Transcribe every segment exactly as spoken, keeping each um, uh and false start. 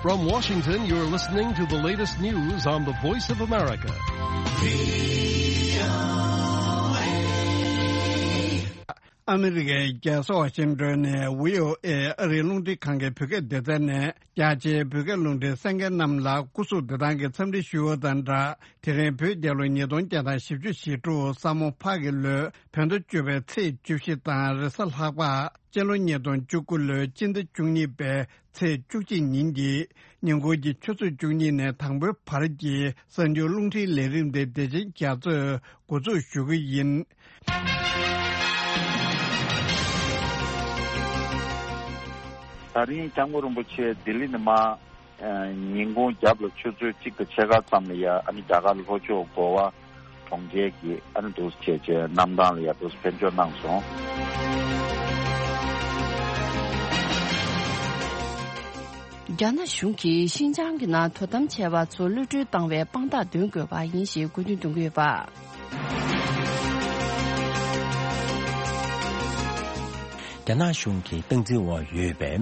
From Washington, you're listening to the latest news on the Voice of America. ཨ་མི་རི་ཀའི་རྒྱལ་ས་ཝ་ཤིང་ཏོན་ནས་བྷི་ཨོ་ཨེ་ཨ་རིའི་རླུང་འཕྲིན་ཁང་གི་བོད་སྐད་སྡེ་ཚན་ནས་རྒྱ་ཆེའི་བོད་སྐད་རླུང་འཕྲིན་གསན་མཁན་རྣམས་ལ་སྐུ་གཟུགས་བདེ་ཐང་གི་འཚམས་འདྲི་ཞུ་བ་དང་སྦྲགས། དེ་རིང་བོད་རྒྱལ་ལོ་ཉིས་སྟོང་བརྒྱ་དང་བཞི་བཅུ་ཞེ་དྲུག་ས་མོ་ཕག་གི་ལོའི་བོད་ཟླ་བཅུ་པའི་ཚེས་བཅུ་བཞི་དང་རེས་གཟའ་ལྷག་པ། སྤྱི་ལོ་ཉིས་སྟོང་བཅུ་དགུ་ལོའི་སྤྱི་ཟླ་བཅུ་གཉིས་པའི་ཚེས་བཅུ་གཅིག་ཉིན་གྱི་ཉིན་གུང་གི་ཆུ་ཚོད་བཅུ་གཉིས་ནས་དང་པོའི་བར་གྱི་གསར་འགྱུར་རླུང་འཕྲིན་ལས་རིམ་དེ་བདེ་ཆེན་རྒྱ་མཚོས་འགོ་འཛུགས་ཞུ་གི་ཡིན། ད་རིང་སྐྱབས་མགོན་རིན་པོ་ཆེ་ལྡི་ལི་ནས་མར། ཨ། ཉིན་གུང་རྒྱབ་ལ་ཆུ་ཚོད་གཅིག་དང་ཕྱེད་ཀ་ཙམ་ལ་ཡ་ཨ་ནི་རྒྱ་གར་ལྷོ་ཕྱོགས་གོ་བ་གྲོང་ཁྱེར་གྱི་ཨ་ནི་འདུག་སེ་བྱས་བྱས་གནམ་ཐང་ལ་ཡ་འདུག་སེ་ཕེབས་འབྱོར་གནང་སོང་། རྒྱ་ནག་གཞུང་གིས་ཤིན་ཅང་གི་ནང་དོ་དམ་བྱས་པ་ཚོ་གློད་གྲོལ་བཏང་བའི་དཔང་རྟགས་འདོན་དགོས་པ་ཡིན་ཞེས་དགོས་འདུན་འདོན་གྱི་ཡོད་པ། རྒྱ་ནག་གཞུང་གི་སྟངས་འཛིན་འོག་ཡོད་པའི་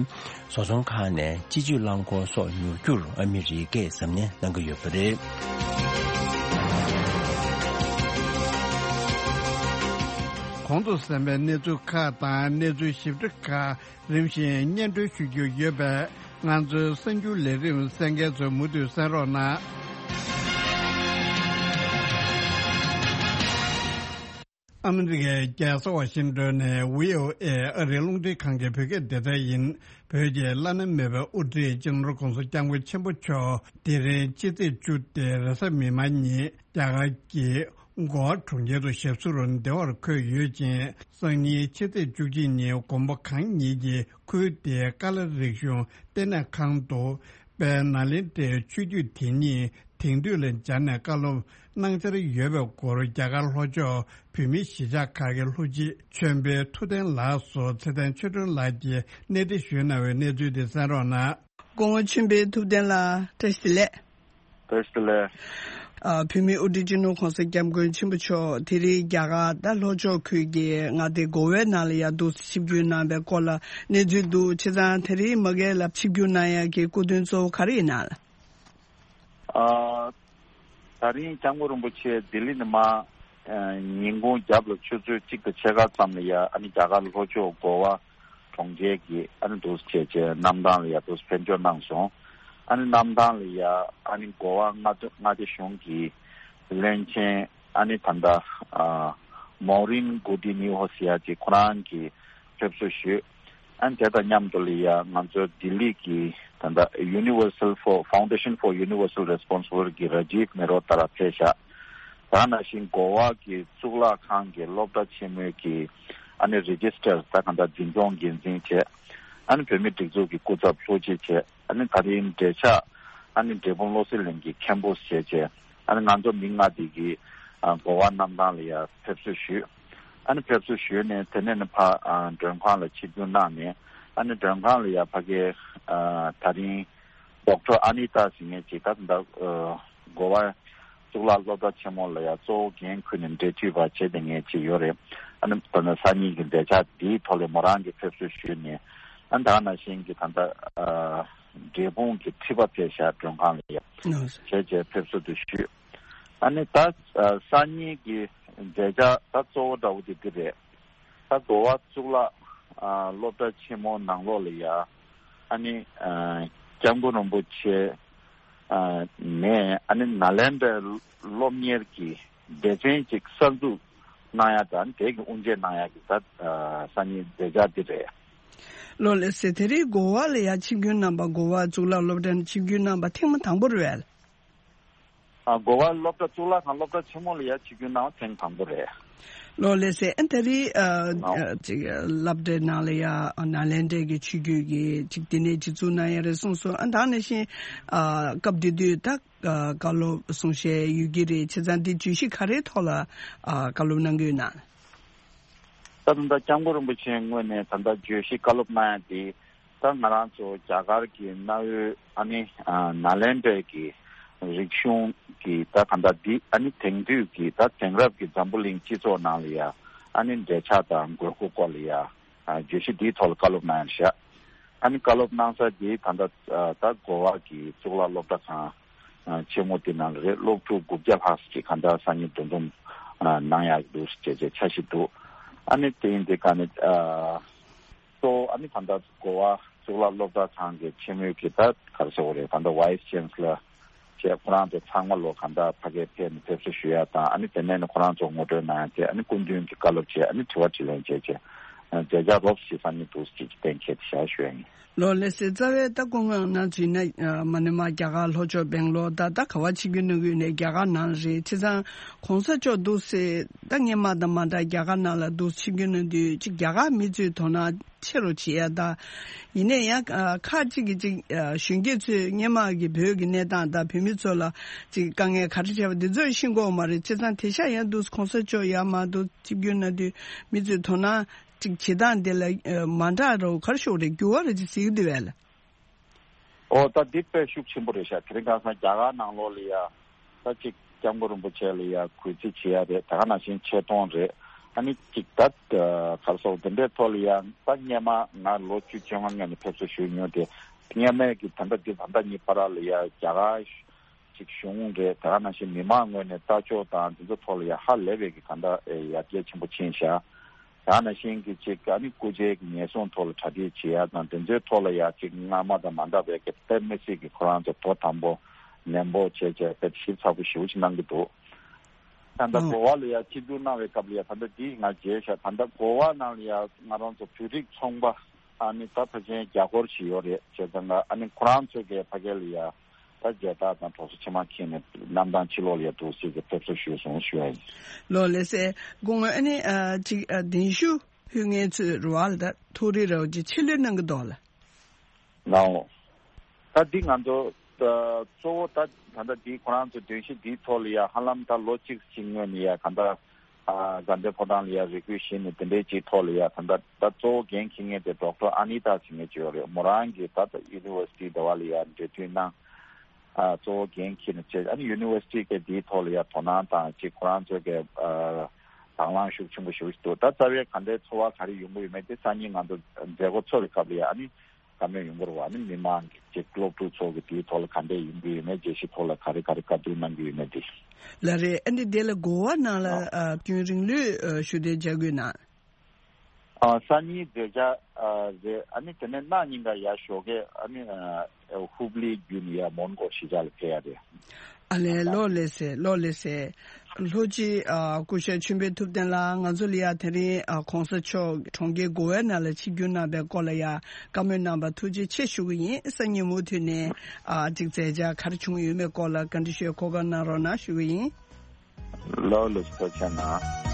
བཟོ་ཚོང་ཁང་ནས་སྤྱི་སྤྱོད་རླངས་འཁོར་སོགས་ཉོ་རྒྱུར་ཨ་མི་རི་ཀས་གཟབ་ནན་གནང་གི་ཡོད་པ་རེད། གོང་དུ་གསན་པའི་གནས་ཚུལ་ཁག་དང་གནས་ཚུལ་ཞིབ་ཕྲ་ཁག་རིམ་བཞིན་སྙན་སྒྲོན་ཞུ་རྒྱུ་ཡོད་པས། ང་ཚོའི་གསར་འགྱུར་ལས་རིམ་གསན་མཁན་ཚོས་མུ་མཐུད་གསན་རོགས་གནང་། ཨ་མི་རི་ཀའི་རྒྱལ་ས་ཝ་ཤིང་ཏོན་ནས་བྷི་ཨོ་ཨེ་ཨ་རིའི་རླུང་འཕྲིན་ཁང་གི་བོད་སྐད་སྡེ་ཚན་ཡིན། བོད་ཀྱི་བླ་ན་མེད་པའི་དབུ་ཁྲིད་སྤྱི་ནོར་༧གོང་ས་༧སྐྱབས་མགོན་ཆེན་པོ་མཆོག་དེ་རིང་ཕྱི་ཚེས་བཅུ་སྟེ་རེས་གཟའ་མིག་དམར་ཉིན་རྒྱ་གར་གྱི་གོ་བ་གྲོང་ཁྱེར་དུ་ཞབས་སོར་བདེ་བར་འཁོད་ཡོད་ཅིང་། སང་ཉིན་ཕྱི་ཚེས་བཅུ་གཅིག་ཉིན་མགོན་པོ་གང་ཉིད་ཀྱིས་ཁུལ་དེའི་ཀ་ལ་རིག་གཞུང་ལྟེ་གནས་ཁང་དུ་དཔལ་ནཱ་ལེནྡྲའི་ཆོས་བརྒྱུད་དེ་ཉིད་དེང་དུས་ལ་སྦྱར་ནས་བཀའ་སློབ་གནང་འཆར་ཡོད་པའི་སྐོར་རྒྱ་གར་ལྷོ་ཕྱོགས་བོད་མིའི་གཞིས་ཆགས་ཁག་གི་ལྷུ་སྤྱི་ཆོས་འཕེལ་ཐུབ་བསྟན་ལགས་སུ་ཚེ་བརྟན་ཆོས་སྒྲོན་ལགས་ཀྱིས་གནས་འདྲི་ཞུས་གནང་བའི་གནས་ཚུལ་དེ་གསན་རོགས་གནང་། སྐུ་ངོ་ཆོས་འཕེལ་ཐུབ་བསྟན་ལགས་བཀྲ་ཤིས་བདེ་ལེགས། བཀྲ་ཤིས་བདེ་ལེགས། ཨ། བོད་མིའི་དབུ་ཁྲིད་སྤྱི་ནོར་༧གོང་ས་༧སྐྱབས་མགོན་ཆེན་པོ་མཆོག་དེ་རིང་རྒྱ་གར་ད་ལྷོ་ཕྱོགས་ཁུལ་གྱི་མངའ་སྡེ་གོ་ཝའི་ནང་ལ་ཡར་འདུག་སེ་ཆིབས་བསྒྱུར་གནང་བའི་སྐོར་ལ་གནས་ཚུལ་འདུག་བྱས་ཙང་དེ་རིང་མ་གི་ལ་ཆིབས་བསྒྱུར་གནང་ཡག་གི་སྐུ་དོན་གཙོ་བོ་ག་རེ་ཡིན་ནམ། ཨ། ད་རིང་སྐྱབས་མགོན་རིན་པོ་ཆེ་ལྡི་ལི་ནས་མར། ཨ། ཉིན་གུང་རྒྱབ་ལ་ཆུ་ཚོད་གཅིག་དང་ཕྱེད་ཀ་ཙམ་ལ་ཡ་ཨ་ནི་རྒྱ་གར་ལྷོ་ཕྱོགས་གོ་བ་གྲོང་ཁྱེར་གྱི་ཨ་ནི་འདུག་སེ་བྱས་བྱས་གནམ་ཐང་ལ་ཡ་འདུག་སེ་ཕེབས་འབྱོར་གནང་སོང་། ཨ་ནི་གནམ་ཐང་ལ་ཡ་ཨ་ནི་གོ་བ་མངའ་སྡེ་མངའ་སྡེ་གཞུང་གི་བློན་ཆེན་ཨ་ནི་ད་ལྟ་ཨ་མོ་རིན་གུ་ཏི་ནི་ཧོ་ཟེར་ཡ་ཅིག་ཁོ་རང་གིས་ཕེབས་བསུ་ཞུས། ཨ་ནི་དེ་དང་མཉམ་དུ་ལ་ཡ་ང་ཚོ་ལྡི་ལི་གི་ད་ལྟ་Universal for Foundation for Universal Responsibility གི་ར་ཇིབ་མེ་རོ་ཏཱ་ར་ཕེབས་ཤག་ད་ནང་བཞིན་གོ་བ་གི་གཙུག་ལག་ཁང་གི་སློབ་གྲྭ་ཆེན་མོའི་གི་ཨ་ནི་རི་ཇི་སི་ཊར་ད་གང་ལྟར་འཛིན་སྐྱོང་འགན་འཛིན་བྱས། ཨ་ནི་བོད་མིའི་སྒྲིག་འཛུགས་ཀྱི་སྐུ་ཚབ་ལྷུ་སྤྱི་བྱས། ཨ་ནི་ད་རིང་འབྲེལ་ཆགས་ཨ་ནི་འབྲས་སྤུངས་བློ་གསལ་གླིང་གི་མཁན་པོ་བྱས་བྱས། ཨ་ནི་ང་ཚོ་མི་ལྔ་དེ་གིས་ཨ་གོ་བ་གནམ་ཐང་ལ་ཡ་ཕེབས་བསུ་ཞུས། ཨ་ནི་ཕེབས་བསུ་ཞུས་ནས་དེ་ནས་ནི་ཕ་ཨ་མགྲོན་ཁང་ལ་ཆིབས་བསྒྱུར་གནང་ནས། ཨ་ནི་མགྲོན་ཁང་ལ་ཡ་ཕ་གི་ཨ་ད་རིང་ཌོག་ཊར་ཨ་ནི་ཏཱ་ཟེར་མཁན་ཅིག་ད་ད་ཨ་གོ་བ་གཙུག་ལག་སློབ་གྲྭ་ཆེན་མོ་ལ་ཡ་གཙོ་བོ་འགན་འཁུར་ནས་འབྲེལ་མཐུད་པ་བྱས་བསྡད་མཁན་ཅིག་ཡོད་རེད། ཨ་ནི་ད་ནི་སང་ཉིན་གྱི་མཛད་འཆར་འདིའི་ཐོག་ལ་མོ་རང་གིས་ཕེབས་བསུ་ཞུས་ནས། ཨ་ནི་ད་ནང་བཞིན་གྱི་ད་ལྟ་ཨ་འབྲས་སྤུངས་ཀྱི་ཁྲི་པ་ཕེབས་ཤག་མགྲོན་ཁང་ལ་ཡ། ཨ་བྱས་བྱས་ཕེབས་བསུ་དེ་ཞུས། ཨ་ནི་ད་ཨ་སང་ཉིན་གྱི་མཛད་འཆར་ད་གཙོ་བོ་འདྲ་བོ་དེ་འདི་རེད། ད་གོ་བ་གཙུག་ལག་ཨ་སློབ་གྲྭ་ཆེན་མོ་ནང་ལོགས་ལ་ཡ། ཨ་ནི་ཨ་སྐྱབས་མགོན་རིན་པོ་ཆེ་ཨ་ནས་ཨ་ནི་ནཱ་ལེནྡྲའི་སློབ་གཉེར་གྱི་སྡེ་ཚན་ཅིག་གསར་འཛུགས་གནང་ཡ་དང་དེ་གི་དབུ་འབྱེད་གནང་ཡ་གི་ད་ཨ་སང་ཉིན་མཛད་འཆར་འདི་རེད། ལགས་ལགས་སེ། དེ་རིང་གོ་བ་ལ་ཡ་ཆིབས་བསྒྱུར་གནང་པ། གོ་བ་གཙུག་ལག་སློབ་གྲྭ་ནས་ཆིབས་བསྒྱུར་གནང་པ་ཐེངས་མ་དང་པོ་རེད་པས། ཨ་གོ་བ་སློབ་གྲྭ་གཙུག་ལག་ཁང་སློབ་གྲྭ་ཆེན་མོ་ལ་ཡ་ཆིབས་བསྒྱུར་གནང་བ་ཐེངས་དང་པོ་རེད། ལགས་ལགས་སེ། ཨ་དེ་རིང་ཨ་ཨ་ཅིག་སློབ་གྲྭའི་ནང་ལ་ཡ་ནཱ་ལེནྡྲའི་གི་ཆོས་བརྒྱུད་ཀྱི་ཅིག་དེ་ནས་སྤྱི་གཙུག་གནང་ཡ་རེད་གསུངས་སོང་། ཨ་ད་ནང་བཞིན་ཨ་སྐབས་དེ་དུས་ད་ཨ་བཀའ་སློབ་གསུང་བཤད་ཡོད་ཀྱི་རེད། བྱས་ཙང་འདི་བརྗོད་གཞི་ག་རེའི་ཐོག་ལ་ཨ་བཀའ་སློབ་གནང་གི་ཡོད་ན། ད་ད་ལྟ་སྐྱབས་མགོན་རིན་པོ་ཆེའི་ངོས་ནས་ད་ལྟ་བརྗོད་གཞི་བཀའ་སློབ་གནང་ཡ་དེ། ད་ང་རང་ཚོ་རྒྱ་གར་གྱི་གནའ་བོའི་ཨ་ནི་ཨ་ནཱ་ལེནྡྲའི་གི་རིག་གཞུང་གི་ད་ག་འདྲ་འདི་ཨ་ནི་དེང་དུས་ཀྱི་ད་དེང་རབས་ཀྱི་འཛམ་བུ་གླིང་སྤྱི་ཚོགས་ནང་ལ་ཡ་ཨ་ནི་འབྲེལ་ཆགས་དང་དགོས་མཁོ་སྐོར་ལ་ཡ་ཨ་བརྗོད་གཞི་འདིའི་ཐོག་ལ་བཀའ་སློབ་གནང་ཡ་ཤག་ཨ་ནི་བཀའ་སློབ་གནང་ས་དེ་ད་ལྟ་ད་གོ་བ་གི་གཙུག་ལག་སློབ་གྲྭ་ཁང་ཆེན་མོ་དེ་ནང་རེད། སློབ་ཕྲུག་དགུ་བརྒྱ་ལྷག་ཅིག་ག་འདྲ་སང་ཉིན་འདུ་འཛོམས་གནང་ཡག་འདུག་ཅེས་ཅེས་འཆར་གཞི་འདུག་ཨ་ནི་དེ་ཡིན་དེ་ག་ནི་གཙོ་བོ་ཨ་ནི་ད་ལྟ་གོ་བ་གཙུག་ལག་སློབ་གྲྭ་ཁང་གི་ཆེན་མོའི་གི་ད་ག་རེ་ཟེར་དགོས་རེད། ད་ལྟ་Vice Chancellor བྱས་ཁོ་རང་ཚོ་ཚང་མ་ལོ་ག་འདྲ་ཕ་གིར་ཕེབས་ནས་ཕེབས་བསུ་ཞུ་ཡ་དང་ཨ་ནི་དེ་ནས་ནི་ཁོ་རང་ཚོ་ངོ་སྤྲོད་གནང་ཡ་བྱས། ཨ་ནི་སྐུ་མདུན་གྱི་བཀའ་སློབ་བྱས། ཨ་ནི་དྲི་བ་དྲིས་ལན་བྱས་བྱས་མཛད་འཆར་རོབ་ཞིག་སང་ཉིན་འདུག་ཅེས་ཀྱི་གཏན་འཁེལ་དེ་བཞག་ཞུ་ཡ་ཡིན། ལོ་ལེགས་སེ། རྩ་བའི་ད་སྐུ་ངོ་ནང་བྱས་ན་མ་ནི་མ་རྒྱ་གར་ལྷོ་ཕྱོགས་སྦེང་ལོར་ད་ད་ག་བ་ཆིབས་བསྒྱུར་གནང་གི་ཡོད་ནས་རྒྱ་གར་ནང་རེད། བྱས་ཙང་གོང་ས་མཆོག་འདུག་སེ་ད་སྔོན་མ་དང་མ་འདྲ་རྒྱ་གར་ནང་ལ་འདུག་ཆིབས་བསྒྱུར་གནང་དུས་ཅིག་རྒྱ་གར་མི་ཚོའི་དོ་སྣང་ཆེ་རུ་བྱེད་ཡ་ད། ཡིན་ནའི་ཡང་ཁག་ཅིག་གིས་ཅིག་གཞོན་སྐྱེས་ཚོས་སྔོན་མ་གི་བོད་ཀྱི་གནས་སྟངས་དང་བོད་མི་ཚོ་ལ་ཅིག་དཀའ་ངལ་ག་རེ་བྱས་པ་འདི་ཚོ་ཤེས་ཀྱི་ཡོད་མ་རེད། བྱས་ཙང་དེང་སང་ཡང་འདུག་གོང་ས་མཆོག་ཡར་མར་འདུག་ཆིབས་བསྒྱུར་གནང་དུས་མི་ཚོའི་དོ་སྣང་ཅིག་བྱེད་སྟངས་དེ་ལ་མ་འདྲ་རུ་ག་རེ་ཞུ་དགོས་རེད། འགྱུར་བ་རེ་ཅིག་གཟིགས་ཀྱི་འདུག་བས་ལ། ཨོ་ད་འདི་དཔེ་ཤུགས་ཆེན་པོ་རེད་ཤག་དེ་རིང་ཁ་སང་རྒྱ་གར་ནང་ལོགས་ལ་ཡ་ད་ཅིག་སྐྱབས་མགོན་རིན་པོ་ཆེ་ལ་ཡ་གུས་བརྩི་བྱེད་ཡ་རེད། ད་ག་ནང་བཞིན་ཆེ་མཐོང་རེད། ཨ་ནི་ཅིག་ད་ག་རེ་ཟེར་དགོས་རེད། དེ་འདྲའི་ཐོག་ལ་ཡ་ད་སྔོན་མ་ང་ལོ་བཅུ་བཅོ་ལྔ་སྔོན་ནས་ཕེབས་བསུ་ཞུས་མྱོང་དེ། སྔོན་མའི་གི་ད་ལྟ་འདི་ད་ལྟ་གཉིས་བར་ལ་ཡ་རྒྱ་གར་ཅིག་གཞུང་རེད། ད་ག་ནང་བཞིན་མི་མང་ངོས་ནས་ལྟ་ཕྱོགས་དང་འདི་ཚོ་ཐོག་ལ་ཡ་ཧ་ལས་པའི་གི་ད་ལྟ་ཡར་རྒྱས་ཆེན་པོ་ཕྱིན་ཤག་ད་ག་ནང་བཞིན་གི་ཅིག་ཨ་ནི་སྐུ་ཕྱྭའི་གི་ཉེན་སྲུང་ཐོག་ལ་གྲ་སྒྲིག་བྱེད་ཡ་དང་དེ་ཚོའི་ཐོག་ལ་ཡ་ཅིག་སྔ་མ་དང་མ་འདྲ་བའི་གི་དཔེ་མི་སྲིད་གི་ཁོ་རང་ཚོ་དོ་དམ་པོ་ནན་པོ་བྱས་བྱས་དཔེ་ཞིབ་ཚགས་པོ་ཞེ་པོ་ཅིག་གནང་གི་འདུག་ད་ལྟ་ཨང་། གོ་བ་ལ་ཡ་ཆིབས་བསྒྱུར་གནང་བའི་སྐབས་ལ་ཡ་ད་ལྟ་འདི་ང་མཇལ་ཤག་ད་ལྟ་གོ་བ་ནང་ལ་ཡ་ང་རང་ཚོ་བོད་རིགས་ཚོང་པ་ཨ་ནི་ད་ཕལ་ཆེར་བརྒྱ་སྐོར་ཞིག་ཡོད་རེད། བྱས་ཙང་ཨ་ནི་ཁོ་རང་ཚོ་གི་ཕ་གི་ལ་ཡ་ད་མཇལ་དར་དང་གྲོགས་སུ་མཆིལ་མ་འཁྱེར་ནས་གནམ་ཐང་ཕྱི་ལོགས་ལ་ཡ་འདུག་སེ་གི་ཕེབས་བསུ་ཞུས་སོང་ཞུ་ཡ་ཡིན། ལོ་ལེགས་སེ། སྐུ་ངོ་ཨ་ནི་ཨ་ཅིག་ཨ་གདན་ཞུ་ཕུལ་མཁན་ཚོས་རེད་བ་ལ་ད་ཐུགས་རེ་རེ་བ་ཅིག་ཆེད་ལས་གནང་གི་འདུག་ལ། ལའོ། ད་འདི་ང་ཚོ་ད་གཙོ་བོ་ད་ད་ལྟ་འདི་ཁོ་རང་ཚོ་གདན་ཞུ་འདིའི་ཐོག་ལ་ཡ་ཧ་ལམ་ད་ལོ་གཅིག་ཅིག་སྔོན་ནས་ཡ་ག་འདྲ་ཨ་དགའ་ལྡན་ཕོ་བྲང་ལ་ཡ་རེ་སྐུལ་ཞུས་ནས་དེ་འདྲའི་ཅིག་ཐོག་ལ་ཡ་ད་ལྟ་ད་གཙོ་བོ་འགན་འཁྱེར་མཁན་དེ་ཌོག་ཊར་ཨ་ནི་ཏཱ་ཟེར་མཁན་ཅིག་ཡོད་རེད། མོ་རང་གིས་ད་ལྟ་ཡུ་ནི་ཝར་སི་ཊི་ཟླ་བ་ལ་ཡ་འབྲེལ་མཐུད་གནང་། ཨ་གཙོ་བོ་འགན་འཁྱེར་ནས་བྱས། ཨ་ནི་ཡུ་ནི་ཝར་སི་ཊི་གི་འདིའི་ཐོག་ལ་ཡ་དོ་སྣང་དང་ཅིག་ཁོ་རང་ཚོ་གི་ཨ་དང་བླངས་ཤུགས་ཆེན་པོ་ཞེ་པོ་ཞིག་འདུག་ད་རྩ་བའི་ག་འདྲའི་ཚོར་བ་ག་རེ་ཡོང་གི་ཡོད་མེད་དེ་སང་ཉིན་ང་ཚོ་མཛད་སྒོ་ཚོགས་པའི་སྐབས་ལ་ཡ་ཨ་ནི་བཀའ་མོལ་ཡོང་གི་རེད་བ། ཨ་ནི་མི་མང་གི་ཅིག་སློབ་ཕྲུག་ཚོ་གི་དེའི་ཐོག་ལ་ག་འདྲས་ཡོང་གི་ཡོད་མེད། དགེ་བཤེས་ཐོག་ལ་ག་རེ་ག་རེ་བཀའ་བསྡུར་གནང་གི་ཡོད་མེད་དེ། ལགས་རེད། ཨ་ནི་དེ་ལ་གོ་བ་ནང་ལ་ཨ་ཨ་རྒྱུན་རིང་ལོས་ཨ་ཞུ་གཏུག་བྱ་དགོས་ན། ཨ་སང་ཉིན་མཛད་འཆར་ཨ་རེད། ཨ་ནི་དེ་ནས་གནངས་ཉིན་ཀ་ཡར་ཞོགས་ཀས་ཨ་ནི་ཨ་ཧུབ་ལི་བརྒྱུད་ནས་ཡར་མོན་གྷོ་གཞིས་ཆགས་ལ་ཕེབས་ཡ་རེད། ཨ་ལས། ལོ་ལེགས་སེ། ལོ་ལེགས་སེ། ལྷོ་སྤྱི་ཨ་སྐུ་ཞབས་ཆོས་འཕེལ་ཐུབ་བསྟན་ལགས་ང་ཚོ་ལ་ཡ་དེ་རིང་ཨ་གོང་ས་མཆོག་གྲོང་ཁྱེར་གོ་ཝའི་ནང་ལ་ཆིབས་བསྒྱུར་གནང་བའི་སྐོར་ལ་ཡ་བཀའ་མོལ་གནང་བར་ཐུགས་རྗེ་ཆེ་ཞུ་གི་ཡིན། སང་ཉིན་མུ་མཐུད་ནས་ཨ་ཅིག་མཛད་འཆར་ག་རེ་བྱུང་ཡོད་མེད་སྐོར་ལ་བཀའ་འདྲི་ཞུ་གོ་སྐབས་གནང་རོགས་གནང་ཞུ་གི་ཡིན། ལོ་ལོ་ཐུགས་རྗེ་གནང་།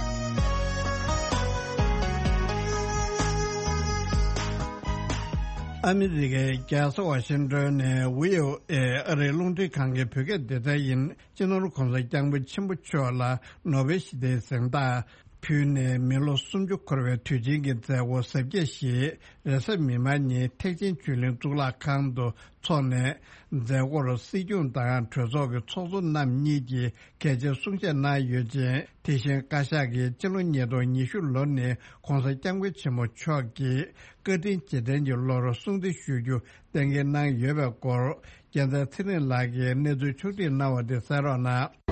ཨ་མི་རི་ཀའི་རྒྱལ་ས་ཝ་ཤིང་ཏོན་ནས་ཝི་ཨོ་ཨེ་ཨ་རིའི་རླུང་འཕྲིན་ཁང་གི་བོད་སྐད་སྡེ་ཚན་ཡིན། སྤྱི་ནོར་༸གོང་ས་༸སྐྱབས་མགོན་ཆེན་པོ་མཆོག་ལ་ནོ་བེལ་ཞི་བདེའི་གཟེངས་རྟགས་ཕུལ་ནས་མི་ལོ་སུམ་ཅུ་འཁོར་བའི་དུས་ཆེན་གྱི་མཛད་སྒོ་གཟབ་རྒྱས་ཤིག་རེས་གཟའ་མིག་དམར་ཉིན་ཐེག་ཆེན་ཆོས་གླིང་གཙུག་ལག་ཁང་དུ་འཚོགས་ནས། མཛད་སྒོར་སྲིད་སྐྱོང་དང་གྲོས་ཚོགས་ཀྱི་ཚོགས་གཙོ་རྣམ་གཉིས་ཀྱིས་གལ་ཆེའི་གསུང་བཤད་གནང་ཡོད་ཅིང་། དེ་བཞིན་བཀའ་ཤག་གིས་སྤྱི་ལོ་ཉིས་སྟོང་ཉི་ཤུ་ལོ་ནི་༸གོང་ས་༸སྐྱབས་མགོན་ཆེན་པོ་མཆོག་གིས་བཀའ་དྲིན་རྗེས་དྲན་གྱི་ལོར་སྲུང་བརྩི་ཞུ་རྒྱུ་གཏན་འཁེལ་གནང་ཡོད་པའི་སྐོར། རྒྱལ་མཚན་ཚེ་རིང་ལགས་ཀྱིས་གནས་ཚུལ་ཕྱོགས་སྒྲིག་གནང་བ་དེ་གསན་རོགས་གནང་།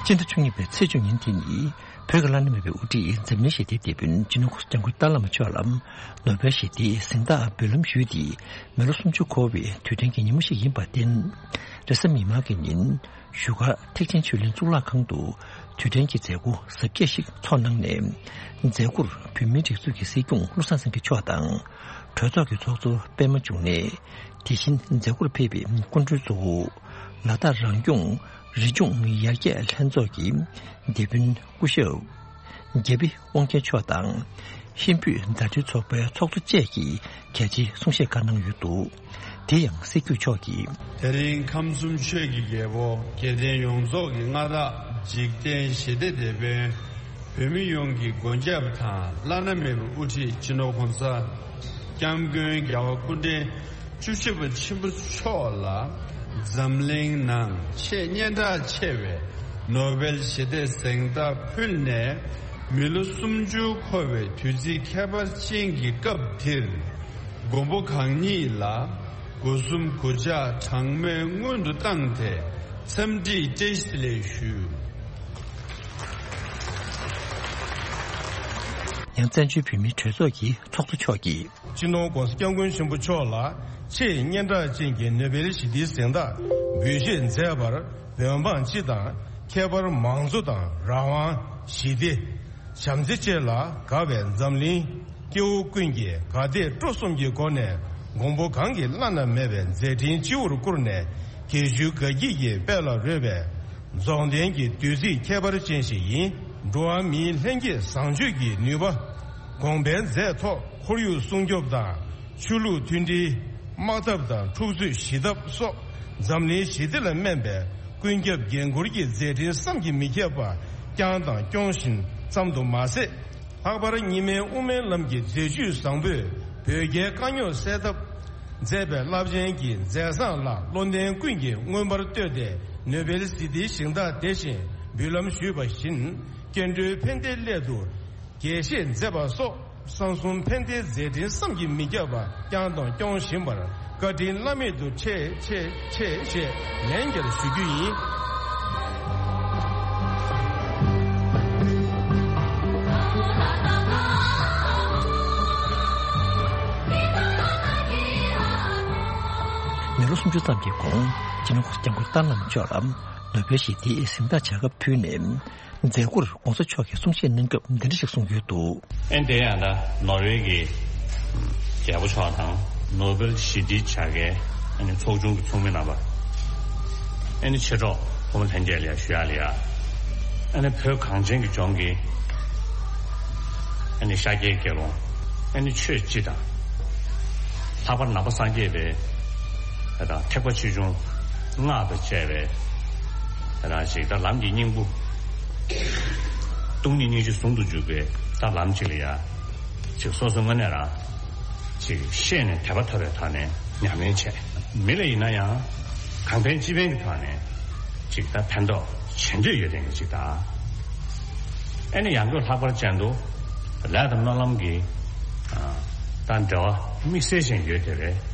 སྤྱི་ཟླ་བཅུ་གཉིས་པའི་ཚེས་བཅུ་ཉིན་དེ་ནི། བོད་ཀྱི་བླ་ན་མེད་པའི་དབུ་ཁྲིད་འཛམ་གླིང་ཞི་བདེའི་དེད་དཔོན་སྤྱི་ནོར་༸གོང་ས་༸སྐྱབས་མགོན་ཏཱ་བླ་མ་མཆོག་ལ་ནོ་བེལ་ཞི་བདེའི་གཟེངས་རྟགས་འབུལ་ལམ་ཞུས་ཏེ། མི་ལོ་སུམ་ཅུ་འཁོར་བའི་དུས་དྲན་གྱི་ཉིན་མོ་ཞིག་ཡིན་པར་བརྟེན། རེས་གཟའ་མིག་དམར་གྱི་ཉིན་བཞུགས་སྒར་ཐེག་ཆེན་ཆོས་གླིང་གཙུག་ལག་ཁང་དུ་དུས་དྲན་གྱི་མཛད་སྒོ་གཟབ་རྒྱས་ཤིག་ཚོགས་གནང་ནས། མཛད་སྒོར་བོད་མིའི་སྒྲིག་འཛུགས་ཀྱི་སྲིད་སྐྱོང་བློ་བཟང་སེང་གེ་མཆོག་དང་། གྲོས་ཚོགས་ཀྱི་ཚོགས་གཙོ་པད་མ་འབྱུང་གནས། དེ་བཞིན་མཛད་སྒོར་ཕེབས་པའི་སྐུ་མགྲོན་གཙོ་བོ། ལ་དྭགས་རང་སྐྱོང་རི་ལྗོངས་ཡར་རྒྱས་ལྷན་ཚོགས་ཀྱི་དེད་དཔོན་སྐུ་ཞབས་རྒྱ་བི་དབང་ཆེན་མཆོག་དང་། ཧིན་བོད་མཛའ་འབྲེལ་ཚོགས་པའི་ཚོགས་གཙོ་བཅས་ཀྱིས་གལ་ཆེའི་གསུང་བཤད་ཁག་གནང་ཡོད་འདུག་དེ་ཡང་སྲིད་སྐྱོང་མཆོག་གིས། དེ་རིང་ཁམས་གསུམ་ཆོས་ཀྱི་རྒྱལ་པོ་དགེ་ལྡན་ཡོངས་རྫོགས་ཀྱི་མངའ་བདག་འཇིག་རྟེན་ཞི་བདེ་དེད་དཔོན། བོད་མི་ཡོངས་ཀྱི་མགོན་སྐྱབས་དང་བླ་ན་མེད་པའི་དབུ་ཁྲིད་སྤྱི་ནོར་༸གོང་ས་༸སྐྱབས་མགོན་རྒྱལ་བ་སྐུ་ཕྲེང་བཅུ་བཞི་པ་ཆེན་པོ་མཆོག་ལ་འཛམ་གླིང་ནང་ཆེས་སྙན་གྲགས་ཆེ་བའི་ ནོ་བེལ་ཞི་བདེ་གཟེངས་རྟགས་ཕུལ་ནས་མི་ལོ་སུམ་ཅུ་འཁོར་བའི་དུས་ཚིགས་ཁྱད་པར་ཅན་གྱི་སྐབས་འདིར། མགོན་པོ་གང་ཉིད་ལ་སྒོ་གསུམ་གུས་ཕྱག་གྲངས་མེད་སྔོན་དུ་བཏང་སྟེ་འཚམས་འདྲི་བཀྲ་ཤིས་བདེ་ལེགས་ཞུ། ཡང་བཙན་བྱོལ་བོད་མིའི་གྲོས་ཚོགས་ཀྱི་ཚོགས་གཙོ་མཆོག་གིས། སྤྱི་ནོར་༧གོང་ས་༧སྐྱབས་མགོན་ཆེན་པོ་མཆོག་ལ་ཆེས་སྙན་གྲགས་ཅན་གྱི་ནོ་བེལ་ཞི་བདེའི་གཟེངས་རྟགས་འབུལ་བཞེས་མཛད་པར་འོས་འབངས་སྤྱི་དང་ཁྱད་པར་མང་གཙོ་དང་རང་དབང་། ཞི་བདེ། བྱམས་བརྩེ་བཅས་ལ་དགའ་བའི་འཛམ་གླིང་སྐྱེ་བོ་ཀུན་གྱིས་དགའ་དད་སྤྲོ་གསུམ་གྱི་སྒོ་ནས་མགོན་པོ་གང་གི་བླ་ན་མེད་པའི་མཛད་འཕྲིན་སྤྱི་བོར་བཀུར་ནས་དགེ་བཅུའི་དགའ་སྐྱིད་ཀྱི་དཔལ་ལ་རོལ་བའི་རྫོགས་ལྡན་གྱི་དུས་ཚིགས་ཁྱད་པར་ཅན་ཞིག་ཡིན། འགྲོ་བ་མིའི་ལྷན་སྐྱེས་བཟང་སྤྱོད་ཀྱི་ནུས་པ། གོང་འཕེལ་མཛད་ཐོག་ཁོར་ཡུག་སྲུང་སྐྱོབ་དང་ཆོས་ལུགས་མཐུན་སྒྲིལ། དམག་འཐབ་དང་འཁྲུག་རྩོད་ཞི་ཐབས་སོགས་འཛམ་གླིང་ཞི་བདེ་ལ་སྨན་པའི་ཀུན་ཁྱབ་འགན་འཁུར་གྱི་མཛད་འཕྲིན་བསམ་གྱིས་མི་ཁྱབ་པ་བསྐྱངས་དང་སྐྱོང་བཞིན་ཙམ་དུ་མ་ཟད། ལྷག་པར་རྙིང་མའི་དབུ་མའི་ལམ་གྱི་མཛད་བཅུས་བཟང་པོས་བོད་རྒྱའི་དཀའ་རྙོག་སེལ་ཐབས་མཛད་པའི་རླབས་ཆེན་གྱི་མཛད་བཟང་ལ་བློ་ལྡན་ཀུན་གྱིས་མངོན་པར་བསྟོད་དེ་ནོ་བེལ་ཞི་བདེའི་གཟེངས་རྟགས་དེ་བཞིན་འབུལ་ལམ་ཞུས་པ་བཞིན་སྐྱེ་འགྲོའི་ཕན་བདེའི་སླད་དུ། དགྱེས་བཞེས་མཛད་པ་སོགས་གསང་གསུམ་ཕན་བདེའི་མཛད་འཕྲིན་བསམ་གྱིས་མི་ཁྱབ་པ་བསྐྱངས་དང་སྐྱོང་བཞིན་པར་བཀའ་དྲིན་བླ་མེད་དུ་ཆེ་ཆེ་ཆེ་ཞེས་ལན་བརྒྱར་ཞུ་རྒྱུ་ཡིན། མི་ལོ་སུམ་ཅུ་ཙམ་གྱི་གོང་སྤྱི་ནོར་༧གོང་ས་༧སྐྱབས་མགོན་རྟ་རྣམ་མཆོག་ལ་ནོ་བེལ་ཞི་བདེའི་གཟེངས་རྟགས་བྱ་དགའ་ཕུལ་ནས། མཛད་སྒོར་༧གོང་ས་མཆོག་གིས་གསུང་བཤད་གནང་སྐབས་འདི་འདྲ་ཞིག་གསུངས་ཡོད་འདུག། ཨེ་འདི་ཡང་ད་ནོར་ཝེ་གི་རྒྱལ་པོ་མཆོག་དང་ནོ་བེལ་ཞི་བདེའི་བྱ་དགའི་ཨ་ནི་ཚོགས་ཆུང་གི་ཚོགས་མི་རྣམ་པ། ཨ་ནི་མཆེད་གྲོགས་ཕོ་མོ་ལྷན་རྒྱས་ལ་ཡ་ཞུ་ཡག་ལ་ཡ། ཨ་ནི་བོད་གངས་ཅན་གྱི་ལྗོངས་ཀྱི་ཨ་ནི་ཤཱཀྱའི་དགེ་སློང་ཨ་ནི་ཆོས་སྤྱི་དང་། ལྷག་པར་ནང་པ་སངས་རྒྱས་པའི་ད་ཐེག་པ་ཆེ་ཆུང་སྔགས་དང་བཅས་པའི་ད་ཅིག་ད་ལམ་གྱི་སྙིང་པོ། སྟོང་ཉིད་སྙིང་རྗེ་ཟུང་དུ་འཇུག་པའི་ད་ལམ་གཅིག་ལ་ཡ། ཅིག་སོ་སོ་དངོས་གནས་རང་ཅིག་ཤེས་ནས་དད་པ་ཐོབ་པའི་ཐོག་ནས་ཉམས་ལེན་བྱས། མི་ལ་ཡིན་ན་ཡང་གང་ཕན་ཅི་ཕན་གྱི་ཐོག་ནས་ཅིག་ད་ཕན་ཐོགས་བྱེད་འདོད་ཡོད་མཁན་གྱི་ཅིག་ད། ཨ་ནི་ཡང་སྒོས་ལྷག་པར་ཅན་དུ་ལས་དང་སྨོན་ལམ་གྱི་ད་འབྲེལ་བ་དམིགས་བསལ་ཅན་ཡོད་དེ་བས།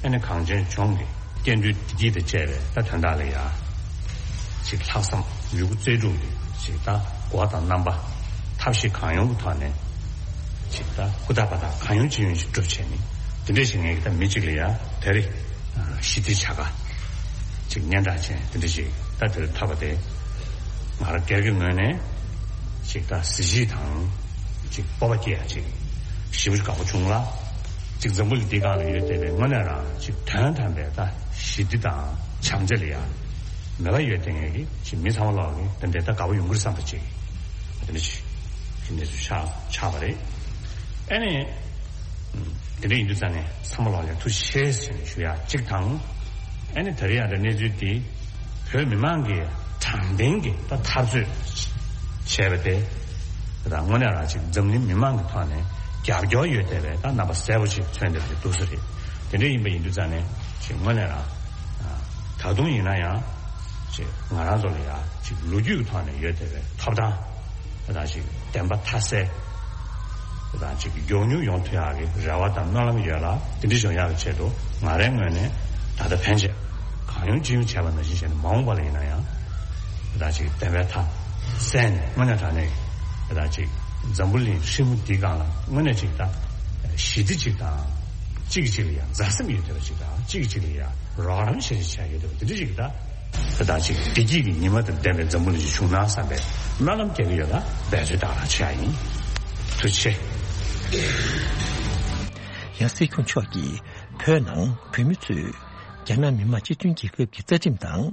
ཨ་ནི་གངས་ཅན་ལྗོངས་ཀྱི་སྐྱེ་འགྲོའི་བདེ་སྐྱིད་དང་བཅས་པའི་ད་དོན་དག་ལ་ཡ། ཅིག་ལྷག་བསམ་ཡོད་རྒུ་རྩལ་སྤྲུགས་ཀྱིས་ཅིག་ད་སྒོ་དང་རྣམ་པ་ཐབས་ཤེས་གང་ཡོང་གི་ཐོག་ནས་ཅིག་ད་ཧུར་ཐག་པ་དང་གང་ཡོང་ཅི་ཡོང་ཅིག་སྒྲུབ་བྱས་ནས་དེ་འདྲ་ཞིག་ངས་ད་མི་གཅིག་ལ་ཡ་དེ་རེད། ཞི་བདེའི་བྱ་དགའ་ཅིག་སྙན་གྲགས་ཅན་དེ་འདྲ་ཞིག་ད་དེར་ཐོབ་པ་དེ་ང་རང་སྒེར་གྱི་ངོས་ནས་ཅིག་ད་གཟི་བརྗིད་དང་ཅིག་སྤོབས་པ་སྐྱེ་ཡ་ཅིག་ཞེ་པོ་ཅིག་དགའ་པོ་བྱུང་ལ། ཅིག་འཛམ་བུ་གླིང་འདི་སྒང་ལ་ཡོད་བསྡད་པའི་དངོས་གནས་རང་ཅིག་དོན་དམ་པའི་ད་ཞི་བདེ་དང་བྱམས་བརྩེ་ལ་ཡ་མོས་པ་ཡོད་བསྡད་མཁན་གྱི་ཅིག་མི་ཚང་མ་ལོག་གི་དེ་འདྲའི་ད་དགའ་པོ་ཡོང་གི་རེད་བསམ་པ་ཅིག་དེ་འདྲ་ཅིག་གི་གནས་ཚུལ་ཆགས་ཆགས་པ་རེད། ཨ་ནི། དེ་འདྲ་ཡིན་དུས་ཙང་ནས་ཚང་མ་ལོག་ལ་ཐུགས་རྗེ་ཆེ་ཟེར་ནས་ཞུ་ཡ་གཅིག་དང་། ཨ་ནི་ད་རེས་ཡང་ད་གནས་ཚུལ་འདི་བོད་མི་མང་གི་དྲང་བདེན་གྱི་ད་འཐབ་རྩོད་བྱས་པ་དེ་ད་དངོས་གནས་རང་ཅིག་འཛམ་གླིང་མི་མང་གི་ཐོག་ནས་རྒྱབ་སྐྱོར་ཡོད་བསྡད་པའི་ད་རྣམ་པ་གསལ་པོ་ཅིག་མཚོན་བསྡད་པ་ཅིག་འདུག་ས་རེད། དེ་འདྲ་ཡིན་པ་ཡིན་དུས་ཙང་ནས་ཅིག་དངོས་གནས་རང་ད་དུང་ཡིན་ན་ཡང་ཅིག་ང་རང་ཚོ་ལ་ཡང་ཅིག་ལོ་རྒྱུས་ཀྱི་ཐོག་ནས་ཡོད་བསྡད་པའི་ཐོབ་ཐང་། དེ་དང་ཅིག་བདེན་པ་མཐའ་གསལ། དེ་དང་ཅིག་མགྱོགས་མྱུར་ཡོང་ཐུབ་ཡག་གི་རེ་བ་དང་སྨོན་ལམ་ཡོད་ལ། དེ་འདྲ་བྱུང་ཡག་གི་ཆེད་དུ་ང་རའི་ངོས་ནས་ད་ལྟ་ཕན་ཆད་གང་ཡོང་ཅི་ཡོང་བྱས་པ་ནང་བཞིན་བྱས་ནས་མ་འོངས་པ་ལ་ཡིན་ན་ཡང་དེ་དང་ཅིག་བདེན་པའི་མཐའ་གསལ་ནས་དངོས་གནས་དྲང་གནས་དེ་དང་ཅིག་འཛམ་བུ་གླིང་ཧྲིལ་པོ་འདིའི་སྒང་ལ་དངོས་གནས་ཅིག་ད་ཞི་བདེ་ཅིག་དང་གཅིག་གིས་གཅིག་ལ་ཡང་མཛའ་སེམས་ཡོད་བསྡད་པ་ཅིག་དང་གཅིག་གིས་གཅིག་ལ་ཡང་རོགས་རམ་བྱེད་བྱེད་ཡོད་བསྡད་པ་དེ་འདྲ་ཅིག་ད། དེ་དང་གཅིག་བདེ་སྐྱིད་ཀྱི་ཉི་མ་དང་ལྡན་པའི་འཛམ་བུ་གླིང་ཞིག་བྱུང་ན་བསམ་པའི་སྨོན་ལམ་རྒྱག་གི་ཡོད་ལ་འབད་རྩོལ་དང་རང་བྱེད་ཡ་ཡིན། ཐུགས་རྗེ་ཆེ། ཡང་སྲིད་སྐྱོང་མཆོག་གིས་བོད་ནང་བོད་མི་ཚོས་རྒྱ་ནག་མི་དམངས་སྤྱི་མཐུན་རྒྱལ་ཁབ་ཀྱི་རྩ་ཁྲིམས་དང་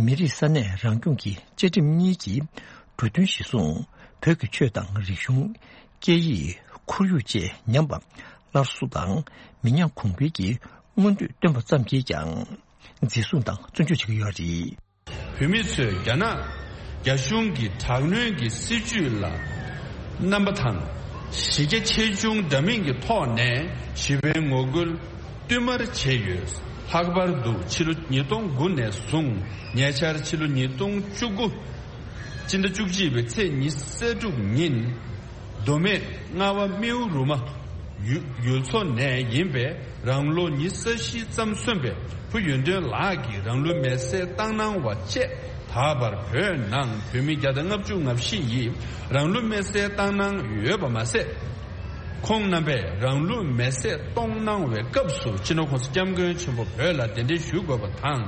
མི་རིགས་ས་གནས་རང་སྐྱོང་གི་བཅའ་ཁྲིམས་གཉིས་ཀྱི་འབྲུ་དོན་གཞིར་བཟུང་བོད་ཀྱི་ཆོས་དང་རིག་གཞུང་། སྐད་ཡིག་ཁོར་ཡུག་བཅས་ཉམས་པ་སླར་གསོ་དང་མི་ཉམས་གོང་འཕེལ་གྱི་མངོན་འདོད་བཏོན་པ་ཙམ་གྱིས་ཀྱང་། འཛིན་བཟུང་དང་བཙོན་འཇུག་བྱེད་ཀྱི་ཡོད་རེད། བོད་མི་ཚོས་རྒྱ་ནག་རྒྱ་གཞུང་གི་དྲག་གནོན་གྱི་སྲིད་བྱུས་ལ་རྣམ་པ་དང་གཞི་རྒྱ་ཆེ་ཆུང་འདྲ་མིན་གྱི་ཐོག་ནས་ཞི་བའི་ངོ་རྒོལ་བསྟུད་མར་བྱས་ཡོད། ལྷག་པར་དུ་ཕྱི་ལོ་ཉིས་སྟོང་དགུ་ནས་བཟུང་ཉེ་ཆར་ཕྱི་ལོ་ཉིས་སྟོང་བཅུ་དགུ་ སྤྱི་ཟླ་བཅུ་གཅིག་པའི་ཚེས་ཉི་ཤུ་རྩ་དྲུག་ཉིན། མདོ་སྨད་རྔ་བ་རྨེའུ་རུ་མ་ཡུལ་ཡུལ་ཚོ་ནས་ཡིན་པའི་རང་ལོ་ཉི་ཤུ་རྩ་བཞི་ཙམ་སོན་པའི་བུ་ཡོན་ཏན་ལགས་ཀྱིས་རང་ལུས་མེར་སྲེག་བཏང་གནང་བ་བཅས། ད་བར་བོད་ནང་བོད་མི་བརྒྱ་དང་ལྔ་བཅུ་ང་བཞི་ཡིས་རང་ལུས་མེར་སྲེག་བཏང་གནང་ཡོད་པ་མ་ཟད། ཁོང་རྣམ་པས་རང་ལུས་མེར་སྲེག་གཏོང་གནང་བའི་སྐབས་སུ་སྤྱི་ནོར་༸གོང་ས་༸སྐྱབས་མགོན་ཆེན་པོ་བོད་ལ་གདན་འདྲེན་ཞུ་དགོས་པ་དང་།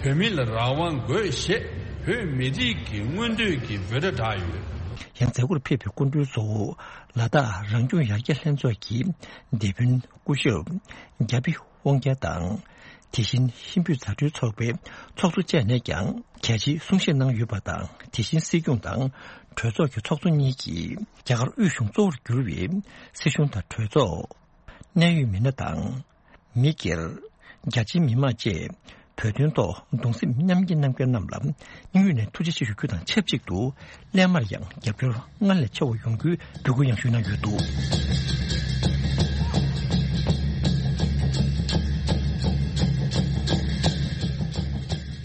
བོད་མི་ལ་རང་དབང་དགོས་ཞེས་བོད་མི་རིགས་ཀྱི་མངོན་འདོད་ཀྱི་འབོད་སྒྲ་བསྒྲགས་ཡོད། ཡང་མཛད་སྒོར་ཕེབས་པའི་སྐུ་མགྲོན་ཚོ་ལ་དྭགས་རང་སྐྱོང་ཡར་རྒྱས་ལྷན་ཚོགས་ཀྱི་སྡེ་དཔོན་སྐུ་ཞབས་རྒྱ་བི་དབང་རྒྱལ་དང་། དེ་བཞིན་ཧིན་བོད་མཛའ་འབྲེལ་ཚོགས་པའི་ཚོགས་གཙོ་བཅས་ནས་ཀྱང་གལ་ཆེའི་གསུང་བཤད་གནང་ཡོད་པ་དང་། དེ་བཞིན་སྲིད་སྐྱོང་དང་གྲོས་ཚོགས་ཀྱི་ཚོགས་གཙོ་གཉིས་ཀྱིས་རྒྱ་གར་དབུས་གཞུང་གཙོ་བོར་གྱུར་བའི་སྲིད་གཞུང་དང་གྲོས་ཚོགས། གནད་ཡོད་མི་སྣ་དང་། མི་སྒེར། རྒྱ་ཆེའི་མི་མང་བཅས་བོད་དོན་ཐོག་གདུང་སེམས་མཉམ་སྐྱེད་གནང་མཁན་རྣམས་ལ་སྙིང་དབུས་ནས་ཐུགས་རྗེ་ཆེ་ཞུ་རྒྱུ་དང་ཆབས་ཅིག་ཏུ། སླད་མར་ཡང་རྒྱབ་སྐྱོར་སྔར་ལས་ཆེ་བ་ཡོང་རྒྱུའི་འབོད་སྐུལ་ཡང་ཞུས་གནང་ཡོད་འདུག།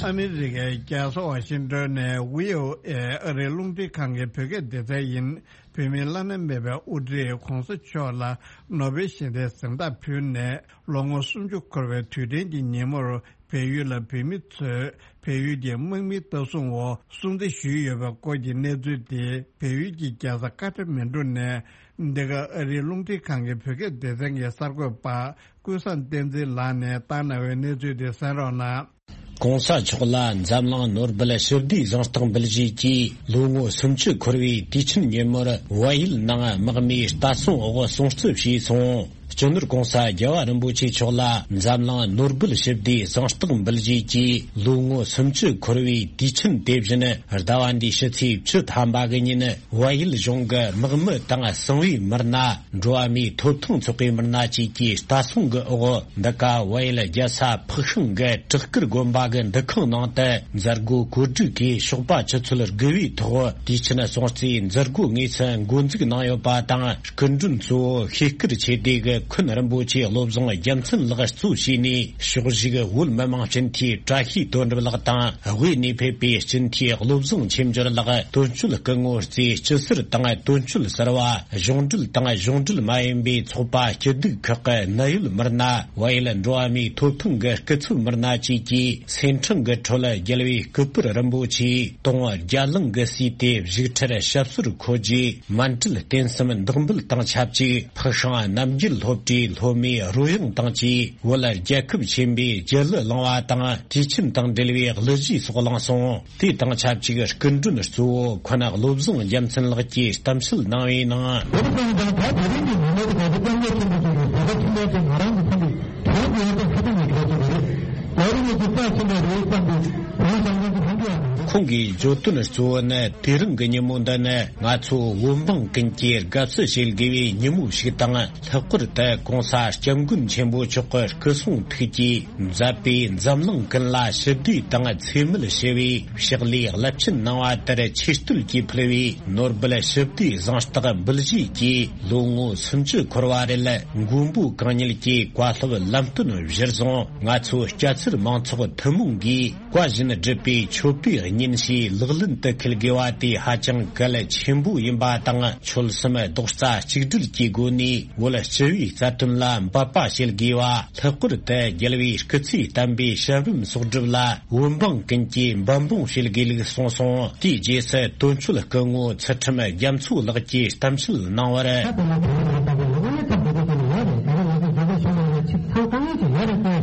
ཨ་མི་རི་ཀའི་རྒྱལ་ས་ཝ་ཤིང་ཏོན་ནས་ཝི་ཨོ་ཨེ་ཨ་རིའི་རླུང་འཕྲིན་ཁང་གི་བོད་སྐད་སྡེ་ཚན་ཡིན། བོད་མིའི་བླ་ན་མེད་པའི་དབུ་ཁྲིད་༸གོང་ས་མཆོག་ལ་ནོ་བེལ་ཞི་བདེའི་གཟེངས་རྟགས་ཕུལ་ནས་ལོ་ངོ་སུམ་ཅུ་འཁོར་བའི་དུས་དྲན་གྱི་ཉིན་མོར། བལ་ཡུལ་ལ་བོད་མི་ཚོས་བལ་ཡུལ་གྱི་དམག་མིའི་ལྟ་སྲུང་འོག་སྲུང་བརྩི་ཞུས་ཡོད་པའི་སྐོར་གྱི་གནས་ཚུལ་དེ། བལ་ཡུལ་གྱི་རྒྱལ་ས་ཀ་ཐ་མན་གྲུ་ནས་འདི་ག་ཨ་རིའི་རླུང་འཕྲིན་ཁང་གི་བོད་སྐད་སྡེ་ཚན་གྱི་གསར་འགོད་པ་ཀུན་བཟང་བསྟན་འཛིན་ལགས་ནས་བཏང་གནང་བའི་གནས་ཚུལ་དེ་གསན་རོགས་གནང་། ༸གོང་ས་མཆོག་ལ་འཛམ་གླིང་ནོར་སྦེལ་ཞི་བདེའི་གཟེངས་རྟགས་འབུལ་བཞེས་ཀྱིས་ལོ་ངོ་སུམ་ཅུ་འཁོར་བའི་དུས་ཆེན་ཉིན་མོར་བལ་ཡུལ་ནང་དམག་མིའི་ལྟ་སྲུང་འོག་སྲུང་བརྩི་ཞུས་སོང་། སྤྱི་ནོར་༸གོང་ས་རྒྱལ་བ་རིན་པོ་ཆེ་མཆོག་ལ་འཛམ་གླིང་ནོར་སྦེལ་ཞི་བདེའི་གཟེངས་རྟགས་འབུལ་བཞེས་ཀྱིས་ལོ་ངོ་སུམ་ཅུ་འཁོར་བའི་དུས་ཆེན་དེ་བཞིན་ཟླ་བ་འདིའི་ཕྱི་ཚེས་བཅུ་ཐམ་པ་གི་ཉིན་བལ་ཡུལ་གཞུང་གི་དམག་མི་དང་གསང་བའི་མི་སྣ། འགྲོ་བ་མིའི་ཐོབ་ཐང་ཚོགས་པའི་མི་སྣ་བཅས་ཀྱི་ལྟ་སྲུང་གི་འོག་འདི་ག་བལ་ཡུལ་རྒྱལ་ས་ཕག་ཤང་གི་བྲག་དཀར་དགོན་པ་གི་འདུ་ཁང་ནང་དུ་མཛད་སྒོ་གོ་སྒྲིག་གིས་ཞོགས་པ་ཆུ་ཚོད་དགུ་པའི་ཐོག་དུས་ཆེན་སྲུང་བརྩིའི་མཛད་སྒོ་དངོས་སུ་འགོ་འཛུགས་གནང་ཡོད་པ་དང་། སྐུ་མགྲོན་གཙོ་བོ་ཤེས་དཀར་ཆོས་སྡེ་གི་འཁོན་རིན་པོ་ཆེ་བློ་བཟང་རྒྱལ་མཚན་ལགས་གཙོ་བྱས་ནས། ཕྱོགས་བཞུགས་བོད་མི་མང་སྤྱི་འཐུས་བཀྲ་ཤིས་དོན་གྲུབ་ལགས་དང་། དབུས་ནས་ཕེབས་པའི་སྤྱི་འཐུས་བློ་བཟང་ཆོས་འབྱོར་ལགས། དོན་གཅོད་སྐུ་ངོ་རྩེ་སྐྱིད་ཟུར་དང་། དོན་གཅོད་ཟུར་པ། གཞུང་འབྲེལ་དང་གཞུང་འབྲེལ་མ་ཡིན་པའི་ཚོགས་པ་སྐྱིད་སྡུག་ཁག་གི་གནད་ཡོད་མི་སྣ། བལ་ཡུལ་འགྲོ་བ་མིའི་ཐོབ་ཐང་གི་སྐུ་ཚབ་མི་སྣ་བཅས་ཀྱིས་སེམས་ཁྲལ་གྱི་ཁྲོད། རྒྱལ་བའི་སྐུ་པར་རིན་པོ་ཆེའི་དུང་བརྒྱ་གླིང་གི་ཟས་དེ་བཞུགས་ཁྲིར་ཞབས་སོར་འཁོད་རྗེས། མཎྜལ་རྟེན་གསུམ་བདག་འབུལ་དང་ཆབས་ཅིག་ཕག་ཤང་རྣམ་རྒྱལ་སློབ་གྲྭའི་སློབ་མའི་རོལ་དབྱངས་དང་བཅས། བོད་རྒྱལ་ཁབ་ཆེན་པོའི་རྒྱལ་གླུ་བླངས་པ་དང་། དུས་ཆེན་དང་འབྲེལ་བའི་གླུ་གཞས་སོགས་བླངས་སོང་། དེ་དང་ཆབས་ཅིག་སྐུ་མགྲོན་གཙོ་བོ་འཁོན་བློ་བཟང་རྒྱལ་མཚན་ལགས་ཀྱིས་གཏམ་བཤད་གནང་བའི་ནང་། བོད་དང་ད་བོད་རིགས་ཀྱི་མི་སྣ་དང་བོད་སྐད་ཆེན་པོ་ཞིག་གིས་བོད་པ་ཁྱིམ་པ་དེ་ང་རང་གི་ཕ་མས་བོད་ཀྱི་ཡོད་པ་ཁ་ཐུག་ནས་བརྗོད་ཀྱི་རེད། ལ་རིགས་ཀྱི་རྩ་ཆེན་པོ་རེད་བསམ་པའི་བོད་བཟང་ངན་གྱི་ལྷན་རྒྱས། ཁོང་གིས་བརྗོད་དོན་གཙོ་བོ་ནི། དེ་རིང་གི་ཉིན་མོ་འདི་ནི་ང་ཚོ་བོད་འབངས་ཀུན་གྱིས་དགའ་བསུ་བྱེད་དགོས་པའི་ཉིན་མོ་ཞིག་དང་། ལྷག་པར་དུ་༸གོང་ས་༸སྐྱབས་མགོན་ཆེན་པོ་མཆོག་གི་སྐུ་གསུང་ཐུགས་ཀྱིས་མཛད་པའི་འཛམ་གླིང་ཀུན་ལ་ཞི་བདེ་དང་འཚེ་མེད་ཞི་བའི་ཕྱག་ལས་རླབས་ཆེན་གནང་བ་དེར་ཆེ་བསྟོད་ཀྱིས་ཕུལ་བའི་ནོར་སྦེལ་ཞི་བདེའི་གཟེངས་རྟགས་འབུལ་བཞེས་ཀྱིས་ལོ་ངོ་སུམ་ཅུ་འཁོར་བ་རེད། མགོན་པོ་གང་ཉིད་ཀྱི་བཀའ་སློབ་ལམ་སྟོན་གཞིར་བཟུང་། ང་ཚོ་སྐྱ་སེར་མང་ཚོགས་ཐུན་མོང་གིས། བཀའ་བཞིན་སྒྲུབ་པའི་མཆོད་པའི་སྙིང་བཅུད་ལག་ལེན་དུ་འཁེལ་དགོས་པ་དེ་ཧ་ཅང་གལ་ཆེན་པོ་ཡིན་པ་དང་། ཆོལ་གསུམ་རྡོག་རྩ་གཅིག་སྒྲིལ་གྱི་སྒོ་ནས་བོད་སྤྱི་པའི་རྩ་དོན་ལ་འབད་པ་བྱེད་དགོས་པ། ལྷག་པར་དུ་རྒྱལ་བའི་སྐུ་ཚེའི་བསྟན་པའི་ཞབས་རིམ་སྲོག་སྒྲུབ་ལ་བོད་འབངས་ཀུན་གྱིས་འབད་འབུངས་བྱེད་དགོས་ལུགས་གསུངས་སོང་། དེའི་རྗེས་སུ་དོན་གཅོད་སྐུ་ངོ་ཚུལ་ཁྲིམས་རྒྱ་མཚོ་ལགས་ཀྱིས་གཏམ་བཤད་གནང་བར། ད་དེ་ལ་དེ་རིང་ང་ཚོ་ལོ་ངོ་ལྔ་ཙམ་འགྲོ་གི་ཡོད་རེད། ད་རེས་ང་ཚོ་འཛིན་གྲྭ་གཞུང་ལ་ཡང་ཆིག་ཚང་དཀའ་ངལ་ཅིག་ཡོད་རེད་དེ།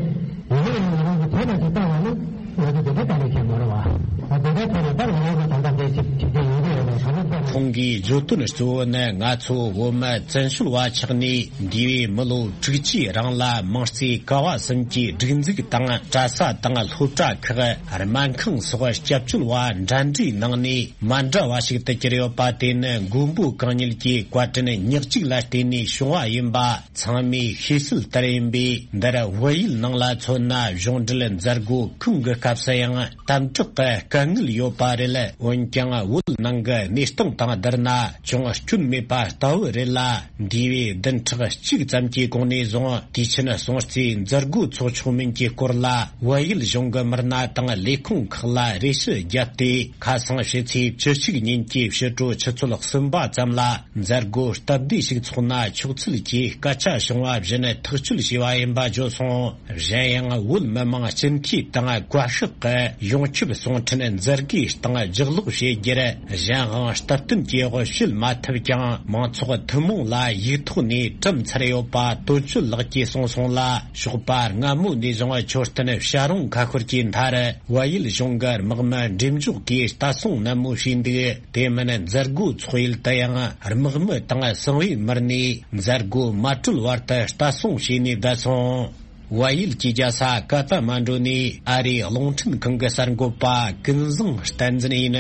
ཡིན་ན་ཡང་ང་རང་གི་དེ་ལ་ཅིག་བལྟ་བ་ནི་ང་ཚོ་དེ་འདྲའི་དཀའ་ལས་ཆེན་མ་རེད་བ། ད་དེ་འདྲའི་ཐོག་ནས་ད་ང་རང་ཚོ་ད་ལྟ་འདི་ཅིག་བྱེད་ཀྱི་ཡོད་ཀྱི་ཡོད་རེད། གང་ལྟར་ཁོང་གིས་བརྗོད་དོན་གཙོ་བོ་ནི་ང་ཚོ་བོད་མི་བཙན་བྱོལ་བ་ཆགས་ནས་འདས་པའི་མི་ལོ་དྲུག་ཅུའི་རིང་ལ་མིང་རྩིས་ཀ་བ་གསུམ་གྱི་སྒྲིག་འཛུགས་དང་གྲྭ་ས་དང་སློབ་གྲྭ་ཁག་སྨན་ཁང་སོགས་སྐྱབས་བཅོལ་བ་འདྲ་འདྲའི་ནང་ནས། མ་འདྲ་བ་ཞིག་ཏུ་གྱུར་ཡོད་པ་དེ་ནི་མགོན་པོ་གང་ཉིད་ཀྱི་བཀའ་དྲིན་ཉག་གཅིག་ལ་བརྟེན་ནས་བྱུང་བ་ཡིན་པ་ཚང་མས་ཤེས་གསལ་ལྟར་ཡིན་པས། འདིར་བལ་ཡུལ་ནང་ལ་མཚོན་ན་གཞུང་འབྲེལ་མཛད་སྒོ་གང་གི་སྐབས་སུ་ཡང་དམ་དྲག་གི་དཀའ་ངལ་ཡོད་པ་རེད། འོན་ཀྱང་བོད་ནང་གི་གནས་སྟངས་ དང་བསྡུར་ན་ཅུང་སྐྱོན་མེད་པ་ལྟ་བུ་རེད་ལ། འདས་པའི་བདུན་ཕྲག་གཅིག་ཙམ་གྱི་གོང་ནས་བཟུང་དུས་ཆེན་སྲུང་བརྩིའི་མཛད་སྒོ་འཚོགས་ཆོག་མིན་གྱི་སྐོར་ལ། བལ་ཡུལ་གཞུང་གི་མི་སྣ་དང་ལས་ཁུངས་ཁག་ལ་རེ་ཞུ་བརྒྱབ་སྟེ། ཁ་སང་ཕྱི་ཚེས་བཅུ་གཅིག་ཉིན་གྱི་ཕྱི་དྲོ་ཆུ་ཚོད་གསུམ་པ་ཙམ་ལ་མཛད་སྒོ་སྟབས་བདེ་ཞིག་འཚོགས་ན་ཆོག་ཚུལ་གྱི་སྐད་ཆ་བྱུང་བ་བཞིན་ཐག་གཅོད་བྱས་པ་ཡིན་པ་བརྗོད་སོང་། གཞན་ཡང་བོད་མི་མང་སྤྱི་འཐུས་དང་བཀའ་ཤག་གི་ཡོངས་ཁྱབ་གསུང་འཕྲིན་མཛད་སྒོའི་སྟེང་ལྗགས་ཀློག་བྱེད་རྒྱུར། གཞན་དབང་སྟབས་བསྟུན་གྱི་འོག་ཞུགས་མ་ཐུབ་ཀྱང་། མང་ཚོགས་ཐུན་མོང་ལ་ཡིག་ཐོག་ནས་བཀྲམ་ཚར་ཡོད་པ་དོན་གཅོད་ལགས་ཀྱིས་གསུངས་སོང་ལ། ཞོགས་པ་སྔ་མོ་ནས་བཟུང་མཆོད་རྟེན་བྱ་རུང་ཁ་ཤོར་གྱི་མཐར། བལ་ཡུལ་གཞུང་གི་དམག་མི་འགྲེམས་འཇོག་གིས་ལྟ་སྲུང་ནན་མོ་བྱས་འདུག་དེ་མིན་མཛད་སྒོ་འཚོགས་ཡུལ་དུ་ཡང་དམག་མི་དང་གསང་བའི་མི་སྣས་མཛད་སྒོ་མ་གྲོལ་བར་དུ་ལྟ་སྲུང་བྱས་ནས་བསྡད་སོང་། བལ་ཡུལ་གྱི་རྒྱལ་ས་ཀ་ཐ་མན་ཌུ་ནས་ཨ་རིའི་རླུང་འཕྲིན་ཁང་གི་གསར་འགོད་པ་ཀུན་བཟང་བསྟན་འཛིན་ཡིན།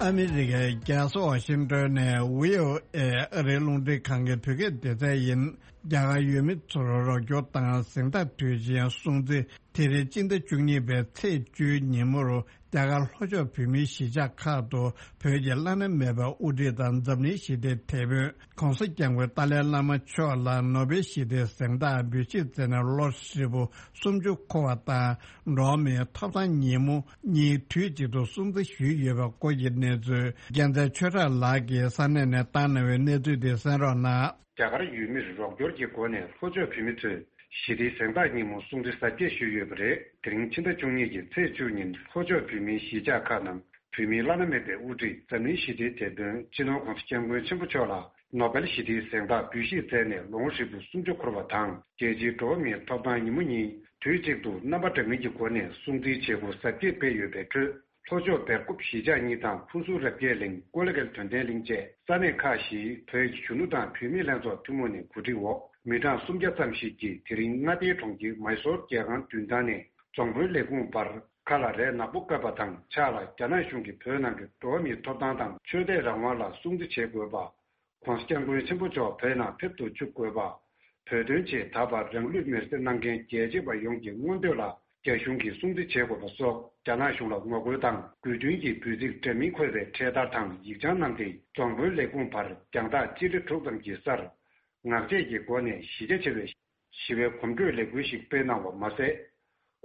ཨ་མི་རི་ཀའི་རྒྱལ་ས་ཝ་ཤིང་ཏོན་ནས་བྷི་ཨོ་ཨེ་ཨ་རིའི་རླུང་འཕྲིན་ཁང་གི་བོད་སྐད་སྡེ་ཚན་ཡིན། རྒྱ་གར་ཡུལ་མི་ཚོར་རོགས་སྐྱོར་དང་གཟེངས་རྟགས་དུས་ཆེན་སྲུང་བརྩི། དེ་རིང་སྤྱི་ཟླ་བཅུ་གཉིས་པའི་ཚེས་བཅུའི་ཉིན་མོར་རྒྱ་གར་ལྷོ་ཕྱོགས་བོད་མིའི་གཞིས་ཆགས་ཁག་ཏུ་བོད་ཀྱི་བླ་ན་མེད་པའི་དབུ་ཁྲིད་དང་འཛམ་གླིང་ཞི་བདེའི་དེད་དཔོན་༸གོང་ས་༸སྐྱབས་མགོན་ཏཱ་ལའི་བླ་མ་མཆོག་ལ་ནོ་བེལ་ཞི་བདེའི་གཟེངས་རྟགས་འབུལ་བཞེས་མཛད་ནས་ལོ་ཧྲིལ་པོ་སུམ་ཅུ་འཁོར་བ་དང་། འགྲོ་བ་མིའི་ཐོབ་ཐང་ཉིན་མོ་གཉིས་དུས་གཅིག་ཏུ་སྲུང་བརྩི་ཞུས་ཡོད་པའི་སྐོར་གྱི་གནས་ཚུལ་རྒྱལ་མཚན་ཆོས་གྲགས་ལགས་ཀྱིས་ས་གནས་ནས་བཏང་གནང་བའི་གནས་ཚུལ་དེ་གསན་རོགས་གནང་། རྒྱ་གར་ཡུལ་མིར་རོགས་སྐྱོར་གྱི་སྒོ་ནས་ལྷོ་ཕྱོགས་བོད་མི་ཚོས་ཞི་བདེའི་གཟེངས་རྟགས་ཉིན་མོ་སྲུང་བརྩི་གཟབ་རྒྱས་ཞུས་ཡོད་པ་རེད། དེ་རིང་ཕྱི་ཟླ་བཅུ་གཉིས་ཀྱི་ཚེས་བཅུ་ཉིན་ལྷོ་ཕྱོགས་བོད་མིའི་གཞིས་ཆགས་ཁག་ནང་བོད་མིའི་བླ་ན་མེད་པའི་དབུ་ཁྲིད་འཛམ་གླིང་ཞི་བདེའི་དེད་དཔོན་སྤྱི་ནོར་༸གོང་ས་༸སྐྱབས་མགོན་ཆེན་པོ་མཆོག་ལ་ནོ་བེལ་ཞི་བདེའི་གཟེངས་རྟགས་འབུལ་བཞེས་མཛད་ནས་ལོ་ངོ་ཧྲིལ་པོ་སུམ་ཅུ་འཁོར་བ་དང་། རྒྱལ་སྤྱིའི་འགྲོ་བ་མིའི་ཐོབ་ཐང་ཉིན་མོ་གཉིས་དུས་གཅིག་ཏུ་རྣམ་པ་འདྲ་མིན་གྱི་སྒོ་ནས་སྲུང་བརྩིའི་བྱེད་སྒོ་གཟབ་རྒྱས་སྤེལ་ཡོད་པའི་ཁྲོད། ལྷོ་ཕྱོགས་སྦེལ་ཀོབ་གཞིས་ཆགས་གཉིས་དང་ཕུ་སུ་རབ་རྒྱས་གླིང་ཀོ་ལི་གྷལ་དོན་ལྡན་གླིང་བཅས་ས་གནས་ཁག་བཞིའི་བོད་ཀྱི་གཞོན་ནུ་དང་བུད་མེད་ལྷན་ཚོགས་ཐུན་མོང་ནས་གོ་སྒྲིག་འོག་མི་གྲངས་སུམ་བརྒྱ་ཙམ་ཞིག་གིས་དེ་རིང་མངའ་སྡེའི་གྲོང་ཁྱེར་མཱི་སོར་རྒྱལ་ཁང་མདུན་ཐང་ནས་རྫོང་དཔོན་ལས་ཁུངས་བར་ཁ་ལ་རས་ནག་པོ་བཀབ་པ་དང་ཕྱག་ལ་རྒྱ་ནག་གཞུང་གིས་བོད་ནང་གི་འགྲོ་བ་མིའི་ཐོབ་ཐང་དང་ཆོས་དད་རང་དབང་ལ་སྲུང་བརྩི་བྱེད་དགོས་པ། ༸གོང་ས་༸སྐྱབས་མགོན་ཆེན་པོ་མཆོག་བོད་ནང་ཕེབས་ཏུ་བཅུག་དགོས་པ། བོད་དོན་ཆེད་ད་བར་རང་ལུས་མེར་སྲེག་གནང་མཁན་རྒྱལ་གཅེས་པ་ཡོངས་ཀྱི་མངོན་འདོད་ལ་རྒྱ་གཞུང་གིས་སྲུང་བརྩི་བྱེད་དགོས་པ་སོགས་རྒྱ་ནག་གཞུང་ལ་ངོ་རྒོལ་དང་དགོས་འདུན་གྱི་འབོད་ཚིག་འདྲ་མིན་འཁོད་པའི་འཕྲེད་དར་དང་ཡིག་བྱང་བསྣམས་ཏེ་རྫོང་དཔོན་ལས་ཁུངས་བར་རྒྱང་ཐག་སྤྱི་ལེ་དྲུག་ཙམ་གྱི་སར་ངག་བཅད་ཀྱི་སྒོ་ནས་གཞི་རྒྱ་ཆེ་བའི་ཞི་བའི་གོམ་བགྲོད་ལས་འགུལ་ཞིག་སྤེལ་གནང་བ་མ་ཟད།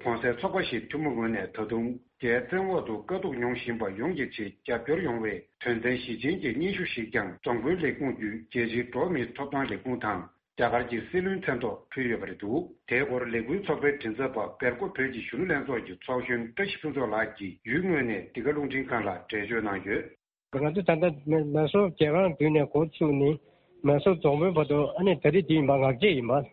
གོང་གསལ་ཚོགས་པ་བཞིའི་ཐུན་མོང་ངོས་ནས་ད་དུང་རྒྱའི་བཙན་འོག་ཏུ་དཀའ་སྡུག་མྱོང་བཞིན་པ་ཡོངས་ཀྱི་ཆེད་རྒྱབ་སྐྱོར་ཡོང་བའི་དོན་ཚན་བཞི་ཅན་གྱི་སྙན་ཞུ་ཞིག་ཀྱང་རྫོང་དཔོན་ལས་ཁུངས་བརྒྱུད་རྒྱལ་སྤྱིའི་འགྲོ་བ་མིའི་ཐོབ་ཐང་ལས་ཁུངས་དང་རྒྱ་གར་གྱི་སྲིད་བློན་མཚན་ཐོག་ཕུལ་ཡོད་པ་རེད་འདུག་དེའི་སྐོར་ལས་འགུལ་ཚོགས་པའི་མགྲིན་ཚབ་པ་སྦེལ་ཀོབ་བོད་ཀྱི་གཞོན་ནུ་ལྷན་ཚོགས་ཀྱི་ཚོགས་གཞོན་བཀྲ་ཤིས་ཕུན་ཚོགས་ལགས་ཀྱིས་ཡུལ་དངོས་ནས་འདི་ག་རླུང་འཕྲིན་ཁང་ལ་འགྲེལ་བརྗོད་གནང་ཡོད། ང་ཚོ་ད་ལྟ་མེ་མེ་སོར་རྒྱལ་ཁང་མདུན་ནས་འགོ་ཚུགས་ནས་མེ་སོར་རྫོང་དཔོན་བར་དུ་ཨ་ནི་ད་རེས་འདི་ཡིན་པ་ངག་བཅད་ཡིན་པ།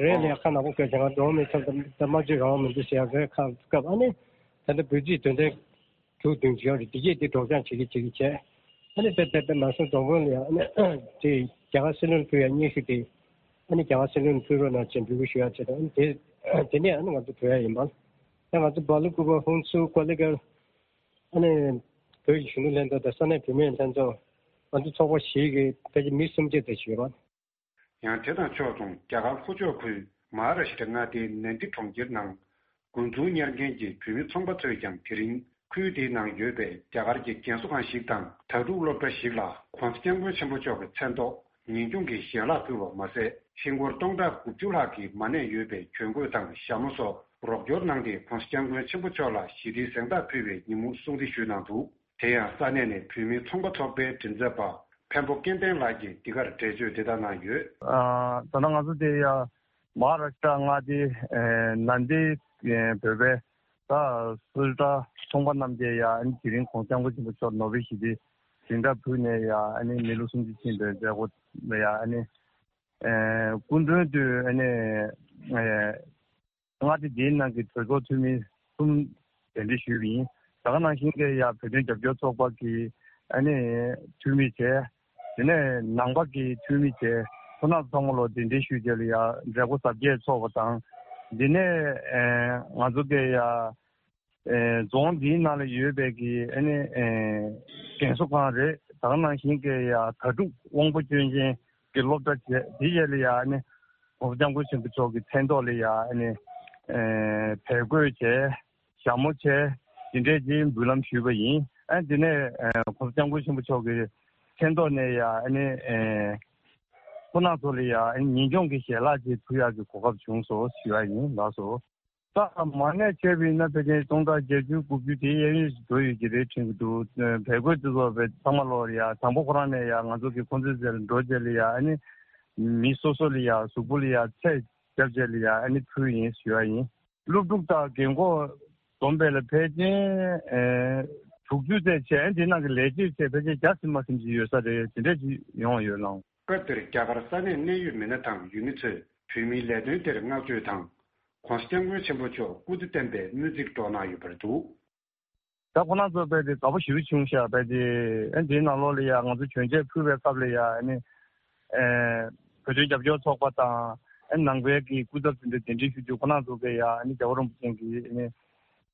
རེད་ལ་ཡ་ཁ་ནག་པོ་བཀོད་བྱས་ང་འགྲོ་བ་མིའི་ཐོབ་ཐང་དང་སྨྲ་བརྗོད་རང་དབང་མི་འདུག་ཟེར་ཡ་རེད། ཁ་སྐབས་ཨ་ནི་ད་ལྟ་འབོད་ཚིག་དོན་ཚན་དྲུག་བདུན་ཅིག་ཡོད་རེད། འདི་གས་འདི་སྒྲོག་སྦྱང་བྱེད་ཀྱི་བྱེད་ཀྱི་བྱས། ཨ་ནི་དེ་དེ་དེ་མེ་སོར་རྫོང་དཔོན་ལ་ཡ་ཨ་ནི་དེ་རྒྱ་གར་སྲིད་བློན་ཕུལ་ཡ་སྙན་ཞུ་དེ་ཨ་ནི་རྒྱ་གར་སྲིད་བློན་ཕུལ་རོགས་གནང་ཅེས་འབོད་སྐུལ་ཞུ་ཡ་བྱས་དང་ཨ་ནི་དེ་དེ་ནས་ཨ་ནི་ང་ཚོ་བྲོས་ཡ་ཡིན་པ། ད་ང་ཚོ་སྦེལ་ཀོབ་ཧུན་སུར་ཀོ་ལི་གྷལ། ཨ་ནི་བོད་ཀྱི་གཞོན་ནུ་ལྷན་ཚོགས་དང་ས་གནས་བུད་མེད་ལྷན་ཚོགས། ང་ཚོ་ཚོགས་པ་བཞི་གི་ཕལ་ཆེར་མི་སུམ་བརྒྱ་ཙམ་ཞིག་ཡོད་པ། ཡང་དེ་དང་ཕྱོགས་མཚུངས་རྒྱ་གར་ལྷོ་ཕྱོགས་ཁུལ་མ་ཧཱ་ར་ཤི་ཏྲ་མངའ་སྡེའི་ནན་དི་གྲོང་ཁྱེར་ནང་འགོ་འཛུགས་གཉེར་མཁན་གྱི་བོད་མི་ཚོང་པ་ཚོས་ཀྱང་དེ་རིང་ཁུལ་དེའི་ནང་ཡོད་པའི་རྒྱ་གར་གྱི་རྒན་གསོ་ཁང་ཞིག་དང་དྭ་ཕྲུག་སློབ་གྲྭ་ཞིག་ལ་༸གོང་ས་༸སྐྱབས་མགོན་ཆེན་པོ་མཆོག་གི་མཚན་ཐོག་ཉིན་གུང་གི་ཞལ་ལག་ཕུལ་བ་མ་ཟད། ཧིན་སྒོར་སྟོང་ཕྲག་དགུ་བཅུ་ལྷག་གི་མ་ཎི་ཡོད་པའི་གྱོན་གོས་དང་ཞྭ་མོ་སོགས་རོགས་སྐྱོར་གནང་སྟེ་༸གོང་ས་༸སྐྱབས་མགོན་ཆེན་པོ་མཆོག་ལ་ཞི་བདེའི་གཟེངས་རྟགས་ཕུལ་བའི་ཉིན་མོ་སྲུང་བརྩི་ཞུས་གནང་འདུག་དེ་ཡང་ས་གནས་ནས་བོད་མིའི་ཚོང་པ་ཚོགས་པའི་མགྲིན་ཚབ་པ་འཕན་པོ་སྐལ་ལྡན་ལགས་ཀྱིས་འདི་གར་འགྲེལ་བརྗོད་འདི་ལྟར་གནང་ཡོད། ཨ། ད་ལྟ་ང་ཚོ་དེ་ཡ་མ་ཧཱ་ར་ཤི་ཏྲ་མངའ་སྡེའི་ཨེ་ནན་དི་ཨེ་བོད་པའི་ད་སུ་ཏྲ་ཚོང་པ་རྣམས་ཀྱིས་ཡ་ཨ་ནི་དེ་རིང་༸གོང་ས་༸སྐྱབས་མགོན་ཆེན་པོ་མཆོག་ནོ་བེལ་ཞི་བདེའི་གཟེངས་རྟགས་ཕུལ་ནས་ཡ་ཨ་ནི་མི་ལོ་སུམ་ཅུ་ཕྱིན་པའི་མཛད་སྒོ་ལ་ཡ་ཨ་ནི་ཨེ་སྐུ་མགྲོན་དུ་ཨ་ནི་ཨེ་མངའ་སྡེ་འདིའི་ནང་གི་གྲོས་ཚོགས་འཐུས་མི་གསུམ་གདན་འདྲེན་ཞུས་པ་ཡིན། ད་ག་ནང་བཞིན་གྱི་ཡ་བོད་དོན་རྒྱབ་སྐྱོར་ཚོགས་པ་གི་ཨ་ནི་འཐུས་མི་བྱས། དེ་ནས་ནང་པ་གི་འཐུས་མི་བྱས། ཁོང་རྣམ་ཚང་མ་ལ་གདན་འདྲེན་ཞུས་རྗེས་ལ་ཡ་མཛད་སྒོ་གཟབ་རྒྱས་ཚོགས་པ་དང་། འདི་ནས་ཨེ་ང་ཚོ་གི་ཡ་ཨེ་རྫོང་འདིའི་ནང་ལ་ཡོད་པའི་གི་ཨ་ནི་ཨེ་རྒན་གསོ་ཁང་རེད། ད་ག་ནང་བཞིན་གྱི་ཡ་དྭ་ཕྲུག་དབང་པོ་སྐྱོན་ཅན་གྱི་སློབ་གྲྭ་བྱས། དེ་རྗེས་ལ་ཡ་ཨ་ནི་༸གོང་ས་༸སྐྱབས་མགོན་ཆེན་པོ་མཆོག་གི་མཚན་ཐོག་ལ་ཡ་ཨ་ནི་ ཨེ་བལ་གོས་བྱས། ཞྭ་མོ་བྱས། དེ་འདྲས་ཀྱི་འབུལ་ལམ་ཞུས་པ་ཡིན། ཨ་དེ་ནས་ཨེ་༸གོང་ས་༸སྐྱབས་མགོན་ཆེན་པོ་མཆོག་གི་མཚན་ཐོག་ནས་ཡ་ཨ་ནི་ཨེ་ཁོང་རྣམ་ཚོ་ལ་ཡ་ཨ་ནི་ཉིན་གུང་གི་ཞལ་ལག་ཅིག་ཕུལ་ཡག་གི་གོ་སྐབས་བྱུང་སོང་ཞུ་ཡ་ཡིན་ལགས་སོ། ད་མ་ནས་བྱས་པ་ཡིན་ན་ཕལ་ཆེར་སྟོང་ཕྲག་བརྒྱད་ཅུ་དགུ་བཅུ་དེ་གཡས་གཡོན་ཞིག་འགྲོ་ཡོད་ཀྱི་རེད་དྲན་གྱི་འདུག་བལ་གོས་དེ་ཚོ་བས་ཚང་མ་ལོག་ལ་ཡ་དང་པོ་ཁོ་རང་ནས་ཡ་ང་ཚོ་གི་ཁོང་ཚོའི་རྩེ་ལ་འགྲོ་རྗེས་ལ་ཡ་ཨ་ནི་མི་སོ་སོ་ལ་ཡ་གཟུགས་པོ་ལ་ཡ་ཚད་རྒྱབ་རྗེས་ལ་ཡ་ཨ་ནི་ཕུལ་ཡིན་ཞུ་ཡ་ཡིན། སློབ་ཕྲུག་དང་རྒན་འཁོགས་བསྡོམས་པས་ལ་ཕལ་ཆེར་ཨེ་དྲུག་ཅུ་ཙམ་བྱས། ཨ་ནི་དེ་ནང་གི་ལས་བྱེད་བྱས་ཕལ་ཆེར་བརྒྱ་ཟིན་མ་ཟིན་ཅིག་ཡོད་ས་རེད། དེ་འདྲས་ཅིག་ཡོང་བ་ཡོད་ལགས། སྐབས་དེར་རྒྱ་གར་ས་གནས་གནད་ཡོད་མི་སྣ་དང་ཡུལ་མི་ཚོས་བོད་མིའི་ལས་དོན་དེར་བསྔགས་བརྗོད་དང་། ༸གོང་ས་༸སྐྱབས་མགོན་ཆེན་པོ་མཆོག་སྐུ་ཚེ་བརྟན་པའི་སྨོན་ཚིག་སྒྲོག་གནང་ཡོད་པ་རེད་འདུག་ད་ཁོ་རང་ཚོ་དཔེ་དེ་དགའ་པོ་ཞེ་པོ་བྱུང་ཤག་དཔེ་དེ་ཨ་འདིའི་ནང་ལོགས་ལ་ཡ་ང་ཚོ་གྱོན་ཆས་ཕུལ་བའི་སྐབས་ལ་ཡ་ཨ་ནི་ཨེ་བོད་དོན་རྒྱབ་སྐྱོར་ཚོགས་པ་དང་ཨ་ནང་པའི་གི་སྐུ་ཚབ་དེ་འདྲ་གདན་འདྲེན་ཞུ་རྒྱུ། ཁོ་རང་ཚོ་གི་ཡ་ཨ་ནི་རྒྱལ་བ་རིན་པོ་ཆེ་གི་ཨ་ནི་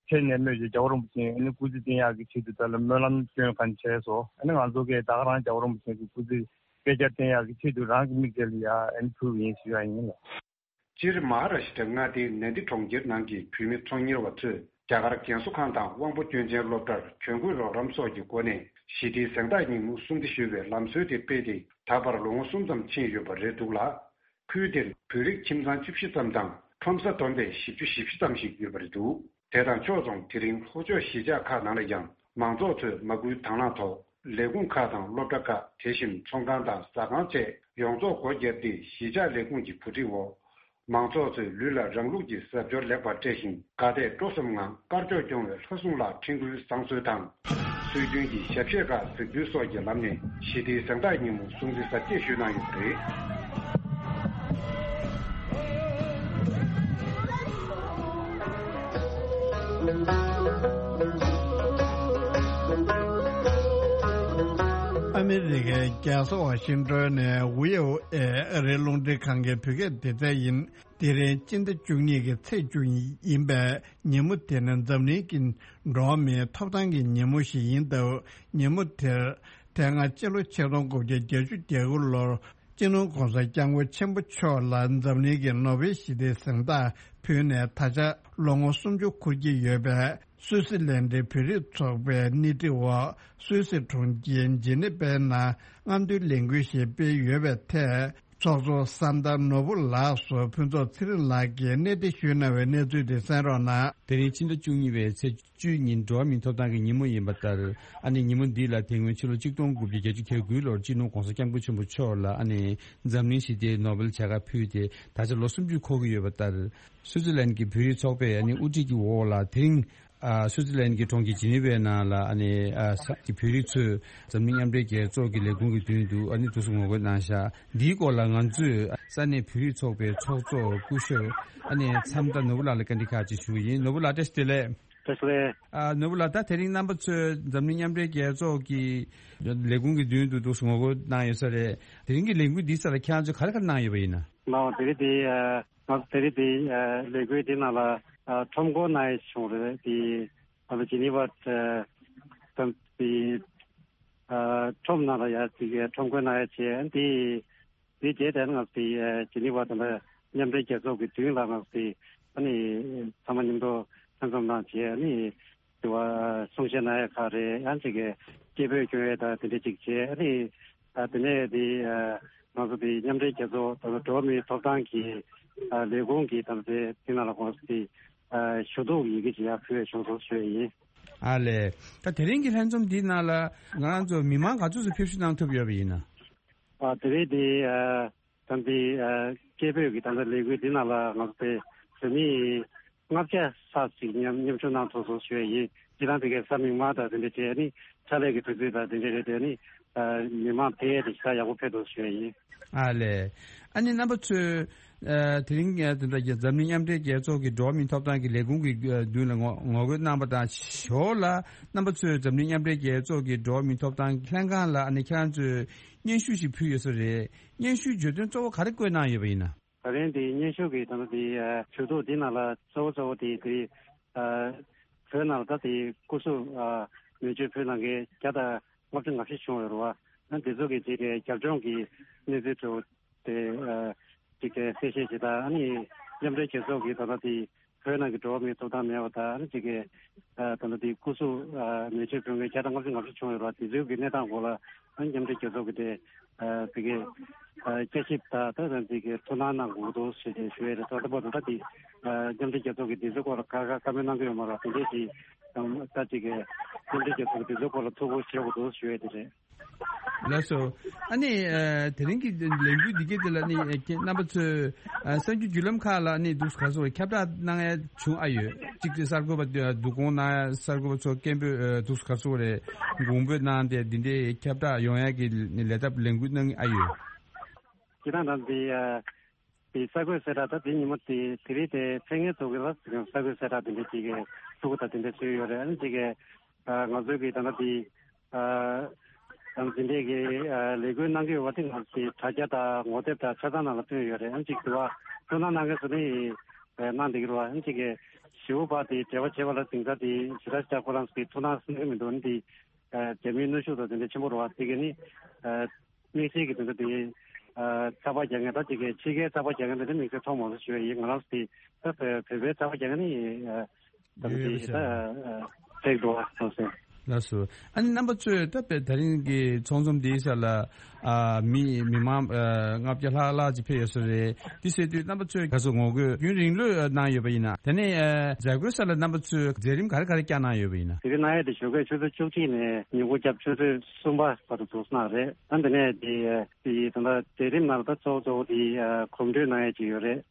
ཁྲེལ་ནས་སྨོས་ཀྱི་རྒྱལ་བ་རིན་པོ་ཆེ་ཨ་ནི་སྐུ་ཚེ་བརྟན་ཡག་གི་ཆེད་དུ་ད་ལ་སྨོན་ལམ་སྐྱོན་གང་བྱས་སོ། ཨ་ནི་ང་ཚོ་གི་ད་ག་རང་རྒྱལ་བ་རིན་པོ་ཆེ་གི་སྐུ་ཚེ་བསྐལ་བརྒྱར་བརྟན་ཡག་གི་ཆེད་དུ་རང་གི་མིག་དེ་ལ་ཡ་ཨ་ནི་ཕུལ་བ་ཡིན་ཞུ་ཡ་ཡིན་ལགས། སྤྱིར་མ་ཧཱ་རཱ་ཤི་ཏྲ་མངའ་སྡེའི་ནན་དི་གྲོང་ཁྱེར་ནང་གི་བོད་མི་ཚོང་གཉེར་བ་ཚོས་རྒྱ་གར་རྒན་གསོ་ཁང་དང་དབང་པོ་སྐྱོན་ཅན་སློབ་གྲྭར་གྱོན་གོས་རོགས་རམ་སོགས་ཀྱི་སྒོ་ནས་ཞི་བདེའི་གཟེངས་རྟགས་ཉིན་མོ་སྲུང་བརྩི་ཞུ་བའི་ལམ་སྲོལ་དེ་སྤེལ་ཏེ་ད་བར་ལོ་ངོ་གསུམ་ཙམ་ཕྱིན་ཡོད་པ་རེད་འདུག་ལ། ཁུལ་དེར་བོད་རིགས་ཁྱིམ་ཚང་བཅུ་བཞི་ཙམ་དང་ཁྲོམ་ས་བསྡོམས་པས་བཞི་བཅུ་ཞེ་བཞི་ཙམ་ཞིག་ཡོད་པ་རེད་འདུག་དེ་དང་ཕྱོགས་མཚུངས་དེ་རིང་ལྷོ་ཕྱོགས་གཞིས་ཆགས་ཁག་ནང་ལ་ཡང་མང་ཚོགས་ཚོས་མ་སྐུལ་དང་བླངས་ཐོག་ལས་ཁུངས་ཁག་དང་སློབ་གྲྭ་ཁག་དེ་བཞིན་ཚོང་ཁང་དང་ཟ་ཁང་བཅས་ཡོངས་རྫོགས་སྒོ་བརྒྱབ་སྟེ་གཞིས་ཆགས་ལས་ཁུངས་ཀྱི་གོ་སྒྲིག་འོག་མང་ཚོགས་ཚོས་ལུས་ལ་རང་ལུགས་ཀྱི་གཟབ་མཆོར་ལེགས་པར་སྤྲས་ཤིང་དགའ་དད་སྤྲོ་གསུམ་ངང་དཀར་ཕྱོགས་སྐྱོང་བའི་ལྷ་སྲུང་ལ་འཕྲིན་བསྐུལ་བཟང་གསོལ་དང་། སྲོལ་རྒྱུན་གྱི་ཞབས་གཞས་ཁག་གཟིགས་འབུལ་སོགས་ཀྱི་ལམ་ནས་ཞི་བདེའི་གཟེངས་རྟགས་ཉིན་མོ་སྲུང་བརྩི་གཟབ་རྒྱས་ཞུས་གནང་ཡོད་པ་རེད། ཨ་མི་རི་ཀའི་རྒྱལ་ས་ཝ་ཤིང་ཏོན་ནས་ཝི་ཨོ་ཨེ་ཨ་རིའི་རླུང་འཕྲིན་ཁང་གི་བོད་སྐད་སྡེ་ཚན་ཡིན། དེ་རིང་སྤྱི་ཟླ་བཅུ་གཉིས་ཀྱི་ཚེས་བཅུ་ཡིན་པས་ཉིན་མོ་དེ་ནི་འཛམ་གླིང་གི་འགྲོ་བ་མིའི་ཐོབ་ཐང་གི་ཉིན་མོ་ཞིག་ཡིན་སྟབས། ཉིན་མོ་དེར་དེ་སྔ་སྤྱི་ལོ་ཆིག་སྟོང་དགུ་བརྒྱ་བརྒྱད་ཅུ་གྱ་དགུ་ལོར་སྤྱི་ནོར་༸གོང་ས་༸སྐྱབས་མགོན་ཆེན་པོ་མཆོག་ལ་འཛམ་གླིང་གི་ནོ་བེལ་ཞི་བདེའི་གཟེངས་རྟགས་ཕུལ་ནས་ད་ཆ་ལོ་ངོ་སུམ་ཅུ་འཁོར་གྱི་ཡོད་པས། སུད་སི་ལན་ཌའི་བོད་རིགས་ཚོགས་པའི་སྣེ་ཁྲིད་འོག་སུད་སི་གྲོང་ཁྱེར་ཇི་ནི་ཝའི་ནང་རྔམ་སྟོན་ལས་འགུལ་ཞིག་སྤེལ་ཡོད་པའི་ཐད། ཚོགས་གཙོ་ས་མཐར་ནོར་བུ་ལགས་སུ་ཕུན་ཚོགས་ཚེ་རིང་ལགས་ཀྱིས་གནས་འདྲི་ཞུས་གནང་བའི་གནས་ཚུལ་དེ་གསན་རོགས་གནང་། དེ་རིང་ཕྱི་ཟླ་བཅུ་གཉིས་པའི་ཚེས་བཅུའི་ཉིན་འགྲོ་བ་མིའི་ཐོབ་ཐང་གི་ཉིན་མོ་ཡིན་པ་ལྟར། ཨ་ནི་ཉིན་མོ་འདི་ལ་དེ་སྔོན་ཕྱི་ལོ་ཆིག་སྟོང་དགུ་བརྒྱ་བརྒྱད་ཅུ་གྱ་དགུ་ལོར་སྤྱི་ནོར་༸གོང་ས་༸སྐྱབས་མགོན་ཆེན་པོ་མཆོག་ལ་ཨ་ནི་འཛམ་གླིང་ཞི་བདེའི་ནོ་བེལ་བྱ་དགའ་ཕུལ་ཏེ་ད་ཆ་ལོ་སུམ་ཅུ་འཁོར་གྱི་ཡོད་པ་ལྟར། སུའུ་ཙི་ལན་གྱི་བོད་རིགས་ཚོགས་པས་ཨ་ནི་དབུ་ཁྲིད་ཀྱི་འོག་ལ་དེ་རིང་། ཨ། སུའུ་ཙི་ལན་གྱི་གྲོང་ཁྱེར་ཇི་ནི་ཝའི་ནང་ལ་ཨ་ནི་ཨ་ས་ཀྱི་བོད་རིགས་ཚོས་འཛམ་གླིང་མཉམ་འབྲེལ་རྒྱལ་ཚོགས་ཀྱི་ལས་ཁུངས་ཀྱི་མདུན་དུ་ཨ་ནི་འདུག་སེ་ངོ་རྒོལ་གནང་ཤག་འདིའི་སྐོར་ལ་ང་ཚོས་ས་གནས་བོད་རིགས་ཚོགས་པའི་ཚོགས་གཙོ་སྐུ་ཞབས་ཨ་ནི་མཚམས་དར་ནོར་བུ་ལགས་ལ་བཀའ་འདྲི་ཁག་ཅིག་ཞུ་གི་ཡིན། ནོར་བུ་ལགས་བཀྲ་ཤིས་བདེ་ལེགས། བཀྲ་ཤིས་བདེ་ལེགས། ཨ། ནོར་བུ་ལགས། ད་དེ་རིང་རྣམ་པ་ཚོས་འཛམ་གླིང་མཉམ་འབྲེལ་རྒྱལ་ཚོགས་ཀྱི་ལས་ཁུངས་ཀྱི་མདུན་དུ་འདུག་སེ་ངོ་རྒོལ་གནང་ཡོད་ས་རེད། དེ་རིང་གི་ལས་འགུལ་འདིའི་སར་ཁྱེད་རང་ཚོས་ག་རེ་ག་རེ་གནང་ཡོད་པ་ཡིན་ན། ལགས་འོང་། དེ་རིང་འདི་ཨ་ང་ཚོ་དེ་རིང་འདི་ཨ་ལས་འགུལ་འདི་ནང་ལ་ཨ་ཁྲོམ་སྐོར་གནང་ཡས་བྱུང་རེད། དེ་ཨ་ལ་ཇི་ནི་ཝ་ཨ་དང་དེ་ཨ་ཁྲོམ་ནང་ལ་ཡ་ཅིག་ཁྲོམ་སྐོར་གནང་ཡས་བྱས། དེ་དེ་རྗེས་དེ་ང་ཚོ་དེ་ཨ་ཇི་ནི་ཝ་དང་མཉམ་འབྲེལ་རྒྱལ་ཚོགས་ཀྱི་མདུན་ལ་ང་ཚོ་དེ་ཨ་ནི་ཚང་མ་མཉམ་དུ་ལྷན་འཛོམས་གནང་བྱས། ཨ་ནི་དེ་བ་གསུང་བཤད་གནང་ཡས་ཁག་རེད། ཡང་ཅིག་གི་སྐད་འབོད་སྐྱོན་ཡས་དང་དེ་འདྲ་ཅིག་བྱས། ཨ་ནི། ཨ། དེ་ནས་དེ་ཨ་ང་ཚོ་དེ་མཉམ་འབྲེལ་རྒྱལ་ཚོགས་དང་འགྲོ་བ་མིའི་ཐོབ་ཐང་གི་ཨ་ལས་ཁུངས་ཀྱི་དང་དེ་དེ་ནང་ལ་ཁོང་ཚོ་དེ་ཨ་ཞུ་གཏུག་ཡི་གེ་ཅིག་ཡར་ཕུལ་བྱུང་སོང་ཞུ་ཡས་ཡིན། ཨ་ལས། ད་དེ་རིང་གི་ལྷན་འཛོམས་འདིའི་ནང་ལ་ང་རང་ཚོ་མི་མང་ག་ཚོད་ཙམ་ཕེབས་བསུ་གནང་ཐུབ་ཡོད་པ་ཡིན་ན། ཨ། དེ་རིང་དེ་ཨ་དམ་པའི་ཨ་སྐད་འབོད་ཀྱི་དམ་པའི་ལས་འགུལ་འདི་ནང་ལ་ང་ཚོ་པའི་བོད་མི་ལྔ་བརྒྱ་ལྷག་ཅིག་མཉམ་མཉམ་ཞུགས་གནང་ཐུབ་སོང་ཞུ་ཡས་ཡིན། སྤྱིར་བཏང་དེ་གའི་ས་མིག་དམར་དང་དེ་འདྲ་བྱས་ནི་ཕྱག་ལས་ཀྱི་དུས་ཚོད་དང་དེ་འདྲ་རེད། དེ་ནི་ཨ་མི་མང་ཕལ་ཆེར་ཞེ་དྲག་ཡག་པོ་ཕེབས་འདུག་ཞུ་ཡས་ཡིན། ཨ་ལས། ཨ་ནི་རྣམ་པ་ཚོས་ཨ་དེ་རིང་ཨ་དེ་འདྲ་གི་འཛམ་གླིང་མཉམ་འབྲེལ་རྒྱལ་ཚོགས་ཀྱི་འགྲོ་བ་མིའི་ཐོབ་ཐང་གི་ལས་ཁུངས་ཀྱི་ཨ་མདུན་ལ་ངོ་ངོ་རྒོལ་གནང་པ་དང་ཞོར་ལ་རྣམ་པ་ཚོས་འཛམ་གླིང་མཉམ་འབྲེལ་རྒྱལ་ཚོགས་ཀྱི་འགྲོ་བ་མིའི་ཐོབ་ཐང་ལྷན་ཁང་ལ་ཨ་ནི་ཁྱེད་རང་ཚོས་སྙན་ཞུ་ཞིག་ཕུལ་ཡོད་ས་རེད། སྙན་ཞུའི་བརྗོད་དོན་གཙོ་བོ་ག་རེ་བཀོད་གནང་ཡོད་པ་ཡིན་ན། ད་རིང་འདི་སྙན་ཞུ་གི་ད་ལྟ་འདི་ཨ་ཞུ་གཏུག་འདི་ནང་ལ་གཙོ་བོ་གཙོ་བོ་དེ་དེ་ཨ་བོད་ནང་ལ་ད་དེ་སྐུ་གཟུགས་ཨ་མེ་མཆོད་ཕུལ་གནང་མཁན་བརྒྱ་དང་ལྔ་བཅུ་ང་བཞི་བྱུང་ཡོད་རེད་བ། ཨ་འདི་ཚོ་གི་རྗེས་དེ་རྒྱབ་ལྗོངས་ཀྱི་གནས་ཚུལ་ཚོ་དེ་ཨ་ཅིག་དེ་གསལ་བཤད་བྱེད་དང་། ཨ་ནི་མཉམ་འབྲེལ་རྒྱལ་ཚོགས་ཀྱི་ད་ལྟ་དེ་ བོད་ནང་གི་འགྲོ་བ་མིའི་ཐོབ་ཐང་མེད་པ་དང་། ཨ་ནི་གཅིག་གི་ད་ལྟ་དེ་སྐུ་གཟུགས་མེ་མཆོད་ཕུལ་མཁན་བརྒྱ་དང་ལྔ་བཅུ་ང་བཅུ་བྱུང་ཡོད་རེད་བ། དེ་ཚོའི་གི་གནས་སྟངས་སྐོར་ལ་ཨ་ནི་མཉམ་འབྲེལ་རྒྱལ་ཚོགས་ཀྱི་དེ་དེ་གི་བསྐྱར་ཞིབ་དང་ད་ད་དེ་གི་ཐུགས་སྣང་གནང་དགོས་འདུག་ཞེས་དེ་ཞུ་ཡས་རེད། ད་ལྟ་བར་དུ་ད་དེ་མཉམ་འབྲེལ་རྒྱལ་ཚོགས་ཀྱི་དེ་ཚོའི་སྐོར་ལ་ཁ་ཁ་བཀའ་མོལ་གནང་གི་ཡོད་མ་རེད་བ། དེ་འདྲས་ཀྱི་ད་གཅིག་གི་མཉམ་འབྲེལ་རྒྱལ་ཚོགས་ཀྱི་དེ་ཚོའི་སྐོར་ལ་ཐུགས་ཁུར་བཞེས་དགོས་འདུག་ཞུ་ཡས་དེ་རེད། ལགས་སོ། ཨ་ནི་ཨ་དེ་རིང་གི་ལས་འགུལ་འདི་གའི་དེ་ལ་ནི་ཨ་ཁྱེད་རྣམ་པ་ཚོས་ཨ་གསར་འགྱུར་བརྒྱུད་ལམ་ཁག་ལ་ནི་འདུག་ག་ཚོད་ཁྱབ་བསྒྲགས་གནང་ཡ་བྱུང་ཨ་ཡོད། གཅིག་དེ་གསར་འགོད་པ་འདུ་སྐོང་གནང་ཡ་གསར་འགོད་པ་ཚོ་སྐད་འབོད་ཨ་འདུག་ག་ཚོད་རེད། དགོངས་འབོད་གནང་སྟེ་འདི་འདྲའི་ཁྱབ་བསྒྲགས་ཡོང་ཡ་གི་ནི་ལས་ཐབས་ལས་འགུལ་གནང་གི་ཨ་ཡོད། ཁྱེད་རང་རང་དེ་ཨ་དེ་གསར་འགོད་གསལ་བསྒྲགས་ད་དེ་ཉིན་མོ་དེ་དེ་རིང་དེ་ཕེབས་མཁན་ཚོ་གི་ལ་གསར་འགོད་གསལ་བསྒྲགས་དེ་འདྲ་གཅིག་གི་ཐུགས་ཁུར་དང་དེ་འདྲ་བཟོས་ཡོད་རེད། ཨ་ནི་གཅིག་གི་ཨ་ང་ཚོའི་གི་ད་ལྟ་དེ་ཨ་ཨ་འཛིན་གྲྭའི་གི་ཨ་ལས་འགུལ་གནང་གི་ཡོད་པ་དེ་ང་ཚོའི་དྲ་རྒྱ་དང་ངོ་དེབ་དང་ཆ་ཚང་ནང་ལ་བཏོན་ཡོད་རེད། ཨ་ནི་གཅིག་དུ་བ་ཐུགས་སྣང་གནང་མཁན་ཚོ་ནི་ཨ་གནང་བསྡད་ཀྱི་རེད་བ། ཨ་ནི་གཅིག་གི་ཞེ་པོ་བ་དེ་འབྲེལ་བ་བྱེད་པ་ལ་དེང་སང་དེ་ཞེ་དྲག་ཞེ་དྲག་ཁོ་རང་ཚོ་གི་ཐུགས་སྣང་གནང་གི་མི་འདུག་ཨ་ནི་དེ་ཨ་རྒྱ་མིའི་གནོན་ཤུགས་དང་དེ་འདྲ་ཆེན་པོ་རེད་བ། དེ་གི་ནི་ཨ་དམིགས་བསལ་གྱི་དོན་དུ་དེ་ཚགས་པར་རྒྱག་མཁན་ད་ཅིག་གི་ཕྱི་རྒྱལ་ཚགས་པར་རྒྱག་མཁན་དེ་འདྲ་དམིགས་བསལ་མཐོང་མ་སོང་ཞུ་ཡ་ཡིན། ང་རང་ཚོ་དེ་ད་བོད་བོད་པའི་ཚགས་པར་རྒྱག་མཁན་ནི་ད་ཡོད་དེ་ཡོད་ད་ཕེག་འགྲོ་བ་སོང་ཟེར། ལགས་སོ། ཨ་ནི་རྣམ་པ་ཚོས་ད་བོད་དེ་རིང་གི་ཚོགས་འཛོམས་འདིའི་སར་ལ་ཨ་མི་མི་མང་ཨ་ལྔ་བརྒྱ་ལྷག་ལྷག་ཅིག་ཕེབས་ཡོད་ས་རེད། འདི་ཟེར་དུས་རྣམ་པ་ཚོས་ག་ཚོད་ངོ་རྒོལ་རྒྱུན་རིང་ལོས་གནང་ཡོད་པ་ཡིན་ན། དེ་ནས་ཨ་མཛད་སྒོའི་སར་ལ་རྣམ་པ་ཚོས་མཛད་རིམ་ག་རེ་ག་རེ་བསྐྱངས་གནང་ཡོད་པ་ཡིན་ན། དེ་རིང་གནང་ཡས་དེ་ཞོགས་ཀས་ཆུ་ཚོད་བཅུ་གཅིག་ནས་ཉིན་གུང་རྒྱབ་ཆུ་ཚོད་གསུམ་པ་བར་དུ་འདུག་གནང་རེད། ཨ་ནི་དེ་ནས་དེ་དེ་ད་ལྟ་མཛད་རིམ་ནང་ལ་ད་གཙོ་བོ་གཙོ་བོ་དེ་ཨ་གོམ་བགྲོད་གནང་ཡས་ཅིག་ཡོད་རེད།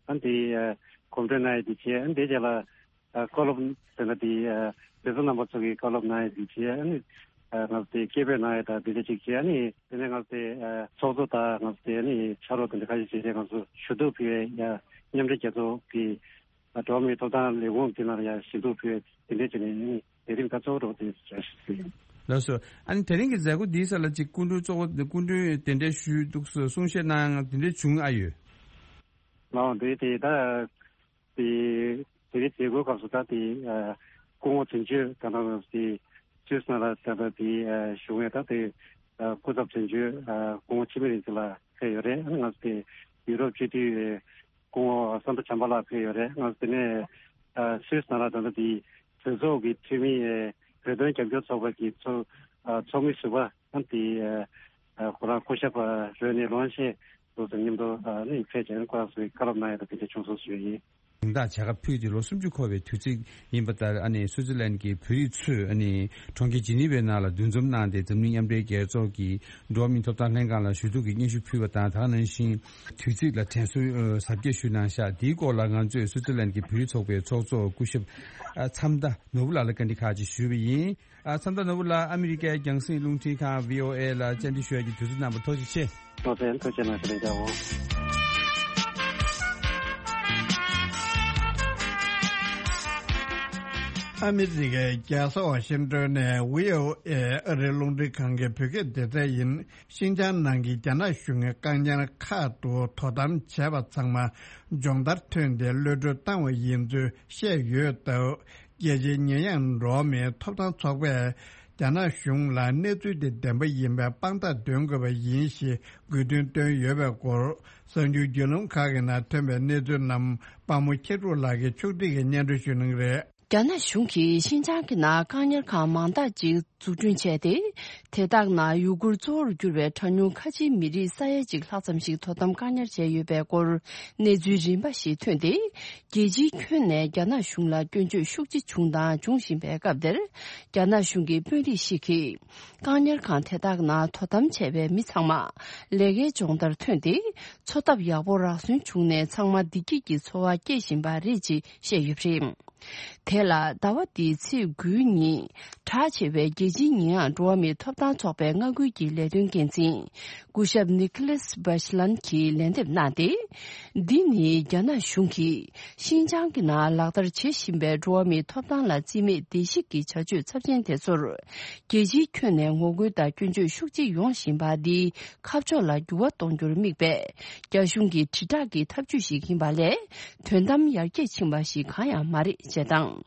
ཨ་ནི་དེ་ཨ་གོམ་བགྲོད་གནང་ཡས་དེ་བྱས། ཨ་ནི་དེ་རྗེས་ལ་ཨ་བཀའ་སློབ་དེ་འདྲ་དེ་ཨ་དེ་ཚོ་རྣམ་པ་ཚོ་གི་བཀའ་སློབ་གནང་ཡས་དེ་བྱས། ཨ་ནི་ཨ་ང་ཚོ་དེ་སྐད་འབོད་གནང་ཡས་དང་དེ་འདྲ་ཅིག་བྱས། ཨ་ནི་དེ་ནས་ང་ཚོ་དེ་ཨ་ཚོགས་གཙོ་དང་ང་ཚོ་དེ་ཨ་ནི་ཕྱག་རོགས་དེ་འདྲ་ཁ་ཤས་བྱས་ཏེ་ང་ཚོ་ཞུ་གཏུག་ཕུལ་ཡས་ཡ་མཉམ་འབྲེལ་རྒྱལ་ཚོགས་ཀྱི་ཨ་འགྲོ་བ་མིའི་ཐོབ་ཐང་ལས་ཁུངས་དེ་ནང་ལ་ཡ་ཞུ་གཏུག་ཕུལ་ཡས་དེ་འདྲ་བྱས་ནས་ཨ་ནི་དེ་རིང་ད་གཙོ་བོ་འགྲོ་དེ་བྱ་ཞིག་ཡིན། ལགས་སོ། ཨ་ནི་དེ་རིང་གི་མཛད་སྒོ་འདིའི་སར་ལ་ཅིག་སྐུ་མགྲོན་གཙོ་བོ་སྐུ་མགྲོན་གདན་འདྲེན་ཞུས་འདུག་གསུངས་བཤད་གནང་དེ་འདྲ་བྱུང་ཨ་ཡོད། ལའོ་འདི་དེ་ད་དེ་དེ་རིང་མཛད་སྒོའི་སྐབས་སུ་ད་དེ་ཨ་སྐུ་ངོ་དོན་གཅོད་ད་ལྟ་དེ་སུད་སི་ནང་ལ་ད་ལྟ་དེ་ཨ་བཞུགས་མཁན་ད་དེ་ཨ་སྐུ་ཚབ་དོན་གཅོད་ཨ་སྐུ་ངོ་འཆི་མེད་རིག་འཛིན་ལགས་ཕེབས་ཡོད་རེད། ང་ཚོ་དེ་ཡུ་རོབ་སྤྱི་འཐུས་སྐུ་ངོ་སན་དོ་བྱམས་པ་ལགས་ཕེབས་ཡོད་རེད། ང་ཚོ་དེ་ནས་ཨ་སུད་སི་ནང་ལ་ད་ལྟ་དེ་གྲོས་ཚོགས་ཀྱི་འཐུས་མི་ཨ་བོད་དོན་རྒྱབ་སྐྱོར་ཚོགས་པ་གི་ཚོགས་ཨ་ཚོགས་མི་ཟུར་པ་ཨ་དེ་ཨ་ཁོ་རང་སྐུ་ཞབས་རོ་ནི་ལོན་ཤེ་སོགས་དང་མཉམ་དུ་ཨ་ནི་ཕེབས་བྱས་ནས་ཁོ་རང་ཚོའི་བཀའ་སློབ་གནང་ཡ་དང་དེ་འདྲ་བྱུང་སོང་ཞུ་ཡ་ཡིན། དེང་རབས་བྱ་དགའ་ཕུལ་ཏེ་ལོ་སུམ་ཅུ་འཁོར་བའི་དུས་ཚིགས་ཡིན་པ་ལྟར། ཨ་ནི་སུའུ་ཙི་ལན་གྱི་བོད་རིགས་ཚོས་ཨ་ནི་གྲོང་ཁྱེར་ཇི་ནི་ཝའི་ནང་ལ་འདུ་འཛོམས་གནང་སྟེ། འཛམ་གླིང་མཉམ་འབྲེལ་རྒྱལ་ཚོགས་ཀྱི་འགྲོ་བ་མིའི་ཐོབ་ཐང་ལྷན་ཁང་ལ་ཞུ་གཏུག་གི་སྙན་ཞུ་ཕུལ་བ་དང་། ད་ག་ནང་བཞིན་དུས་ཚིགས་ལ་དྲན་གསོའི་ཨ་གཟབ་རྒྱས་ཞུས་གནང་ཤག་འདིའི་སྐོར་ལ་ང་ཚོས་སུའུ་ཙི་ལན་གྱི་བོད་རིགས་ཚོགས་པའི་ཚོགས་གཙོ་སྐུ་ཞབས་ཨ་མཚམས་མདའ་ནོར་བུ་ལགས་ལ་བཀའ་འདྲི་ཁག་ཅིག་ཞུས་པ་ཡིན། ཨ་མཚམས་མདའ་ནོར་བུ་ལགས་ཨ་མི་རི་ཀའི་རྒྱང་སྲིང་རླུང་འཕྲིན་ཁང་བྷི་ཨོ་ཨེ་ལ་བཅར་འདྲི་ཞུ་ཡ་གི་དུས་ཚོད་གནང་བར་ཐུགས་རྗེ་ཆེ། ཐུགས་རྗེ་ཐུགས་རྗེ་གནང་ཞུ་ལན་རྒྱག་འོང་། ཨ་མི་རི་ཀའི་རྒྱལ་ས་ཝ་ཤིང་ཏོན་ནས་བྷི་ཨོ་ཨེ་ཨ་རིའི་རླུང་འཕྲིན་ཁང་གི་བོད་སྐད་སྡེ་ཚན་ཡིན། ཤིན་ཅང་ནང་གི་རྒྱ་ནག་གཞུང་གི་བཀག་ཉར་ཁག་ཏུ་དོ་དམ་བྱས་པ་ཚང་མ་སྦྱོང་བརྡར་ཐོན་ཏེ་གློད་གྲོལ་བཏང་བ་ཡིན་ཚུལ་བཤད་ཡོད་སྟབས། རྒྱལ་སྤྱིའི་ཉེས་ཡངས་འགྲོ་བ་མིའི་ཐོབ་ཐང་ཚོགས་པས་རྒྱ་ནག་གཞུང་ལ་གནས་ཚུལ་དེ་བདེན་པ་ཡིན་པའི་དཔང་རྟགས་འདོན་དགོས་པ་ཡིན་ཞེས་དགོས་འདུན་བཏོན་ཡོད་པའི་སྐོར། གསར་འགྱུར་བརྒྱུད་ལམ་ཁག་གི་ནང་ཐོན་པའི་གནས་ཚུལ་རྣམས་དཔའ་མོ་ཁྱེད་ཕྲུག་ལགས་ཀྱིས་ཕྱོགས་སྒྲིག་གིས་སྙན་སྒྲོན་ཞུ་གནང་གི་རེད། རྒྱ་ནག་གཞུང་གིས་ཤིན་ཅང་གི་ནང་བཀག་ཉར་ཁང་མང་དག་ཅིག་འཛུགས་སྐྲུན་བྱས་ཏེ། དེ་དག་ནང་ཡུ་གུར་གཙོ་བོར་གྱུར་བའི་གྲངས་ཉུང་ཁ་ཆེའི་མི་རིགས་ས་ཡ་གཅིག་ལྷག་ཙམ་ཞིག་དོ་དམ་བཀག་ཉར་བྱས་ཡོད་པའི་སྐོར་གནས་ཚུལ་རིམ་པ་ཞིག་ཐོན་ཏེ། རྒྱལ་སྤྱིའི་ཁྱོན་ནས་རྒྱ་ནག་གཞུང་ལ་སྐྱོན་བརྗོད་ཤུགས་ཆེ་བྱུང་དང་འབྱུང་བཞིན་པའི་སྐབས་འདིར། རྒྱ་ནག་གཞུང་གི་དཔོན་རིགས་ཤིག་གིས། བཀག་ཉར་ཁང་དེ་དག་ནང་དོ་དམ་བྱས་པའི་མི་ཚང་མ་ལས་ཀའི་སྦྱོང་བརྡར་ཐོན་ཏེ། འཚོ་ཐབས་ཡག་པོ་རག་སོན་བྱུང་ནས། ཚང་མ་བདེ་སྐྱིད་ཀྱི་འཚོ་བ་སྐྱེལ་བཞིན་པ་རེད་ཅེས་བཤད་ཡོད་པ་རེད། དེ་ལ་ཟླ་བ་འདིའི་ཚེས་དགུའི་ཉིན་གྲགས་ཆེ་བའི་རྒྱལ་སྤྱིའི་ཉེས་ཡངས་འགྲོ་བ་མིའི་ཐོབ་ཐང་ཚོགས་པའི་མངའ་ཁུལ་གྱི་ལས་དོན་འགན་འཛིན་སྐུ་ཞབས་ནི་ཁི་ལེས་བྷ་ཤི་ལན་གྱིས་ལན་འདེབས་གནང་སྟེ། འདི་ནི་རྒྱ་ནག་གཞུང་གིས་ཤིན་ཅང་གི་ནང་ལག་བསྟར་བྱེད་བཞིན་པའི་འགྲོ་བ་མིའི་ཐོབ་ཐང་ལ་རྩིས་མེད་བརྡལ་བཤིག་གི་བྱ་སྤྱོད་ཚབས་ཆེན་དེ་ཚོར། རྒྱལ་སྤྱིའི་ཁྱོན་ནས་ངོ་རྒོལ་དང་སྐྱོན་བརྗོད་ཤུགས་ཆེ་ཡོང་བཞིན་པ་འདིའི་ཁ་ཕྱོགས་ལ་འགྱུར་བ་གཏོང་རྒྱུར་དམིགས་པའི་རྒྱ་གཞུང་གི་དྲིལ་བསྒྲགས་ཀྱི་ཐབས་ཇུས་ཤིག་ཡིན་པ་ལས། དོན་དམ་ཡར་རྒྱས་ཕྱིན་པ་ཞིག་གང་ཡང་མ་རེད་ཅེས་དང་།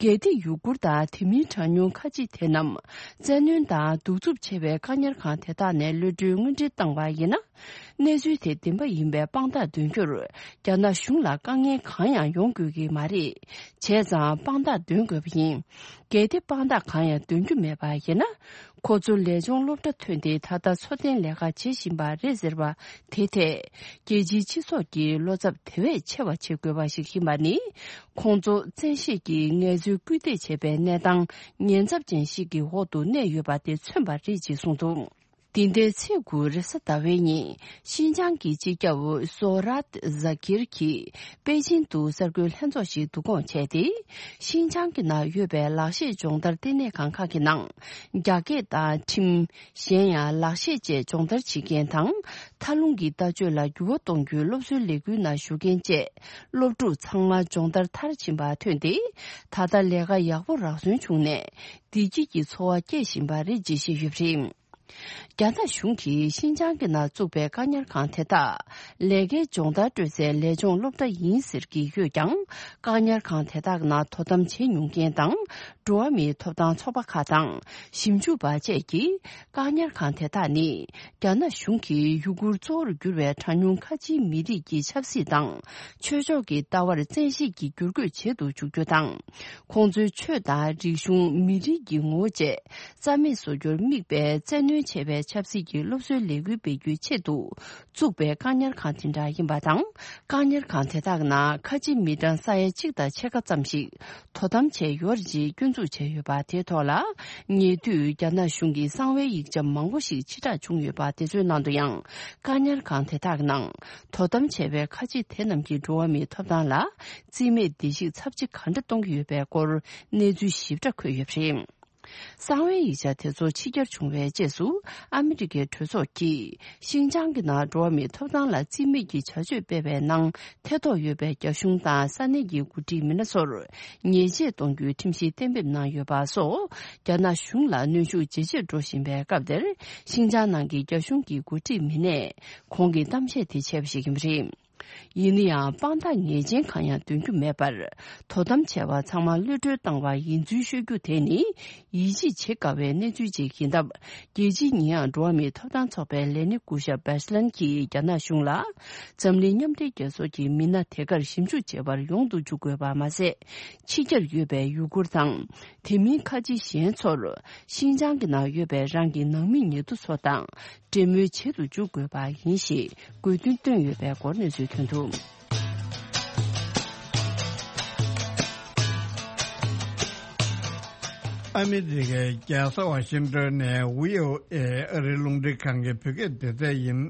གལ་ཏེ་ཡུ་གུར་དང་དེ་མིན་གྲངས་ཉུང་ཁ་ཆེ་དེ་རྣམས་བཙན་གནོན་དང་གདུག་རྩུབ་ཆེ་བའི་བཀག་ཉར་ཁང་དེ་དག་ནས་གློད་གྲོལ་དངོས་འབྲེལ་བཏང་བ་ཡིན་ན། གནས་ཚུལ་དེ་བདེན་པ་ཡིན་པའི་དཔང་རྟགས་འདོན་རྒྱུར། རྒྱ་ནག་གཞུང་ལ་དཀའ་ངལ་གང་ཡང་ཡོང་དགོས་ཀྱི་མ་རེད། བྱས་ཙང་དཔང་རྟགས་འདོན་དགོས་པ་ཡིན། གལ་ཏེ་དཔང་རྟགས་གང་ཡང་འདོན་རྒྱུ་མེད་པ་ཡིན་ན། ཁོ་ཚོ་ལས་སྦྱོང་སློབ་གྲྭ་ཐོན་ཏེ་ད་ལྟ་འཚོ་རྟེན་ལས་ཀ་བྱེད་བཞིན་པ་རེད་ཟེར་བ་དེ་ཐད། རྒྱལ་སྤྱིའི་སྤྱི་ཚོགས་ཀྱིས་བློ་འཚབ་དེ་བས་ཆེ་བ་བྱེད་དགོས་པ་ཞིག་ཡིན་པ་ནི། ཁོང་ཚོ་བཙན་ཤེད་ཀྱིས་ངལ་རྩོལ་སྐུལ་འདེད་བྱེད་པའི་གནས་སྟངས་ཉེན་ཚབས་ཅན་ཞིག་གི་འོག་ཏུ་གནས་ཡོད་པ་དེ་མཚོན་པ་རེད་ཅེས་གསུངས་འདུག། འདི་ཟླའི་ཚེས་དགུ་རེས་གཟའ་ཟླ་བའི་ཉིན། ཤིན་ཅང་གི་སྤྱི་ཁྱབ་ཟོ་རཱད་ཛ་ཀིར་གྱིས་པེ་ཅིན་དུ་གསར་འགོད་ལྷན་ཚོགས་ཤིག་བསྡུ་སྐོང་བྱས་ཏེ། ཤིན་ཅང་གི་ནང་ཡོད་པའི་ལག་ཤེས་སྦྱོང་བརྡར་ལྟེ་གནས་ཁང་ཁག་གི་ནང་། རྒྱ་སྐད་དང་ཁྲིམས། གཞན་ཡང་ལག་ཤེས་བཅས་སྦྱོང་བརྡར་བྱེད་མཁན་དང་། མཐའ་ལྷུང་གི་ལྟ་སྤྱོད་ལ་འགྱུར་བ་གཏོང་རྒྱུའི་སློབ་གསོའི་ལས་འགུལ་ནང་ཞུགས་མཁན་བཅས། སློབ་ཕྲུག་ཚང་མ་སྦྱོང་བརྡར་མཐར་ཕྱིན་པ་ཐོན་ཏེ། ད་ལྟ་ལས་ཀ་ཡག་པོ་རག་སོན་བྱུང་ནས། བདེ་སྐྱིད་ཀྱི་འཚོ་བ་སྐྱེལ་བཞིན་པ་རེད་ཅེས་བཤད་ཡོད་པ་རེད། རྒྱ་ནག་གཞུང་གིས་ཤིན་ཅང་གི་ནང་བཙུགས་པའི་བཀག་ཉར་ཁང་དེ་དག་ལས་ཀའི་སྦྱོང་བརྡར་སྤྲོད་སའི་ལས་སྦྱོང་སློབ་གྲྭ་ཡིན་ཟེར་གྱི་ཡོད་ཀྱང་། བཀག་ཉར་ཁང་དེ་དག་ནང་དོ་དམ་བྱེད་མྱོང་མཁན་དང་། འགྲོ་བ་མིའི་ཐོབ་ཐང་ཚོགས་པ་ཁག་དང་། ཞིབ་འཇུག་པ་བཅས་ཀྱིས། བཀག་ཉར་ཁང་དེ་དག་ནི། རྒྱ་ནག་གཞུང་གིས་ཡུ་གུར་གཙོ་བོར་གྱུར་བའི་གྲངས་ཉུང་ཁ་ཆེའི་མི་རིགས་ཀྱི་ཆབ་སྲིད་དང་། ཆོས་ཕྱོགས་ཀྱི་ལྟ་བར་བཙན་ཤེད་ཀྱིས་བསྒྱུར་བཀོད་བྱེད་དུ་འཇུག་རྒྱུ་དང་། ཁོང་ཚོའི་ཆོས་དང་རིག་གཞུང་། མི་རིགས་ཀྱི་ངོ་བོ་བཅས་རྩ་མེད་བཟོ་རྒྱུར་དམིགས་པའི་བཙན་གནོན་བྱས་པའི་ཆབ་སྲིད་ཀྱི་སློབ་གསོའི་ལས་འགུལ་སྤེལ་རྒྱུའི་ཆེད་དུ། བཙུགས་པའི་བཀག་ཉར་ཁང་དེ་འདྲ་ཡིན་པ་དང་། བཀག་ཉར་ཁང་དེ་དག་ནང་ཁ་ཆེ་མི་གྲངས་ས་ཡ་གཅིག་དང་ཕྱེད་ཀ་ཙམ་ཞིག་དོ་དམ་བྱས་ཡོད་རེད་ཅེས་སྐྱོན་འཛུགས་བྱས་ཡོད་པ་དེའི་ཐོག་ལ། ཉེ་དུས་རྒྱ་ནག་གཞུང་གིས་གསང་བའི་ཡིག་ཆ་མང་པོ་ཞིག་ཕྱིར་བསྒྲགས་བྱུང་ཡོད་པ་དེ་ཚོའི་ནང་དུ་ཡང་། བཀག་ཉར་ཁང་དེ་དག་ནང་དོ་དམ་བྱས་པའི་ཁ་ཆེ་དེ་རྣམས་ཀྱིས་འགྲོ་བ་མིའི་ཐོབ་ཐང་ལ་རྩིས་མེད་བརྡལ་བཤིག་ཚབས་ཆེ་ག་འདྲ་གཏོང་གི་ཡོད་པའི་སྐོར་གནས་ཚུལ་ཞིབ་ཕྲ་འཁོད་ཡོད་པ་རེད། གསང་བའི་ཡིག་ཆ་དེ་ཚོ་ཕྱི་གྱར་བྱུང་བའི་རྗེས་སུ། ཨ་མི་རི་ཀའི་གྲོས་ཚོགས་ཀྱིས་ཤིན་ཅང་གི་ནང་འགྲོ་བ་མིའི་ཐོབ་ཐང་ལ་རྩིས་མེད་ཀྱི་བྱ་སྤྱོད་སྤེལ་བའི་ནང་ཐེ་གཏོགས་ཡོད་པའི་རྒྱ་གཞུང་དང་ས་གནས་ཀྱི་འགོ་ཁྲིད་མི་སྣ་ཚོར་ཉེས་ཆད་གཏོང་རྒྱུའི་ཁྲིམས་གཞི་གཏན་འབེབས་གནང་ཡོད་པ་སོགས། རྒྱ་ནག་གཞུང་ལ་གནོན་ཤུགས་ཇེ་ཆེར་འགྲོ་བཞིན་པའི་སྐབས་དེར། ཤིན་ཅང་ནང་གི་རྒྱ་གཞུང་གི་འགོ་ཁྲིད་མི་སྣས་ཁོང་གི་གཏམ་བཤད་དེ་བྱས་པ་ཞིག་ཡིན་པ་རེད། ཡིན་ན་ཡང་། དཔང་རྟགས་ངེས་ཅན་གང་ཡང་འདོན་རྒྱུ་མེད་པར། དོ་དམ་བྱས་པ་ཚང་མ་གློད་གྲོལ་བཏང་བ་ཡིན་ཚུལ་ཤོད་རྒྱུ་དེ་ནི། ཡིད་ཆེས་བྱེད་དཀའ་བའི་གནས་ཚུལ་ཅིག་ཡིན་སྟབས། རྒྱལ་སྤྱིའི་ཉེས་ཡངས་འགྲོ་བ་མིའི་ཐོབ་ཐང་ཚོགས་པའི་ལས་སྣེ་སྐུ་ཞབས་བྷེ་ཤི་ལན་གྱིས་རྒྱ་ནག་གཞུང་ལ། འཛམ་གླིང་མཉམ་འབྲེལ་རྒྱལ་ཚོགས་ཀྱི་མི་སྣ་དེ་གར་ཞིབ་འཇུག་བྱེད་པར་ཡོང་དུ་འཇུག་དགོས་པ་མ་ཟད། ཕྱི་རྒྱལ་ཡོད་པའི་ཡུ་གུར་དང་། དེ་མིན་ཁ་ཆེ་གཞན་ཚོར། ཤིན་ཅང་གི་ནང་ཡོད་པའི་རང་གི་ནང་མི་ཉེ་དུ་ཚོ་དང་། འབྲེལ་མོལ་བྱེད་དུ་འཇུག་དགོས་པ་ཡིན་ཞེས་དགོས་འདུན་བཏོན་ཡོད་པའི་སྐོར་གནས་ཚུལ་ཐོན་འདུག། ཨ་མི་རི་ཀའི་རྒྱལ་ས་ཝ་ཤིང་ཏོན་ནས་བྷི་ཨོ་ཨེ་ཨ་རིའི་རླུང་འཕྲིན་ཁང་གི་བོད་སྐད་སྡེ་ཚན་ཡིན།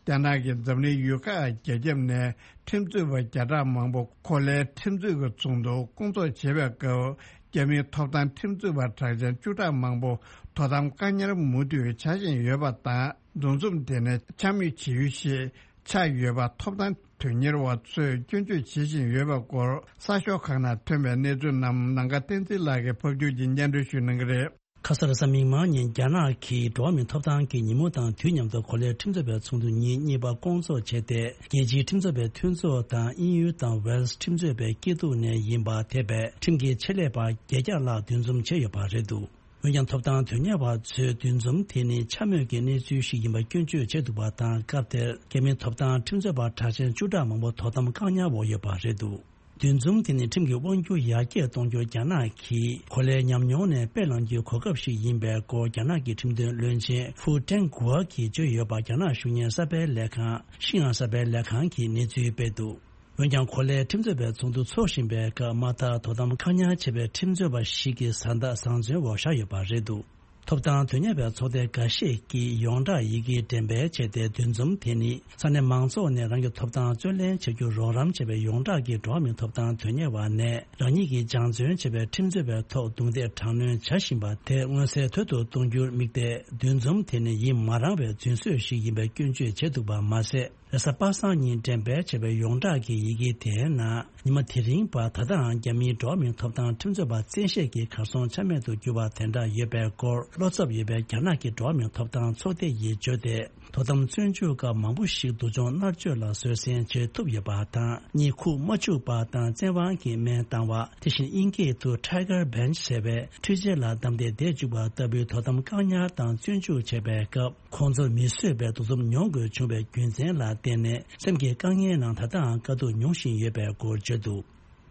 རྒྱ་ནག་གིས་འཛམ་གླིང་ཡུལ་ཁག་བརྒྱད་ཁྱབ་ནས་ཁྲིམས་རྩོད་པ་བརྒྱ་ཕྲག་མང་པོ་གོ་ལའི་ཁྲིམས་རྩོད་ཀྱི་ཚོགས་འདུ་སྐོང་ཚོགས་བྱེད་པའི་སྐབས། རྒྱ་མིའི་ཐོབ་ཐང་ཁྲིམས་རྩོད་པ་གྲགས་ཅན་བཅུ་ཕྲག་མང་པོ་དོ་དམ་བཀག་ཉར་མུ་མཐུད་བྱ་བཞིན་ཡོད་པ་དང་། འདུ་འཛོམས་དེ་ནི་འཕྱ་སྨོད་བྱེད་ཡུལ་ཞིག་ཆགས་ཡོད་པ་ཐོབ་ཐང་དོན་གཉེར་བ་ཚོས་སྐྱོན་བརྗོད་བྱེད་བཞིན་ཡོད་པའི་སྐོར། གསར་ཤོག་ཁག་ནང་ཐོན་པའི་གནས་ཚུལ་རྣམས་ནམ་མཁའ་བསྟན་འཛིན་ལགས་ཀྱིས་ཕབ་སྒྱུར་གྱིས་སྙན་སྒྲོན་ཞུ་གནང་གི་རེད། ཁ་སང་རེས་གཟའ་མིག་དམར་ཉིན་རྒྱ་ནག་གིས་འགྲོ་བ་མིའི་ཐོབ་ཐང་གི་ཉིན་མོ་དང་དུས་མཉམ་དུ་གོ་ལའི་ཁྲིམས་རྩོད་པའི་ཚོགས་འདུ་ཉིན་གཉིས་པ་སྐོང་ཚོགས་བྱས་ཏེ། རྒྱལ་སྤྱིའི་ཁྲིམས་རྩོད་པའི་མཐུན་ཚོགས་དང་དབྱིན་ཡུལ་དང་ཝེལ་སི་ཁྲིམས་རྩོད་པའི་སྐྱིད་སྡུག་ནས་ཡིན་པ་དེ་བས་ཁྲིམས་ཀྱི་ཆེད་ལས་པ་བརྒྱད་བརྒྱ་ལྷག་འདུ་འཛོམས་བྱས་ཡོད་པ་རེད་འདུག། འོན་ཀྱང་ཐོབ་ཐང་དོན་གཉེར་བ་ཚོས་འདུ་འཛོམས་དེ་ནི་འཕྱ་སྨོད་ཀྱི་གནས་ཚུལ་ཞིག་ཡིན་པ་སྐྱོན་བརྗོད་བྱས་འདུག་པ་དང་། སྐབས་དེར་རྒྱ་མིའི་ཐོབ་ཐང་ཁྲིམས་རྩོད་པ་གྲགས་ཅན་བཅུ་ཕྲག་མང་པོ་དོ་དམ་བཀག་ཉར་འོག་ཡོད་པ་རེད་འདུག། འདུ་འཛོམས་དེ་ནི་ཁྲིམས་ཀྱི་དབང་སྒྱུར་ཡར་རྒྱས་གཏོང་རྒྱུར་རྒྱ་ནག་གིས་གོ་ལའི་ཉམས་མྱོང་ནས་དཔེ་བླངས་རྒྱུའི་གོ་སྐབས་ཤིག་ཡིན་པའི་སྐོར། རྒྱ་ནག་གི་ཁྲིམས་དོན་བློན་ཆེན་ཧྥུ་ཀྲེང་གུའེ་གིས་བརྗོད་ཡོད་པ། རྒྱ་ནག་གཞུང་གཉེར་གསར་སྤེལ་ལས་ཁང་ཤིན་ཨན་གསར་སྤེལ་ལས་ཁང་གིས་གནས་ཚུལ་སྤེལ་འདུག། འོན་ཀྱང་གོ་ལའི་ཁྲིམས་རྩོད་པའི་ཚོགས་འདུ་འཚོགས་བཞིན་པའི་སྐབས། དམག་དར་དོ་དམ་བཀག་ཉར་བྱས་པའི་ཁྲིམས་རྩོད་པ་ཞིག་གི་བཟའ་ཟླ་བཟང་བཙོན་འོག་བཞག་ཡོད་པ་རེད་འདུག། ཐོབ་ཐང་དོན་གཉེར་བའི་ཚོགས་སྡེ་འགའ་ཤས་ཀྱིས་ཡོངས་གྲགས་ཡི་གེ་འགྲེམས་སྤེལ་བྱས་ཏེ། འདུ་འཛོམས་དེ་ནི་ས་གནས་མང་ཚོགས་ནས་རང་གི་ཐོབ་ཐང་རྩོད་ལེན་བྱ་རྒྱུར་རོགས་རམ་བྱས་པའི་ཡོངས་གྲགས་ཀྱི་འགྲོ་བ་མིའི་ཐོབ་ཐང་དོན་གཉེར་བ་ནས་རང་ཉིད་ཀྱིས་སྦྱང་བརྩོན་བྱས་པའི་ཁྲིམས་རྩོད་པའི་ཐོག་རྡུང་རྡེག་དྲག་གནོན་བྱ་བཞིན་པ་དེ་མངོན་གསལ་དོད་དུ་གཏོང་རྒྱུར་དམིགས་ཏེ། འདུ་འཛོམས་དེ་ནི་ཡིད་མ་རངས་པའི་རྫུན་བཟོས་ཤིག་ཡིན་པའི་སྐྱོན་བརྗོད་བྱས་འདུག་པ་མ་ཟད། རེས་གཟའ་པ་སངས་ཉིན་འགྲེམས་སྤེལ་བྱས་པའི་ཡོངས་གྲགས་ཀྱི་ཡི་གེ་དེའི་ནང་། ཉི་མ་དེ་རིང་བར་ད་ལྟའང་རྒྱ་མིའི་འགྲོ་བ་མིའི་ཐོབ་ཐང་ཁྲིམས་རྩོད་པ་བཙན་ཤེད་ཀྱིས་གར་སོང་ཆ་མེད་དུ་གྱུར་བ་དེ་འདྲ་ཡོད་པའི་སྐོར། བློ་འཚབ་ཡོད་པའི་རྒྱ་ནག་གི་འགྲོ་བ་མིའི་ཐོབ་ཐང་ཚོགས་སྡེ་ཡིས་བརྗོད་དེ། དོ་དམ་བཙོན་འཇུག་སྐབས་མང་པོ་ཞིག་སྡུག་སྦྱོང་མནར་གཅོད་ལ་བཟོད་བསྲན་བྱེད་ཐུབ་ཡོད་པ་དང་། གཉིད་ཁུག་མ་བཅུག་པ་དང་། བཙན་དབང་གིས་སྨན་བཏང་བ། དེ་བཞིན་དབྱིན་སྐད་དུ་Tiger Bench ཟེར་བའི་འཕྲུལ་ཆས་ལ་བསྡམས་ཏེ་བསྡད་བཅུག་པ་ལྟ་བུའི་དོ་དམ་བཀག་ཉར་དང་བཙོན་འཇུག་བྱས་པའི་སྐབས། ཁོང་ཚོར་མི་བཟོད་པའི་སྡུག་རྩུབ་མྱོང་དགོས་བྱུང་བའི་རྒྱུ་མཚན་ལ་བརྟེན་ནས། སེམས་ཀྱི་དཀའ་ངལ་ནང་ད་ལྟའང་དཀའ་སྡུག་མྱོང་བཞིན་ཡོད་པའི་སྐོར་བརྗོད་འདུག་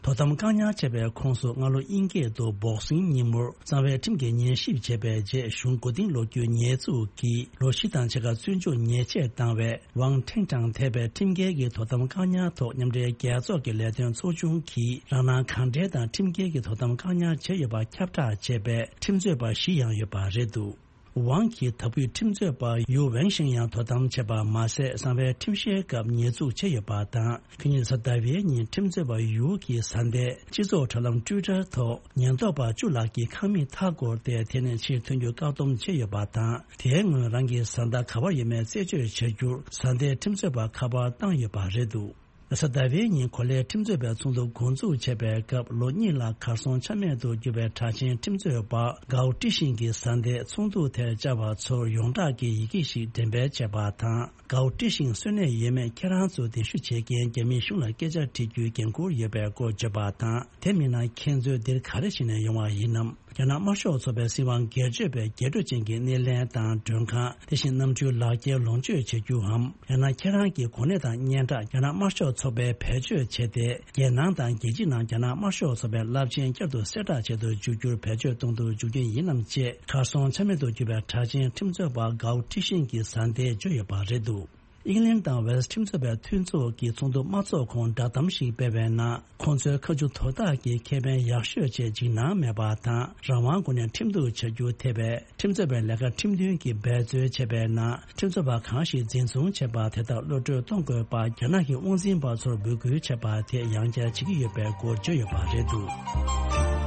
དོ་དམ་བཀག་ཉར་བྱས་པའི་ཁོངས་སུ། སྔ་ལོ་དབྱིན་སྐད་དུ་Boxing ཉིན་མོར་གཙང་བའི་ཁྲིམས་ཀྱིས་ཉན་ཞིབ་བྱས་པའི་རྗེས། གཞུང་མགོ་རྟིང་སློག་རྒྱུའི་ཉེས་འཛུགས་ཀྱིས་ལོ་བཞི་དང་ཕྱེད་ཀ་བཙོན་འཇུག་ཉེས་ཆད་བཏང་བའི་Wang Tingtang ཐེ་བའི་ཁྲིམས་འགལ་གྱི་དོ་དམ་བཀག་ཉར་ཐོག་མཉམ་འབྲེལ་རྒྱལ་ཚོགས་ཀྱི་ལས་དོན་ཚོགས་ཆུང་གིས་རང་སྣང་གང་འདྲེན་དང་ཁྲིམས་འགལ་གྱི་དོ་དམ་བཀག་ཉར་བྱས་ཡོད་པ་ཁྱབ་བསྒྲགས་བྱས་པའི་ཁྲིམས་རྩོད་པ་བཞི་ཡང་ཡོད་པ་རེད་འདུག་ཝང་གིས་ད་བར་ཁྲིམས་རྩོད་པ་ཡུའུ་ཝེང་ཤིང་ཡང་དོ་དམ་བྱས་པ་མ་ཟད། གསང་བའི་ཁྲིམས་བཤེར་སྐབས་ཉེས་འཛུགས་བྱས་ཡོད་པ་དང་། ཁ་ཉིན་རེས་གཟའ་ཟླ་བའི་ཉིན་ཁྲིམས་རྩོད་པ་ཡུའུ་གིས་གཟའ་ཟླའི་སྤྱི་ཚོགས་དྲ་ལམ་Twitter ཐོག་ཉེན་རྟོག་པ་བཅུ་ལྷག་གིས་ཁང་མིག་མཐའ་བསྐོར་ཏེ། དེ་ནས་ཕྱིར་ཐོན་རྒྱུ་བཀག་སྡོམ་བྱས་ཡོད་པ་དང་། དེའི་སྔོན་རང་གི་བཟའ་ཟླ་ག་པར་ཡོད་མེད་རྩད་གཅོད་བྱ་རྒྱུར་གཟའ་ཟླའི་ཁྲིམས་རྩོད་པ་ཁ་པར་བཏང་ཡོད་པ་རེད་འདུག་རེས་གཟའ་ཟླ་བའི་ཉིན་གོ་ལའི་ཁྲིམས་རྩོད་པའི་ཚོགས་འདུ་འགོ་འཛུགས་བྱས་པའི་སྐབས། ལོ་གཉིས་ལ་གར་སོང་ཆ་མེད་དུ་གྱུར་པའི་གྲགས་ཅན་ཁྲིམས་རྩོད་པ་གའོ་ཀྲི་ཤིང་གིས་གཟའ་ཟླའི་ཚོགས་འདུ་དེར་བཅར་བ་ཚོར་ཡོངས་གྲགས་ཀྱི་ཡི་གེ་ཞིག་འགྲེམས་སྤེལ་བྱས་པ་དང་། གའོ་ཀྲི་ཤིང་གསོན་གནས་ཡོད་མེད་ཁྱེད་རང་ཚོ་གདན་ཞུ་བྱེད་མཁན་རྒྱ་མིའི་གཞུང་ལ་སྐད་ཆ་དྲི་རྒྱུའི་འགན་འཁུར་ཡོད་པའི་སྐོར་བརྗོད་པ་དང་། དེ་མིན་ན་ཁྱེད་ཚོས་འདིར་ག་རེ་བྱས་ནས་ཡོང་བ་ཡིན་ནམ། རྒྱ་ནག་དམར་ཤོག་ཚོགས་པའི་སྲིད་དབང་སྒེར་གཅོད་པས་རྒྱས་སྤྲོས་ཅན་གྱི་སྣེ་ལེན་དང་མགྲོན་ཁང་། དེ་བཞིན་གནམ་གྲུའི་ལག་འཁྱེར་ལོངས་སྤྱོད་བྱེད་རྒྱུའམ། ཡང་ན་ཁྱེད་རང་གི་གོ་གནས་དང་སྙན་གྲགས་རྒྱ་ནག་དམར་ཤོག་ཚོགས་པས་བེད་སྤྱོད་བྱས་ཏེ། རྒྱལ་ནང་དང་རྒྱལ་ཕྱི་ནང་རྒྱ་ནག་དམར་ཤོག་ཚོགས་པའི་རླབས་ཆེན་བསྐྱར་དུ་གསལ་བསྒྲགས་བྱེད་དུ་འཇུག་རྒྱུར་བེད་སྤྱོད་གཏོང་དུ་འཇུག་རྒྱུ་ཡིན་ནམ་ཅེས། གར་སོང་ཆ་མེད་དུ་གྱུར་པའི་གྲགས་ཅན་ཁྲིམས་རྩོད་པ་གའོ་ཀྲི་ཤིང་གིས་གཟའ་ཟླའི་བརྗོད་ཡོད་པ་རེད་འདུག་ཨིང་ལན་དང་ཝེལ་སི་ཁྲིམས་རྩོད་པའི་མཐུན་ཚོགས་ཀྱིས་ཚོགས་འདུ་མ་འཚོགས་གོང་བསྒྲགས་གཏམ་ཞིག་སྤེལ་བའི་ནང་། ཁོང་ཚོའི་ཁ་མཆུ་དོར་སྟངས་ཀྱི་ཁེ་ཕན་ཡག་ཤོས་ཆེད་འཇིགས་སྣང་མེད་པ་དང་། རང་དབང་སྒོ་ནས་ཁྲིམས་གཏུག་བྱ་རྒྱུ་ཐེ་བའི་ཁྲིམས་རྩོད་པའི་ལས་ཀ་ཁྲིམས་མཐུན་གྱིས་འབད་རྩོལ་བྱས་པའི་ནང་། ཁྲིམས་རྩོད་པ་གང་ཞིག་འཛིན་བཟུང་བྱས་པ་དེ་དག་གློད་བཀྲོལ་གཏོང་དགོས་པར་རྒྱ་ནག་གི་དབང་འཛིན་པ་ཚོར་འབོད་སྐུལ་བྱས་པ་དེ་ཡང་བསྐྱར་བྱེད་ཀྱི་ཡོད་པའི་སྐོར་བརྗོད་ཡོད་པ་རེད་འདུག་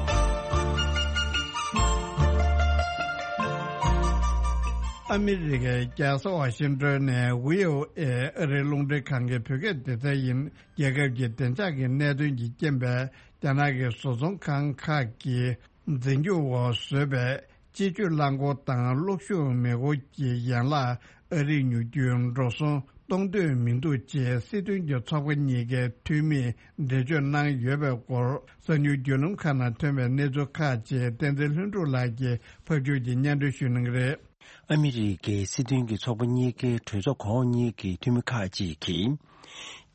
ཨ་མི་རི་ཀའི་རྒྱལ་ས་ཝ་ཤིང་ཏོན་ནས་ཝི་ཨོ་ཨེ་ཨ་རིའི་རླུང་འཕྲིན་ཁང་གི་བོད་སྐད་སྡེ་ཚན་ཡིན། རྒྱལ་ཁབ་ཀྱི་བདེ་འཇགས་ཀྱི་གནད་དོན་གྱི་རྐྱེན་པས། རྒྱ་ནག་གི་བཟོ་ཚོང་ཁང་ཁག་གིས་འཛིན་སྐྱོང་འོག་བཟོས་པའི་སྤྱི་སྤྱོད་རླངས་འཁོར་དང་གློག་ཤུགས་མེ་འཁོར་གྱི་ཡན་ལག་ཨ་རིར་ཉོ་རྒྱུའི་འགྲོ་སོང་གཏོང་འདོད་མི་འདུག་ཅེས་སྲིད་དོན་གྱི་ཚོགས་པ་གཉིས་ཀའི་འཐུས་མིས་འགྲེལ་བརྗོད་གནང་ཡོད་པའི་སྐོར། གསར་འགྱུར་བརྒྱུད་ལམ་ཁག་ནང་ཐོན་པའི་གནས་ཚུལ་ཁག་ཅིག་བསྟན་འཛིན་ལྷུན་གྲུབ་ལགས་ཀྱིས་ཕབ་སྒྱུར་གྱིས་སྙན་སྒྲོན་ཞུ་གནང་གི་རེད། ཨ་མི་རི་ཀའི་སྲིད་དོན་གྱི་ཚོགས་པ་གཉིས་ཀའི་གྲོས་ཚོགས་གོང་འོག་གཉིས་ཀྱི་འཐུས་མི་ཁག་ཅིག་གིས།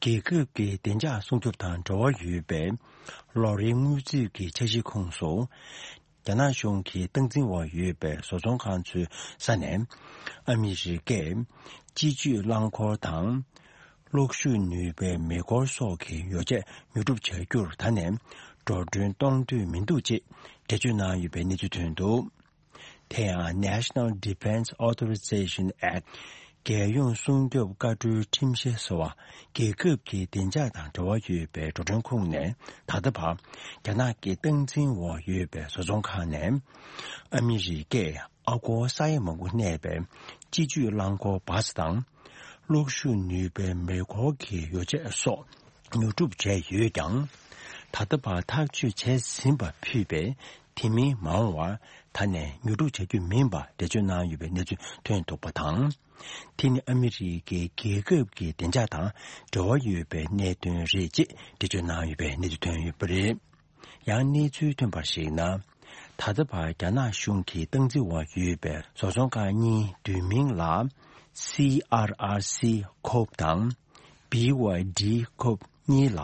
རྒྱལ་ཁབ་ཀྱི་བདེ་འཇགས་སྲུང་སྐྱོབ་དང་འབྲེལ་བ་ཡོད་པའི་ལོ་རེའི་དངུལ་རྩིས་ཀྱི་འཆར་གཞིའི་ཁོངས་སུ། རྒྱ་ནག་གཞུང་གི་སྟངས་འཛིན་འོག་ཡོད་པའི་བཟོ་ཚོང་ཁང་ཚོའི་ས་ནས། ཨ་མི་རི་ཀས་སྤྱི་སྤྱོད་རླངས་འཁོར་དང་། གློག་ཤུགས་ནུས་པའི་མེ་འཁོར་སོགས་ཀྱི་ཡོ་བྱད་ཉོ་སྒྲུབ་བྱ་རྒྱུར་ད་ནས་འགྲོ་གྲོན་གཏོང་འདོད་མི་འདུག་ཅེས་འགྲེལ་བརྗོད་གནང་ཡོད་པའི་གནས་ཚུལ་ཐོན་འདུག་དེ་ཡང་National Defense Authorization Act། རྒྱལ་ཡོངས་སྲུང་སྐྱོབ་བཀའ་འཁྲོལ་ཁྲིམས་གཞི་ཟེར་བ། རྒྱལ་ཁབ་ཀྱི་བདེ་འཇགས་དང་འབྲེལ་བ་ཡོད་པའི་འགྲོ་གྲོན་ཁོངས་ནས། ད་ལྟ་བར་རྒྱ་ནག་གི་སྟངས་འཛིན་འོག་ཡོད་པའི་བཟོ་ཚོང་ཁང་ནས། ཨ་མི་རི་ཀས་ཨ་སྒོར་ས་ཡ་མང་པོ་གནས་པའི་སྤྱི་སྤྱོད་རླངས་འཁོར་བཱས་དང་། གློག་ཤུགས་ནུས་པའི་མེ་འཁོར་གྱི་ཡོ་བྱད་སོགས་ཉོ་སྒྲུབ་བྱས་ཡོད་ཀྱང་། ད་ལྟ་བར་ཐག་གཅོད་བྱས་ཟིན་པ་ཕུད་པའི་དེ་མིན་མ་འོངས་བར་ད་ནས་ཉོ་སྒྲུབ་བྱ་རྒྱུ་མིན་པ་འགྲེལ་བརྗོད་གནང་ཡོད་པའི་གནས་ཚུལ་ཐོན་འདུག་པ་དང་། དེ་ནི་ཨ་མི་རི་ཀའི་རྒྱལ་ཁབ་ཀྱི་བདེ་འཇགས་དང་འབྲེལ་བ་ཡོད་པའི་གནད་དོན་རེད་ཅེས་འགྲེལ་བརྗོད་གནང་ཡོད་པའི་གནས་ཚུལ་ཐོན་ཡོད་པ་རེད། ཡང་གནས་ཚུལ་ཐོན་པར་གཞིགས་ན། ད་ལྟ་བར་རྒྱ་ནག་གཞུང་གི་སྟངས་འཛིན་འོག་ཡོད་པའི་བཟོ་ཚོང་ཁང་གཉིས་བསྡུས་མིང་ལ་སི་ཨར་ཨར་སི་ཁོབ་དང་། བི་ཝའི་ཌི་ཁོབ་གཉིས་ལ་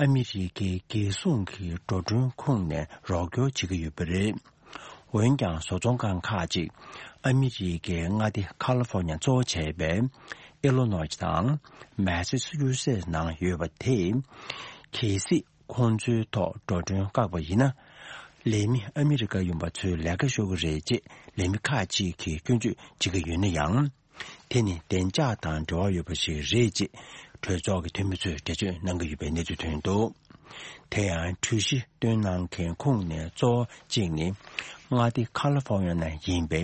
ཨ་མི་རི་ཀའི་རྒྱལ་སྲུང་གི་འགྲོ་གྲོན་ཁོངས་ནས་རོགས་སྐྱོར་བྱེད་ཀྱི་ཡོད་པ་རེད། འོན་ཀྱང་བཟོ་ཚོང་ཁང་ཁག་ཅིག་ཨ་མི་རི་ཀའི་མངའ་སྡེ་ཁ་ལི་ཧྥོ་ནི་ཡ་གཙོ་བྱས་པའི་ཨི་ལོ་ནོས་དང་མེ་སི་ཆུ་སེ་ནང་ཡོད་པ་དེས། གལ་སྲིད་ཁོང་ཚོའི་ཐོག་འགྲོ་གྲོན་བཀག་པ་ཡིན་ན། ལས་མི་ཨ་མི་རི་ཀ་ཡིན་པ་ཚོའི་ལས་ཀ་ཤོར་གྱི་རེད་ཅེས་ལས་མི་ཁག་ཅིག་གིས་སྐྱོན་བརྗོད་བྱེད་ཀྱི་ཡོད་ན་ཡང་། དེ་ནི་བདེ་འཇགས་དང་འབྲེལ་བ་ཡོད་པ་ཞིག་རེད་ཅེས་གྲོས་ཚོགས་ཀྱི་འཐུས་མི་ཚོས་འགྲེལ་བརྗོད་གནང་གི་ཡོད་པའི་གནས་ཚུལ་ཐོན་འདུག་དེ་ཡང་གྲོས་གཞི་བཏོན་གནང་མཁན་ཁོངས་ནས་གཙོ་བོ་གཅིག་ནི་མངའ་སྡེ་ཁ་ལི་ཧྥོ་ནི་ཡ་ནང་ཡིན་པའི་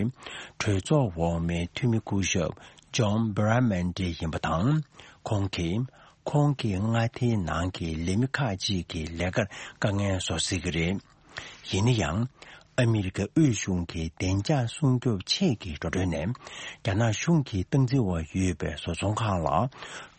གྲོས་ཚོགས་འོག་མའི་འཐུས་མི་སྐུ་ཞབས་ཇོན་བྷི་ར་མན་ཌེ་ཡིན་པ་དང་། ཁོང་གིས་ཁོང་གི་མངའ་སྡེའི་ནང་གི་ལས་མི་ཁག་ཅིག་གི་ལས་ཀར་དཀའ་ངལ་བཟོ་སྲིད་ཀྱི་རེད། ཡིན་ན་ཡང་། ཨ་མི་རི་ཀའི་དབུས་གཞུང་གིས་བདེ་འཇགས་སྲུང་སྐྱོབ་ཆེད་ཀྱི་འགྲོ་གྲོན་ནས། རྒྱ་ནག་གཞུང་གིས་སྟངས་འཛིན་འོག་ཡོད་པའི་བཟོ་ཚོང་ཁང་ལ་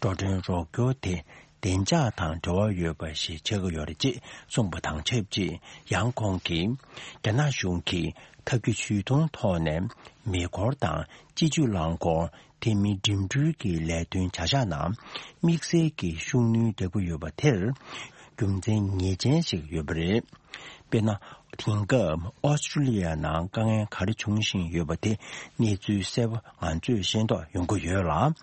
འགྲོ་གྲོན་རོགས་སྐྱོར་དེ། བདེ་འཇགས་དང་འབྲེལ་བ་ཡོད་པ་ཞིག་ཆགས་ཀྱི་ཡོད་རེད་ཅེས་གསུངས་པ་དང་ཆབས་ཅིག། ཡང་ཁོང་གིས། རྒྱ་ནག་གཞུང་གིས་ཐབས་ཇུས་ཇུས་གཏོང་ཐོག་ནས། མེ་འཁོར་དང་སྤྱི་སྤྱོད་རླངས་འཁོར། དེ་མིན་འགྲིམ་འགྲུལ་གྱི་ལས་དོན་བྱ་གཞག་ནང་། དམིགས་བསལ་གྱི་ཤུགས་སྣོན་རྒྱག་གི་ཡོད་པ་དེར། རྒྱུ་མཚན་ངེས་ཅན་ཞིག་ཡོད་པ་རེད། དཔེར་ན། དེང་སྐབས་ཨོ་སི་ཀྲུ་ལི་ཡ་ནང་དཀའ་ངལ་ག་རེ་འབྱུང་བཞིན་ཡོད་པ་དེ། གནས་ཚུལ་གསལ་པོ་ང་ཚོས་ཤེས་རྟོགས་ཡོང་གི་ཡོད་ལ།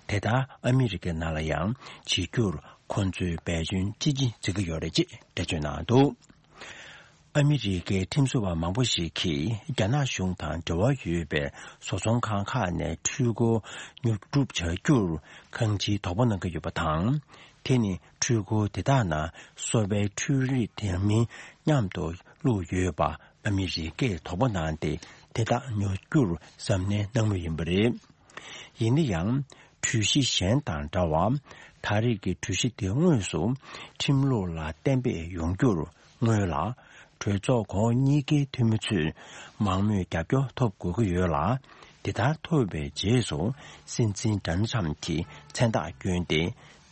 དེ་ལྟར་ཨ་མི་རི་ཀའི་ནང་ལ་ཡང་བྱེད་རྒྱུར་ཁོང་ཚོས་འབད་བརྩོན་ཅི་ཆེ་བྱེད་ཀྱི་ཡོད་རེད་ཅེས་འགྲེལ་བརྗོད་གནང་འདུག། ཨ་མི་རི་ཀའི་ཁྲིམས་བཟོ་བ་མང་པོ་ཞིག་གིས་རྒྱ་ནག་གཞུང་དང་འབྲེལ་བ་ཡོད་པའི་བཟོ་ཚོང་ཁང་ཁག་ནས་འཕྲུལ་འཁོར་ཉོ་སྒྲུབ་བྱ་རྒྱུར་གང་ཅིའི་དོགས་པ་གནང་གི་ཡོད་པ་དང་། དེ་ནི་འཕྲུལ་འཁོར་དེ་དག་ནང་སོ་པའི་འཕྲུལ་རིག་དེ་མིན་མཉམ་དུ་བླུགས་ཡོད་པ་ཨ་མི་རི་ཀས་དོགས་པ་གནང་སྟེ། དེ་དག་ཉོ་རྒྱུར་གཟབ་ནན་གནང་མུས་ཡིན་པ་རེད། ཡིན་ན་ཡང་། གྲོས་གཞི་གཞན་དང་འདྲ་བར། ད་རེས་ཀྱི་གྲོས་གཞི་དེ་དངོས་སུ་ཁྲིམས་ལུགས་ལ་གཏན་འབེབས་ཡོང་རྒྱུར་སྔོན་ལ། གྲོས་ཚོགས་གོང་འོག་གཉིས་ཀའི་འཐུས་མི་ཚོས་མང་མོས་རྒྱབ་སྐྱོར་ཐོབ་དགོས་ཀྱི་ཡོད་ལ། དེ་ལྟར་ཐོབ་པའི་རྗེས་སུ་སྲིད་འཛིན་ཌོ་ནལ་ཊམ་གྱིས་མཚན་རྟགས་བསྐྱོན་ཏེ།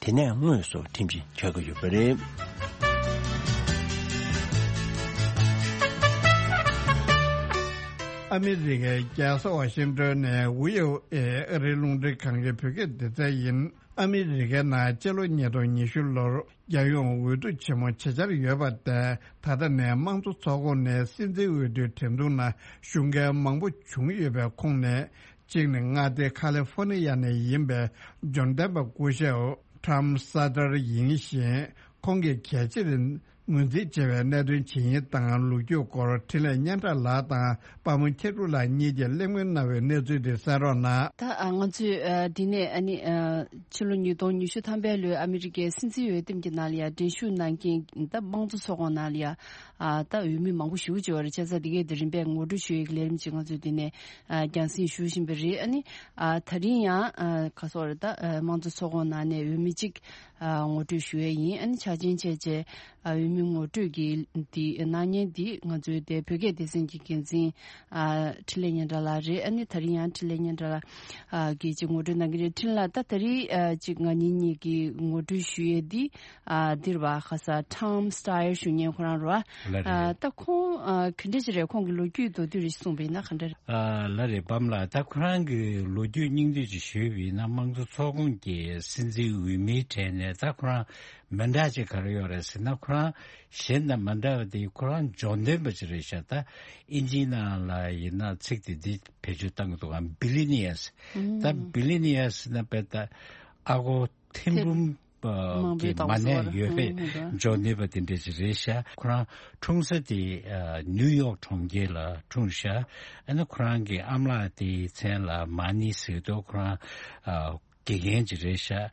དེ་ནས་དངོས་སུ་ཁྲིམས་གཞི་འཆར་གྱི་ཡོད་པ་རེད། ཨ་མི་རི་ཀའི་རྒྱལ་ས་ཝ་ཤིང་ཏོན་ནས་ཝི་ཨོ་ཨེ་ཨ་རིའི་རླུང་འཕྲིན་ཁང་གི་བོད་སྐད་སྡེ་ཚན་ཡིན། ཨ་མི་རི་ཀའི་ནང་སྤྱི་ལོ་ཉིས་སྟོང་ཉི་ཤུ་ལོར་རྒྱལ་ཡོངས་འོས་བསྡུ་ཆེན་མོ་བྱེད་འཆར་ཡོད་པ་དེ། ད་ལྟ་ནས་དམངས་གཙོ་ཚོགས་ཁོངས་ནས་སྲིད་འཛིན་འོས་བསྡུའི་འགྲན་བསྡུར་ནང་ཞུགས་མཁན་མང་པོ་བྱུང་ཡོད་པའི་ཁོངས་ནས། གཅིག་ནི་མངའ་སྡེ་ཁ་ལི་ཧྥོ་ནི་ཡ་ནས་ཡིན་པའི་འབྱོར་ལྡན་པ་སྐུ་ཞབས་ཊམ་སཱ་ཏར་ཡིན་ཞིང་། ཁོང་གིས་གལ་ཆེར་ངོས་འཛིན་བྱས་པའི་གནད་དོན་ཇི་ཡིན་དང་། ལོ་རྒྱུས་སྐོར་འཕྲིན་ལས་སྙན་གྲགས་ལགས་དང་པདྨ་མཁྱེན་གྲུབ་ལགས་གཉིས་ཀྱིས་གླེང་མོལ་གནང་བའི་གནས་ཚུལ་དེ་གསན་རོགས་གནང་། ད་ང་ཚོས་འདི་ནས་ཨ་ནི་ཕྱི་ལོ་ཉིས་སྟོང་ཉི་ཤུ་ཐམ་པའི་ལོའི་ཨ་མི་རི་ཀའི་སྲིད་འཛིན་འོས་འདེམས་ཀྱི་ནང་ལ་ཡང་འགྲན་ཞུགས་གནང་མཁན་ད་དམངས་གཙོ་ཚོགས་ཁོངས་ནང་ལ་ཡང་ད་འོས་མི་མང་པོ་ཞེ་པོ་ཅིག་ཡོད་རེད། བྱས་ཙང་འདི་གའི་དེ་རིམ་པས་ངོ་སྤྲོད་ཞུ་ཡག་གི་ལས་རིམ་ཅིག་ང་ཚོས་འདི་ནས་རྒྱང་སྲིང་ཞུ་བཞིན་པ་རེད། ཨ་ནི་ད་རིང་ཡང་ག་སོགས་རེད། ད་དམངས་གཙོ་ཚོགས་ཁོངས་ནང་ནས་འོས་མི་གཅིག་ཨ་ངོ་སྤྲོད་ཞུ་ཡས་ཡིན། ཨ་ནི་ཆ་རྐྱེན་བྱས་རྗེས་ཨ་འོས་མི་ངོ་སྤྲོད་ཀྱི་འདི་གནང་མཁན་འདི་ང་ཚོའི་དེ་བོད་སྐད་སྡེ་ཚན་གྱི་འགན་འཛིན་ཨ་འཕྲིན་ལས་སྙན་གྲགས་ལགས་རེད། ཨ་ནི་ད་རིང་ཡང་འཕྲིན་ལས་སྙན་གྲགས་ལགས་ཨ་གིས་ཅིག་ངོ་སྤྲོད་གནང་གི་རེད། འཕྲིན་ལགས། ད་ད་རིང་ཨ་ཅིག་ང་གཉིས་གཉིས་ཀྱིས་ངོ་སྤྲོད་ཞུ་ཡས་འདི་ཨ་འདིར་བ་ཁ་ས་ཊམ་སི་ཊ་ཡར་ཞུ་མཁན་ཁོ་རང་རེད་བ། ལགས་རེད། ཨ་ད་ཁོང་ཨ་ག་འདྲ་ཅིག་རེད། ཁོང་གི་ལོ་རྒྱུས་མདོར་བསྡུས་རེ་ཞིག་གསུངས་པ་ཡིན་ན་ག་འདྲ་རེད། ཨ་ལགས་རེད། པདྨ་ལགས། ད་ཁོ་རང་གི་ལོ་རྒྱུས་སྙིང་བསྡུས་ཅིག་ཞུས་པ་ཡིན་ན། དམངས་གཙོ་ཚོགས་ཁོངས་ཀྱི་སྲིད་འཛིན་འོས་མིའི་གྲས་ནས་ད་ཁོ་རང་མི་འདྲ་ཅིག་ག་རེ་ཡོད་རེད་ཟེར་ན། ཁོ་རང་གཞན་དང་མི་འདྲ་བ་དེ་ཁོ་རང་འབྱོར་ལྡན་པ་ཅིག་རེད་ཤག། ད་ཨིན་ཇིའི་ནང་ལ་ཡིན་ན་ཚིག་དེ་འདི་བེད་སྤྱོད་བཏང་གི་འདུག་གམ། བི་ལི་ནི་ཡ་སི། ད་བི་ལི་ནི་ཡ་སི་ཟེར་ན་དཔེ་ད་ཨ་སྒོར་ཐེར་འབུམ་གི་མ་གནས་ཡོད་པའི་འབྱོར་ནུས་པ་དེ་འདྲ་ཞིག་རེད་ཤག། ཁོ་རང་འཁྲུངས་ས་དེ་ཨ་ནིའུ་ཡོག་གྲོང་ཁྱེར་ལ་འཁྲུངས་ཤག། ཨ་ནི་ཁོ་རང་གི་ཨ་མ་ལགས་དེའི་མཚན་ལ་མ་ནི་ཟེར་འདུག། ཁོ་རང་ཨ་དགེ་རྒན་ཅིག་རེད་ཤག།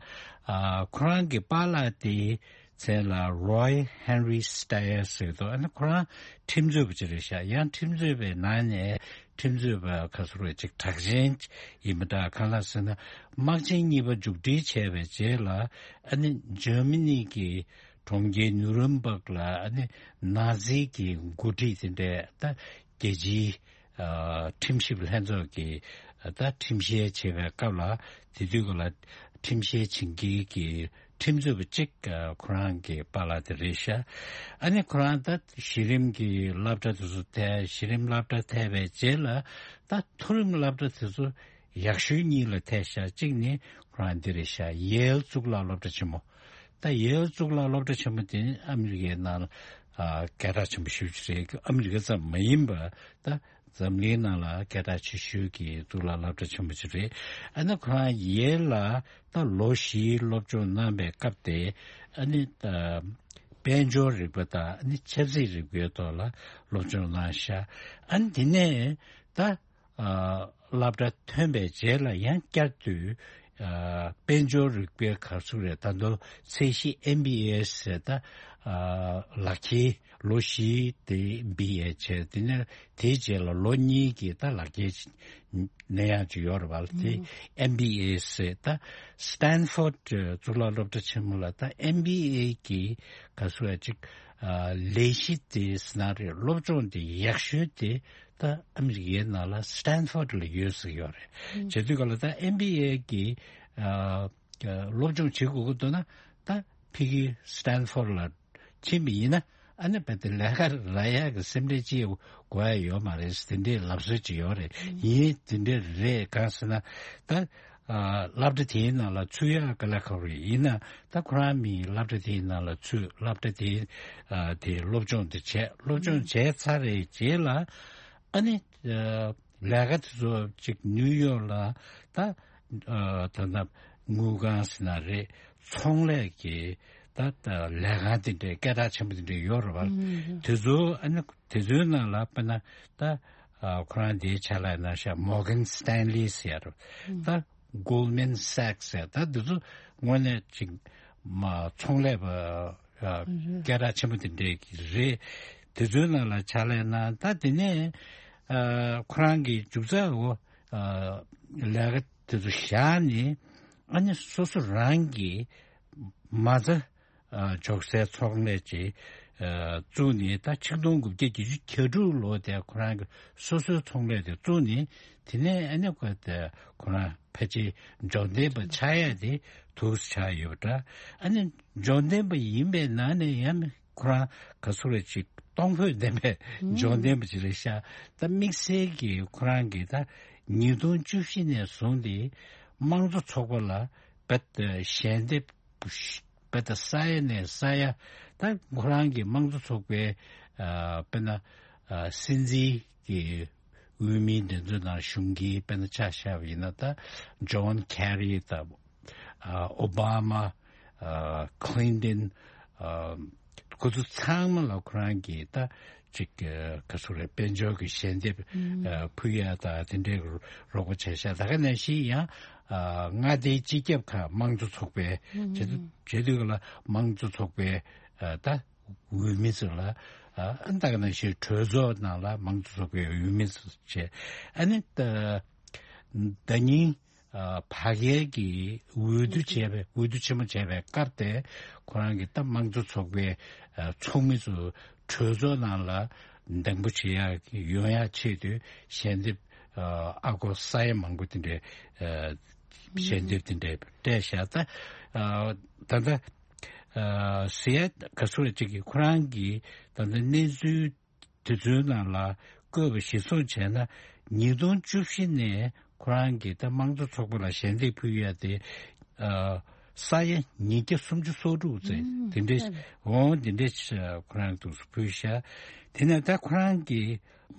ཨ་ཁོ་རང་གི་པཱ་ལགས་དེའི་མཚན་ལ་Roy Henry Steyer ཟེར་འདུག། ཨ་ནི་ཁོ་རང་ཁྲིམས་རྩོད་པ་ཅིག་རེད་ཤག། ཡང་ཁྲིམས་རྩོད་པའི་ནང་ནས་ཁྲིམས་རྩོད་པ་ག་ཟེར་བ་ཅིག་གྲགས་ཅན་ཡིན་པ་འདྲ། གང་ལགས་ཟེར་ན། དམག་ཆེན་གཉིས་པ་མཇུག་སྒྲིལ་བྱས་པའི་རྗེས་ལ། ཨ་ནི་འཇར་མ་ནི་གི་གྲོང་ཁྱེར་ནུ་རེམ་བྷག་ལ་ཨ་ནི་ནཱ་ཛི་གི་འགོ་ཁྲིད་དེ་འདྲས་ད་རྒྱལ་སྤྱིའི་ཨ་ཁྲིམས་ཞིབ་ལྷན་ཚོགས་ཀྱི་ད་ཁྲིམས་བཤེར་བྱེད་པའི་སྐབས་ལ། དེ་དུས་སྐབས་ལ་ཁྲིམས་བཤེར་བྱེད་མཁན་གྱི་ཁྲིམས་རྩོད་པ་གཅིག་ཨ་ཁོ་རང་གི་པཱ་ལགས་དེ་རེད་ཤག། ཨ་ནི་ཁོ་རང་ད་གཞི་རིམ་གྱི་སློབ་གྲྭ་དེ་ཚོ་ཐལ། གཞི་རིམ་སློབ་གྲྭ་ཐལ་བའི་རྗེས་ལ་ད་མཐོ་རིམ་སློབ་གྲྭ་དེ་ཚོ་ཡག་ཤོས་གཉིས་ལ་ཐལ་ཤག། གཅིག་ནི་ཁོ་རང་འདི་རེད་ཤག། ཡེལ་གཙུག་ལག་སློབ་གྲྭ་ཆེན་མོ། ད་ཡེལ་གཙུག་ལག་སློབ་གྲྭ་ཆེན་མོ་དེ་ནི་ཨ་མི་རི་ཀའི་ནང་ལ་ཨ་སྐད་གྲགས་ཆེན་པོ་ཞེ་པོ་ཅིག་རེད། ཨ་མི་རི་ཀ་ཙམ་མ་ཡིན་པ་ད་འཛམ་གླིང་ནང་ལ་སྐད་གྲགས་ཆེ་ཤོས་ཀྱི་གཙུག་ལག་སློབ་གྲྭ་ཆེན་པོ་ཅིག་རེད། ཨ་ནི་ཁོ་རང་ཡེལ་ལ་ད་ལོ་བཞིའི་སློབ་སྦྱོང་གནང་པའི་སྐབས་དེ། ཨ་ནི་ད་དཔལ་འབྱོར་རིག་པ་དང་ཨ་ནི་ཆབ་སྲིད་རིག་པའི་ཐོག་ལ་སློབ་སྦྱོང་གནང་ཤག། ཨ་ནི་དེ་ནས་ད་ཨ་སློབ་གྲྭ་ཐོན་པའི་རྗེས་ལ་ཡང་བསྐྱར་དུ་ ཨ་དཔལ་འབྱོར་རིག་པའི་ག་ཚོད་རེད། ད་དུང་ཚད་གཞི་ཨེམ་བི་ཨེ་ཟེར། ད་ཨ་ལག་ཁྱེར་ལོ་བཞི་དེ་བི་ཨེ་བྱས། དེ་ནས་དེའི་རྗེས་ལ་ལོ་གཉིས་ཀྱི་ད་ལག་ཁྱེར་ནས་ཡང་ཅིག་ཡོད་རེད་པ། དེ་ཨེམ་བི་ཨེ་ཟེར། ད་སི་ཏན་ཕོར་ཌི་གཙུག་ལག་སློབ་གྲྭ་ཆེན་མོ་ལ་ད་ཨེམ་བི་ཨེ་གི་ག་ཚོད་ཅིག་ཨ་ལས་གཞི་དེ་ཟེར་ན་རེད། སློབ་སྦྱོང་དེ་ཡག་ཤོས་དེ་ད་ཨ་མི་རི་ཀའི་ནང་ལ་སི་ཏན་ཕོར་ཌི་ལ་ཡོད་ཟེར་ཡོད་རེད། བྱེད་དུས་ག་ལ་ད་ཨེམ་བི་ཨེ་གི་ཨ་སློབ་སྦྱོང་བྱེད་དགོས་ཀྱི་འདུག་ན། ད་ཕ་གི་སི་ཏན་ཕོར་ཌི་ལ་ཕྱིན་པ་ཡིན་ན། ཨ་ནི་བལ་ཏེ་ལས་ཀ་རག་ཡག་གི་སེམས་ཁྲལ་ཅི་དགོས་ཡ་ཡོད་མ་རེད། དེ་འདྲའི་ལབ་སྲོལ་ཅིག་ཡོད་རེད། ཡིན། དེ་འདྲ་རེད། གང་ཟེར་ན་ད་ཨ་སློབ་གྲྭ་དེའི་ནང་ལ་ཚུད་ཡག་ག་ལ་ཁག་པོ་རེད། ཡིན་ན་ད་ཁོ་རང་མི་སློབ་གྲྭ་དེའི་ནང་ལ་ཚུད། སློབ་གྲྭ་དེའི་ཨ་དེ་སློབ་སྦྱོང་དེ་བྱས། སློབ་སྦྱོང་བྱས་ཚར་རེད། རྗེས་ལ་ཨ་ནི་ཨ་ལས་ཀ་དེ་ཚོ་ཅིག་ནིའུ་ཡོག་ལ་ད་ཨ་ད་ད་དངུལ་ཁང་ཟེར་ན་རེད། ཚོང་ལས་ཀྱི་ད་ད་ལས་ཁང་དེ་འདྲའི་སྐད་གྲགས་ཆེན་པོ་དེ་འདྲ་ཡོད་རེད་པ། དེ་ཚོ་ཨ་ནི་དེ་ཚོའི་ནང་ལ་དཔེར་ན་ད་ཨ་ཁོ་རང་དེའི་ཕྱག་ལས་གནང་ཤག་མོར་གན་སི་ཏན་ལི་ཟེར་ཡ་རེད། ད་གོལ་མན་སེག་ཟེར། ད་འདི་ཚོ་དངོས་གནས་ཅིག་མ་ཚོང་ལས་པ་ཨ་སྐད་གྲགས་ཆེན་པོ་དེ་འདྲའི་རེད། དེ་ཚོའི་ནང་ལ་ཕྱག་ལས་གནང་། ད་དེ་ནས་ཨ་ཁོ་རང་གི་མཇུག་རྩ་འོ་ཨ་ལས་ཀ་དེ་ཚོ་བཞག་ནས་ཨ་ནི་སོ་སོ་རང་གི་མ་རྩ་ཨ་འཇོག་སའི་ཚོང་ལས་ཅིག་ཨ་བཙུགས་ནས། ད་ཆིག་སྟོང་དགུ་བརྒྱ་བརྒྱད་ཅུ་གྱ་དྲུག་ལོ་དེ་ཁོ་རང་གི་སོ་སོའི་ཚོང་ལས་དེ་བཙུགས་ནས། དེ་ནས་ཨ་ནི་ཁོ་དེ་ཁོ་རང་ཕལ་ཆེར་འབྱོར་ལྡན་པ་ཆགས་ཡ་དེ་འདུག་སེ་ཆགས་ཡོད་པ་འདྲ། ཨ་ནི་འབྱོར་ལྡན་པ་ཡིན་པའི་ནང་ནས་ཡང་ཁོ་རང་ག་ཚོད་རེད་ཅིག་གཏོང་ཕོད་ལྡན་པའི་འབྱོར་ལྡན་པ་ཅིག་རེད་ཤག་ད་དམིགས་བསལ་གྱིས་ཁོ་རང་གིས་ད་ཉིས་སྟོང་བཅུ་བཞི་ནས་བཟུང་སྟེ་དམངས་གཙོ་ཚོགས་པ་ལ་རྦད་དེ་ཞལ་འདེབས་རྦད་དེ་ས་ཡ་ནས་ས་ཡ། ད་ཁོ་རང་གི་དམངས་གཙོ་ཚོགས་པའི་ཨ་དཔེར་ན་ཨ་སྲིད་འཛིན་གྱི་འོས་མི་འདི་ཚོའི་ནང་གཞུང་གི་དཔེར་ན་ཆ་བཞག་པ་ཡིན་ན། ད་ཇོན་ཁེ་རི་དང་ཨ་ཨོ་བྷ་མ། ཨ་ཁི་ལིན་ཏོན། ཨ་ཁོ་ཚོ་ཚང་མ་ལ་ཁོ་རང་གིས་ད་ཅིག་ཨ་ག་ཚོད་རེད། དཔལ་འབྱོར་གྱི་ཞལ་འདེབས་ཨ་ཕུལ་ཡ་དང་དེ་འདྲའི་རོགས་པ་བྱས་ཤག་ད་ག་ནང་བཞིན་ཡང་ཨ་མངའ་སྡེའི་སྤྱི་ཁྱབ་ཁག་དམངས་གཙོ་ཚོགས་པའི་བྱེད་བྱེད་དུས་ལ་དམངས་གཙོ་ཚོགས་པའི་ཨ་ད་འོས་མི་ཚོ་ལ། ཨ་ད་ག་ནང་བཞིན་གྲོས་ཚོགས་ནང་ལ་དམངས་གཙོ་ཚོགས་པའི་འོས་མི་ཚོ་བྱས། ཨ་ནི་ད་ཟླ་ཉིན་ཨ་ཕ་གིར་གྱི་འོས་བསྡུ་བྱས་པའི་འོས་བསྡུ་ཆེན་མོ་བྱས་པའི་སྐབས་དེ་ཁོ་རང་གི་ད་དམངས་གཙོ་ཚོགས་པའི་ཨ་ཚོགས་མི་ཚོ་གྲོས་ཚོགས་ནང་ལ་འདེམས་བསྐོ་བྱེད་ཡག་ཡོང་ཡག་ཆེད་དུ་ཞལ་འདེབས་ཨ་ཨ་སྒོར་ས་ཡ་མང་པོ་དེ་འདྲའི་ཨ་ཞལ་འདེབས་དེ་འདྲའི་སྤྲད་ཤག་ད་ཨ་ད་ལྟ་ཨ་ཟེར་ཡ་ག་ཚོད་ཅིག་གིས་ཁོ་རང་གིས་ད་ལྟ་གནས་ཚུལ་དེ་ཚོའི་ནང་ལ་བཀོད་པ་གཞིར་བཟུང་བྱས་ན། ཉིས་སྟོང་བཅུ་བཞི་ནས་ཁོ་རང་གིས་ད་དམངས་གཙོ་ཚོགས་པ་ལ་ཞལ་འདེབས་ཕུལ་ཡ་དེ་ཨ་ས་ཡ་ཉིས་བརྒྱ་སུམ་ཅུ་སོ་དྲུག་ཙམ་དེ་འདྲའི་འོང་། དེ་འདྲའི་ཁོ་རང་འདུག་སེ་ཕུལ་ཤག་དེ་ནས་ད་ཁོ་རང་གི་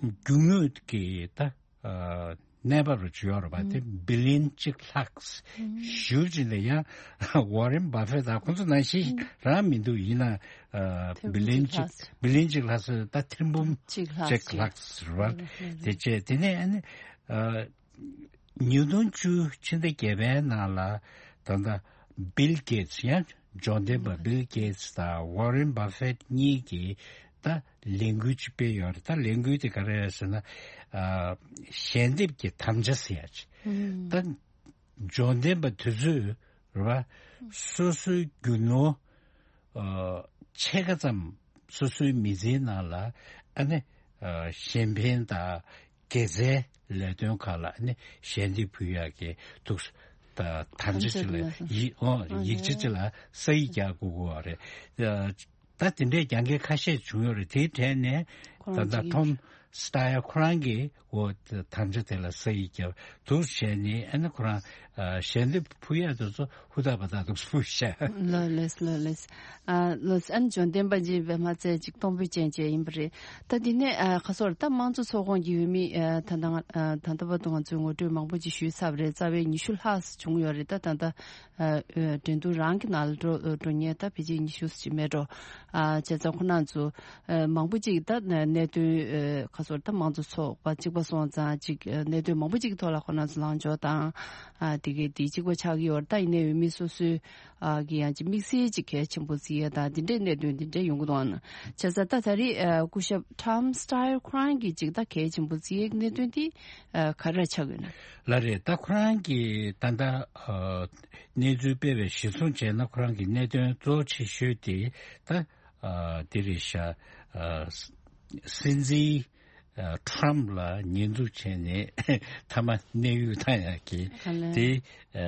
རྒྱུ་དངོས་ཀྱི་ད་ཨ་གནས་བབ་རུ་ཅིག་ཡོད་རེད་པ། དེ་བི་ལི་ཡན་གཅིག་ལྷག་ཞུ་བ་ཅིག་ལ་ཡང་ཝོ་རེན་བྷ་ཧྥེ་ད་ཁོང་ཚོ་ནང་བཞིན་རང་མི་འདུག་ཡིན་ན་ཨ་ཐེར་འབུམ་བི་ལི་ཡན་གཅིག་གཅིག་ལྷག་བི་ལི་ཡན་གཅིག་ལྷག་ཟེར། ད་ཐེར་འབུམ་གཅིག་ལྷག་གཅིག་ལྷག་ཟེར་བ་དེ་བྱས། དེ་ནས་ཨ་ནི་ཨ་ཉིས་སྟོང་བཅུ་ཕྱི་ཟླ་བརྒྱད་པའི་ནང་ལ་ད་ལྟ་བིལ་གེ་ཊི་སི་ཡང་འབྱོར་ལྡན་པ་བིལ་གེ་ཊི་སི་དང་ཝོ་རེན་བྷ་ཧྥེ་གཉིས་ཀྱིས་ད་ལས་འགུལ་ཅིག་སྤེལ་ཡོད་རེད། ད་ལས་འགུལ་དེ་ག་རེ་རེད་ཟེར་ན། ཨ་ཞལ་འདེབས་ཀྱི་དམ་བཅའ་ཟེར་ཡ་ཅིག་ད་འབྱོར་ལྡན་པ་དེ་ཚོས་རེད་པ། སོ་སོའི་རྒྱུ་ནོར་ཨ་ཕྱེད་ཀ་ཙམ་སོ་སོའི་མི་ཚེའི་ནང་ལ་ཨ་ནི་ཨ་གཞན་ཕན་དང་དགེ་རྩའི་ལས་དོན་ཁག་ལ་ཨ་ནི་ཞལ་འདེབས་ཕུལ་ཡག་གི་འདུག་ད་དམ་བཅའ་ཅིག་ལ་ཡིག་ཨོ་ཡིག་ཆ་ཅིག་ལ་ས་ཡིག་རྒྱག་དགོས་ཀྱི་ཡོད་རེད། ཨ་ད་དེ་འདྲའི་རྒྱབ་འགལ་ཁ་ཤས་བྱུང་ཡོད་རེད། དེའི་གྲས་ནས་ཁོ་རང་ད་ལྟ་གཅིག་ཐོམ་སི་ཏཱ་ཡ་ཁོ་རང་གིས་འོ་དམ་བཅའ་དེ་ལ་ས་ཡིག་བརྒྱབ་འདུག་བྱས་ནས་ཨ་ནི་ཁོ་རང་ཨ་ཞལ་འདེབས་ཕུལ་ཡག་དེ་ཚོ་ཧུར་ཐག་བ་ཐག་འདུག་ཕུལ་ཤག་ལགས་ལགས་ལགས་ལགས། ཨ་ལགས་ཨ་ནི་འབྱོར་ལྡན་པ་ཅིག་ཡིན་པ་མ་ཚད་ཅིག་གཏོང་ཕོད་ཅན་ཅིག་ཡིན་པ་རེད། ད་དེ་ནས་ཨ་ཁ་སོར་ད་དམངས་གཙོ་ཚོགས་ཁོངས་ཀྱི་འོས་མི་ཨ་ད་ལྟ་ང་ཨ་ད་ལྟ་བར་དུ་ང་ཚོས་ངོ་སྤྲོད་མང་པོ་ཅིག་ཞུས་ཚར་བ་རེད། རྩ་བའི་ཉི་ཤུ་ལྷག་བྱུང་ཡོད་རེད། ད་ད་ལྟ་ཨ་ཨ་འགྲན་བསྡུར་རང་གི་ནང་ལ་འགྲོ་འགྲོ་མཁན་ད་ཕལ་ཆེར་ཉི་ཤུ་ཅིག་མེད་འགྲོ། ཨ་བྱས་ཙང་ཁོ་རང་ཚོ་ཨ་མང་པོ་ཅིག་ད་གནད་དོན་ཨ་ཁ་ ཚོར་ད་དམངས་གཙོ་ཚོགས་པ་གཅིག་པ་སོང་ཙང་གཅིག་གནད་དོན་མང་པོ་གཅིག་གི་ཐོག་ལ་ཁོ་རང་ཚོ་ལངས་ཕྱོགས་དང་། ཨ་དེ་གའི་དེ་གཅིག་པ་ཆགས་ཀྱི་ཡོད་རེད། ད་ཡིན་ནའི་འོས་མི་སོ་སོའི་ཨ་གི་ཡང་གཅིག་དམིགས་བསལ་གཅིག་གལ་ཆེན་པོ་བརྩི་ཡས་དང་དེ་འདྲའི་གནད་དོན་དེ་འདྲ་ཡོང་གི་འདུག་ཨ། བྱས་ཙང་ད་ད་རེས་ཨ་སྐུ་ཞབས་Tom Steyer་ཁོ་རང་གིས་གཅིག་ད་གལ་ཆེན་པོ་བརྩི་ཡས་གནད་དོན་དེ་ཨ་ག་རེ་ཆགས་ཀྱི་ཡོད་ན། ལགས་རེད། ད་ཁོ་རང་གིས་ད་ལྟ་ཨ་གནས་ཚུལ་སྤེལ་བའི་གཞིར་བཟུང་བྱས་ན་ཁོ་རང་གི་གནད་དོན་གཙོ་ཆེ་ཤོས་དེ་ད་ཨ་དེ་རེད་ཤག་ཨ་སྲིད་འཛིན་ཨ་ཊམ་ལ་ཉེས་འཛུགས་བྱས་ནས་མཐའ་མ་གནས་དབྱུག་བཏང་ཡག་གི་ཨ་ལས། དེ་ཨ་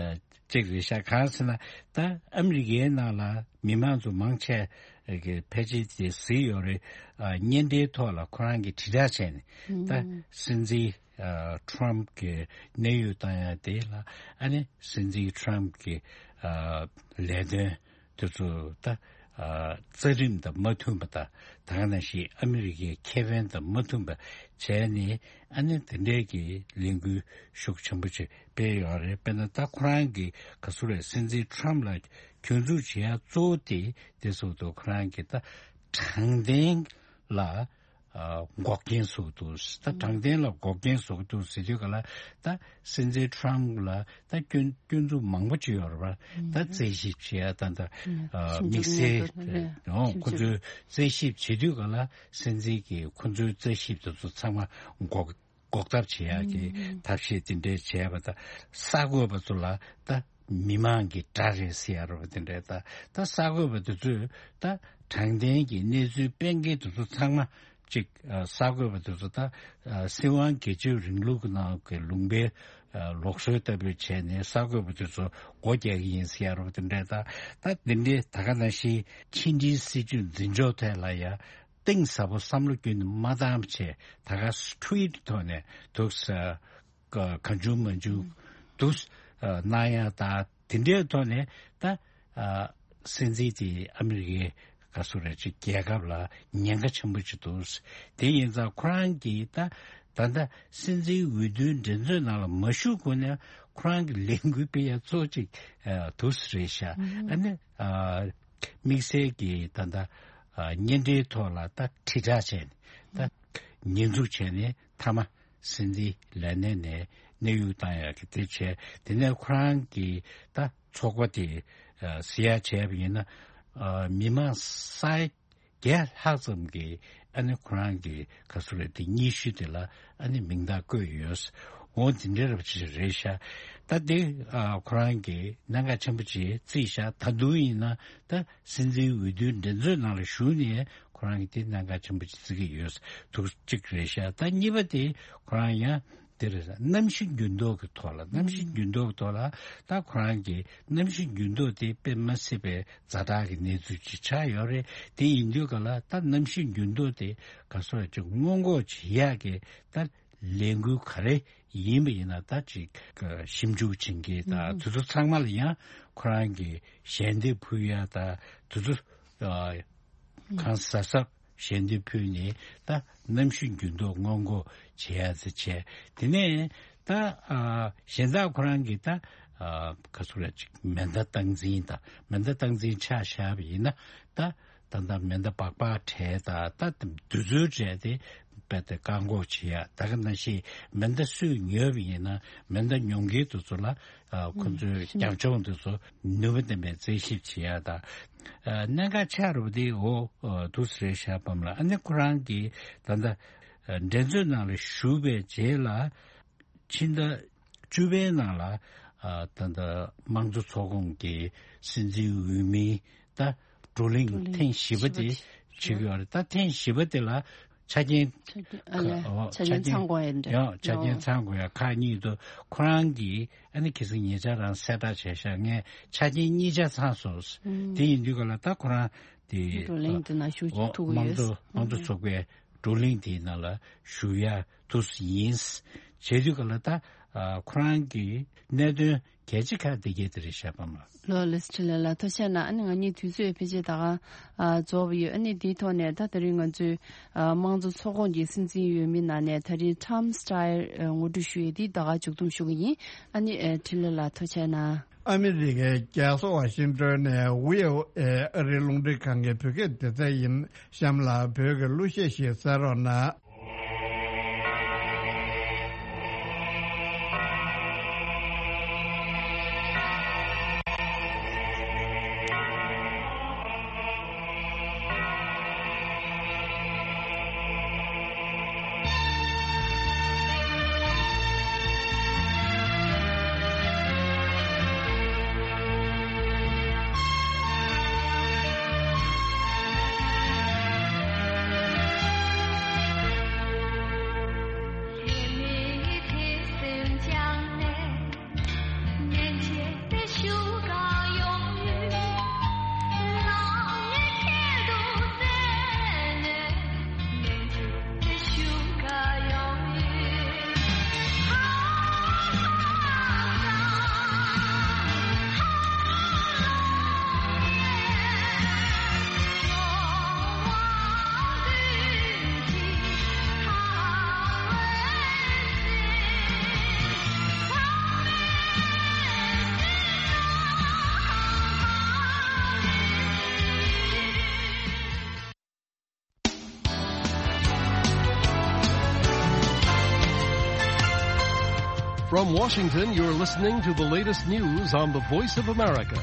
གཅིག་རེད་ཤག་གང་ཟེར་ན་ད་ཨ་མི་རི་ཀའི་ནང་ལ་མི་མང་ཚོ་མང་ཆེ་གི་ཕལ་ཆེར་དེ་གཟིགས་ཡོད་རེད། ཨ་བརྙན་འཕྲིན་ཐོག་ལ་ཁོ་རང་གིས་དྲིལ་བསྒྲགས་བྱས་ནས་ད་ཨུམ། སྲིད་འཛིན་ཨ་ཊམ་གི་གནས་དབྱུག་བཏང་ཡག་དེ་ལ་ཨ་ནི་སྲིད་འཛིན་ཊམ་གི་ཨ་ལས་དོན་དེ་ཚོ་ད་ཨ་རྩ་ཁྲིམས་དང་མ་མཐུན་པ་དང་ད་ག་ནང་བཞིན་ཨ་མི་རི་ཀའི་ཁེ་ཕན་དང་མ་མཐུན་པ་བྱས་ནས་ཨ་ནི་དེ་འདྲའི་གི་ལས་འགུལ་ཤུགས་ཆེན་པོ་ཅིག་སྤེལ་ཡོད་རེད། དཔེར་ན་ད་ཁོ་རང་གི་ག་ཚོད་རེད། སྲིད་འཛིན་ཊམ་ལ་སྐྱོན་འཛུགས་བྱེད་ཡ་གཙོ་བོ་དེ་དེ་ཚོ་དུ་ཁོ་རང་གི་ད་དྲང་བདེན་ལ་ཨ་འགོག་རྐྱེན་བཟོ་གི་འདུག་ད་དྲང་བདེན་ལ་འགོག་རྐྱེན་བཟོ་གི་འདུག་ཟེར་དུས་ག་ལ་ད་སྲིད་འཛིན་ཊམ་ལ་ད་སྐྱོན་སྐྱོན་འཛུགས་མང་པོ་ཅིག་ཡོད་རེད་པ། ད་རྩད་ཞིབ་བྱེད་ཡ་ད་ད་ཨ་དམིགས་བསལ་ཨོ་ཁོ་ཚོས་རྩད་ཞིབ་བྱེད་དུས་ག་ལ་སྲིད་འཛིན་གྱིས་ཁོ་ཚོའི་རྩད་ཞིབ་དེ་ཚོ་ཚང་མ་འགོག་འགོག་ཐབས་བྱེད་ཡག་གི་ཐབས་ཤེས་དེ་འདྲས་བྱས་པ་དང་། གསར་འགོད་པ་ཚོ་ལ་ད་མི་མང་གི་དགྲ་རེད་ཟེར་ཡ་རེད་པ། དེ་འདྲས་ད་ད་གསར་འགོད་པ་དེ་ཚོས་ད་དྲང་བདེན་གྱི་གནས་ཚུལ་སྤེལ་མཁན་དེ་ཚོ་ཚང་མ་གཅིག་ཨ་གསར་འགོད་པ་དེ་ཚོ་ད་ཨ་སྲིད་དབང་སྒེར་གཅོད་རིང་ལུགས་ཀྱི་ནང་གི་ལུང་པའི་ཨ་ལུགས་སྲོལ་ལྟ་བུ་བྱས་ནས་གསར་འགོད་པ་དེ་ཚོ་སྒོ་རྒྱག་གི་ཡིན་ཟེར་ཡ་རེད་པ། དེ་འདྲས་ད་ད་དེ་འདྲས་ད་ག་ནང་བཞིན་ཕྱི་འབྲེལ་སྲིད་ཇུས་འཛིན་ཕྱོགས་ཐད་ལ་ཡ། གཏིང་ཟབ་པོ་བསམ་བློ་བསྐྱོན་ནས་མ་བཏང་བྱས་ད་ག་ཊུ་ཝིཊ་ཐོག་ནས་འདུག་ས་ག་གང་བྱུང་མང་བྱུང་འདུག་ས་གནང་ཡ་ད་དེ་འདྲའི་ཐོག་ནས་ད་ཨ་སྲིད་འཛིན་དེ་ཨ་མི་རི་ཀའི་ག་སུ་རེད་ཅིག་རྒྱལ་ཁབ་ལ་ཉེན་ཁ་ཆེན་པོ་ཅིག་འདུག་ས། དེ་ཡིན་ཙང་ཁོ་རང་གིས་ད་ད་ལྟ་སྲིད་འཛིན་འོས་བསྡུའི་འགྲན་རྩོད་ནང་ལ་མ་ཞུགས་གོང་ནས་ཁོ་རང་གི་ལས་འགུལ་སྤེལ་ཡ་གཙོ་ཅིག་ཨ་འདུག་ས་རེད་ཤག་ཨ་ནི་ཨ། དམིགས་བསལ་གྱིས་ད་ལྟ་ཨ་བརྙན་འཕྲིན་ཐོག་ལ་ད་དྲིལ་བསྒྲགས་བྱས་ནས་ད་ཉེས་འཛུགས་བྱས་ནས་མཐའ་མ་སྲིད་འཛིན་ལས་གནས་ནས་གནས་དབྱུག་བཏང་ཡག་གི་དེ་བྱས། དེ་ནས་ཁོ་རང་གིས་ད་ཚོགས་པ་དེ་ཨ་ཟེར་ཡག་བྱས་པ་ཡིན་ན་ཨ་མི་མང་ས་བརྒྱ་ལྷག་ཙམ་གྱིས་ཨ་ནི་ཁོ་རང་གི་ག་སུ་རེད་དེ་སྙན་ཞུ་དེ་ལ་ཨ་ནི་མིང་རྟགས་བཀོད་ཡོད། འོ་དེ་འདྲ་རབ་ཅིག་རེད་ཤག་ད་དེ་ཨ་ཁོ་རང་གིས་གནད་འགག་ཆེན་པོ་ཅིག་བརྩིས་ཤག་ད་དུང་ཡིན་ན་ད་སྲིད་འཛིན་འོས་བསྡུའི་འགྲན་རྩོད་ནང་ལ་ཞུགས་ནས་ཁོ་རང་གིས་དེ་གནད་འགག་ཆེན་པོ་ཅིག་བརྩི་གི་ཡོད་འདུག་གཅིག་རེད་ཤག་ད་གཉིས་པ་དེ་ཁོ་རང་ཡང་དེ་རེད། གནམ་གཤིས་འགྱུར་ལྡོག་གི་ཐོག་ལ་གནམ་གཤིས་འགྱུར་ལྡོག་གི་ཐོག་ལ་ད་ཁོ་རང་གིས་གནམ་གཤིས་འགྱུར་ལྡོག་དེ་དཔེ་མ་སྲིད་པའི་ཛ་དྲག་གི་གནས་ཚུལ་ཅིག་ཆགས་ཡོད་རེད། དེ་ཡིན་དུས་ག་ལ་ད་གནམ་གཤིས་འགྱུར་ལྡོག་དེ་ག་སོགས་ཅིག་སྔོན་འགོག་བྱེད་ཡག་གི་ད་ལས་འགུལ་ག་རེ་ཡིན་པ་ཡིན་ན་ད་ཅིག་ཞིབ་འཇུག་བྱེད་མཁན་དང་དེ་ཚོ་ཚང་མ་ལ་ཡང་ཁོ་རང་གིས་ཞལ་འདེབས་ཕུལ་ཡ་དང་དེ་ཚོ་གང་གཟབ་གཟབ་ཞལ་འདེབས་ཕུལ་ནས་ད་གནམ་གཤིས་འགྱུར་ལྡོག་སྔོན་འགོག་བྱེད་ཡ་ཟེར་བྱས། དེ་ནས་ད་གཞན་དག་ཁོ་རང་གིས་ད་ག་ཚོད་རེད་ཅིག་མེ་མདའ་སྟངས་འཛིན་དང་མེ་མདའ་སྟངས་འཛིན་ཆ་བཞག་པ་ཡིན་ན་ད། ད་ལྟ་མེ་མདའ་སྦག་སྦག་བྲལ་ད་ད་དུས་ཚོད་བྲལ་ཏེ་རྦད་དེ་བཀག་འགོག་བྱེད་ཡ། ད་ག་ནང་བཞིན་མེ་མདའ་སུས་ཉོས་པ་ཡིན་ན་མེ་མདའ་ཉོ་མཁན་དེ་ཚོ་ལ་ཁོ་ཚོའི་རྒྱབ་ལྗོངས་དེ་ཚོ་ནུས་པ་ལྡན་པའི་རྩད་ཞིབ་བྱེད་ཡ་ད་གནད་འགག་ཆགས་རུ་དེ་འོ་འདུག་སེ་རེད་ཤག་པ་ལ། ཨ་ནི་ཁོ་རང་གིས་ད་ལྟ་འགྲན་རྩོད་ནང་ལ་ཞུགས་པའི་རྗེས་ལ། ཕྱི་ཟླ་བཅུ་པའི་ནང་ལ་ཨ་ད་ལྟ་དམངས་གཙོ་ཚོགས་ཁོངས་ཀྱི་སྲིད་འཛིན་འོས་མི་ད་བགྲོ་གླེང་ཐེངས་བཞི་པ་དེ་བྱེད་ཀྱི་ཡོད་རེད། ད་ཐེངས་བཞི་པ་དེ་ལ་ཆ་རྐྱེན་ཆ་རྐྱེན་ཨ་ལས་ཨོ་ཆ་རྐྱེན་ཚང་དགོས་ཡ་འདྲ་ཡང་ཆ་རྐྱེན་ཨོ་ཚང་དགོས་ཡ་ཁག་གཉིས་འདུག་ཁོ་རང་གིས་ཨ་ནི་ཁ་སང་ཉེ་ཆར་རང་གསལ་བསྒྲགས་བྱས་ཤག་ངས་ཆ་རྐྱེན་གཉིས་ཆ་ཚང་སོང་། ཨུམ། དེ་ཡིན་དུས་ག་ལ་ད་ཁོ་རང་དེ་བགྲོ་གླེང་དེ་ནང་ཞུགས་ཨོ་ཐུབ་ཀྱི་དམངས་ཡོད། གཙོ་དམངས་གཙོ་ཚོགས་པའི་བགྲོ་གླེང་དེའི་ནང་ལ་ཞུགས་ཡ་ཐུབ་ཡིན། བྱེད་དུས་ག་ལ་ད་ཨ་ཁོ་རང་གི་གནད་དོན་གལ་ཆེ་ཁག་དེ་གས་དེ་རེད་ཤག་པ་མ། ལོ་ལེ་སི་ཁྲི་ལེ་ལ་ཐུགས་རྗེ་གནང་། ཨ་ནི་ང་གཉིས་དུས་ཚོད་ཕལ་ཆེར་ད་ག་ཨ་རྫོགས་པ་ཡོད། ཨ་ནི་དེའི་ཐོག་ནས་ད་དེ་རིང་ང་ཚོའི་ཨ་དམངས་གཙོ་ཚོགས་ཁོངས་ཀྱི་སྲིད་འཛིན་འོས་མི་ནང་ནས་ད་རིང་Tom Steyer་ཨ་ངོ་སྤྲོད་ཞུ་ཡས་དེ་ད་ག་མཇུག་བསྡོམས་ཞུ་གི་ཡིན། ཨ་ནི་ཨ་ཁྲི་ལེ་ལ་ཐུགས་རྗེ་གནང་། ཨ་མི་རི་ཀའི་རྒྱལ་ས་ཝ་ཤིང་ཏོན་ནས་ཝི་ཨོ་ཨེ་ཨ་རིའི་རླུང་འཕྲིན་ཁང་གི་བོད་སྐད་སྡེ་ཚན་ཡིན། གཤམ་ལ་བོད་ཀྱི་གླུ་གཞས་ཤིག་གསན་རོགས་གནང་། From Washington, you're listening to the latest news on the Voice of America.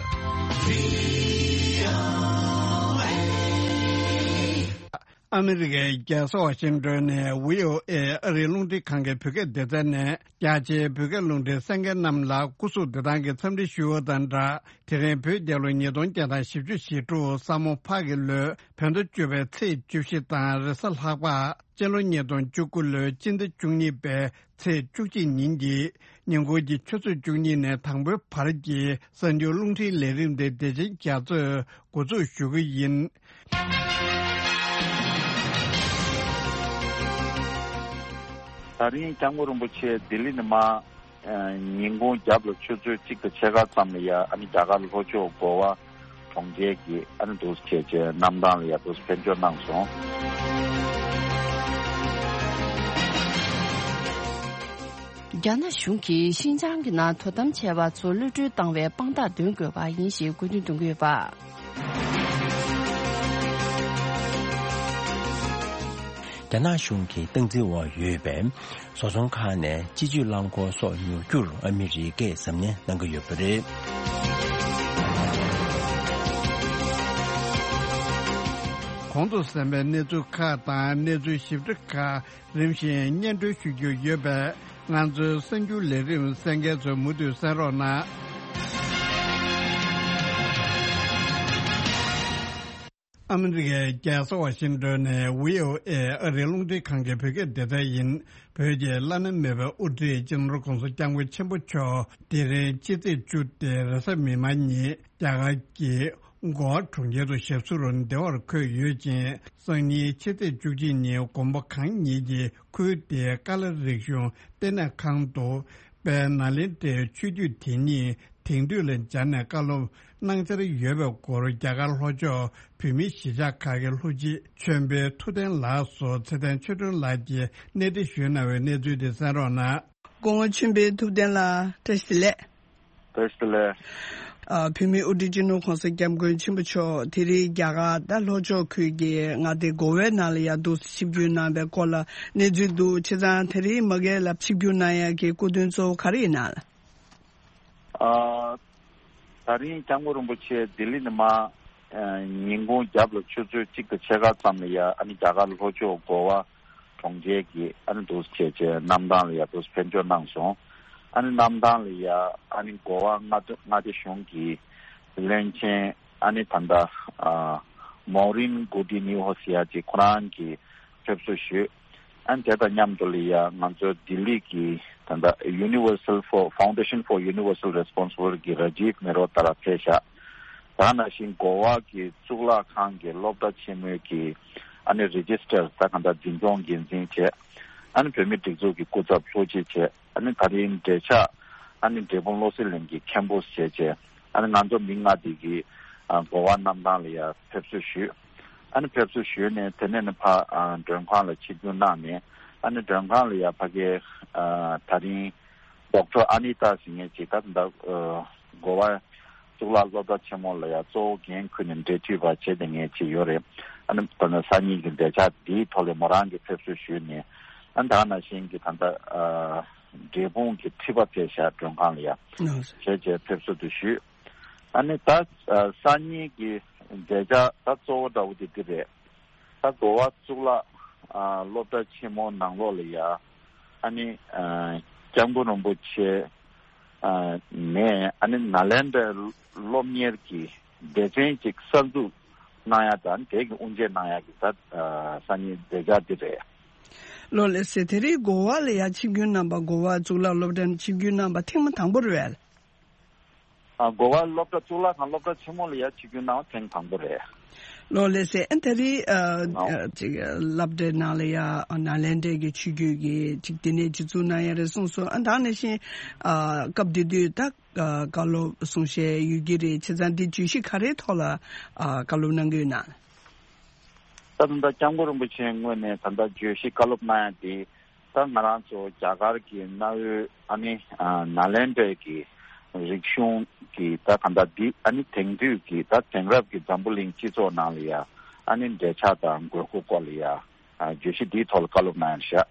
ཨ་མི་རི་ཀའི་རྒྱལ་ས་ཝ་ཤིང་ཏོན་ནས་བྷི་ཨོ་ཨེ་ཨ་རིའི་རླུང་འཕྲིན་ཁང་གི་བོད་སྐད་སྡེ་ཚན་ནས། རྒྱ་ཆེའི་བོད་སྐད་རླུང་འཕྲིན་གསན་མཁན་རྣམས་ལ་སྐུ་གཟུགས་བདེ་ཐང་གི་འཚམས་འདྲི་ཞུ་བ་དང་སྦྲགས། དེ་རིང་བོད་རྒྱལ་ལོ་ཉིས་སྟོང་བརྒྱ་དང་བཞི་བཅུ་ཞེ་དྲུག་ས་མོ་ཕག་གི་ལོའི་བོད་ཟླ་བཅུ་པའི་ཚེས་བཅུ་བཞི་དང་རེས་གཟའ་ལྷག་པ། སྤྱི་ལོ་ཉིས་སྟོང་བཅུ་དགུ་ལོའི་སྤྱི་ཟླ་བཅུ་གཉིས་པའི་ཚེས་བཅུ་གཅིག་ཉིན་གྱི་ཉིན་གུང་གི་ཆུ་ཚོད་བཅུ་གཉིས་ནས་དང་པོའི་བར་གྱི་གསར་འགྱུར་རླུང་འཕྲིན་ལས་རིམ་དེ་བདེ་ཆེན་རྒྱ་མཚོས་འགོ་འཛུགས་ཞུ་གི་ཡིན། ད་རིང་སྐྱབས་མགོན་རིན་པོ་ཆེ་ལྡི་ལི་ནས་མར། ཨ། ཉིན་གུང་རྒྱབ་ལ་ཆུ་ཚོད་གཅིག་དང་ཕྱེད་ཀ་ཙམ་ལ་ཡ། ཨ་ནི་རྒྱ་གར་ལྷོ་ཕྱོགས་གོ་བ་གྲོང་ཁྱེར་གྱི་ཨ་ནི་འདུག་སེ་བྱས་བྱས་གནམ་ཐང་ལ་ཡ་འདུག་སེ་ཕེབས་འབྱོར་གནང་སོང་། རྒྱ་ནག་གཞུང་གིས་ཤིན་ཅང་གི་ནང་དོ་དམ་བྱས་པ་ཚོ་གློད་གྲོལ་བཏང་བའི་དཔང་རྟགས་འདོན་དགོས་པ་ཡིན་ཞེས་དགོས་འདུན་འདོན་གྱི་ཡོད་པ། རྒྱ་ནག་གཞུང་གི་སྟངས་འཛིན་འོག་ཡོད་པའི་བཟོ་ཚོང་ཁང་ནས་སྤྱི་སྤྱོད་རླངས་འཁོར་སོགས་ཉོ་རྒྱུར་ཨ་མི་རི་ཀས་གཟབ་ནན་གནང་གི་ཡོད་པ་རེད། གོང་དུ་གསན་པའི་གནས་ཚུལ་ཁག་དང་གནས་ཚུལ་ཞིབ་ཕྲ་ཁག་རིམ་བཞིན་སྙན་སྒྲོན་ཞུ་རྒྱུ་ཡོད་པས། ང་ཚོའི་གསར་འགྱུར་ལས་རིམ་གསན་མཁན་ཚོས་མུ་མཐུད་གསན་རོགས་གནང་། ཨ་མི་རི་ཀའི་རྒྱལ་ས་ཝ་ཤིང་ཏོན་ནས་བྷི་ཨོ་ཨེ་ཨ་རིའི་རླུང་འཕྲིན་ཁང་གི་བོད་སྐད་སྡེ་ཚན་ཡིན། བོད་ཀྱི་བླ་ན་མེད་པའི་དབུ་ཁྲིད་སྤྱི་ནོར་༧གོང་ས་༧སྐྱབས་མགོན་ཆེན་པོ་མཆོག་དེ་རིང་ཕྱི་ཚེས་བཅུ་སྟེ་རེས་གཟའ་མིག་དམར་ཉིན་རྒྱ་གར་གྱི་གོ་བ་གྲོང་ཁྱེར་དུ་ཞབས་སོར་བདེ་བར་འཁོད་ཡོད་ཅིང་། སང་ཉིན་ཕྱི་ཚེས་བཅུ་གཅིག་ཉིན་དགོན་པ་གང་ཉིད་ཀྱི་ཁུལ་དེའི་ཀ་ལ་རིག་གཞུང་ལྟེ་གནས་ཁང་དུ་དཔལ་ནཱ་ལེནྡྲའི་ཆོས་བརྒྱུད་དེ་ཉིད་དེང་དུས་ལ་སྦྱར་ནས་བཀའ་སློབ་གནང་འཆར་ཡོད་པའི་སྐོར། རྒྱ་གར་ལྷོ་ཕྱོགས་བོད་མིའི་གཞིས་ཆགས་ཁག་གི་ལྷུ་སྤྱི་ཆོས་འཕེལ་ཐུབ་བསྟན་ལགས་སུ་ཚེ་བརྟན་ཆོས་སྒྲོན་ལགས་ཀྱིས་གནས་འདྲི་ཞུས་གནང་བའི་གནས་ཚུལ་དེ་གསན་རོགས་གནང་། སྐུ་ངོ་ཆོས་འཕེལ་ཐུབ་བསྟན་ལགས། བཀྲ་ཤིས་བདེ་ལེགས། བཀྲ་ཤིས་བདེ་ལེགས། ཨ། བོད་མིའི་དབུ་ཁྲིད་སྤྱི་ནོར་༧གོང་ས་༧སྐྱབས་མགོན་ཆེན་པོ་མཆོག་དེ་རིང་རྒྱ་གར་ད་ལྷོ་ཕྱོགས་ཁུལ་གྱི་མངའ་སྡེ་གོ་ཝའི་ནང་ལ་ཡར་འདུག་སེ་ཆིབས་བསྒྱུར་གནང་བའི་སྐོར་ལ་གནས་ཚུལ་འདུག་བྱས་ཙང་དེ་རིང་མ་གི་ལ་ཆིབས་བསྒྱུར་གནང་ཡག་གི་སྐུ་མདུན་གཙོ་བོ་ག་རེ་ཡིན་ནམ་ལགས། ཨ། ད་རིང་སྐྱབས་མགོན་རིན་པོ་ཆེ་ལྡི་ལི་ནས་མར། ཨ། ཉིན་གུང་རྒྱབ་ལ་ཆུ་ཚོད་གཅིག་དང་ཕྱེད་ཀ་ཙམ་ལ་ཡ། ཨ་ནི་རྒྱ་གར་ལྷོ་ཕྱོགས་གོ་བ་གྲོང་ཁྱེར་གྱི་ཨ་ནི་འདུག་སེ་བྱས་བྱས་གནམ་ཐང་ལ་ཡ་འདུག་སེ་ཕེབས་འབྱོར་གནང་སོང་། ཨ་ནི་གནམ་ཐང་ལ་ཡ་ཨ་ནི་གོ་བ་མངའ་སྡེ་མངའ་སྡེ་གཞུང་གི་བློན་ཆེན་ཨ་ནི་ད་ལྟ་ཨ་མོ་རིན་གུ་ཏི་ནིའུ་ཧོ་ཟེར་ཡ་ཅིག་ཁོ་རང་གིས་ཕེབས་བསུ་ཞུས། ཨ་ནི་དེ་དང་མཉམ་དུ་ལ་ཡ་ང་ཚོ་ལྡི་ལི་གི་ད་ལྟ་Universal for Foundation for Universal Responsibility གི་ར་ཇིབ་མེ་རོ་ཏ་ར་ཕེབས་ཤག་ད་ནང་བཞིན་གོ་བ་གི་གཙུག་ལག་ཁང་གི་སློབ་གྲྭ་ཆེན་མོའི་གི་ཨ་ནི་རི་ཇི་སི་ཊར་ད་གང་ལྟར་འཛིན་སྐྱོང་འགན་འཛིན་བྱས། ཨ་ནི་བོད་མིའི་སྒྲིག་འཛུགས་ཀྱི་སྐུ་ཚབ་ལྷུ་སྤྱི་བྱས། ཨ་ནི་ད་རིང་འབྲེལ་ཆགས་ཨ་ནི་འབྲས་སྤུངས་བློ་གསལ་གླིང་གི་མཁན་པོ་བྱས་བྱས། ཨ་ནི་ང་ཚོ་མི་ལྔ་དེ་གིས་ཨ་གོ་བ་གནམ་ཐང་ལ་ཡ་ཕེབས་བསུ་ཞུས། ཨ་ནི་ཕེབས་བསུ་ཞུས་ནས་དེ་ནས་ནི་ཕ་ཨ་མགྲོན་ཁང་ལ་ཆིབས་བསྒྱུར་གནང་ནས། ཨ་ནི་མགྲོན་ཁང་ལ་ཡ་ཕ་གིའི་ཨ་ད་རིང་ཌོག་ཊར་ཨ་ནི་ཏཱ་ཟེར་མཁན་ཅིག་ད་ད་ཨ་གོ་བ་གཙུག་ལག་སློབ་གྲྭ་ཆེན་མོ་ལ་ཡ་གཙོ་བོ་འགན་འཁུར་ནས་འབྲེལ་མཐུད་པ་བྱས་བསྡད་མཁན་ཅིག་ཡོད་རེད། ཨ་ནི་ད་ནི་སང་ཉིན་གྱི་མཛད་འཆར་འདིའི་ཐོག་ལ་མོ་རང་གིས་ཕེབས་བསུ་ཞུས་ནས། ཨ་ནི་ད་ནང་བཞིན་གྱི་ད་ལྟ་ཨ་འབྲས་སྤུངས་ཀྱི་ཁྲི་པ་ཕེབས་ཤག་མགྲོན་ཁང་ལ་ཡ། ཨ་བྱས་བྱས་ཕེབས་བསུ་དེ་ཞུས། ཨ་ནི་ད་ཨ་སང་ཉིན་གྱི་མཛད་འཆར་ད་གཙོ་བོ་འདྲ་བོ་དེ་འདི་རེད། ད་གོ་བ་གཙུག་ལག་ཨ་སློབ་གྲྭ་ཆེན་མོ་ནང་ལོགས་ལ་ཡ། ཨ་ནི་ཨ་སྐྱབས་མགོན་རིན་པོ་ཆེ་ཨ་ནས་ཨ་ནི་ནཱ་ལེནྡྲའི་སློབ་གཉེར་གྱི་སྡེ་ཚན་ཅིག་གསར་འཛུགས་གནང་ཡ་དང་། དེ་གི་དབུ་འབྱེད་གནང་ཡ་གི་ད་ཨ་སང་ཉིན་མཛད་འཆར་འདི་རེད། ལགས་ལགས་སེ། དེ་རིང་གོ་བ་ལ་ཡ་ཆིབས་བསྒྱུར་གནང་བ། གོ་བ་གཙུག་ལག་སློབ་གྲྭ་ནས་ཆིབས་བསྒྱུར་གནང་བ་ཐེངས་མ་དང་པོ་རེད་པས། ཨ་གོ་བ་སློབ་གྲྭ་གཙུག་ལག་ཁང་སློབ་གྲྭ་ཆེན་མོ་ལ་ཡ་ཆིབས་བསྒྱུར་གནང་བ་ཐེངས་དང་པོ་རེད། ལགས་ལགས་སེ། ཨ་ད་རིང་ཨ་ཨ་ཅིག་སློབ་གྲྭའི་ནང་ལ་ཡ་ཨ་ནཱ་ལེནྡྲའི་གི་ཆོས་བརྒྱུད་ཀྱི་ཅིག་ལྟེ་གནས་ཅིག་བཙུགས་གནང་ཡ་རེད་གསུངས་སོང་། ཨ་ད་ནང་བཞིན་ཨ་སྐབས་དེ་དུས་ད་ཨ་བཀའ་སློབ་གསུང་བཤད་ཡོད་ཀྱི་རེད། བྱས་ཙང་འདི་བརྗོད་གཞི་ག་རེའི་ཐོག་ལ་ཨ་བཀའ་སློབ་གནང་གི་ཡོད་ན། ད་དུང་ད་སྐྱབས་མགོན་རིན་པོ་ཆེ་ངོས་ནས་ད་ལྟ་བརྗོད་གཞི་བཀའ་སློབ་གནང་ཡ་དེ། ད་ང་རང་ཚོ་རྒྱ་གར་གྱི་གནའ་བོའི་ཨ་ནི་ཨ་ནཱ་ལེནྡྲའི་གི་རིག་གཞུང་གི་ད་གང་ལྟར་འདི་ཨ་ནི་དེང་དུས་ཀྱི་ད་དེང་རབས་ཀྱི་འཛམ་བུ་གླིང་སྤྱི་ཚོགས་ནང་ལ་ཡ་ཨ་ནི་འབྲེལ་ཆགས་དང་དགོས་མཁོ་སྐོར་ལ་ཡ་ཨ་བརྗོད་གཞི་འདིའི་ཐོག་ལ་བཀའ་སློབ་གནང་ཡ་ཤག་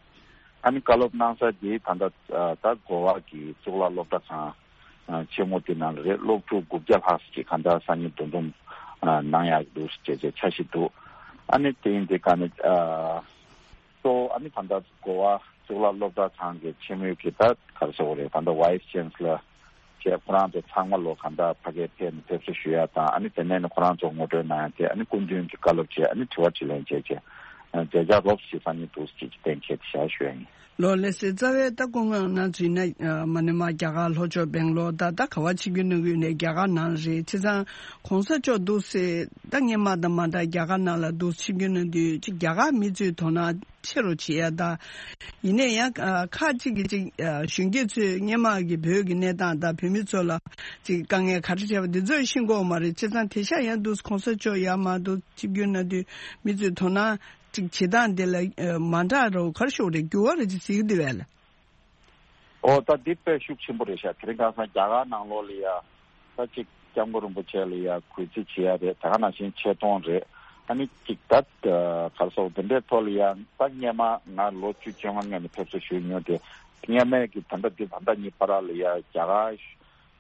ཨ་ནི་བཀའ་སློབ་གནང་ས་དེ་ད་ལྟ་ད་གོ་བ་གི་གཙུག་ལག་སློབ་གྲྭ་ཚང་ཆེན་མོ་དེ་ནང་ལ་རེད། སློབ་ཕྲུག་དགུ་བརྒྱ་ལྷག་ཅིག་ག་འདྲ་སང་ཉིན་འདུ་འཛོམས་གནང་ཡག་འདུག་ཅེས་ཅེས་འཆར་གཞི་འདུག་ཨ་ནི་དེ་ཡིན་དེ་ག་ནི་གཙོ་བོ་ཨ་ནི་ད་ལྟ་གོ་བ་གཙུག་ལག་སློབ་གྲྭ་ཚང་གི་ཆེན་མོའི་གི་ད་ག་རེ་ཟེར་དགོས་རེད། ད་ལྟ་Vice Chancellor་བཅས་ཁོ་རང་ཚོ་ཚང་མ་ལོ་ག་འདྲ་ཕ་གིར་ཕེབས་ནས་ཕེབས་བསུ་ཞུ་ཡ་དང་ཨ་ནི་དེ་ནས་ནི་ཁོ་རང་ཚོ་ངོ་སྤྲོད་གནང་ཡ་དེ་ཨ་ནི་སྐུ་མདུན་གྱི་བཀའ་སློབ་བཅས་ཨ་ནི་དྲི་བ་དྲིས་ལན་བཅས་བཅས་མཛད་འཆར་རོབ་ཅིག་སང་ཉིན་འདུག་ཅེས་ཀྱི་གཏན་འཁེལ་དེ་བཞག་ཞུ་ཡ་ཡིན། ལོ་ལེགས་སེ་རྩ་བའི་ད་སྐུ་ངོ་ནང་ཚུད་ན་མ་ཎི་མ་རྒྱ་གར་ལྷོ་ཕྱོགས་སྦེང་ལོར་ད་ད་ག་བ་ཆིབས་བསྒྱུར་གནང་གི་ཡོད་ནས་རྒྱ་གར་ནང་རེད། བྱས་ཙང་གོང་ས་མཆོག་འདུག་སེ་ད་སྔོན་མ་དང་མ་འདྲ་རྒྱ་གར་ནང་ལ་འདུག་ཆིབས་བསྒྱུར་གནང་དུས་ཅིག་རྒྱ་གར་མི་ཚོས་དོ་སྣང་ཆེ་རུ་བྱེད་ཡ་ད། ཡིན་ནའི་ཡང་ཁག་ཅིག་གིས་ཅིག་གཞོན་སྐྱེས་ཚོས་སྔོན་མ་གི་བོད་ཀྱི་གནས་སྟངས་དང་བོད་མི་ཚོ་ལ་ཅིག་དཀའ་ངལ་ག་རེ་འཕྲད་པ་འདི་ཚོ་ཤེས་གི་ཡོད་མ་རེད། བྱས་ཙང་དེང་སང་ཡང་འདུག་གོང་ས་མཆོག་ཡར་མར་འདུག་ཆིབས་བསྒྱུར་གནང་དུས་མི་ཚོས་དོ་སྣང་ཅིག་བྱེད་སྟངས་དེ་ལ་མ་འདྲ་རོ་ག་རེ་ཞུ་དགོས་རེད། འགྱུར་བ་རེ་ཅིག་གཟིགས་འདུག་བས་ལ། ཨོ་ད་འདི་དཔེ་ཤུགས་ཆེན་པོ་རེད་ཤག་དེ་རིང་ཁ་སང་རྒྱ་གར་ནང་ལོགས་ལ་ཡ་ད་ཅིག་སྐྱབས་མགོན་རིན་པོ་ཆེ་ལ་ཡ་གུས་བརྩི་བྱེད་ཡ་རེད། ད་ག་ནང་བཞིན་ཆེ་མཐོང་རེད། ཨ་ནི་ཅིག་ད་ག་རེ་ཟེར་འདི་འདྲའི་ཐོག་ལ་ཡ་ད་སྔོན་མ་ང་ལོ་བཅུ་བཅོ་ལྔ་སྔོན་ནས་ཕེབས་བསུ་ཞུས་མྱོང་དེ་སྔོན་མའི་གི་ད་ལྟ་འདི་ད་ལྟ་གཉིས་བར་ལ་ཡ་རྒྱ་གར་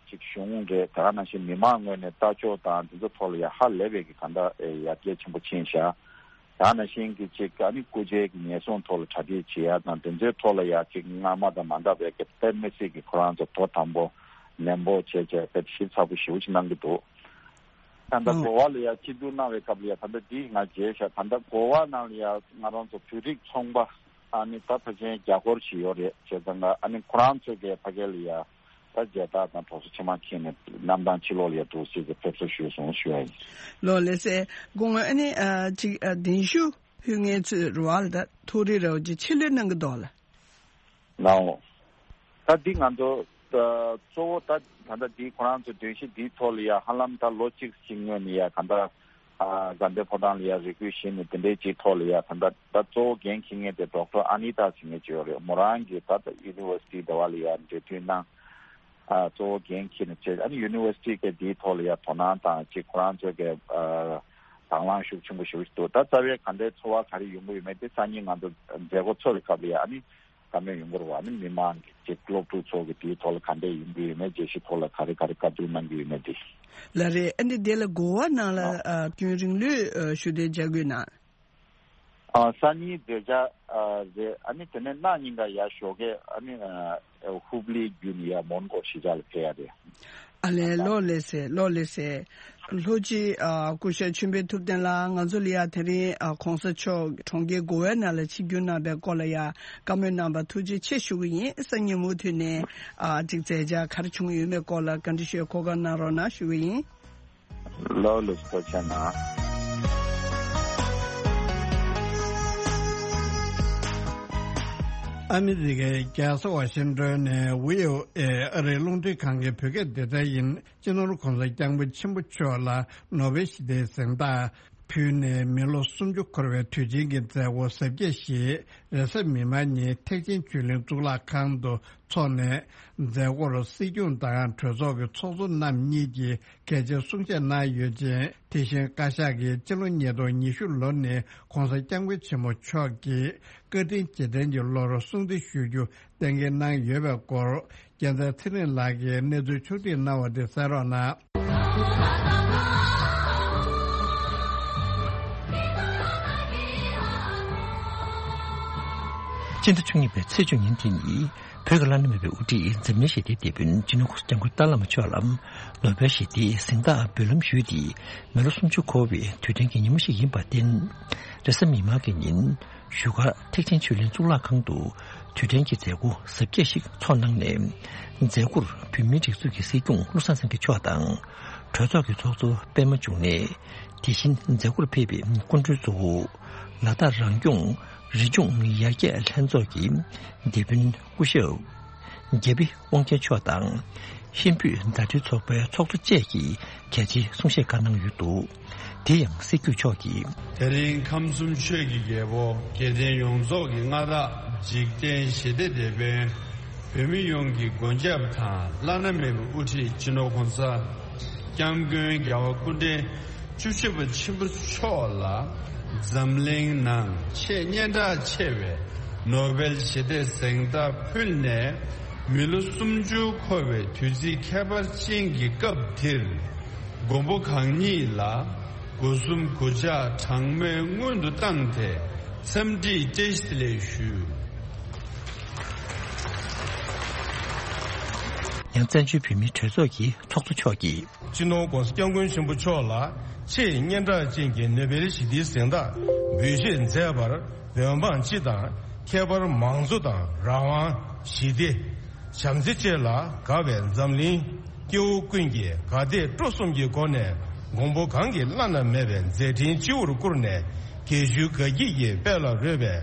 ཅིག་གཞུང་རེད། ད་ག་ནང་བཞིན་མི་མང་ངོས་ནས་ལྟ་ཕྱོགས་དང་འདི་ཚོ་ཐོག་ལ་ཡ་ཧ་ལས་པའི་གི་ག་འདྲ་ཡར་རྒྱས་ཆེན་པོ་ཕྱིན་ཤག་ད་ག་ནང་བཞིན་གྱི་ཅིག་ཨ་ནི་སྐུ་ཕྱྭའི་གི་ཉེན་སྲུང་ཐོག་ལ་གྲ་སྒྲིག་བྱེད་ཡ་དང་དེ་ཚོའི་ཐོག་ལ་ཡ་ཅིག་སྔ་མ་དང་མ་འདྲ་བའི་གི་དཔེ་མི་སྲིད་ཀྱི་ཁོ་རང་ཚོ་དོ་དམ་པོ་ནན་པོ་བྱས་བྱས་དཔེ་ཞིབ་ཚགས་པོ་ཞེ་པོ་ཅིག་གནང་གི་འདུག་ད་ལྟ་ཨང་གོ་བ་ལ་ཡ་ཆིབས་བསྒྱུར་གནང་བའི་སྐབས་ལ་ཡ་ད་ལྟ་འདི་ང་མཇལ་ཤག་ད་ལྟ་གོ་བ་ནང་ལ་ཡ་ང་རང་ཚོ་བོད་རིགས་ཚོང་པ་ཨ་ནི་ད་ཕལ་ཆེར་བརྒྱ་སྐོར་ཞིག་ཡོད་རེད། བྱས་ཙང་ཨ་ནི་ཁོ་རང་ཚོ་གི་ཕ་གི་ལ་ཡ། ད་མཇལ་དར་དང་གྲོགས་སུ་ཕྱི་མ་འཁྱེར་ནས་གནམ་ཐང་ཕྱི་ལོགས་ལ་ཡ་འདུག་སེ་གི་ཕེབས་བསུ་ཞུས་སོང་ཞུ་བ་ཡིན། ལོ་ལེགས་སེ་སྐུ་ངོ་ཨ་ནི་ཨ་ཅིག་ཨ་གདན་ཞུ་ཕུལ་མཁན་ཚོས་རུ་བ་ལ་ད་ཐུགས་རེ་རེ་བ་ཅིག་ཆེད་ལས་གནང་གི་འདུག་ལ། ནའོ། ད་འདི་ང་ཚོ་ད་གཙོ་བོ་ད་ད་ལྟ་འདི་ཁོ་རང་ཚོ་གདན་ཞུ་འདིའི་ཐོག་ལ་ཡ་ཧ་ལམ་ད་ལོ་གཅིག་ཅིག་སྔོན་ནས་ཡ་ག་འདྲ། ཨ་གཟའ་འདེབས་ཕོ་བྲང་ལ་ཡ་རེ་སྐུལ་ཞུས་ནས་དེ་འདྲའི་ཅིག་ཐོག་ལ་ཡ་ད་ལྟ་ད་གཙོ་བོ་འགན་འཁྱེར་མཁན་དེ་ཌོག་ཊར་ཨ་ནི་ཏཱ་ཟེར་མཁན་ཅིག་ཡོད་རེད། མོ་རང་གིས་ད་ལྟ་ཡུ་ནི་ཝར་སི་ཊི་ཟླ་བ་ལ་ཡ་འབྲེལ་མཐུད་གནང་། ཨ་གཙོ་བོ་འགན་འཁྱེར་ནས་བྱས། ཨ་ནི་ཡུ་ནི་ཝར་སི་ཊི་གི་དེའི་ཐོག་ལ་ཡ་དོ་སྣང་དང་ཅིག་ཁོ་རང་ཚོ་གི་ཨ་དང་བླངས་ཤུགས་ཆེན་པོ་ཞེ་པོ་ཞིག་འདུག་ད་རྩ་བའི་ག་འདྲའི་ཚོར་བ་ག་རེ་ཡོང་གི་ཡོད་མེད་དེ་སང་ཉིན་ང་ཚོ་མཛད་སྒོ་ཚོགས་པའི་སྐབས་ལ་ཡ་ཨ་ནི། བཀའ་མོལ་ཡོང་གི་རེད་བ། ཨ་ནི་མི་མང་གི་ཅིག་སློབ་ཕྲུག་ཚོ་གི་དེའི་ཐོག་ལ་ག་འདྲས་ཡོང་གི་ཡོད་མེད། དགེ་བཤེས་ཐོག་ལ་ག་རེ་ག་རེ་བཀའ་བསྡུར་གནང་གི་ཡོད་མེད་དེ། ལགས་རེད། ཨ་ནི་དེ་ལ་གོ་བ་ནང་ལ་ཨ་ཨ་རྒྱུན་རིང་ལོས་ཨ་ཞུ་གཏན་འཇགས་དགོས་ན། ཨ་སང་ཉིན་མཛད་འཆར་ཨ་རེད། ཨ་ནི་དེ་ནས་གནངས་ཉིན་ཀ་ཡར་ཞོགས་ཀས་ཨ་ནི་ཨ་ཧུབ་ལི་བརྒྱུད་ནས་ཡར་མོན་གྷོ་གཞིས་ཆགས་ལ་ཕེབས་ཡ་རེད། ཨ་ལས། ལོ་ལེགས་སེ། ལོ་ལེགས་སེ། ལྷོ་སྤྱི་ཨ་སྐུ་ཞབས་ཆོས་འཕེལ་ཐུབ་བསྟན་ལགས་ང་ཚོ་ལ་ཡ་དེ་རིང་ཨ་གོང་ས་མཆོག་གྲོང་ཁྱེར་གོ་ཝའི་ནང་ལ་ཆིབས་བསྒྱུར་གནང་བའི་སྐོར་ལ་ཡ་བཀའ་མོལ་གནང་བར་ཐུགས་རྗེ་ཆེ་ཞུ་གི་ཡིན། སང་ཉིན་མུ་མཐུད་ནས་ཨ་ཅིག་མཛད་འཆར་ག་རེ་བྱུང་ཡོད་མེད་སྐོར་ལ་བཀའ་འདྲི་ཞུ་གོ་སྐབས་གནང་རོགས་གནང་ཞུ་གི་ཡིན། ལོ་ལེགས་སེ། ཐུགས་རྗེ་གནང་། ཨ་མི་རི་ཀའི་རྒྱལ་ས་ཝ་ཤིང་ཏོན་ནས་ཝི་ཨོ་ཨེ་ཨ་རིའི་རླུང་འཕྲིན་ཁང་གི་བོད་སྐད་སྡེ་ཚན་ཡིན། སྤྱི་ནོར་༸གོང་ས་༸སྐྱབས་མགོན་ཆེན་པོ་མཆོག་ལ་ནོ་བེལ་ཞི་བདེའི་གཟེངས་རྟགས་ཕུལ་ནས་མི་ལོ་སུམ་ཅུ་འཁོར་བའི་དུས་ཆེན་གྱི་མཛད་སྒོ་གཟབ་རྒྱས་ཤིག་རེས་གཟའ་མིག་དམར་ཉིན་ཐེག་ཆེན་ཆོས་གླིང་གཙུག་ལག་ཁང་དུ་འཚོགས་ནས། མཛད་སྒོར་སྲིད་སྐྱོང་དང་གྲོས་ཚོགས་ཀྱི་ཚོགས་གཙོ་རྣམ་གཉིས་ཀྱིས་གལ་ཆེའི་གསུང་བཤད་གནང་ཡོད་ཅིང་། དེ་བཞིན་བཀའ་ཤག་གིས་སྤྱི་ལོ་ཉིས་སྟོང་ཉི་ཤུ་ལོ་ནི་༸གོང་ས་༸སྐྱབས་མགོན་ཆེན་པོ་མཆོག་གི་བཀའ་དྲིན་རྗེས་དྲན་གྱི་ལོར་སྲུང་བརྩི་ཞུ་རྒྱུ་གཏན་འཁེལ་གནང་ཡོད་པའི་སྐོར། རྒྱལ་མཚན་ཚེ་རིང་ལགས་ཀྱིས་གནས་ཚུལ་ཕྱོགས་སྒྲིག་གནང་བ་དེ་གསན་རོགས་གནང་། སྤྱི་ཟླ་བཅུ་གཉིས་པའི་ཚེས་བཅུ་ཉིན་དེ་ནི། བོད་ཀྱི་བླ་ན་མེད་པའི་དབུ་ཁྲིད་འཛམ་གླིང་ཞི་བདེའི་དེད་དཔོན་སྤྱི་ནོར་༸གོང་ས་༸སྐྱབས་མགོན་ཏཱ་བླ་མ་མཆོག་ལ་ནོ་བེལ་ཞི་བདེའི་གཟེངས་རྟགས་འབུལ་ལམ་ཞུས་ཏེ་མི་ལོ་སུམ་ཅུ་འཁོར་བའི་དུས་དྲན་གྱི་ཉིན་མོ་ཞིག་ཡིན་པར་བརྟེན། རེས་གཟའ་མིག་དམར་གྱི་ཉིན་བཞུགས་སྒར་ཐེག་ཆེན་ཆོས་གླིང་གཙུག་ལག་ཁང་དུ་དུས་དྲན་གྱི་མཛད་སྒོ་གཟབ་རྒྱས་ཤིག་ཚོགས་གནང་ནས། མཛད་སྒོར་བོད་མིའི་སྒྲིག་འཛུགས་ཀྱི་སྲིད་སྐྱོང་བློ་བཟང་སེང་གེ་མཆོག་དང་། གྲོས་ཚོགས་ཀྱི་ཚོགས་གཙོ་པད་མ་འབྱུང་གནས། དེ་བཞིན་མཛད་སྒོར་ཕེབས་པའི་སྐུ་མགྲོན་གཙོ་བོ། ལ་དྭགས་རང་སྐྱོང་རི་ལྗོངས་ཡར་རྒྱས་ལྷན་ཚོགས་ཀྱི་དེད་དཔོན་སྐུ་ཞབས་རྒྱ་བི་དབང་ཆེན་མཆོག་དང་། ཧིན་བོད་ཟླ་སྒྲིལ་ཚོགས་པའི་ཚོགས་གཙོ་བཅས་ཀྱིས་གལ་ཆེའི་གསུང་བཤད་བཀའ་གནང་ཡོད་འདུག་དེ་ཡང་སྲིད་སྐྱོང་མཆོག་གིས། དེ་རིང་ཁམས་གསུམ་ཆོས་ཀྱི་རྒྱལ་པོ་རྒྱལ་བསྟན་ཡོངས་རྫོགས་ཀྱི་མངའ་བདག་འཇིག་རྟེན་ཞི་བདེའི་དེད་དཔོན། བོད་མི་ཡོངས་ཀྱི་མགོན་སྐྱབས་དང་བླ་ན་མེད་པའི་དབུ་ཁྲིད་སྤྱི་ནོར་༸གོང་ས་༸སྐྱབས་མགོན་རྒྱལ་བ་སྐུ་ཕྲེང་བཅུ་བཞི་པ་ཆེན་པོ་མཆོག་ལ་འཛམ་གླིང་ནང་ཆེས་སྙན་གྲགས་ཆེ་བའི་ ནོ་བེལ་ཞི་བདེའི་གཟེངས་རྟགས་ཕུལ་ནས་མི་ལོ་སུམ་ཅུ་འཁོར་བའི་དུས་ཚིགས་ཁྱད་པར་ཅན་གྱི་སྐབས་འདིར། མགོན་པོ་གང་ཉིད་ལ་སྒོ་གསུམ་གུས་ཕྱག་གྲངས་མེད་སྔོན་དུ་བཏང་སྟེ་འཚམས་འདྲི་བཀྲ་ཤིས་བདེ་ལེགས་ཞུ། ཡང་བཙན་བྱོལ་བོད་མིའི་གྲོས་ཚོགས་ཀྱི་ཚོགས་གཙོ་མཆོག་གིས། སྤྱི་ནོར་༧གོང་ས་༧སྐྱབས་མགོན་ཆེན་པོ་མཆོག་ལ་ཆེས་སྙན་གྲགས་ཅན་གྱི་ནོ་བེལ་ཞི་བདེའི་གཟེངས་རྟགས་འབུལ་བཞེས་མཛད་པར་འོས་འབངས་སྤྱི་དང་ཁྱད་པར་མང་གཙོ་དང་རང་དབང་། ཞི་བདེ། བྱམས་བརྩེ་བཅས་ལ་དགའ་བའི་འཛམ་གླིང་སྐྱེ་བོ་ཀུན་གྱིས་དགའ་དད་སྤྲོ་གསུམ་གྱི་སྒོ་ནས་མགོན་པོ་གང་གི་བླ་ན་མེད་པའི་མཛད་འཕྲིན་སྤྱི་བོར་བཀུར་ནས་དགེ་ཚུལ་དགའ་སྐྱིད་ཀྱི་དཔལ་ལ་རོལ་བའི་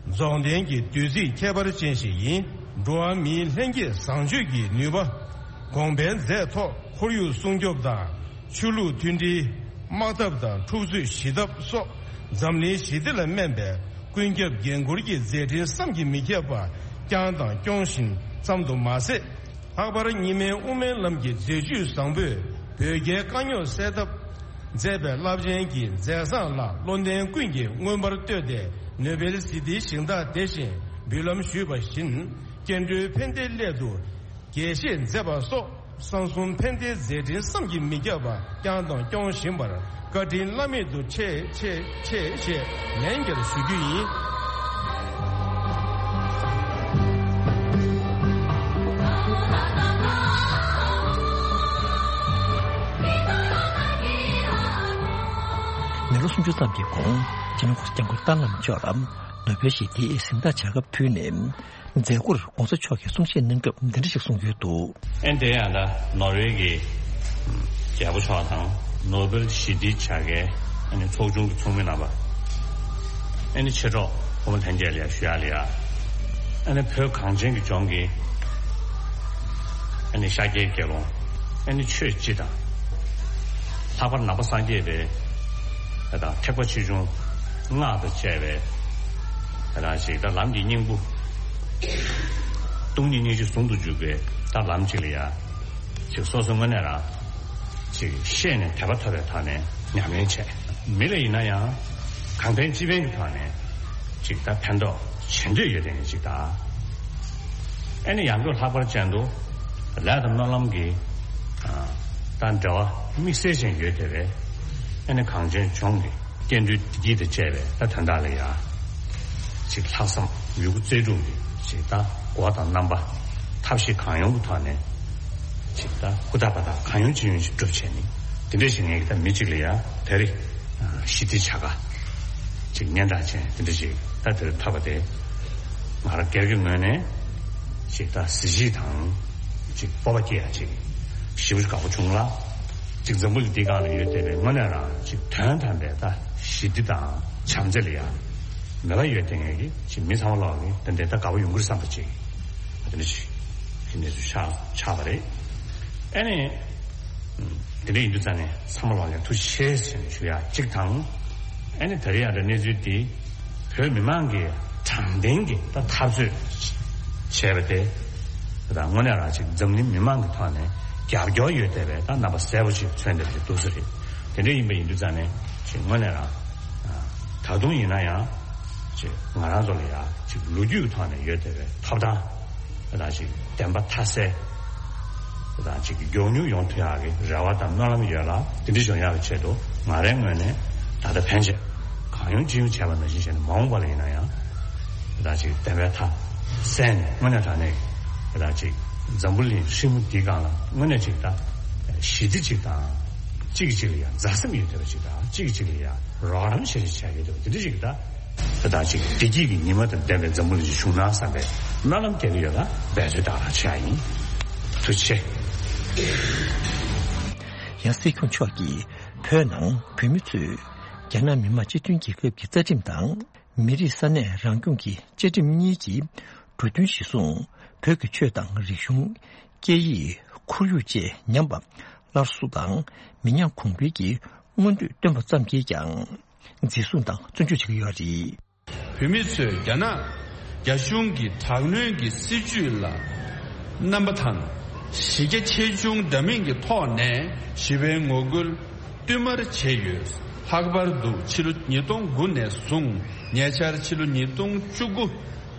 རྫོགས་ལྡན་གྱི་དུས་ཚིགས་ཁྱད་པར་ཅན་ཞིག་ཡིན། འགྲོ་བ་མིའི་ལྷན་སྐྱེས་བཟང་སྤྱོད་ཀྱི་ནུས་པ། གོང་འཕེལ་མཛད་ཐོག་ཁོར་ཡུག་སྲུང་སྐྱོབ་དང་ཆོས་ལུགས་མཐུན་སྒྲིལ། དམག་འཐབ་དང་འཁྲུག་རྩོད་ཞི་ཐབས་སོགས་འཛམ་གླིང་ཞི་བདེ་ལ་སྨན་པའི་ཀུན་ཁྱབ་འགན་འཁུར་གྱི་མཛད་འཕྲིན་བསམ་གྱིས་མི་ཁྱབ་པ་བསྐྱངས་དང་སྐྱོང་བཞིན་ཙམ་དུ་མ་ཟད། ལྷག་པར་གཉིས་སྨན་དབུ་མའི་ལམ་གྱི་མཛད་བཅུས་བཟང་པོས་བོད་རྒྱའི་དཀའ་རྙོག་སེལ་ཐབས་མཛད་པའི་རླབས་ཆེན་གྱི་མཛད་བཟང་ལ་བློ་ལྡན་ཀུན་གྱིས་མངོན་པར་བསྟོད་དེ་ནོ་བེལ་ཞི་བདེའི་གཟེངས་རྟགས་དེ་བཞིན་འབུལ་ལམ་ཞུས་པ་བཞིན་སྐྱེ་འགྲོའི་ཕན་བདེའི་སླད་དུ། དགྱེས་བཞེས་མཛད་པ་སོགས་གསང་གསུམ་ཕན་བདེའི་མཛད་འཕྲིན་བསམ་གྱིས་མི་ཁྱབ་པ་བསྐྱངས་དང་སྐྱོང་བཞིན་པར་བཀའ་དྲིན་བླ་མེད་དུ་ཆེ་ཆེ་ཆེ་ཞེས་ལན་བརྒྱར་ཞུ་རྒྱུ་ཡིན། མི་ལོ་སུམ་ཅུ་ཙམ་གྱི་གོང་སྤྱི་ནོར་༧གོང་ས་༧སྐྱབས་མགོན་རྟ་ནག་མཆོག་ལ་ནོ་བེལ་ཞི་བདེའི་གཟེངས་རྟགས་བྱ་དགའ་ཕུལ་ནས། མཛད་སྒོར་༧གོང་ས་མཆོག་གིས་གསུང་བཤད་གནང་སྐབས་འདི་འདྲ་ཞིག་གསུངས་ཡོད་འདུག། ཨེ་དེ་ཡང་ད་ནོར་ཝེ་གི་རྒྱལ་པོ་མཆོག་དང་ནོ་བེལ་ཞི་བདེའི་བྱ་དགའི་ཨ་ནི་ཚོགས་ཆུང་གི་ཚོགས་མི་རྣམ་པ། ཨ་ནི་མཆེད་གྲོགས་ཕོ་མོ་ལྷན་རྒྱས་ལ་ཡ་ཞུ་ཡག་ལ་ཡ། ཨ་ནི་བོད་གངས་ཅན་གྱི་ལྗོངས་ཀྱི་ཨ་ནི་ཤཱཀྱའི་དགེ་སློང་། ཨ་ནི་ཆོས་སྤྱི་དང་། ལྷག་པར་ནང་པ་སངས་རྒྱས་པའི་ད་ལྟ་ཐེག་པ་ཆེ་ཆུང་སྔགས་དང་བཅས་པའི་ད་ལྟ་ཞིག་ད་ལམ་གྱི་སྙིང་པོ། སྟོང་ཉིད་སྙིང་རྗེ་ཟུང་དུ་འཇུག་པའི་ད་ལམ་གཅིག་ལ་ཡ། ཅིག་སོ་སོ་དངོས་གནས་རང་ཅིག་ཤེས་ནས་དད་པ་ཐོབ་པའི་ཐོག་ནས་ཉམས་ལེན་བྱས། མི་ལ་ཡིན་ན་ཡང་གང་ཕན་ཅི་ཕན་གྱི་ཐོག་ནས་ཅིག་ད་ཕན་ཐོགས་བྱེད་འདོད་ཡོད་དེ་ནི་ཅིག་ད། ཨ་ནི་ཡང་སྒོས་ལྷག་པར་ཅན་དུ་ལས་དང་སྨོན་ལམ་གྱི་ད་འབྲེལ་བ་དམིགས་བསལ་ཅན་ཡོད་དེ་བས། ཨ་ནི་གངས་ཅན་ལྗོངས་ཀྱི་སྐྱེ་འགྲོའི་བདེ་སྐྱིད་དང་བཅས་པའི་ད་དོན་དག་ལ་ཡ། ཅིག་ལྷག་བསམ་ཡོད་རྒུ་རྩལ་སྤྲུགས་ཀྱི་ཅིག་ད་སྒོ་དང་རྣམ་པ་ཐབས་ཤེས་གང་ཡོང་གི་ཐོག་ནས་ཅིག་ད་ཧུར་ཐག་པ་དག་གང་ཡོང་ཅི་ཡོང་ཞིག་སྒྲུབ་བྱས་ནས་དེ་འདྲ་ཞིག་ངས་ཀྱི་ད་མི་གཅིག་ལ་ཡ་དེ་རིང་ཞི་བདེའི་བྱ་དགའ་ཅིག་སྙན་གྲགས་ཅན་དེ་འདྲ་ཞིག་ད་དེར་ཐོབ་པ་དེ་ང་རང་སྒེར་གྱི་ངོས་ནས་ཅིག་ད་གཟི་བརྗིད་དང་ཅིག་སྤོབས་པ་སྐྱེ་ཡ་ཅིག་ཞེ་པོ་ཅིག་དགའ་པོ་བྱུང་ལ། ཅིག་འཛམ་བུ་གླིང་འདི་སྒང་ལ་ཡོད་བསྡད་པའི་དངོས་གནས་རང་ཅིག་དོན་དམ་པའི་ད་ཞི་བདེ་དང་བྱམས་བརྩེ་ལ་ཡང་མོས་པ་ཡོད་བསྡད་མཁན་གྱི་ཅིག་མི་ཚང་མ་ལོག་གི་ཏན་ཏན་ད་དགའ་པོ་ཡོང་གི་རེད་བསམ་པ་ཅིག་དེ་འདྲ་ཞིག་གི་གནས་ཚུལ་ཆགས་ཆགས་པ་རེད། ཨ་ནི་དེ་འདྲ་ཡིན་དུས་ཙང་ནས་ཚང་མ་ལོག་ལ་ཐུགས་རྗེ་ཆེ་ཟེར་ནས་ཞུ་ཡ་གཅིག་དང་། ཨ་ནི་ད་རེས་ཡང་ད་གནས་ཚུལ་འདི་བོད་མི་མང་གི་དྲང་བདེན་གྱི་ད་འཐབ་རྩོད་བྱས་པ་དེ་ད་དངོས་གནས་རང་ཅིག་འཛམ་གླིང་མི་མང་གི་ཐོག་ནས་རྒྱབ་སྐྱོར་ཡོད་བསྡད་པའི་ད་རྣམ་པ་གསལ་པོ་ཅིག་མཚོན་བསྡད་པ་ཅིག་འདུག་ས་རེད། དེ་འདྲ་ཡིན་པ་ཡིན་དུས་ཙང་ནས་ཅིག་དངོས་གནས་རང་ད་དུང་ཡིན་ན་ཡང་ཅིག་ང་རང་ཚོ་ལ་ཡང་ཅིག་ལོ་རྒྱུས་ཀྱི་ཐོག་ནས་ཡོད་བསྡད་པའི་ཐོབ་ཐང་ད་ཅིག་བདེན་པ་མཐའ་གསལ། དང་ཅིག་མགྱོགས་མྱུར་ཡོང་ཐུབ་ཡག་གི་རེ་བ་དང་སྨོན་ལམ་ཡོད་ལ། དེ་འདྲ་བྱུང་ཡག་གི་ཆེད་དུ་ང་རའི་ངོས་ནས་ད་ལྟ་ཕན་ཆད་གང་ཡོང་ཅི་ཡོང་བྱས་པ་ནང་བཞིན་བྱས་ནས་མ་འོངས་པ་ལ་ཡིན་ན་ཡང་ད་ཅིག་བདེན་པའི་མཐའ་གསལ་ནས་དངོས་གནས་དྲང་གནས་ཀྱི་ད་ཅིག་འཛམ་བུ་གླིང་ཧྲིལ་མོ་འདིའི་སྒང་ལ་དངོས་གནས་ཅིག་ད་ཞི་བདེ་ཅིག་དང་གཅིག་གིས་གཅིག་ལ་ཡང་མཛའ་སེམས་ཡོད་བསྡད་པ་ཅིག་དང་གཅིག་གིས་གཅིག་ལ་ཡང་རོགས་རམ་བྱེད་བྱེད་བྱ་ཡོད་བསྡད་པ་འདི་འདྲ་ཅིག་ད། དེ་དག་ཅིག་བདེ་སྐྱིད་ཀྱི་ཉི་མ་དང་ལྡན་པའི་འཛམ་བུ་གླིང་ཞིག་བྱུང་ན་བསམ་པའི་སྨོན་ལམ་རྒྱག་གི་ཡོད་ལ་འབད་རྩོལ་དག་རང་བྱེད་ཡ་ཡིན། ཐུགས་རྗེ་ཆེ། ཡང་སྲིད་སྐྱོང་མཆོག་གིས་བོད་ནང་བོད་མི་ཚོས་རྒྱ་ནག་མི་དམངས་སྤྱི་མཐུན་རྒྱལ་ཁབ་ཀྱི་རྩ་ཁྲིམས་དང་མི་རིགས་ས་གནས་རང་སྐྱོང་གི་བཅའ་ཁྲིམས་གཉིས་ཀྱི་འབྲུ་དོན་གཞིར་བཟུང་བོད་ཀྱི་ཆོས་དང་རིག་གཞུང་། སྐད་ཡིག་ཁོར་ཡུག་བཅས་ཉམས་པ་སླར་གསོ་དང་མི་ཉམས་གོང་འཕེལ་གྱི་མངོན་འདོད་བཏོན་པ་ཙམ་གྱིས་ཀྱང་། འཛིན་བཟུང་དང་བཙོན་འཇུག་བྱེད་ཀྱི་ཡོད་རེད། བོད་མི་ཚོས་རྒྱ་ནག་རྒྱ་གཞུང་གི་དྲག་གནོན་གྱི་སྲིད་བྱུས་ལ་རྣམ་པ་དང་གཞི་རྒྱ་ཆེ་ཆུང་འདྲ་མིན་གྱི་ཐོག་ནས་ཞི་བའི་ངོ་རྒོལ་བསྟུད་མར་བྱས་ཡོད། ལྷག་པར་དུ་ཕྱི་ལོ་ཉིས་སྟོང་དགུ་ནས་བཟུང་ཉེ་ཆར་ཕྱི་ལོ་ཉིས་སྟོང་བཅུ་དགུ་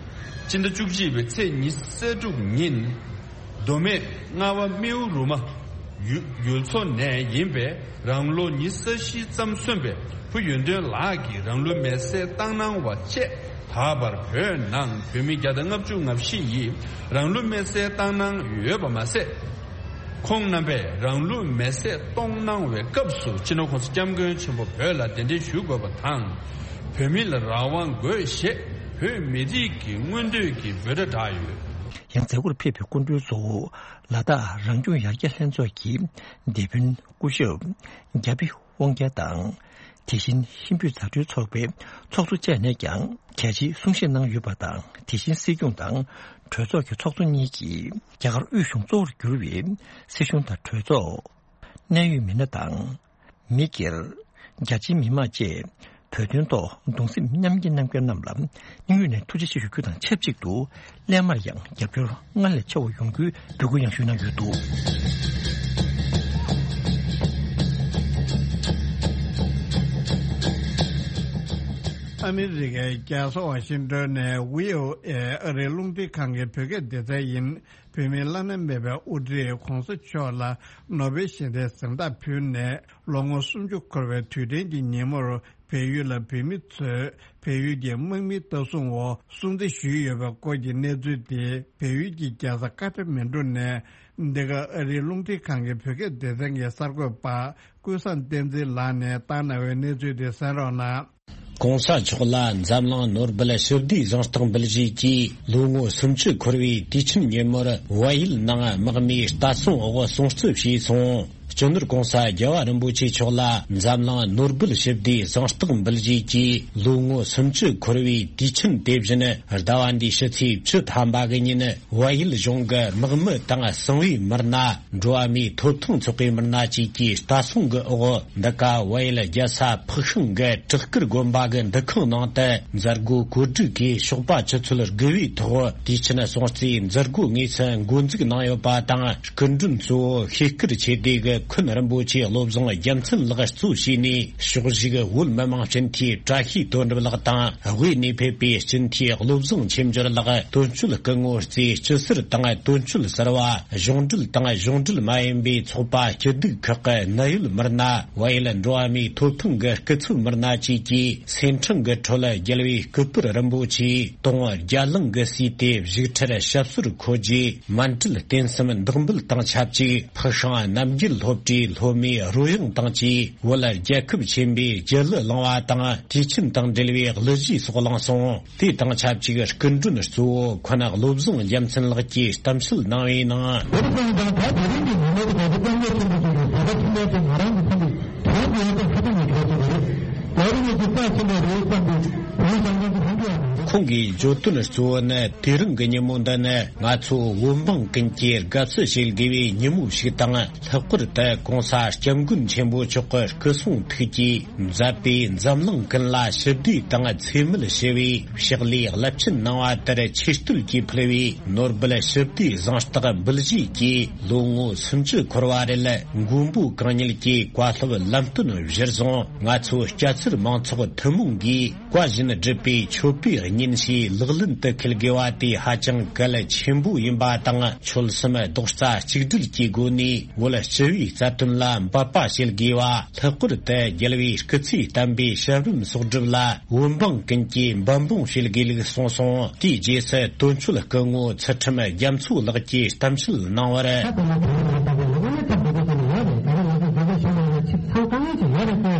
སྤྱི་ཟླ་བཅུ་གཅིག་པའི་ཚེས་ཉི་ཤུ་རྩ་དྲུག་ཉིན། མདོ་སྨད་རྔ་བ་རྨེའུ་རུ་མ་ཡུལ་ཚོ་ནས་ཡིན་པའི་རང་ལོ་ཉི་ཤུ་རྩ་བཞི་ཙམ་སོན་པའི་བུ་ཡོན་ཏན་ལགས་ཀྱིས་རང་ལུས་མེར་སྲེག་བཏང་གནང་བ་བཅས། ད་བར་བོད་ནང་བོད་མི་བརྒྱ་དང་ལྔ་བཅུ་ང་བཞི་ཡིས་རང་ལུས་མེར་སྲེག་བཏང་གནང་ཡོད་པ་མ་ཟད། ཁོང་རྣམ་པས་རང་ལུས་མེར་སྲེག་གཏོང་གནང་བའི་སྐབས་སུ་སྤྱི་ནོར་༸གོང་ས་༸སྐྱབས་མགོན་ཆེན་པོ་བོད་ལ་གདན་འདྲེན་ཞུ་དགོས་པ་དང་། བོད་མི་ལ་རང་དབང་དགོས་ཞེས་བོད་མི་རིགས་ཀྱི་མངོན་འདོད་ཀྱི་འབོད་སྒྲ་བསྒྲགས་ཡོད། ཡང་མཛད་སྒོར་ཕེབས་པའི་སྐུ་མགྲོན་གཙོ་བོ་ལ་དྭགས་རང་སྐྱོང་ཡར་རྒྱས་ལྷན་ཚོགས་ཀྱི་སྡེ་དཔོན་སྐུ་ཞབས་རྒྱ་བི་དབང་རྒྱལ་དང་། དེ་བཞིན་ཧིན་བོད་མཛའ་འབྲེལ་ཚོགས་པའི་ཚོགས་གཙོ་བཅས་ནས་ཀྱང་གལ་ཆེའི་གསུང་བཤད་གནང་ཡོད་པ་དང་། དེ་བཞིན་སྲིད་སྐྱོང་དང་གྲོས་ཚོགས་ཀྱི་ཚོགས་གཙོ་གཉིས་ཀྱིས་རྒྱ་གར་དབུས་གཞུང་གཙོ་བོར་གྱུར་བའི་སྲིད་གཞུང་དང་གྲོས་ཚོགས། གནད་ཡོད་མི་སྣ་དང་། མི་སྒེར། རྒྱ་ཆེའི་མི་མང་བཅས་བོད་དོན་ཐོག་གདུང་སེམས་མཉམ་སྐྱེད་གནང་མཁན་རྣམས་ལ་སྙིང་དབུས་ནས་ཐུགས་རྗེ་ཆེ་ཞུ་རྒྱུ་དང་ཆབས་ཅིག་ཏུ། སླད་མར་ཡང་རྒྱབ་སྐྱོར་སྔར་ལས་ཆེ་བ་ཡོང་རྒྱུའི་འབོད་སྐུལ་ཡང་ཞུས་གནང་ཡོད་འདུག། ཨ་མི་རི་ཀའི་རྒྱལ་ས་ཝ་ཤིང་ཏོན་ནས་བྷི་ཨོ་ཨེ་ཨ་རིའི་རླུང་འཕྲིན་ཁང་གི་བོད་སྐད་སྡེ་ཚན་ཡིན། བོད་མིའི་བླ་ན་མེད་པའི་དབུ་ཁྲིད་༸གོང་ས་མཆོག་ལ་ནོ་བེལ་ཞི་བདེའི་གཟེངས་རྟགས་ཕུལ་ནས་ལོ་ངོ་སུམ་ཅུ་འཁོར་བའི་དུས་དྲན་གྱི་ཉིན་མོར། བལ་ཡུལ་ལ་བོད་མི་ཚོས་བལ་ཡུལ་གྱི་དམག་མིའི་ལྟ་སྲུང་འོག་སྲུང་བརྩི་ཞུས་ཡོད་པའི་སྐོར་གྱི་གནས་ཚུལ་དེ། བལ་ཡུལ་གྱི་རྒྱལ་ས་ཀ་ཐ་མན་གྲུ་ནས་འདི་ག་ཨ་རིའི་རླུང་འཕྲིན་ཁང་གི་བོད་སྐད་སྡེ་ཚན་གྱི་གསར་འགོད་པ་ཀུན་བཟང་བསྟན་འཛིན་ལགས་ནས་བཏང་གནང་བའི་གནས་ཚུལ་དེ་གསན་རོགས་གནང་། ༸གོང་ས་མཆོག་ལ་འཛམ་གླིང་ནོར་སྦེལ་ཞི་བདེའི་གཟེངས་རྟགས་འབུལ་བཞེས་ཀྱིས་ལོ་ངོ་སུམ་ཅུ་འཁོར་བའི་དུས་ཆེན་ཉིན་མོར་བལ་ཡུལ་ནང་དམག་མིའི་ལྟ་སྲུང་འོག་སྲུང་བརྩི་བྱས་སོང་། སྤྱི་ནོར་༸གོང་ས་རྒྱལ་བ་རིན་པོ་ཆེ་མཆོག་ལ་འཛམ་གླིང་ནོར་སྦེལ་ཞི་བདེའི་གཟེངས་རྟགས་འབུལ་བཞེས་ཀྱིས་ལོ་ངོ་སུམ་ཅུ་འཁོར་བའི་དུས་ཆེན་དེ་བཞིན་ཟླ་བ་འདིའི་ཕྱི་ཚེས་བཅུ་ཐམ་པ་གི་ཉིན། བལ་ཡུལ་གཞུང་གི་དམག་མི་དང་གསང་བའི་མི་སྣ། འགྲོ་བ་མིའི་ཐོབ་ཐང་ཚོགས་པའི་མི་སྣ་བཅས་ཀྱི་ལྟ་སྲུང་གི་འོག་འདི་ག་བལ་ཡུལ་རྒྱལ་ས་ཕག་ཤང་གི་བྲག་དཀར་དགོན་པ་གི་འདུ་ཁང་ནང་དུ་མཛད་སྒོ་གོ་སྒྲིག་གིས་ཞོགས་པ་ཆུ་ཚོད་དགུ་པའི་ཐོག་དུས་ཆེན་སྲུང་བརྩིའི་མཛད་སྒོ་དངོས་སུ་འགོ་འཛུགས་གནང་ཡོད་པ་དང་། སྐུ་མགྲོན་གཙོ་བོ་ཤེས་དཀར་ཆོས་སྡེ་གི་འཁོན་རིན་པོ་ཆེ་བློ་བཟང་རྒྱལ་མཚན་ལགས་གཙོ་བྱས་ནས། ཕྱོགས་བཞུགས་བོད་མི་མང་སྤྱི་འཐུས་བཀྲ་ཤིས་དོན་གྲུབ་ལགས་དང་། དབུས་ནས་ཕེབས་པའི་སྤྱི་འཐུས་བློ་བཟང་ཆོས་འབྱོར་ལགས། དོན་གཅོད་སྐུ་ངོ་རྩེ་སྐྱིད་ཟུར་དང་། དོན་གཅོད་ཟུར་པ། གཞུང་འབྲེལ་དང་གཞུང་འབྲེལ་མ་ཡིན་པའི་ཚོགས་པ་སྐྱིད་སྡུག་ཁག་གི་གནད་ཡོད་མི་སྣ། བལ་ཡུལ་འགྲོ་བ་མིའི་ཐོབ་ཐང་གི་སྐུ་ཚབ་མི་སྣ་བཅས་ཀྱིས་སེམས་ཕྲེང་གི་ཁྲོད་རྒྱལ་བའི་སྐུ་པར་རིན་པོ་ཆེ་དུང་བརྒྱ་གླིང་གིས་བསུས་ཏེ། བཞུགས་ཁྲིར་ཞབས་སོར་འཁོད་རྗེས། མཎྜལ་རྟེན་གསུམ་བདག་འབུལ་དང་ཆབས་ཅིག་ཕག་ཤང་རྣམ་རྒྱལ་སློབ་གྲྭའི་སློབ་མའི་རོལ་དབྱངས་དང་བཅས། བོད་རྒྱལ་ཁབ་ཆེན་པོའི་རྒྱལ་གླུ་བླངས་པ་དང་། དུས་ཆེན་དང་འབྲེལ་བའི་གླུ་གཞས་སོགས་བླངས་སོང་། དེ་དང་ཆབས་ཅིག་སྐུ་མགྲོན་གཙོ་བོ་འཁོན་བློ་བཟང་རྒྱལ་མཚན་ལགས་ཀྱིས་གཏམ་བཤད་གནང་བའི་ནང་། བོད་དོན་དང་ད་དེ་རིང་གི་ཉིན་མོ་དེ་ག་ཚོད་དཀའ་ངལ་ཆེན་པོ་ཞིག་རེད། བོད་པ་ཕྱི་རྒྱལ་དེ་ང་རང་གི་ཕ་གི་དོན་དུ་ཡང་ཧ་ཅང་གི་གལ་ཆེ་བ་རེད། ད་རིང་གི་རྩ་ཆེན་པོ་རེད་བསམ་པའི་བོད་བཟང་ངན་གྱི་ཧམ་གྱི་ཡང་མི་འདུག། ཁོང་གིས་བརྗོད་དོན་གཙོ་བོ་ནི། དེ་རིང་གི་ཉིན་མོ་འདི་ནི་ང་ཚོ་བོད་འབངས་ཀུན་གྱིས་དགའ་བསུ་བྱེད་དགོས་པའི་ཉིན་མོ་ཞིག་དང་། ལྷག་པར་དུ་༸གོང་ས་༸སྐྱབས་མགོན་ཆེན་པོ་མཆོག་གི་སྐུ་གསུང་ཐུགས་ཀྱིས་མཛད་པའི་འཛམ་གླིང་ཀུན་ལ་ཞི་བདེ་དང་འཚེ་མེད་ཞི་བའི་ཕྱག་ལས་རླབས་ཆེན་གནང་བ་དེར་ཆེ་བསྟོད་ཀྱིས་ཕུལ་བའི་ནོར་སྦེལ་ཞི་བདེའི་གཟེངས་རྟགས་འབུལ་བཞེས་ཀྱིས་ལོ་ངོ་སུམ་ཅུ་འཁོར་བ་རེད། མགོན་པོ་གང་ཉིད་ཀྱི་བཀའ་སློབ་ལམ་སྟོན་གཞིར་བཟུང་། ང་ཚོ་སྐྱ་སེར་མང་ཚོགས་ཐུན་མོང་གིས་བཀའ་བཞིན་སྒྲུབ་པའི་མཆོད་པའི་སྙིང་བཞེས་ལག་ལེན་དུ་འཁེལ་དགོས་པ་དེ་ཧ་ཅང་གལ་ཆེན་པོ་ཡིན་པ་དང་། ཆོལ་གསུམ་རྡོག་རྩ་གཅིག་སྒྲིལ་གྱི་སྒོ་ནས་བོད་སྤྱི་བའི་རྩ་དོན་ལ་འབད་པ་བྱེད་དགོས་པ། ལྷག་པར་དུ་རྒྱལ་བའི་སྐུ་ཚེ་བརྟན་པའི་ཞབས་རིམ་གསོག་སྒྲུབ་ལ་བོད་འབངས་ཀུན་གྱིས་འབད་འབུངས་བྱེད་དགོས་ལུགས་གསུངས་སོང་། དེའི་རྗེས་སུ་དོན་གཅོད་སྐུ་ངོ་ཚུལ་ཁྲིམས་རྒྱ་མཚོ་ལགས་ཀྱིས་གཏམ་བཤད་གནང་བར། ད་དེ་ནི་དེ་རིང་ལ་ད་གི་ལོ་ངོ་ལྔ་ཚར་འགྲོ་གི་ཟེར་ནས་ཡོད་རེད། ད་རེས་ང་ཚོ་འཛིན་གྲྭ་གཞན་པ་ལ་ཆིབས་ཚང་དཀའ་ངལ་ཅིག་ཡོད་རེད་དེ།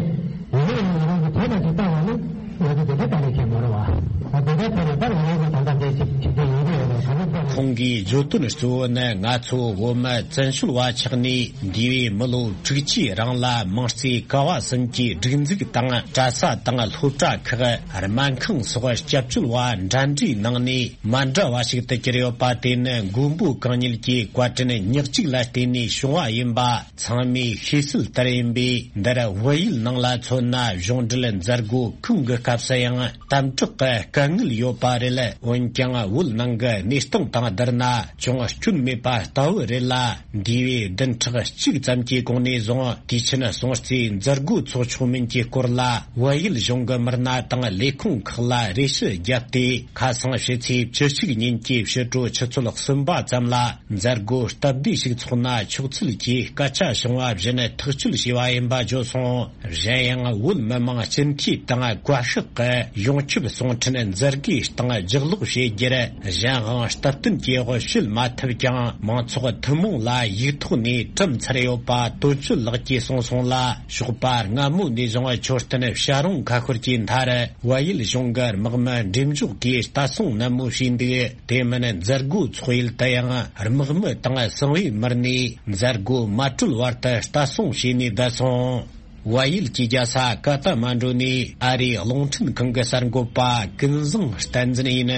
ཡིན་ནའི་ང་རང་གི་དོན་དག་ཅིག་བལྟ་བ་ནི་ང་ཚོ་འཛིན་གྲྭ་ལྟ་ལས་བྱེད་མ་རེད་བ། ང་འཛིན་གྲྭ་ཐོན་ནས་ད་ང་རང་གི་ད་ལྟ་འདས་ཅིག་ཆིབས་བསྒྱུར་ཡོང་གི་ཡོད་རེད། ག་ཚོད་ཐོན། ཁོང་གིས་བརྗོད་དོན་གཙོ་བོ་ནི་ང་ཚོ་བོད་མི་བཙན་བྱོལ་བ་ཆགས་ནས་འདས་པའི་མི་ལོ་དྲུག་ཅུའི་རིང་ལ་མང་རྩེ་ཀ་བ་གསུམ་གྱི་སྒྲིག་འཛུགས་དང་གྲྭ་ས་དང་སློབ་གྲྭ་ཁག་སྨན་ཁང་སོགས་སྐྱབས་བཅོལ་བ་འདྲ་འདྲའི་ནང་ནས་མ་འདྲ་བ་ཞིག་ཏུ་གྱུར་ཡོད་པ་དེ་ནི་མགོན་པོ་གང་ཉིད་ཀྱི་བཀའ་དྲིན་ཉག་གཅིག་ལ་བརྟེན་ནས་བྱུང་བ་ཡིན་པ་ཚང་མས་ཤེས་གསལ་ལྟར་ཡིན་པས། འདིར་བལ་ཡུལ་ནང་ལ་མཚོན་ན་གཞུང་འབྲེལ་མཛད་སྒོ་གང་གི་སྐབས་སུ་ཡང་དམ་དྲག་གི་དཀའ་ངལ་ཡོད་པ་རེད། འོན་ཀྱང་བོད་ནང་གི་གནས་སྟངས་དང་ བསྡུར་ན་ཅུང་སྐྱོན་མེད་པ་ལྟ་བུ་རེད་ལ། འདས་པའི་བདུན་ཕྲག་གཅིག་ཙམ་གྱི་གོང་ནས་བཟུང་དུས་ཆེན་སྲུང་བརྩིའི་མཛད་སྒོ་འཚོགས་ཆོག་མིན་གྱི་སྐོར་ལ། བལ་ཡུལ་གཞུང་གི་མི་སྣ་དང་ལས་ཁུངས་ཁག་ལ་རེ་ཞུ་བརྒྱབ་སྟེ། ཁ་སང་ཕྱི་ཚེས་བཅུ་གཅིག་ཉིན་གྱི་ཕྱི་དྲོ་ཆུ་ཚོད་གསུམ་པ་ཙམ་ལ་མཛད་སྒོ་སྟབས་བདེ་ཞིག་འཚོགས་ན་ཆོག་ཚུལ་གྱི་སྐད་ཆ་བྱུང་བ་བཞིན་ཐག་གཅོད་བྱས་པ་ཡིན་པ་བརྗོད་སོང་། གཞན་ཡང་བོད་མི་མང་སྤྱི་འཐུས་དང་བཀའ་ཤག་གི་ཡོངས་ཁྱབ་གསུང་འཕྲིན་མཛད་སྒོའི་སྟེང་ལྗགས་ཀློག་བྱེད་རྒྱུར། གཞན་དབང་སྟབས་བསྟུན་གྱི་དབུ་བྱེད་མ་ཐུབ་ཀྱང་། མང་ཚོགས་ཐུན་མོང་ལ་ཡིག་ཐོག་ནས་བཀྲམ་ཚར་ཡོད་པ་དོན་གཅོད་ལགས་ཀྱིས་གསུངས་སོང་ལ། ཞོགས་པ་སྔ་མོ་ནས་བཟུང་མཆོད་རྟེན་བྱ་རུང་ཁ་ཤོར་གྱི་མཐར། བལ་ཡུལ་གཞུང་གི་དམག་མི་འགྲེམས་འཇོག་གིས་ལྟ་སྲུང་ནན་མོ་བྱས་འདུག་དེ་མིན་མཛད་སྒོ་འཚོགས་ཡུལ་དུ་ཡང་དམག་མི་དང་གསང་བའི་མི་སྣས་མཛད་སྒོ་མ་གྲོལ་བར་དུ་ལྟ་སྲུང་བྱས་ནས་བསྡད་སོང་། བལ་ཡུལ་གྱི་རྒྱལ་ས་ཀ་ཐ་མན་ཌུ་ནས་ཨ་རིའི་རླུང་འཕྲིན་ཁང་གི་གསར་འགོད་པ་ཀུན་བཟང་བསྟན་འཛིན་ཡིན།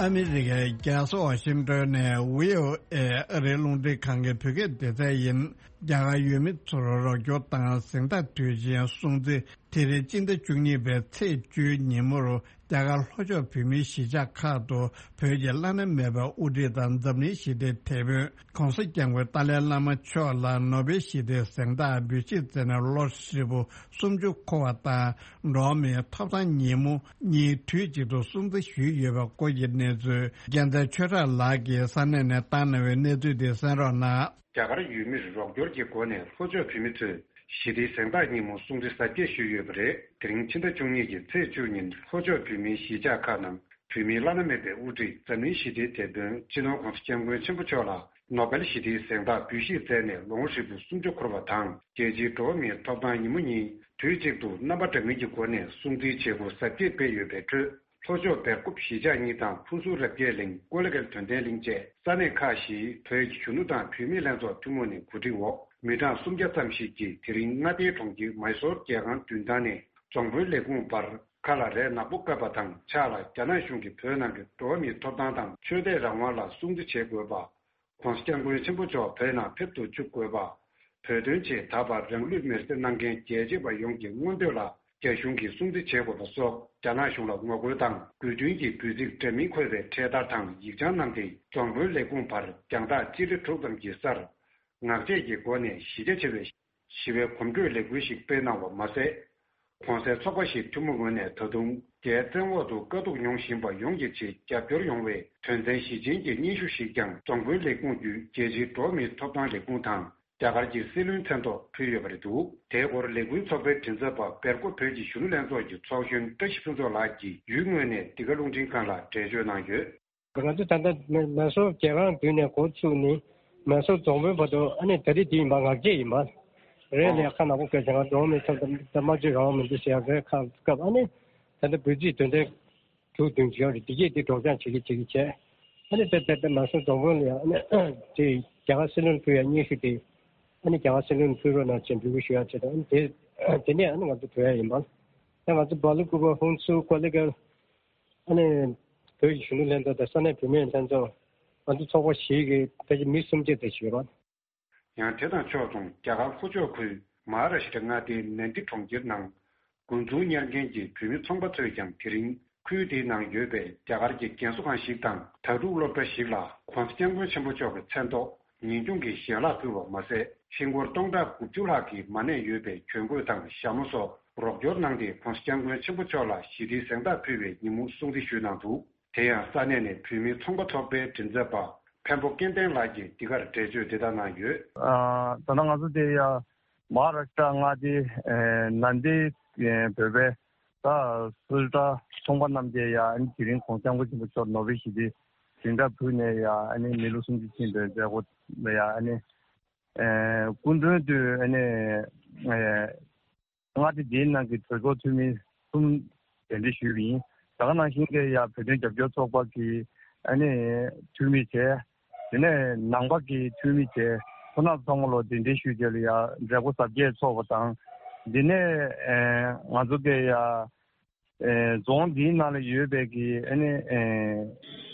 ཨ་མི་རི་ཀའི་རྒྱལ་ས་ཝ་ཤིང་ཏོན་ནས་བྷི་ཨོ་ཨེ་ཨ་རིའི་རླུང་འཕྲིན་ཁང་གི་བོད་སྐད་སྡེ་ཚན་ཡིན། རྒྱ་གར་ཡུལ་མི་ཚོར་རོགས་སྐྱོར་དང་གཟེངས་རྟགས་དུས་ཆེན་སྲུང་བརྩི། དེ་རིང་སྤྱི་ཟླ་བཅུ་གཉིས་པའི་ཚེས་བཅུའི་ཉིན་མོར་རྒྱ་གར་ལྷོ་ཕྱོགས་བོད་མིའི་གཞིས་ཆགས་ཁག་ཏུ་བོད་ཀྱི་བླ་ན་མེད་པའི་དབུ་ཁྲིད་དང་འཛམ་གླིང་ཞི་བདེའི་དེད་དཔོན་༸གོང་ས་༸སྐྱབས་མགོན་ཏཱ་ལའི་བླ་མ་མཆོག་ལ་ནོ་བེལ་ཞི་བདེའི་གཟེངས་རྟགས་འབུལ་བཞེས་མཛད་ནས་ལོ་ཧྲིལ་པོ་སུམ་ཅུ་འཁོར་བ་དང་། འགྲོ་བ་མིའི་ཐོབ་ཐང་ཉིན་མོ་གཉིས་དུས་གཅིག་ཏུ་སྲུང་བརྩི་ཞུས་ཡོད་པའི་སྐོར་གྱི་གནས་ཚུལ་རྒྱལ་མཚན་ཆོས་གྲགས་ལགས་ཀྱིས་ས་གནས་ནས་བཏང་གནང་བའི་གནས་ཚུལ་དེ་གསན་རོགས་གནང་། རྒྱ་གར་ཡུལ་མིར་རོགས་སྐྱོར་གྱི་སྒོ་ནས་ལྷོ་ཕྱོགས་བོད་མི་ཚོས་ཞི་བདེའི་གཟེངས་རྟགས་ཉིན་མོ་སྲུང་བརྩི་གཟབ་རྒྱས་ཞུས་ཡོད་པ་རེད། དེ་རིང་ཕྱི་ཟླ་བཅུ་གཉིས་ཀྱི་ཚེས་བཅུ་ཉིན་ལྷོ་ཕྱོགས་བོད་མིའི་གཞིས་ཆགས་ཁག་ནང་བོད་མིའི་བླ་ན་མེད་པའི་དབུ་ཁྲིད་འཛམ་གླིང་ཞི་བདེའི་དེད་དཔོན་སྤྱི་ནོར་༸གོང་ས་༸སྐྱབས་མགོན་ཆེན་པོ་མཆོག་ལ་ནོ་བེལ་ཞི་བདེའི་གཟེངས་རྟགས་འབུལ་བཞེས་མཛད་ནས་ལོ་ངོ་ཧྲིལ་པོ་སུམ་ཅུ་འཁོར་བ་དང་། རྒྱལ་སྤྱིའི་འགྲོ་བ་མིའི་ཐོབ་ཐང་ཉིན་མོ་གཉིས་དུས་གཅིག་ཏུ་རྣམ་པ་འདྲ་མིན་གྱི་སྒོ་ནས་སྲུང་བརྩིའི་བྱེད་སྒོ་གཟབ་རྒྱས་སྤེལ་ཡོད་པའི་ཁྲོད། ལྷོ་ཕྱོགས་སྦེལ་ཀོབ་གཞིས་ཆགས་གཉིས་དང་ཕུན་ཚོགས་རབ་རྒྱས་གླིང་ཀོ་ལི་གྷལ་དོན་ལྡན་གླིང་བཅས་ས་གནས་ཁག་བཞིའི་བོད་ཀྱི་གཞོན་ནུ་དང་བུད་མེད་ལྷན་ཚོགས་ཐུན་མོང་ནས་གོ་སྒྲིག་འོག་མི་གྲངས་སུམ་བརྒྱ་ཙམ་ཞིག་གིས་དེ་རིང་མངའ་སྡེའི་གྲོང་ཁྱེར་མཱི་སོར་རྒྱལ་ཁང་མདུན་ཐང་ནས་རྫོང་དཔོན་ལས་ཁུངས་བར་ཁ་ལ་རས་ནག་པོ་བཀབ་པ་དང་ཕྱག་ལ་རྒྱ་ནག་གཞུང་གིས་བོད་ནང་གི་འགྲོ་བ་མིའི་ཐོབ་ཐང་དང་ཆོས་དད་རང་དབང་ལ་སྲུང་བརྩི་བྱེད་དགོས་པ། ༸གོང་ས་༸སྐྱབས་མགོན་ཆེན་པོ་མཆོག་བོད་ནང་ཕེབས་སུ་བཅུག་དགོས་པ། བོད་དོན་ཆེད་ད་བར་རང་ལུས་མེར་སྲེག་གནང་མཁན་རྒྱལ་གཅེས་པ་ཡོངས་ཀྱི་མངོན་འདོད་ལ་རྒྱ་གཞུང་གིས་སྲུང་བརྩི་བྱེད་དགོས་པ་སོགས་རྒྱ་ནག་གཞུང་ལ་ངོ་རྒོལ་དང་དགོས་འདུན་གྱི་འབོད་ཚིག་འདྲ་མིན་འཁོད་པའི་འཕྲེད་དར་དང་ཡིག་བྱང་བསྣམས་ཏེ་རྫོང་དཔོན་ལས་ཁུངས་བར་རྒྱང་ཐག་སྤྱི་ལེ་དྲུག་ཙམ་གྱི་སར་ངག་བཅད་ཀྱི་སྒོ་ནས་གཞི་རྒྱ་ཆེ་བའི་ཞི་བའི་གོམ་བགྲོད་ལས་འགུལ་ཞིག་སྤེལ་གནང་བ་མ་ཟད། གོང་གསལ་ཚོགས་པ་ཞིག་ཐུན་མོང་ངོས་ནས་ད་དུང་རྒྱའི་བཙན་འོག་ཏུ་དཀའ་སྡུག་མྱོང་བཞིན་པ་ཡོངས་ཀྱི་ཆེད་རྒྱབ་སྐྱོར་ཡོང་བའི་དོན་ཚན་བཞི་ཅན་གྱི་སྙན་ཞུ་ཞིག་ཀྱང་རྫོང་དཔོན་ལས་ཁུངས་བརྒྱུད་རྒྱལ་སྤྱིའི་འགྲོ་བ་མིའི་ཐོབ་ཐང་ལས་ཁུངས་དང་རྒྱ་གར་གྱི་སྲིད་བློན་མཚན་ཐོག་ཕུལ་ཡོད་པ་རེད་འདུག་དེའི་སྐོར་ལས་འགུལ་ཚོགས་པའི་མགྲིན་ཚབ་པ་སྦེལ་ཀོབ་བོད་ཀྱི་གཞོན་ནུ་ལྷན་ཚོགས་ཀྱི་ཚོགས་གཞོན་བཀྲ་ཤིས་ཕུན་ཚོགས་ལགས་ཀྱིས་ཡུལ་དངོས་ནས་འདི་ག་རླུང་འཕྲིན་ཁང་ལ་འགྲེལ་བརྗོད་གནང་ཡོད། ང་ཚོ་ད་ལྟ་མེ་མེ་སོར་རྒྱལ་ཁང་མདུན་ནས་འགོ་བཙུགས་ནས་མེ་སོར་རྫོང་དཔོན་བར་དུ་ཨ་ནི་ད་རེས་འདི་ཡིན་པ་ངག་བཅད་ཡིན་པ། རེད་ལས་ཁ་ནག་པོ་སྐད་ཆ་ང་འགྲོ་བ་མིའི་ཐོབ་ཐང་དམངས་གཙོའི་རང་དབང་མི་འདུག་ཟེར་ཡག་རེད། ཁ་སྐབས་ཨ་ནི་ད་ལྟ་འབོད་ཚིག་དོན་ཚན་དྲུག་བདུན་ཅིག་ཡོད་རེད། འདི་གས་འདི་སྒྲོག་སྦྱང་བྱེད་ཀྱི་བྱེད་ཀྱི་བྱས། ཨ་ནི་ད་ད་ད་མེ་སོར་རྫོང་དཔོན་ལ་ཡང་ཨ་ནི་དེ་རྒྱ་གར་སྲིད་བློན་ཕུལ་ཡག་སྙན་ཞུ་དེ་ཨ་ནི་རྒྱ་གར་སྲིད་བློན་ཕུལ་རོགས་གནང་ཅེས་འབོད་སྐུལ་ཞུ་ཡག་བྱས་དང་ཨ་ནི་དེ་དེ་ནས་ཨ་ནི་ང་ཚོ་བྲོས་ཡག་ཡིན་པ། ད་ང་ཚོ་སྦེལ་ཀོབ་ཧུན་སུར་ཀོ་ལི་གྷལ། ཨ་ནི་བོད་ཀྱི་གཞོན་ནུ་ལྷན་ཚོགས་དང་ས་གནས་བུད་མེད་ལྷན་ཚོགས། ང་ཚོ་ཚོགས་པ་བཞི་གི་ཕལ་ཆེར་མི་སུམ་བརྒྱ་དེ་ཞིག་ཡོད་པ། ཡང་དེ་དང་ཕྱོགས་མཚུངས་རྒྱ་གར་ལྷོ་ཕྱོགས་ཁུལ་མ་ཧཱ་ར་ཤི་ཏྲ་མངའ་སྡེའི་ནན་དི་གྲོང་ཁྱེར་ནང་འགོ་འཛུགས་གཉེར་མཁན་གྱི་བོད་མི་ཚོང་པ་ཚོས་ཀྱང་དེ་རིང་ཁུལ་དེའི་ནང་ཡོད་པའི་རྒྱ་གར་གྱི་རྒན་གསོ་ཁང་ཞིག་དང་དྭ་ཕྲུག་སློབ་གྲྭ་ཞིག་ལ་༸གོང་ས་༸སྐྱབས་མགོན་ཆེན་པོ་མཆོག་གི་མཚན་ཐོག་ཉིན་གུང་གི་ཞལ་ལག་ཕུལ་བ་མ་ཟད། ཧིན་སྒོར་སྟོང་ཕྲག་དགུ་བཅུ་ལྷག་གི་མ་ཎི་ཡོད་པའི་གྱོན་གོས་དང་ཞྭ་མོ་སོགས་རོགས་སྐྱོར་གནང་སྟེ་༸གོང་ས་༸སྐྱབས་མགོན་ཆེན་པོ་མཆོག་ལ་ཞི་བདེའི་གཟེངས་རྟགས་ཕུལ་བའི་ཉིན་མོ་སྲུང་བརྩི་ཞུས་གནང་འདུག་དེ་ཡང་ས་གནས་ནས་བོད་མིའི་ཚོང་པ་ཚོགས་པའི་མགྲིན་ཚབ་པ་འཕན་པོ་སྐལ་ལྡན་ལགས་ཀྱིས་འདི་གར་འགྲེལ་བརྗོད་འདི་ལྟར་གནང་ཡོད། ཨ། ད་ལྟ་ང་ཚོ་དེ་ཡ་མ་ཧཱ་ར་ཤི་ཏྲ་མངའ་སྡེའི་ཨེ་ནན་དི་ཨེ་བོད་པའི་ད་སུ་ཏྲ་ཚོང་པ་རྣམས་ཀྱིས་ཡ་ཨ་ནི་དེ་རིང་༸གོང་ས་༸སྐྱབས་མགོན་ཆེན་པོ་མཆོག་ནོ་བེལ་ཞི་བདེའི་གཟེངས་རྟགས་ཕུལ་ནས་ཡ་ཨ་ནི་མི་ལོ་སུམ་ཅུ་ཕྱིན་པའི་མཛད་སྒོ་ལ་ཡ་ཨ་ནི་ཨེ་སྐུ་མགྲོན་དུ་ཨ་ནི་ཨེ་མངའ་སྡེ་འདིའི་ནང་གི་གྲོས་ཚོགས་འཐུས་མི་གསུམ་གདན་འདྲེན་ཞུས་པ་ཡིན། ད་ག་ནང་བཞིན་གྱི་ཡ་བོད་དོན་རྒྱབ་སྐྱོར་ཚོགས་པ་གི་ཨ་ནི་འཐུས་མི་བྱས། དེ་ནས་ནང་པ་གི་འཐུས་མི་བྱས། ཁོང་རྣམ་ཚང་མ་ལོ་གདན་འདྲེན་ཞུས་རྗེས་ལ་ཡ་མཛད་སྒོ་གཟབ་རྒྱས་ཚོགས་པ་དང་། འདི་ནས་ཨེ་ང་ཚོ་གི་ཡ་ཨེ་རྫོང་འདིའི་ནང་ལ་ཡོད་པའི་གི་ཨ་ནི་ཨེ་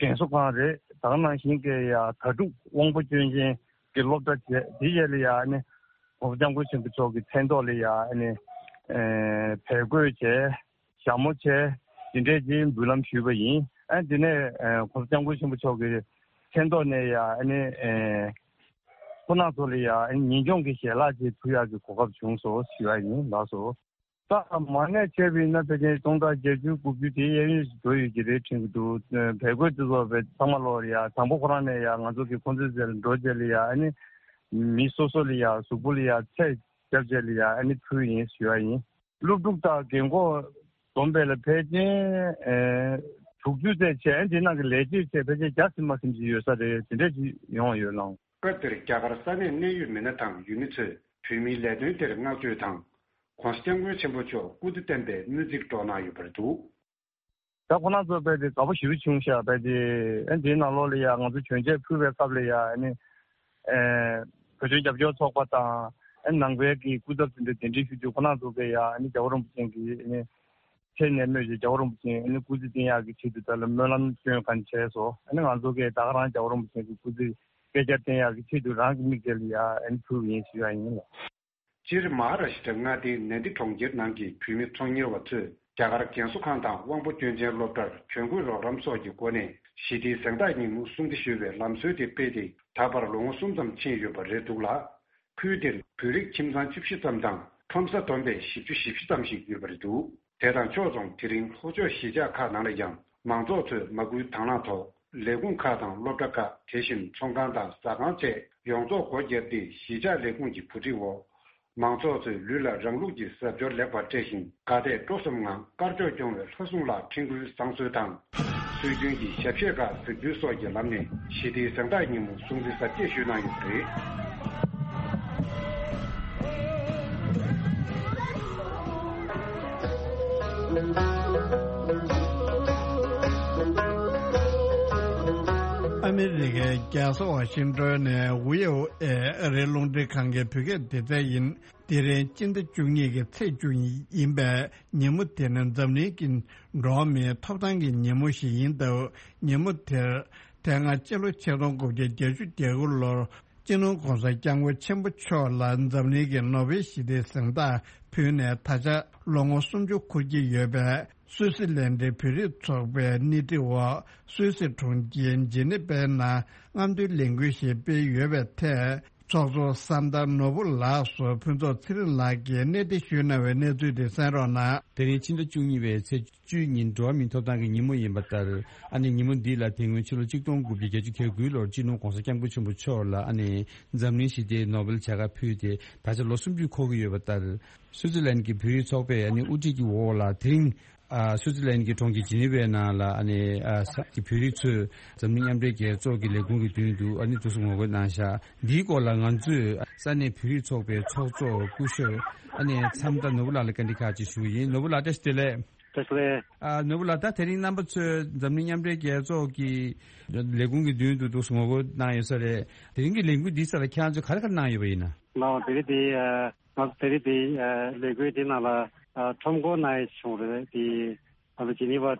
རྒན་གསོ་ཁང་རེད། ད་ག་ནང་བཞིན་གྱི་ཡ་དྭ་ཕྲུག་དབང་པོ་སྐྱོན་ཅན་གྱི་སློབ་གྲྭ་བྱས། དེ་རྗེས་ལ་ཡ་ཨ་ནི་༸གོང་ས་༸སྐྱབས་མགོན་ཆེན་པོ་མཆོག་གི་མཚན་ཐོག་ལ་ཡ་ཨ་ནི་ ཨེ་བལ་གོས་བྱས། ཞྭ་མོ་བྱས། དེ་འདྲས་ཀྱི་འབུལ་ལམ་ཞུས་པ་ཡིན། ཨ་དེ་ནས་ཨེ་༸གོང་ས་༸སྐྱབས་མགོན་ཆེན་པོ་མཆོག་གི་མཚན་ཐོག་ནས་ཡ་ཨ་ནི་ཨེ་ཁོང་རྣམ་ཚོ་ལ་ཡ་ཨ་ནི་ཉིན་གུང་གི་ཞལ་ལག་ཅིག་ཕུལ་ཡག་གི་གོ་སྐབས་བྱུང་སོང་ཞུ་ཡ་ཡིན་ལགས་སོ། ད་མ་ནས་བྱས་པ་ཡིན་ན་ཕལ་ཆེར་སྟོང་ཕྲག་བརྒྱད་ཅུ་དགུ་བཅུ་དེ་གཡས་གཡོན་ཞིག་འགྲོ་ཡོད་ཀྱི་རེད་དྲན་གྱི་འདུག་བལ་གོས་དེ་ཚོ་བས་ཚང་མ་ལོག་ལ་ཡ་དང་པོ་ཁོ་རང་ནས་ཡ་ང་ཚོ་གི་ཁོང་ཚོའི་རྩེ་ལ་འགྲོ་རྗེས་ལ་ཡ་ཨ་ནི་མི་སོ་སོ་ལ་ཡ་གཟུགས་པོ་ལ་ཡ་ཚད་རྒྱབ་རྗེས་ལ་ཡ་ཨ་ནི་ཕུལ་ཡིན་ཞུ་ཡ་ཡིན། སློབ་ཕྲུག་དང་རྒན་འཁོགས་བསྡོམས་པས་ལ་ཕལ་ཆེར་ཨེ་དྲུག་ཅུ་ཙམ་བྱས། ཨ་ནི་དེ་ནང་གི་ལས་བྱེད་བྱས་ཕལ་ཆེར་བརྒྱ་ཟིན་མ་ཟིན་ཅིག་ཡོད་ས་རེད། དེ་འདྲས་ཅིག་ཡོང་བ་ཡོད་ལགས། སྐབས་དེར་རྒྱ་གར་ས་གནས་གནད་ཡོད་མི་སྣ་དང་ཡུལ་མི་ཚོས་བོད་མིའི་ལས་དོན་དེར་བསྔགས་བརྗོད་དང་། ༸གོང་ས་༸སྐྱབས་མགོན་ཆེན་པོ་མཆོག་སྐུ་ཚེ་བརྟན་པའི་སྨོན་ཚིག་སྒྲོག་གནང་ཡོད་པ་རེད་འདུག་ད་ཁོ་རང་ཚོ་དཔེ་དེ་དགའ་པོ་ཞེ་པོ་བྱུང་ཤག་དཔེ་དེ་ཨ་འདིའི་ནང་ལོགས་ལ་ཡ་ང་ཚོ་གྱོན་ཆས་ཕུལ་བའི་སྐབས་ལ་ཡ་ཨ་ནི་ཨེ་བོད་དོན་རྒྱབ་སྐྱོར་ཚོགས་པ་དང་ཨ་ནང་པའི་གི་སྐུ་ཚབ་དེ་འདྲ་གདན་འདྲེན་ཞུ་རྒྱུ་ཁོ་རང་ཚོ་གི་ཡ་ཨ་ནི་རྒྱལ་བ་རིན་པོ་ཆེ་གི་ཨ་ནི་ཁྲེལ་ནས་སྨོས་ཀྱི་རྒྱལ་བ་རིན་པོ་ཆེ་ཨ་ནི་སྐུ་ཚེ་བརྟན་ཡག་གི་ཆེད་དུ་ད་ལ་སྨོན་ལམ་སྐྱོན་གང་བྱས་སོ། ཨ་ནི་ང་ཚོ་གི་ད་ག་རང་རྒྱལ་བ་རིན་པོ་ཆེ་གི་སྐུ་ཚེ་བསྐལ་བརྒྱར་བརྟན་ཡག་གི་ཆེད་དུ་རང་གི་མིག་དེ་ལ་ཡ་ཨ་ནི་ཕུལ་བ་ཡིན་ཞུ་ཡ་ཡིན་ལགས། སྤྱིར་མ་ཧཱ་ར་ཤི་ཏྲ་མངའ་སྡེའི་ནན་དི་གྲོང་ཁྱེར་ནང་གི་བོད་མི་ཚོང་གཉེར་བ་ཚོས་རྒྱ་གར་རྒན་གསོ་ཁང་དང་དབང་པོ་སྐྱོན་ཅན་སློབ་གྲྭར་གྱོན་གོས་རོགས་རམ་སོགས་ཀྱི་སྒོ་ནས་ཞི་བདེའི་གཟེངས་རྟགས་ཉིན་མོ་སྲུང་བརྩི་ཞུ་བའི་ལམ་སྲོལ་དེ་སྤེལ་ཏེ་ད་བར་ལོ་ངོ་གསུམ་ཙམ་ཕྱིན་ཡོད་པ་རེད་འདུག་ལ། ཁུལ་དེར་བོད་རིགས་ཁྱིམ་ཚང་བཅུ་བཞི་ཙམ་དང་ཁྲོམ་ས་བསྡོམས་པས་བཞི་བཅུ་ཞེ་བཞི་ཙམ་ཞིག་ཡོད་པ་རེད་འདུག་དེ་དང་ཕྱོགས་མཚུངས་དེ་རིང་ལྷོ་ཕྱོགས་གཞིས་ཆགས་ཁག་ནང་ལ་ཡང་མང་ཚོགས་ཚོས་མ་སྐུལ་དང་བླངས་ཐོག་ལས་ཁུངས་ཁག་དང་སློབ་གྲྭ་ཁག་དེ་བཞིན་ཚོང་ཁང་དང་ཟ་ཁང་བཅས་ཡོངས་རྫོགས་སྒོ་བརྒྱབ་སྟེ་གཞིས་ཆགས་ལས་ཁུངས་ཀྱི་གོ་སྒྲིག་འོག་མང་ཚོགས་ཚོས་ལུས་ལ་རང་ལུགས་ཀྱི་གཟབ་མཆོར་ལེགས་པར་སྤྲས་ཤིང་དགའ་དད་སྤྲོ་གསུམ་ངང་དཀར་ཕྱོགས་སྐྱོང་བའི་ལྷ་སྲུང་ལ་འཕྲེང་སྐུལ་བཟང་གསོལ་དང་། སྲོལ་རྒྱུན་གྱི་ཞབས་གཞས་ཁག་གཟིགས་འབུལ་སོགས་ཀྱི་ལམ་ནས་ཞི་བདེའི་གཟེངས་རྟགས་ཉིན་མོ་སྲུང་བརྩི་གཟབ་རྒྱས་ཞུས་གནང་ཡོད་པ་རེད། ཨ་མི་རི་ཀའི་རྒྱལ་ས་ཝ་ཤིང་ཏོན་ནས་ཝི་ཨོ་ཨེ་ཨ་རིའི་རླུང་འཕྲིན་ཁང་གི་བོད་སྐད་སྡེ་ཚན་ཡིན། དེ་རིང་སྤྱི་ཟླ་བཅུ་གཉིས་ཀྱི་ཚེས་བཅུ་ཡིན་པས་ཉིན་མོ་དེ་ནི་འཛམ་གླིང་གི་འགྲོ་བ་མིའི་ཐོབ་ཐང་གི་ཉིན་མོ་ཞིག་ཡིན་སྟབས། ཉིན་མོ་དེར་དེ་སྔ་སྤྱི་ལོ་ཆིག་སྟོང་དགུ་བརྒྱ་བརྒྱད་ཅུ་གྱ་དགུ་ལོར་སྤྱི་ནོར་༸གོང་ས་༸སྐྱབས་མགོན་ཆེན་པོ་མཆོག་ལ་འཛམ་གླིང་གི་ནོ་བེལ་ཞི་བདེའི་གཟེངས་རྟགས་ཕུལ་ནས་ད་ཆ་ལོ་ངོ་སུམ་ཅུ་འཁོར་གྱི་ཡོད་པས། སུད་སི་ལན་ཌའི་བོད་རིགས་ཚོགས་པའི་སྣེ་ཁྲིད་འོག་སུད་སི་གྲོང་ཁྱེར་ཇི་ནི་ཝའི་ནང་རྔམ་སྟོན་ལས་འགུལ་ཞིག་སྤེལ་ཡོད་པའི་ཐད། ཚོགས་གཙོ་ཟམ་གདོང་ནོར་བུ་ལགས་སུ་ཕུན་ཚོགས་ཚེ་རིང་ལགས་ཀྱིས་གནས་འདྲི་ཞུས་གནང་བའི་གནས་ཚུལ་དེ་གསན་རོགས་གནང་། དེ་རིང་ཕྱི་ཟླ་བཅུ་གཉིས་པའི་ཚེས་བཅུའི་ཉིན་འགྲོ་བ་མིའི་ཐོབ་ཐང་གི་ཉིན་མོ་ཡིན་པ་ལྟར། ཨ་ནི་ཉིན་མོ་འདི་ལ་དེ་སྔོན་ཕྱི་ལོ་ཆིག་སྟོང་དགུ་བརྒྱ་བརྒྱད་ཅུ་གྱ་དགུ་ལོར་སྤྱི་ནོར་༸གོང་ས་༸སྐྱབས་མགོན་ཆེན་པོ་མཆོག་ལ་ཨ་ནི་འཛམ་གླིང་ཞི་བདེའི་ནོ་བེལ་བྱ་དགའ་ཕུལ་ཏེ་ད་ཆ་ལོ་སུམ་ཅུ་འཁོར་གྱི་ཡོད་པ་ལྟར། སུའུ་ཙི་ལན་གྱི་བོད་རིགས་ཚོགས་པས་ཨ་ནི་དབུ་ཁྲིད་ཀྱི་འོག་ལ་དེ་རིང་། ཨ། སུའུ་ཙི་ལན་གྱི་གྲོང་ཁྱེར་ཇི་ནི་ཝའི་ནང་ལ་ཨ་ནི་ཨ་ས་ཀྱི་བོད་རིགས་ཚོས་འཛམ་གླིང་མཉམ་འབྲེལ་རྒྱལ་ཚོགས་ཀྱི་ལས་ཁུངས་ཀྱི་མདུན་དུ་ཨ་ནི་འདུག་སེ་ངོ་རྒོལ་གནང་ཤག་འདིའི་སྐོར་ལ་ང་ཚོས་ས་གནས་བོད་རིགས་ཚོགས་པའི་ཚོགས་གཙོ་སྐུ་ཞབས་ཨ་ནི་མཚམས་བདག་ནོར་བུ་ལགས་ལ་བཀའ་འདྲི་ཁག་ཅིག་ཞུ་གི་ཡིན། ནོར་བུ་ལགས་བཀྲ་ཤིས་བདེ་ལེགས། བཀྲ་ཤིས་བདེ་ལེགས། ཨ། ནོར་བུ་ལགས། ད་དེ་རིང་རྣམ་པ་ཚོས་འཛམ་གླིང་མཉམ་འབྲེལ་རྒྱལ་ཚོགས་ཀྱི་ལས་ཁུངས་ཀྱི་མདུན་དུ་འདུག་སེ་ངོ་རྒོལ་གནང་ཡོད་ས་རེད། དེ་རིང་གི་ལས་འགུལ་འདིའི་སར་ཁྱེད་རང་ཚོས་ག་རེ་ག་རེ་གནང་ཡོད་པ་ཡིན་ན། ལགས་དེ་རིང་འདི་ཨ། ང་ཚོ་དེ་རིང་འདི་ཨ། ལས་འགུལ་འདི་ནང་ལ་ཨ། ཁྲོམ་སྐོར་གནང་ཡས་བྱུང་རེད། དེ་ང་ཚོ་ཇི་ནི་ཝ་ཨ།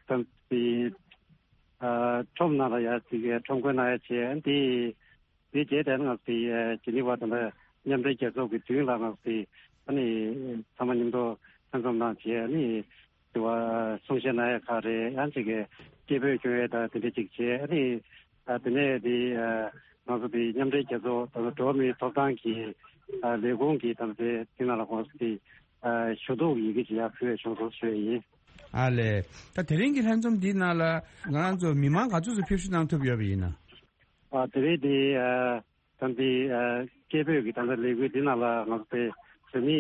ཙམ་དེ་ཨ། ཁྲོམ་ནང་ལ་ཡ་དེ་གའི་ཁྲོམ་སྐོར་གནང་ཡས་བྱས། དེ་དེ་རྗེས་དེ་ང་ཚོ་དེ་ཨ། ཇི་ནི་ཝ་དང་མཉམ་འབྲེལ་རྒྱལ་ཚོགས་ཀྱི་མདུན་ལ་ང་ཚོ་དེ་ཨ་ནི་ཚང་མ་མཉམ་དུ་ལྷན་འཛོམས་གནང་བྱས། ཨ་ནི་དེ་བ་གསུང་བཤད་གནང་ཡས་ཁག་རེད། ཡང་ཅིག་གི་སྐད་འབོད་སྐྱོན་ཡས་དང་དེ་འདྲ་ཅིག་བྱས། ཨ་ནི་ཨ། དེ་ནས་དེ་ཨ། ང་ཚོ་དེ་མཉམ་འབྲེལ་རྒྱལ་ཚོགས་ད་ལྟ་འགྲོ་བ་མིའི་ཐོབ་ཐང་གི་ཨ། ལས་ཁུངས་ཀྱི་ད་ལྟ་དེ་དེ་ནང་ལ་ཁོང་ཚོ་དེ་ཨ། ཞུ་གཏུག་ཡི་གེ་ཅིག་ཡར་ཕུལ་བའི་བྱུང་སོང་ཞུ་ཡས་ཡིན། ཨ་ལས། ད་དེ་རིང་གི་ལྷན་འཛོམས་འདིའི་ནང་ལ་ང་རང་ཚོ་མི་མང་ག་ཚོད་ཙམ་ཕེབས་བསུ་གནང་ཐུབ་ཡོད་པ་ཡིན་ན། ཨ། དེ་རིང་དེ་ཨ། ད་འདི་ཨ། སྐད་འབོད་ཀྱི་ད་ལྟ་ལས་འགུལ་འདི་ནང་ལ་ང་ཚོ་བོད་མི་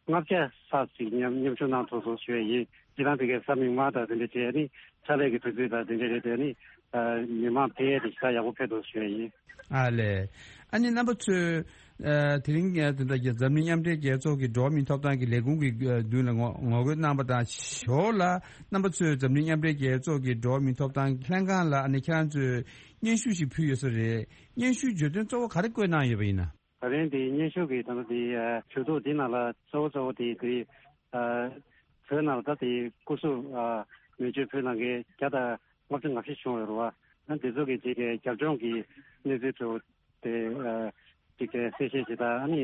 ལྔ་བརྒྱ་ལྷག་ཅིག་མཉམ་མཉམ་ཞུགས་གནང་ཐུབ་སོང་ཞུ་ཡས་ཡིན། སྤྱིར་བཏང་དེ་གའི་ས་མིང་མ་དང་དེ་འདྲ་བྱས་ནི་ཕྱག་ལས་ཀྱི་དུས་ཚོད་དང་དེ་འདྲ་རེད་དེ་ནི་ཨ། མི་མང་ཕལ་ཆེར་ཞེ་དྲག་ཡག་པོ་ཕེབས་འདུག་ཞུ་ཡས་ཡིན། ཨ་ལས། ཨ་ནི་རྣམ་པ་ཚོས་ཨ། དེ་རིང་ཨ། དེ་འདྲ་གི་འཛམ་གླིང་མཉམ་འབྲེལ་རྒྱལ་ཚོགས་ཀྱི་འགྲོ་བ་མིའི་ཐོབ་ཐང་གི་ལས་ཁུངས་ཀྱི་ཨ། མདུན་ལ་ངོ་ངོ་རྒོལ་གནང་པ་དང་ཞོར་ལ་རྣམ་པ་ཚོས་འཛམ་གླིང་མཉམ་འབྲེལ་རྒྱལ་ཚོགས་ཀྱི་འགྲོ་བ་མིའི་ཐོབ་ཐང་ལྷན་ཁང་ལ་ཨ་ནི་ཁྱེད་རང་ཚོས་སྙན་ཞུ་ཞིག་ཕུལ་ཡོད་ས་རེད། སྙན་ཞུའི་བརྗོད་དོན་གཙོ་བོ་ག་རེ་བཀོད་གནང་ཡོད་པ་ཡིན་ན། ད་རིང་དེ་སྙན་ཞུ་གི་ད་ལྟ་དེ་ཞུ་གཏུག་འདི་ནང་ལ་གཙོ་བོ་གཙོ་བོ་དེ་དེ་བོད་ནང་ལ་ད་དེ་སྐུ་གཟུགས་མེ་མཆོད་ཕུལ་གནང་མཁན་བརྒྱ་དང་ལྔ་བཅུ་ང་བཞི་བྱུང་ཡོད་རེད་བ། ཨ་དེ་ཚོ་གི་ཅིག་གི་རྒྱབ་ལྗོངས་ཀྱི་གནས་ཚུལ་ཚོ་དེ་ཅིག་གི་གསལ་བཤད་ཅིག་དང་། ཨ་ནི་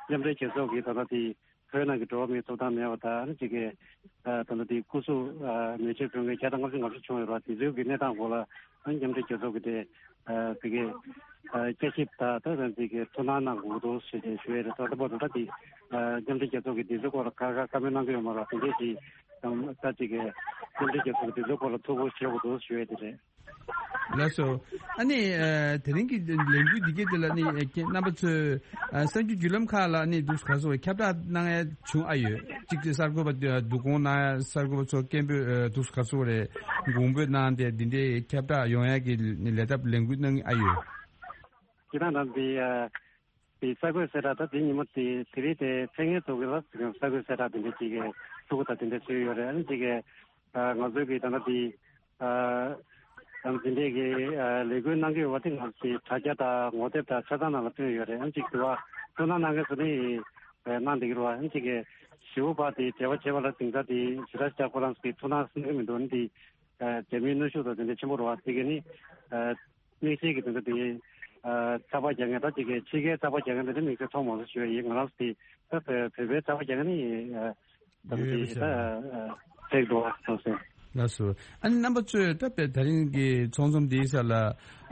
མཉམ་འབྲེལ་རྒྱལ་ཚོགས་ཀྱི་ད་ལྟ་དེ་ བོད་ནང་གི་འགྲོ་བ་མིའི་ཐོབ་ཐང་མེད་པ་དང་ཨ་ནི་གཅིག་གི་ད་ལྟ་དེ་སྐུ་གཟུགས་མེ་མཆོད་ཕུལ་མཁན་བརྒྱ་དང་ལྔ་བཅུ་ང་བཅུ་བྱུང་ཡོད་རེད་བ། དེ་ཚོའི་གི་གནས་སྟངས་སྐོར་ལ་ཨ་ནི་མཉམ་འབྲེལ་རྒྱལ་ཚོགས་ཀྱི་དེ་དེ་གི་བསྐྱར་ཞིབ་དང་ད་ལྟ་དེ་གི་ཐུགས་སྣང་གནང་དགོས་འདུག་ཞེས་ཞུ་ཡས་རེད། ད་ལྟ་བར་དུ་ད་དེ་མཉམ་འབྲེལ་རྒྱལ་ཚོགས་ཀྱི་དེ་ཚོའི་སྐོར་ལ་ཁ་ཁ་བཀའ་མོལ་གནང་གི་ཡོད་མ་རེད། དེ་འདྲས་ཀྱི་ད་ཅིག་གི་མཉམ་འབྲེལ་རྒྱལ་ཚོགས་ཀྱི་དེ་ཚོའི་སྐོར་ལ་ཐུགས་ཁུར་བཞེས་དགོས་འདུག་ཞུ་ཡས་དེ་རེད། ལགས་སོ། ཨ་ནི་ཨ་དེ་རིང་གི་ལས་འགུལ་འདི་གའི་དེ་ལ་ནི་ཨ་ཁྱེད་རྣམ་པ་ཚོས་ཨ་གསར་འགྱུར་བརྒྱུད་ལམ་ཁག་ལ་ནི་འདུག་ག་སོ་ཁྱབ་བསྒྲགས་གནང་ཡ་བྱུང་ཨ་ཡོད། གཅིག་དེ་གསར་འགོད་པ་འདུ་སྐོང་གནང་ཡ་གསར་འགོད་པ་ཚོ་སྐད་འབོད་འདུག་ག་སོ་རེད། དགོངས་འབོད་གནང་སྟེ་འདི་འདྲའི་ཁྱབ་བསྒྲགས་ཡོང་ཡ་གི་ལས་ཐབས་ལས་འགུལ་གནང་ཨ་ཡོད། ཁྱེད་རང་རྣམ་པའི་ཨ་དེ་གསར་འགོད་གསལ་བསྒྲགས་ད་དེ་ཉིན་མོ་དེ་དེ་རིང་དེ་མཚན་སྙན་ཚོགས་ཀྱི་ལ་གསར་འགོད་གསལ་བསྒྲགས་དེ་འདྲ་ཅིག་གི་ཕྲུ་གུ་དང་དེ་འདྲ་བཟོས་ཡོད་རེད། ཨ་ནི་ཅིག་གི་ང་ཚོའི་གི་ད་ལྟ་དེ་ཨ་དེ་འདྲའི་གི་ལས་འགུལ་གནང་གི་ཡོད་པ་དེ་ང་ཚོའི་དྲ་རྒྱ་དང་ངོ་དེབ་དང་ཆ་ཚང་ནང་ལ་བཏོན་ཡོད་རེད། ཨ་ནི་ཅིག་དུ་བ་ཐུགས་སྣང་གནང་མཁན་ཚོ་ནི་གནང་བསྡད་ཀྱི་རེད་བ། ཨ་ནི་ཅིག་གི་ཞི་བོ་པ་དེ་འབྲེལ་བ་བྱས་པ་ལ་དེང་སང་དེ་ཞི་དྲག་ཞི་དྲག་ཁོ་རང་ཚོ་གི་ཐུགས་སྣང་གནང་གི་མི་འདུག་ཨ་ནི་དེ་རྒྱ་མིའི་གནོན་ཤུགས་དང་དེ་འདྲ་ཆེན་པོ་རེད་བ། དེ་གི་ནི་དམིགས་བསལ་གྱི་དོན་དག་དེ་ཚགས་པར་རྒྱག་མཁན་ད་ཅིག་གི་ཕྱི་རྒྱལ་ཚགས་པར་རྒྱག་མཁན་དེ་འདྲ་དམིགས་བསལ་མཐོང་མ་སོང་ཞུ་ཡ་ཡིན། ང་རང་ཚོ་དེ་ད་བོད་པའི་ཚགས་པར་རྒྱག་མཁན་ནི་ད་ཡོད་དེ་པ་ད་ཤག་ཕེག་འགྲོ་བ་སོང་ཟེར། ལགས་སོ། ཨ་ནི་རྣམ་པ་ཚོས་ད་བོད་ད་རིང་གི་ཚོགས་འཛོམས་འདིའི་སར་ལ་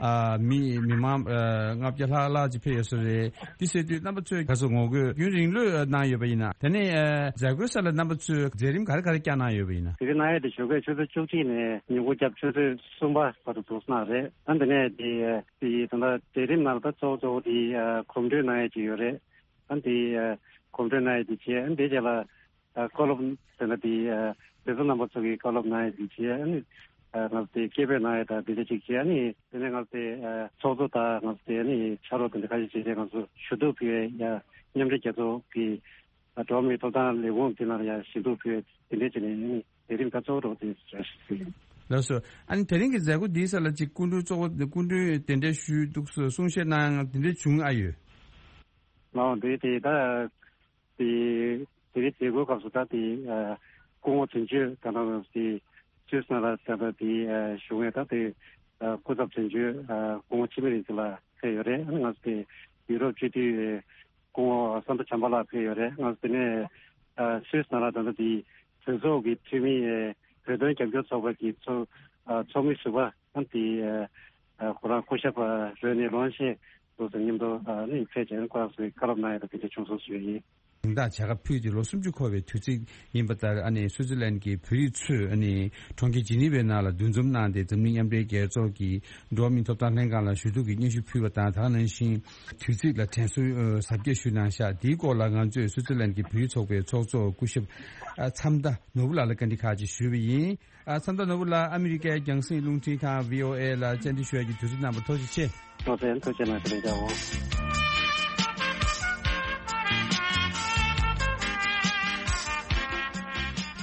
ཨ་མི་མི་མང་ཨ་ལྔ་བརྒྱ་ལྷག་ལྷག་ཅིག་ཕེབས་ཡོད་ས་རེད། འདི་ཟེར་དུས་རྣམ་པ་ཚོས་ག་ཚོད་ངོ་རྒོལ་རྒྱུན་རིང་ལོས་གནང་ཡོད་པ་ཡིན་ན། དེ་ནས་ཨ་མཛད་སྒོའི་སར་ལ་རྣམ་པ་ཚོས་མཛད་རིམ་ག་རེ་ག་རེ་བསྐྱངས་གནང་ཡོད་པ་ཡིན་ན། དེ་རིང་གནང་ཡས་དེ་ཞོགས་ཀས་ཆུ་ཚོད་བཅུ་གཅིག་ནས་ཉིན་གུང་རྒྱབ་ཆུ་ཚོད་གསུམ་པ་བར་དུ་འདུག་གནང་རེད། ཨ་འདི་ནས་དེ་དེ་ད་ལྟ་མཛད་རིམ་ནང་ལ་ད་གཙོ་བོ་གཙོ་བོ་དེ་ཨ་གོམ་བགྲོད་གནང་ཡས་ཅིག་ཡོད་རེད། ཨ་འདི་ཨ་གོམ་བགྲོད་གནང་ཡས་དེ་བྱས། ཨ་འདི་རྗེས་ལ་ཨ་བཀའ་སློབ་དེ་ལ་དེ་ཨ་དེ་ཚོ་རྣམ་པ་ཚོ་གི་བཀའ་སློབ་གནང་ཡས་དེ་བྱས། ཨ་ནི་ཨ་ང་ཚོ་དེ་སྐད་འབོད་གནང་ཡས་དང་དེ་འདྲ་ཅིག་བྱས། ཨ་ནི་དེ་ནས་ང་ཚོ་དེ་ཨ་ཚོགས་གཙོ་དང་ང་ཚོ་དེ་ཨ་ནི་ཕྱག་རོགས་དེ་འདྲ་ཁ་ཤས་བྱས་ཏེ་ང་ཚོ་ཞུ་གཏུག་ཕུལ་ཡས་ཡ་མཉམ་འབྲེལ་རྒྱལ་ཚོགས་ཀྱི་ཨ་འགྲོ་བ་མིའི་ཐོབ་ཐང་ལས་ཁུངས་དེ་ནང་ལ་ཡ་ཞུ་གཏུག་ཕུལ་ཡས་དེ་འདྲ་བྱས་ནས་ཨ་ནི་དེ་རིང་ད་གཙོ་བོ་རོགས་དེ་བྱ་ཞིག་ཕུལ་ཡིན། ལགས་སོ། ཨ་ནི་དེ་རིང་གི་མཛད་སྒོ་འདིའི་སར་ལ་ཅིག་སྐུ་མགྲོན་གཙོ་བོ་སྐུ་མགྲོན་དེ་འདྲ་ཞུས་འདུག་གསུང་བཤད་གནང་དེ་འདྲ་བྱུང་ཨ་ཡོད། ལའོ་འདི་དེ་ད་དེ་དེ་རིང་མཛད་སྒོའི་སྐབས་སུ་ད་དེ་ཨ་སྐུ་ངོ་དོན་གཅོད་ད་ལྟ་དེ་སུད་སི་ནང་ལ་ད་ལྟ་དེ་ཨ་བཞུགས་མཁན་ད་དེ་ཨ་སྐུ་ཚབ་དོན་གཅོད་ཨ་སྐུ་ངོ་འཆི་མེད་རིག་འཛིན་ལགས་ཕེབས་ཡོད་རེད། ཨ་ནི་ང་ཚོ་དེ་ཡུ་རོབ་སྤྱི་འཐུས་སྐུ་ངོ་བསམ་གྲུབ་བྱམས་པ་ལགས་ཕེབས་ཡོད་རེད། ང་ཚོ་དེ་ནས་ཨ་སུད་སི་ནང་ལ་ད་ལྟ་དེ་གྲོས་ཚོགས་ཀྱི་འཐུས་མི་ཨ་བོད་དོན་རྒྱབ་སྐྱོར་ཚོགས་པ་གི་ཚོགས་ཨ་ཚོགས་མི་ཟུར་པ་ཨ་དེ་ཨ་ཁོ་རང་སྐུ་ཞབས་རོ་ནི་ལོན་ཤེ་སོགས་དང་མཉམ་དུ་ཨ་ནི་ཕེབས་བྱས་ཁོ་རང་ཚོའི་བཀའ་སློབ་གནང་ཡ་དང་དེ་འདྲ་བྱུང་སོང་ཞུ་ཡ་ཡིན། དང་བྱ་དགའ་ཕུལ་ཏེ་ལོ་སུམ་ཅུ་འཁོར་བའི་དུས་ཚིགས་ཡིན་པ་ལྟར། ཨ་ནི་སུའི་ཙི་ལན་གྱི་བོད་རིགས་ཚོས་ཨ་ནི་གྲོང་ཁྱེར་ཇི་ནི་ཝའི་ནང་ལ་འདུ་འཛོམས་གནང་སྟེ། འཛམ་གླིང་མཉམ་འབྲེལ་རྒྱལ་ཚོགས་ཀྱི་འགྲོ་བ་མིའི་ཐོབ་ཐང་ལྷན་ཁང་ལ་ཞུ་གཏུག་གི་སྙན་ཞུ་ཕུལ་བ་དང་། ད་ག་ནང་བཞིན་དུས་ཚིགས་ལ་དྲན་གསོའི་ཨ་གཟབ་རྒྱས་ཞུས་གནང་ཤག་འདིའི་སྐོར་ལ་ང་ཚོས་སུའི་ཙི་ལན་གྱི་བོད་རིགས་ཚོགས་པའི་ཚོགས་གཙོ་སྐུ་ཞབས་ཨ་མཚམས་མཐའ་ནོར་བུ་ལགས་ལ་བཀའ་འདྲི་ཁག་ཅིག་ཞུས་པ་ཡིན། ཨ་མཚམས་མཐའ་ནོར་བུ་ལགས། ཨ་མི་རི་ཀའི་རྒྱང་སྲིང་རླུང་འཕྲིན་ཁང་བྷི་ཨོ་ཨེ་ལ་བཅར་འདྲི་ཞུ་ཡ་གི་དུས་ཚོད་གནང་བར་ཐུགས་རྗེ་ཆེ། ཐུགས་རྗེ་ཐུགས་རྗེ་གནང་། ཐུགས་རྗེ་གནང་།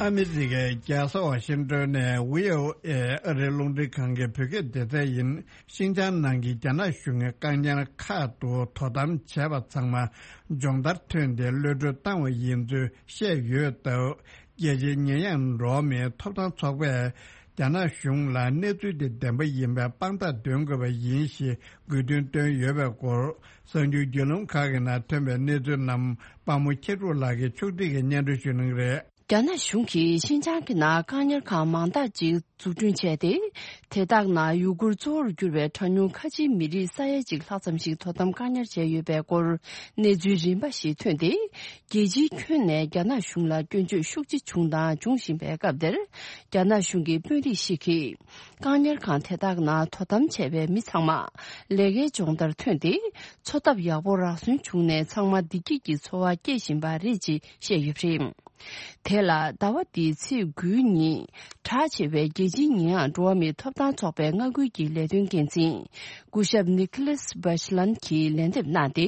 ཨ་མི་རི་ཀའི་རྒྱལ་ས་ཝ་ཤིང་ཏོན་ནས་བྷི་ཨོ་ཨེ་ཨ་རིའི་རླུང་འཕྲིན་ཁང་གི་བོད་སྐད་སྡེ་ཚན་ཡིན། ཤིན་ཅང་ནང་གི་རྒྱ་ནག་གཞུང་གི་བཀག་ཉར་ཁག་ཏུ་དོ་དམ་བྱས་པ་ཚང་མ་སྦྱོང་བརྡར་ཐོན་ཏེ་གློད་གྲོལ་བཏང་བ་ཡིན་ཚུལ་བཤད་ཡོད་སྟབས། རྒྱལ་སྤྱིའི་ཉེས་ཡངས་འགྲོ་བ་མིའི་ཐོབ་ཐང་ཚོགས་པས་རྒྱ་ནག་གཞུང་ལ་གནས་ཚུལ་དེ་བདེན་པ་ཡིན་པའི་དཔང་རྟགས་འདོན་དགོས་པ་ཡིན་ཞེས་དགོས་འདུན་བཏོན་ཡོད་པའི་སྐོར། གསར་འགྱུར་བརྒྱུད་ལམ་ཁག་གི་ནང་ཐོན་པའི་གནས་ཚུལ་རྣམས་དཔའ་མོ་ཁྱེད་རུ་ལགས་ཀྱིས་ཕྱོགས་སྒྲིག་གིས་སྙན་སྒྲོན་ཞུ་གནང་གི་རེད། རྒྱ་ནག་གཞུང་གིས་ཤིན་ཅང་གི་ནང་བཀག་ཉར་ཁང་མང་དག་ཅིག་འཛུགས་སྐྲུན་བྱས་ཏེ། དེ་དག་ནང་ཡུ་གུར་གཙོ་བོར་གྱུར་བའི་གྲངས་ཉུང་ཁ་ཆེའི་མི་རིགས་ས་ཡ་གཅིག་ལྷག་ཙམ་ཞིག་དོ་དམ་བཀག་ཉར་བྱས་ཡོད་པའི་སྐོར་གནས་ཚུལ་རིམ་པ་ཞིག་ཐོན་ཏེ། རྒྱལ་སྤྱིའི་ཁྱོན་ནས་རྒྱ་ནག་གཞུང་ལ་སྐྱོན་བརྗོད་ཤུགས་ཆེ་བྱུང་དང་འབྱུང་བཞིན་པའི་སྐབས་འདིར། རྒྱ་ནག་གཞུང་གི་དཔོན་རིགས་ཤིག་གིས། བཀག་ཉར་ཁང་དེ་དག་ནང་དོ་དམ་བྱས་པའི་མི་ཚང་མ་ལས་ཀའི་སྦྱོང་བརྡར་ཐོན་ཏེ། འཚོ་ཐབས་ཡག་པོ་རག་སོན་བྱུང་ནས། ཚང་མ་བདེ་སྐྱིད་ཀྱི་འཚོ་བ་སྐྱེལ་བཞིན་པ་རེད་ཅེས་བཤད་ཡོད་པ་རེད། དེ་ལ་ཟླ་བ་འདིའི་ཚེས་དགུའི་ཉིན་གྲགས་ཆེ་བའི་རྒྱལ་སྤྱིའི་ཉེས་ཡངས་འགྲོ་བ་མིའི་ཐོབ་ཐང་ཚོགས་པའི་མངའ་ཁུལ་གྱི་ལས་དོན་འགན་འཛིན་སྐུ་ཞབས་ནི་ཁི་ལེས་བྷ་ཤི་ལན་གྱིས་ལན་འདེབས་གནང་སྟེ།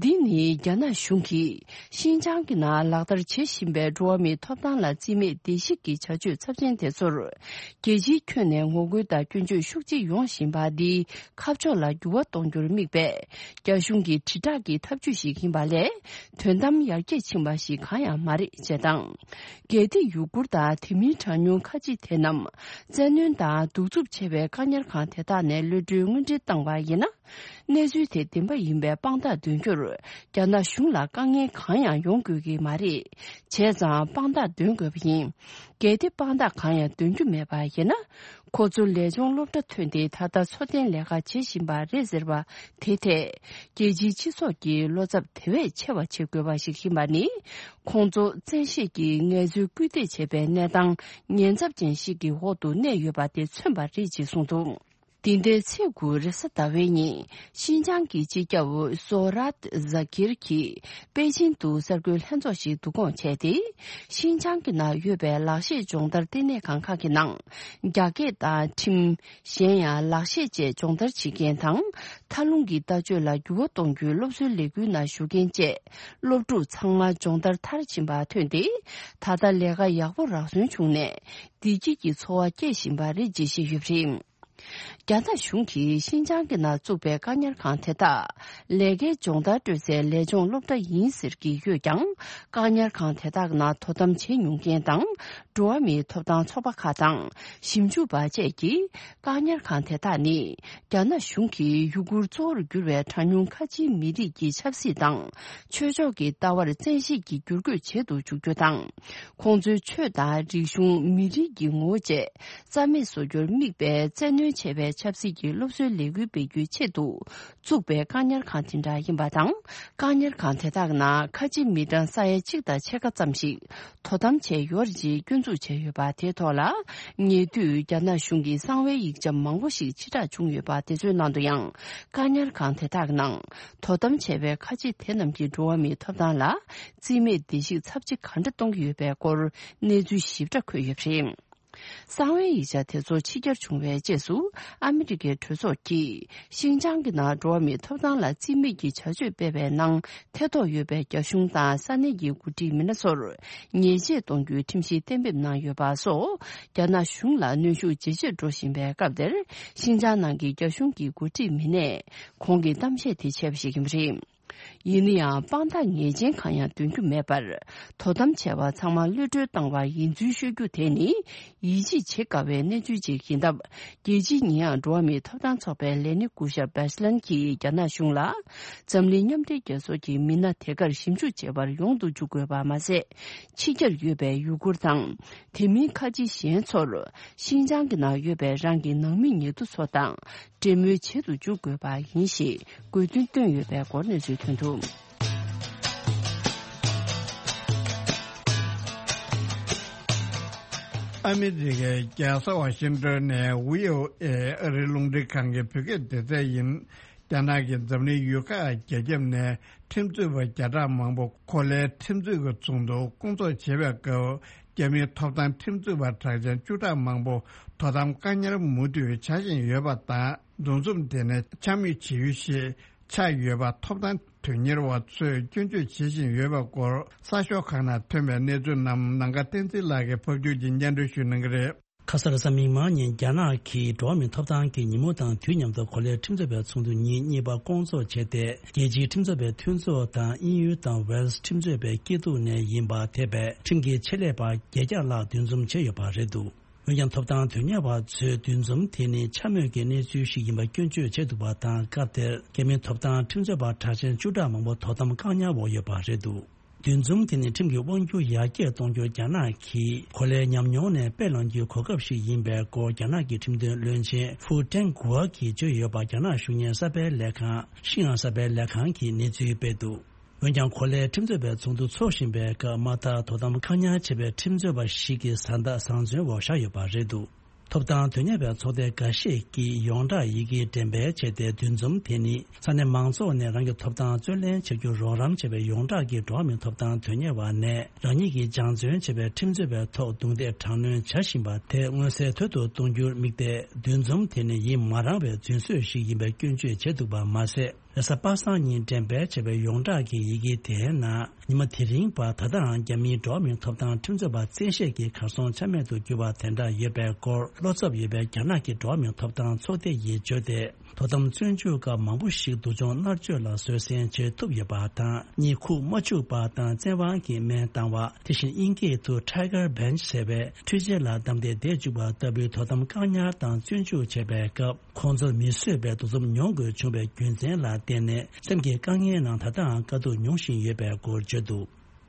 འདི་ནི་རྒྱ་ནག་གཞུང་གིས་ཤིན་ཅང་གི་ནང་ལག་བསྟར་བྱེད་བཞིན་པའི་འགྲོ་བ་མིའི་ཐོབ་ཐང་ལ་རྩིས་མེད་བརྡལ་བཤིག་གི་བྱ་སྤྱོད་ཚབས་ཆེན་དེ་ཚོར། རྒྱལ་སྤྱིའི་ཁྱོན་ནས་ངོ་རྒོལ་དང་སྐྱོན་བརྗོད་ཤུགས་ཆེ་ཡོང་བཞིན་པ་འདིའི་ཁ་ཕྱོགས་ལ་འགྱུར་བ་གཏོང་རྒྱུར་དམིགས་པའི་རྒྱ་གཞུང་གི་དྲིལ་བསྒྲགས་ཀྱི་ཐབས་ཇུས་ཤིག་ཡིན་པ་ལས། དོན་དམ་ཡར་རྒྱས་ཕྱིན་པ་ཞིག་གང་ཡང་མ་རེད་ཅེས་དང་། གལ་ཏེ་ཡུ་གུར་དང་དེ་མིན་གྲངས་ཉུང་ ཁ་ཆེ་དེ་རྣམས་བཙན་གནོན་དང་གདུག་རྩུབ་ཆེ་བའི་བཀག་ཉར་ཁང་དེ་དག་ནས་གློད་གྲོལ་དངོས་འབྲེལ་བཏང་བ་ཡིན་ན། གནས་ཚུལ་དེ་བདེན་པ་ཡིན་པའི་དཔང་རྟགས་འདོན་རྒྱུར་རྒྱ་ནག་གཞུང་ལ་དཀའ་ངལ་གང་ཡང་ཡོང་དགོས་ཀྱི་མ་རེད། བྱས་ཙང་དཔང་རྟགས་འདོན་དགོས་པ་ཡིན། གལ་ཏེ་དཔང་རྟགས་གང་ཡང་འདོན་རྒྱུ་མེད་པ་ཡིན་ན། ཁོ་ཚོ་ལས་སྦྱོང་སློབ་གྲྭ་ཐོན་ཏེ་ད་ལྟ་འཚོ་རྟེན་ལས་ཀ་བྱེད་བཞིན་པ་རེད་ཟེར་བ་དེ་ཐད། རྒྱལ་སྤྱིའི་སྤྱི་ཚོགས་ཀྱིས་བློ་འཚབ་དེ་བས་ཆེ་བ་བྱེད་དགོས་པ་ཞིག་ཡིན་པ་ནི། ཁོང་ཚོ་བཙན་ཤེད་ཀྱིས་ངལ་རྩོལ་སྐུལ་འདེད་བྱེད་པའི་གནས་སྟངས་ཉེན་ཚབས་ཅན་ཞིག་གི་འོག་ཏུ་གནས་ཡོད་པ་དེ་མཚོན་པ་རེད་ཅེས་གསུངས་འདུག། འདི་ཟླའི་ཚེས་དགུ་རེས་གཟའ་ཟླ་བའི་ཉིན་ཤིན་ཅང་གི་སྤྱི་ཁྱབ་སོ་རཱད་ཟ་ཀིར་གྱིས་པེ་ཅིན་དུ་གསར་འགོད་ལྷན་ཚོགས་ཤིག་བསྡུ་སྐོང་བྱས་ཏེ། ཤིན་ཅང་གི་ནང་ཡོད་པའི་ལག་ཤེས་སྦྱོང་བརྡར་ལྟེ་གནས་ཁང་ཁག་གི་ནང་རྒྱ་སྐད་དང་ཁྲིམས། གཞན་ཡང་ལག་ཤེས་བཅས་སྦྱོང་བརྡར་བྱེད་མཁན་དང་། མཐའ་ལྷུང་གི་ལྟ་སྤྱོད་ལ་འགྱུར་བ་གཏོང་རྒྱུའི་སློབ་གསོའི་ལས་འགུལ་ནང་ཞུགས་མཁན་བཅས་སློབ་ཕྲུག་ཚང་མ་སྦྱོང་བརྡར་མཐར་ཕྱིན་པ་ཐོན་ཏེ། ད་ལྟ་ལས་ཀ་ཡག་པོ་རག་སོན་བྱུང་ནས། བདེ་སྐྱིད་ཀྱི་འཚོ་བ་སྐྱེལ་བཞིན་པ་རེད་ཅེས་བཤད་ཡོད་པ་རེད། རྒྱ་ནག་གཞུང་གིས་ཤིན་ཅང་གི་ནང་བཙུགས་པའི་བཀག་ཉར་ཁང་དེ་དག་ལས་ཀའི་སྦྱོང་བརྡར་སྤྲོད་སའི་ལས་སྦྱོང་སློབ་གྲྭ་ཡིན་ཟེར་གྱི་ཡོད་ཀྱང་། བཀག་ཉར་ཁང་དེ་དག་ནང་དོ་དམ་བྱེད་མྱོང་མཁན་དང་། འགྲོ་བ་མིའི་ཐོབ་ཐང་ཚོགས་པ་ཁག་དང་ཞིབ་འཇུག་པ་བཅས་ཀྱིས། བཀག་ཉར་ཁང་དེ་དག་ནི་རྒྱ་ནག་གཞུང་གིས་ཡུ་གུར་གཙོ་བོར་གྱུར་བའི་གྲངས་ཉུང་ཁ་ཆེའི་མི་རིགས་ཀྱི་ཆབ་སྲིད་དང་ཆོས་ཕྱོགས་ཀྱི་ལྟ་བར་བཙན་ཤེད་ཀྱིས་བསྒྱུར་བཀོད་བྱེད་དུ་འཇུག་རྒྱུ་དང་། ཁོང་ཚོའི་ཆོས་དང་རིག་གཞུང་མི་རིགས་ཀྱི་ངོ་བོ་བཅས་རྩ་མེད་བཟོ་རྒྱུར་དམིགས་པའི་བཙན་གནོན་ཆེ་བའི་ཆབ་སྲིད་ཀྱི་སློབ་གསོའི་ལས་འགུལ་སྤེལ་རྒྱུའི་ཆེད་དུ་བཙུགས་པའི་བཀག་ཉར་ཁང་དེ་འདྲ་ཡིན་པ་དང་། བཀག་ཉར་ཁང་དེ་དག་ནང་ཁ་ཆེ་མི་གྲངས་ས་ཡ་གཅིག་དང་ཕྱེད་ཀ་ཙམ་ཞིག་དོ་དམ་བྱས་ཡོད་རེད་ཅེས་སྐྱོན་འཛུགས་བྱས་ཡོད་པ་དེའི་ཐོག་ལ། ཉེ་དུས་རྒྱ་ནག་གཞུང་གིས་གསང་བའི་ཡིག་ཆ་མང་པོ་ཞིག་ཕྱིར་བསྒྲགས་བྱུང་ཡོད་པ་དེ་ཚོའི་ནང་དུ་ཡང་། བཀག་ཉར་ཁང་དེ་དག་ནང་དོ་དམ་བྱས་པའི་ཁ་ཆེ་དེ་རྣམས་ཀྱིས་འགྲོ་བ་མིའི་ཐོབ་ཐང་ལ་རྩིས་མེད་བརྡལ་བཤིག་ཚབས་ཆེ་ག་འདྲ་གཏོང་གི་ཡོད་པའི་སྐོར་གནས་ཚུལ་ཞིབ་ཕྲ་འཁོད་ཡོད་པ་རེད། གསང་བའི་ཡིག་ཆ་དེ་ཚོ་ཕྱི་གྱར་བྱུང་བའི་རྗེས་སུ། ཨ་མི་རི་ཀའི་གྲོས་ཚོགས་ཀྱིས་ཤིན་ཅང་གི་ནང་འགྲོ་བ་མིའི་ཐོབ་ཐང་ལ་རྩིས་མེད་ཀྱི་བྱ་སྤྱོད་སྤེལ་བའི་ནང་ཐེ་གཏོགས་ཡོད་པའི་རྒྱ་གཞུང་དང་ས་གནས་ཀྱི་འགོ་ཁྲིད་མི་སྣ་ཚོར་ཉེས་ཆད་གཏོང་རྒྱུའི་ཁྲིམས་གཞི་གཏན་འབེབས་གནང་ཡོད་པ་སོགས། རྒྱ་ནག་གཞུང་ལ་གནོན་ཤུགས་ཇེ་ཆེར་འགྲོ་བཞིན་པའི་སྐབས་དེར། ཤིན་ཅང་ནང་གི་རྒྱ་གཞུང་གི་འགོ་ཁྲིད་མི་སྣས་ཁོང་གི་གཏམ་བཤད་དེ་བྱས་པ་ཞིག་ཡིན་པ་རེད། ཡིན་ན་ཡང་དཔང་རྟགས་ངེས་ཅན་གང་ཡང་འདོན་རྒྱུ་མེད་པར། དོ་དམ་བྱས་པ་ཚང་མ་གློད་གྲོལ་བཏང་བ་ཡིན་ཚུལ་ཤོད་རྒྱུ་དེ་ནི། ཡིད་ཆེས་བྱེད་དཀའ་བའི་གནས་ཚུལ་ཅིག་ཡིན་སྟབས། རྒྱལ་སྤྱིའི་ཉེས་ཡངས་འགྲོ་བ་མིའི་ཐོབ་ཐང་ཚོགས་པའི་ལས་སྣེ་སྐུ་ཞབས་བེ་སི་ལན་གྱིས་རྒྱ་ནག་གཞུང་ལ། འཛམ་གླིང་མཉམ་འབྲེལ་རྒྱལ་ཚོགས་ཀྱི་མི་སྣ་དེ་གར་ཞིབ་འཇུག་བྱེད་པར་ཡོང་དུ་འཇུག་དགོས་པ་མ་ཟད། ཕྱི་རྒྱལ་ཡོད་པའི་ཡུ་གུར་དང་། དེ་མིན་ཁ་ཆེ་གཞན་ཚོར། ཤིན་ཅང་གི་ནང་ཡོད་པའི་རང་གི་ནང་མི་ཉེ་དུ་ཚོ་དང་། འབྲེལ་མོལ་བྱེད་དུ་འཇུག་དགོས་པ་ཡིན་ཞེས་དགོས་འདུན་བཏོན་ཡོད་པའི་སྐོར་གནས་ཚུལ་ཐོན་འདུག། ཨ་མི་རི་ཀའི་རྒྱལ་ས་ཝ་ཤིང་ཏོན་ནས་བྷི་ཨོ་ཨེ་ཨ་རིའི་རླུང་འཕྲིན་ཁང་གི་བོད་སྐད་སྡེ་ཚན་ཡིན། རྒྱ་ནག་གིས་འཛམ་གླིང་ཡུལ་ཁག་བརྒྱ་ཁྱབ་ནས་ཁྲིམས་རྩོད་པ་བརྒྱ་ཕྲག་མང་པོ་གོ་ལའི་ཁྲིམས་རྩོད་ཀྱི་ཚོགས་འདུ་སྐོང་ཚོགས་བྱེད་པའི་སྐབས། རྒྱ་མིའི་ཐོབ་ཐང་ཁྲིམས་རྩོད་པ་གྲགས་ཅན་བཅུ་ཕྲག་མང་པོ་དོ་དམ་བཀག་ཉར་མུ་མཐུད་བྱ་བཞིན་ཡོད་པ་དང་། འདུ་འཛོམས་དེ་ནི་འཕྱ་སྨོད་བྱེད་ཡུལ་ཞིག་ཆགས་ཡོད་པ་ཐོབ་ཐང་དོན་གཉེར་བ་ཚོས་སྐྱོན་བརྗོད་བྱེད་བཞིན་ཡོད་པའི་སྐོར་གསར་ཤོག་ཁག་ནང་ཐོན་པའི་གནས་ཚུལ་རྣམས་ནམ་མཁའ་བསྟན་འཛིན་ལགས་ཀྱིས་ཕབ་སྒྱུར་གྱིས་སྙན་སྒྲོན་ཞུ་གནང་གི་རེད། ཁ་སང་རེས་གཟའ་མིག་དམར་ཉིན་རྒྱ་ནག་གིས་འགྲོ་བ་མིའི་ཐོབ་ཐང་གི་ཉིན་མོ་དང་དུས་མཉམ་དུ་གོ་ལའི་ཁྲིམས་རྩོད་པའི་ཚོགས་འདུ་ཉིན་གཉིས་པ་སྐོང་ཚོགས་བྱས་ཏེ། རྒྱལ་སྤྱིའི་ཁྲིམས་རྩོད་པའི་མཐུན་ཚོགས་དང་དབྱིན་ཡུལ་དང་ཝེལ་སི་ཁྲིམས་རྩོད་པའི་སྐྱིད་སྡུག་ནས་ཡིན་པ་ཐེ་བའི་ཁྲིམས་ཀྱི་ཆེད་ལས་པ་བརྒྱད་བརྒྱ་ལྷག་འདུ་འཛོམས་བྱས་ཡོད་པ་རེད་འདུག། འོན་ཀྱང་ཐོབ་ཐང་དོན་གཉེར་བ་ཚོས་འདུ་འཛོམས་དེ་ནི་འཕྱ་སྨོད་ཀྱི་གནས་ཚུལ་ཞིག་ཡིན་པ་སྐྱོན་བརྗོད་བྱས་འདུག་པ་དང་། སྐབས་དེར་རྒྱ་མིའི་ཐོབ་ཐང་ཁྲིམས་རྩོད་པ་གྲགས་ཅན་བཅུ་ཕྲག་མང་པོ་དོ་དམ་བཀག་ཉར་འོག་ཡོད་པ་རེད་འདུག། འདུ་འཛོམས་དེ་ནི་ཁྲིམས་ཀྱི་དབང་སྒྱུར་ཡར་རྒྱས་གཏོང་རྒྱུར་རྒྱ་ནག་གིས་གོ་ལའི་ཉམས་མྱོང་ནས་དཔེ་བླངས་རྒྱུའི་གོ་སྐབས་ཤིག་ཡིན་པའི་སྐོར། རྒྱ་ནག་གི་ཁྲིམས་དོན་བློན་ཆེན་ཧྥུ་ཀྲེང་གུའེ་གིས་བརྗོད་ཡོད་པ། རྒྱ་ནག་གཞུང་གཉེར་གསར་སྤེལ་ལས་ཁང་ཤིན་ཨང་གསར་སྤེལ་ལས་ཁང་གིས་གནས་ཚུལ་སྤེལ་འདུག། འོན་ཀྱང་གོ་ལའི་ཁྲིམས་རྩོད་པའི་ཚོགས་འདུ་འཚོགས་བཞིན་པའི་སྐབས། མ་མཐར་དོ་དམ་བཀག་ཉར་བྱས་པའི་ཁྲིམས་རྩོད་པ་ཞིག་གི་བཟའ་ཟླ་བཟང་བཙོན་འོག་བཞག་ཡོད་པ་རེད་འདུག། ཐོབ་ཐང་དོན་གཉེར་བའི་ཚོགས་སྡེ་འགའ་ཤས་ཀྱིས་ཡོངས་གྲགས་ཡི་གེ་འགྲེམས་སྤེལ་བྱས་ཏེ། འདུ་འཛོམས་དེ་ནི་ས་གནས་མང་ཚོགས་ནས་རང་གི་ཐོབ་ཐང་རྩོད་ལེན་བྱ་རྒྱུར་རོགས་རམ་བྱས་པའི་ཡོངས་གྲགས་ཀྱི་འགྲོ་བ་མིའི་ཐོབ་ཐང་དོན་གཉེར་བ་ནས། རང་ཉིད་ཀྱིས་སྦྱང་བརྩོན་བྱས་པའི་ཁྲིམས་རྩོད་པའི་ཐོག་རྡུང་རྡེག་དྲག་གནོན་བྱ་བཞིན་པ་དེ་མངོན་གསལ་དོད་དུ་གཏོང་རྒྱུར་དམིགས་ཏེ། འདུ་འཛོམས་དེ་ནི་ཡིད་མ་རངས་པའི་རྫུན་བཟོས་ཤིག་ཡིན་པའི་སྐྱོན་བརྗོད་བྱས་འདུག་པ་མ་ཟད། རེས་གཟའ་པ་སངས་ཉིན་འགྲེམས་སྤེལ་བྱས་པའི་ཡོངས་གྲགས་ཀྱི་ཡི་གེ་དེའི་ནང་ ཉི་མ་དེ་རིང་བར་ད་ལྟའང་རྒྱ་མིའི་འགྲོ་བ་མིའི་ཐོབ་ཐང་ཁྲིམས་རྩོད་པ་བཙན་ཤེད་ཀྱིས་གར་སོང་ཆ་མེད་དུ་གྱུར་བ་དེ་འདྲ་ཡོད་པའི་སྐོར། བློ་འཚབ་ཡོད་པའི་རྒྱ་ནག་གི་འགྲོ་བ་མིའི་ཐོབ་ཐང་ཚོགས་སྡེ་ཡིས་བརྗོད་དེ། དོ་དམ་བཙོན་འཇུག་སྐབས་མང་པོ་ཞིག་སྡུག་སྦྱོང་མནར་གཅོད་ལ་བཟོད་བསྲན་བྱེད་ཐུབ་ཡོད་པ་དང་། གཉིད་ཁུག་མ་བཅུག་པ་དང་བཙན་དབང་གིས་སྨན་བཏང་བ། དེ་བཞིན་དབྱིན་སྐད་དུ་Tiger Bench ཟེར་བའི་འཕྲུལ་ཆས་ལ་བསྡམས་ཏེ་བསྡད་བཅུག་པ་ལྟ་བུའི་དོ་དམ་བཀག་ཉར་དང་བཙོན་འཇུག་བྱས་པའི་སྐབས། ཁོང་ཚོར་མི་བཟོད་པའི་འདུ་འཛོམས་མྱོང་དགོས་བྱུང་བའི་རྒྱུ་མཚན་ལ་བརྟེན་ནས། སེམས་ཀྱི་དཀའ་ངལ་ནང་ད་ལྟའང་དཀའ་སྡུག་མྱོང་བཞིན་ཡོད་པའི་སྐོར་བརྗོད་འདུག་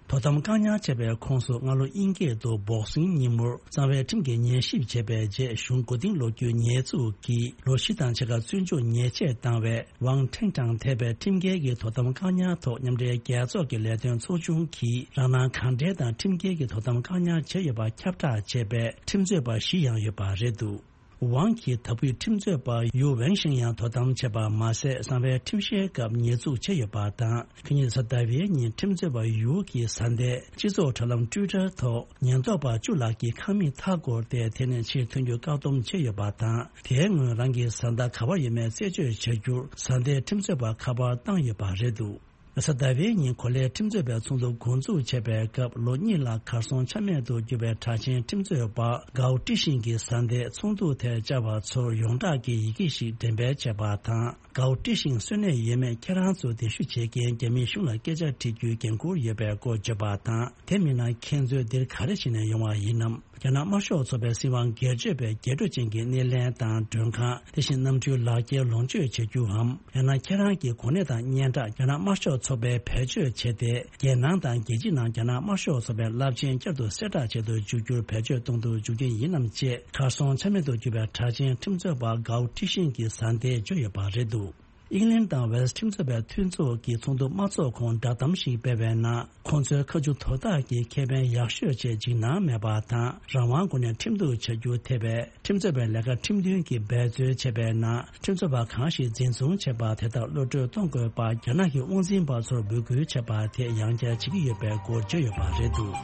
དོ་དམ་བཀག་ཉར་བྱས་པའི་ཁོངས་སུ། སྔ་ལོ་དབྱིན་སྐད་དུ་Boxing ཉིན་མོར་གསང་བའི་ཁྲིམས་ཀྱི་ཉན་ཞིབ་བྱས་པའི་རྗེས། གཞུང་མགོ་རྟིང་སློག་རྒྱུའི་ཉེས་འཛུགས་ཀྱིས་ལོ་བཞི་དང་ཕྱེད་ཀ་བཙོན་འཇུག་ཉེས་ཆད་བཏང་བའི། Wang Tingtang ཐེ་བའི་ཁྲིམས་འགལ་གྱི་དོ་དམ་བཀག་ཉར་ཐོག་མཉམ་འབྲེལ་རྒྱལ་ཚོགས་ཀྱི་ལས་དོན་ཚོགས་ཆུང་གིས། རང་སྣང་གང་དྲན་དང་ཁྲིམས་འགལ་གྱི་དོ་དམ་བཀག་ཉར་བྱས་ཡོད་པ་ཁྱབ་བསྒྲགས་བྱས་པའི་ཁྲིམས་རྩོད་པ་བཞི་ཡང་ཡོད་པ་རེད་འདུག Wang གིས་ད་བར་ཁྲིམས་རྩོད་པ་Yu Wenxiang ཡང་དོ་དམ་བྱས་པ་མ་ཟད། གསང་བའི་ཁྲིམས་བཤེར་སྐབས་ཉེས་འཛུགས་བྱས་ཡོད་པ་དང་། ཁ་ཉིན་གཟའ་ཟླ་བའི་ཉིན་ཁྲིམས་རྩོད་པ་Yu གིས་གཟའ་ཟླའི་སྤྱི་ཚོགས་དྲ་ལམ་Twitter ཐོག་ཉེན་རྟོག་པ་བཅུ་ལྷག་གིས་ཁང་མིག་མཐའ་བསྐོར་ཏེ། དེ་ནས་ཕྱིར་ཐོན་རྒྱུ་བཀག་སྡོམ་བྱས་ཡོད་པ་དང་། དེའི་སྔོན་རང་གི་བཟའ་ཟླ་ག་པར་ཡོད་མེད་རྩད་གཅོད་བྱ་རྒྱུར། གཟའ་ཟླའི་ཁྲིམས་རྩོད་པ་ཁ་པར་བཏང་ཡོད་པ་རེད་འདུག་གཟའ་ཟླ་བའི་ཉིན་གོ་ལའི་ཁྲིམས་རྩོད་པའི་ཚོགས་འདུ་འགོ་འཛུགས་བྱས་པའི་སྐབས། ལོ་གཉིས་ལ་གར་སོང་ཆ་མེད་དུ་གྱུར་པའི་གྲགས་ཅན་ཁྲིམས་རྩོད་པ་Gao Tixing གྱིས་གཟའ་ཟླའི་ཚོགས་འདུ་དེར་བཅར་བ་ཚོར་ཡོངས་གྲགས་ཀྱི་ཡི་གེ་ཞིག་འགྲེམས་སྤེལ་བྱས་པ་དང་། Gao Tixing གསོན་གནས་ཡོད་མེད་ཁྱེད་རང་ཚོ་འདེམས་ཞུ་བྱེད་མཁན་རྒྱ་མིའི་གཞུང་ལ་སྐད་ཆ་དྲི་རྒྱུའི་འགན་འཁུར་ཡོད་པའི་སྐོར་བརྗོད་པ་དང་། དེ་མིན་ན་ཁྱེད་ཚོས་འདིར་ག་རེ་བྱས་ནས་ཡོང་བ་ཡིན་ནམ། རྒྱ་ནག་དམར་ཤོག་ཚོགས་པའི་སྲིད་དབང་སྒེར་གཅོད་པའི་རྒྱས་སྤྲོས་ཅན་གྱི་སྣེ་ལེན་དང་མགྲོན་ཁང་། དེ་བཞིན་གནམ་གྲུའི་ལག་འཁྱེར་ལོངས་སྤྱོད་བྱ་རྒྱུའམ། ཡང་ན་ཁྱེད་རང་གི་གོ་གནས་དང་སྙན་གྲགས་རྒྱ་ནག་དམར་ཤོག་ཚོགས་པས་བེད་སྤྱོད་བྱས་ཏེ། རྒྱལ་ནང་དང་རྒྱལ་ཕྱི་ནང་རྒྱ་ནག་དམར་ཤོག་ཚོགས་པའི་རླབས་ཆེན་བསྐྱར་དུ་གསལ་བསྒྲགས་བྱེད་དུ་འཇུག་རྒྱུར་བེད་སྤྱོད་གཏོང་དུ་འཇུག་རྒྱུ་ཡིན་ནམ་ཅེས། གར་སོང་ཆ་མེད་དུ་གྱུར་པའི་གྲགས་ཅན་ཁྲིམས་རྩོད་པ་Gao Tixing གྱིས་གཟའ་ཟླའི་བརྗོད་ཡོད་པ་རེད་འདུག་ཨིང་ལན་དང་ཝེལ་ཁྲིམས་རྩོད་པའི་མཐུན་ཚོགས་ཀྱིས་ཚོགས་འདུ་མ་འཚོགས་གོང་བསྒྲགས་གཏམ་ཞིག་སྤེལ་བའི་ནང་། ཁོང་ཚོའི་ཁ་མཆུ་དོར་ཐག་གི་ཁེ་ཕན་ཡག་ཤོས་ཆེད་འཇིགས་སྣང་མེད་པ་དང་། རང་དབང་སྒོ་ནས་ཁྲིམས་གཏུག་བྱ་རྒྱུ་ཐེ་བའི་ཁྲིམས་རྩོད་པའི་ལས་ཀ་ཁྲིམས་མཐུན་གྱིས་འབད་རྩོལ་བྱས་པའི་ནང་། ཁྲིམས་རྩོད་པ་གང་ཞིག་འཛིན་བཟུང་བྱས་པ་དེ་དག་གློད་གྲོལ་གཏོང་དགོས་པ་རྒྱ་ནག་གི་དབང་འཛིན་པ་ཚོར་འབོད་སྐུལ་བྱས་པ་དེ་ཡང་བསྐྱར་བྱེད་ཀྱི་ཡོད་པའི་སྐོར་བརྗོད་ཡོད་པ་རེད་འདུག་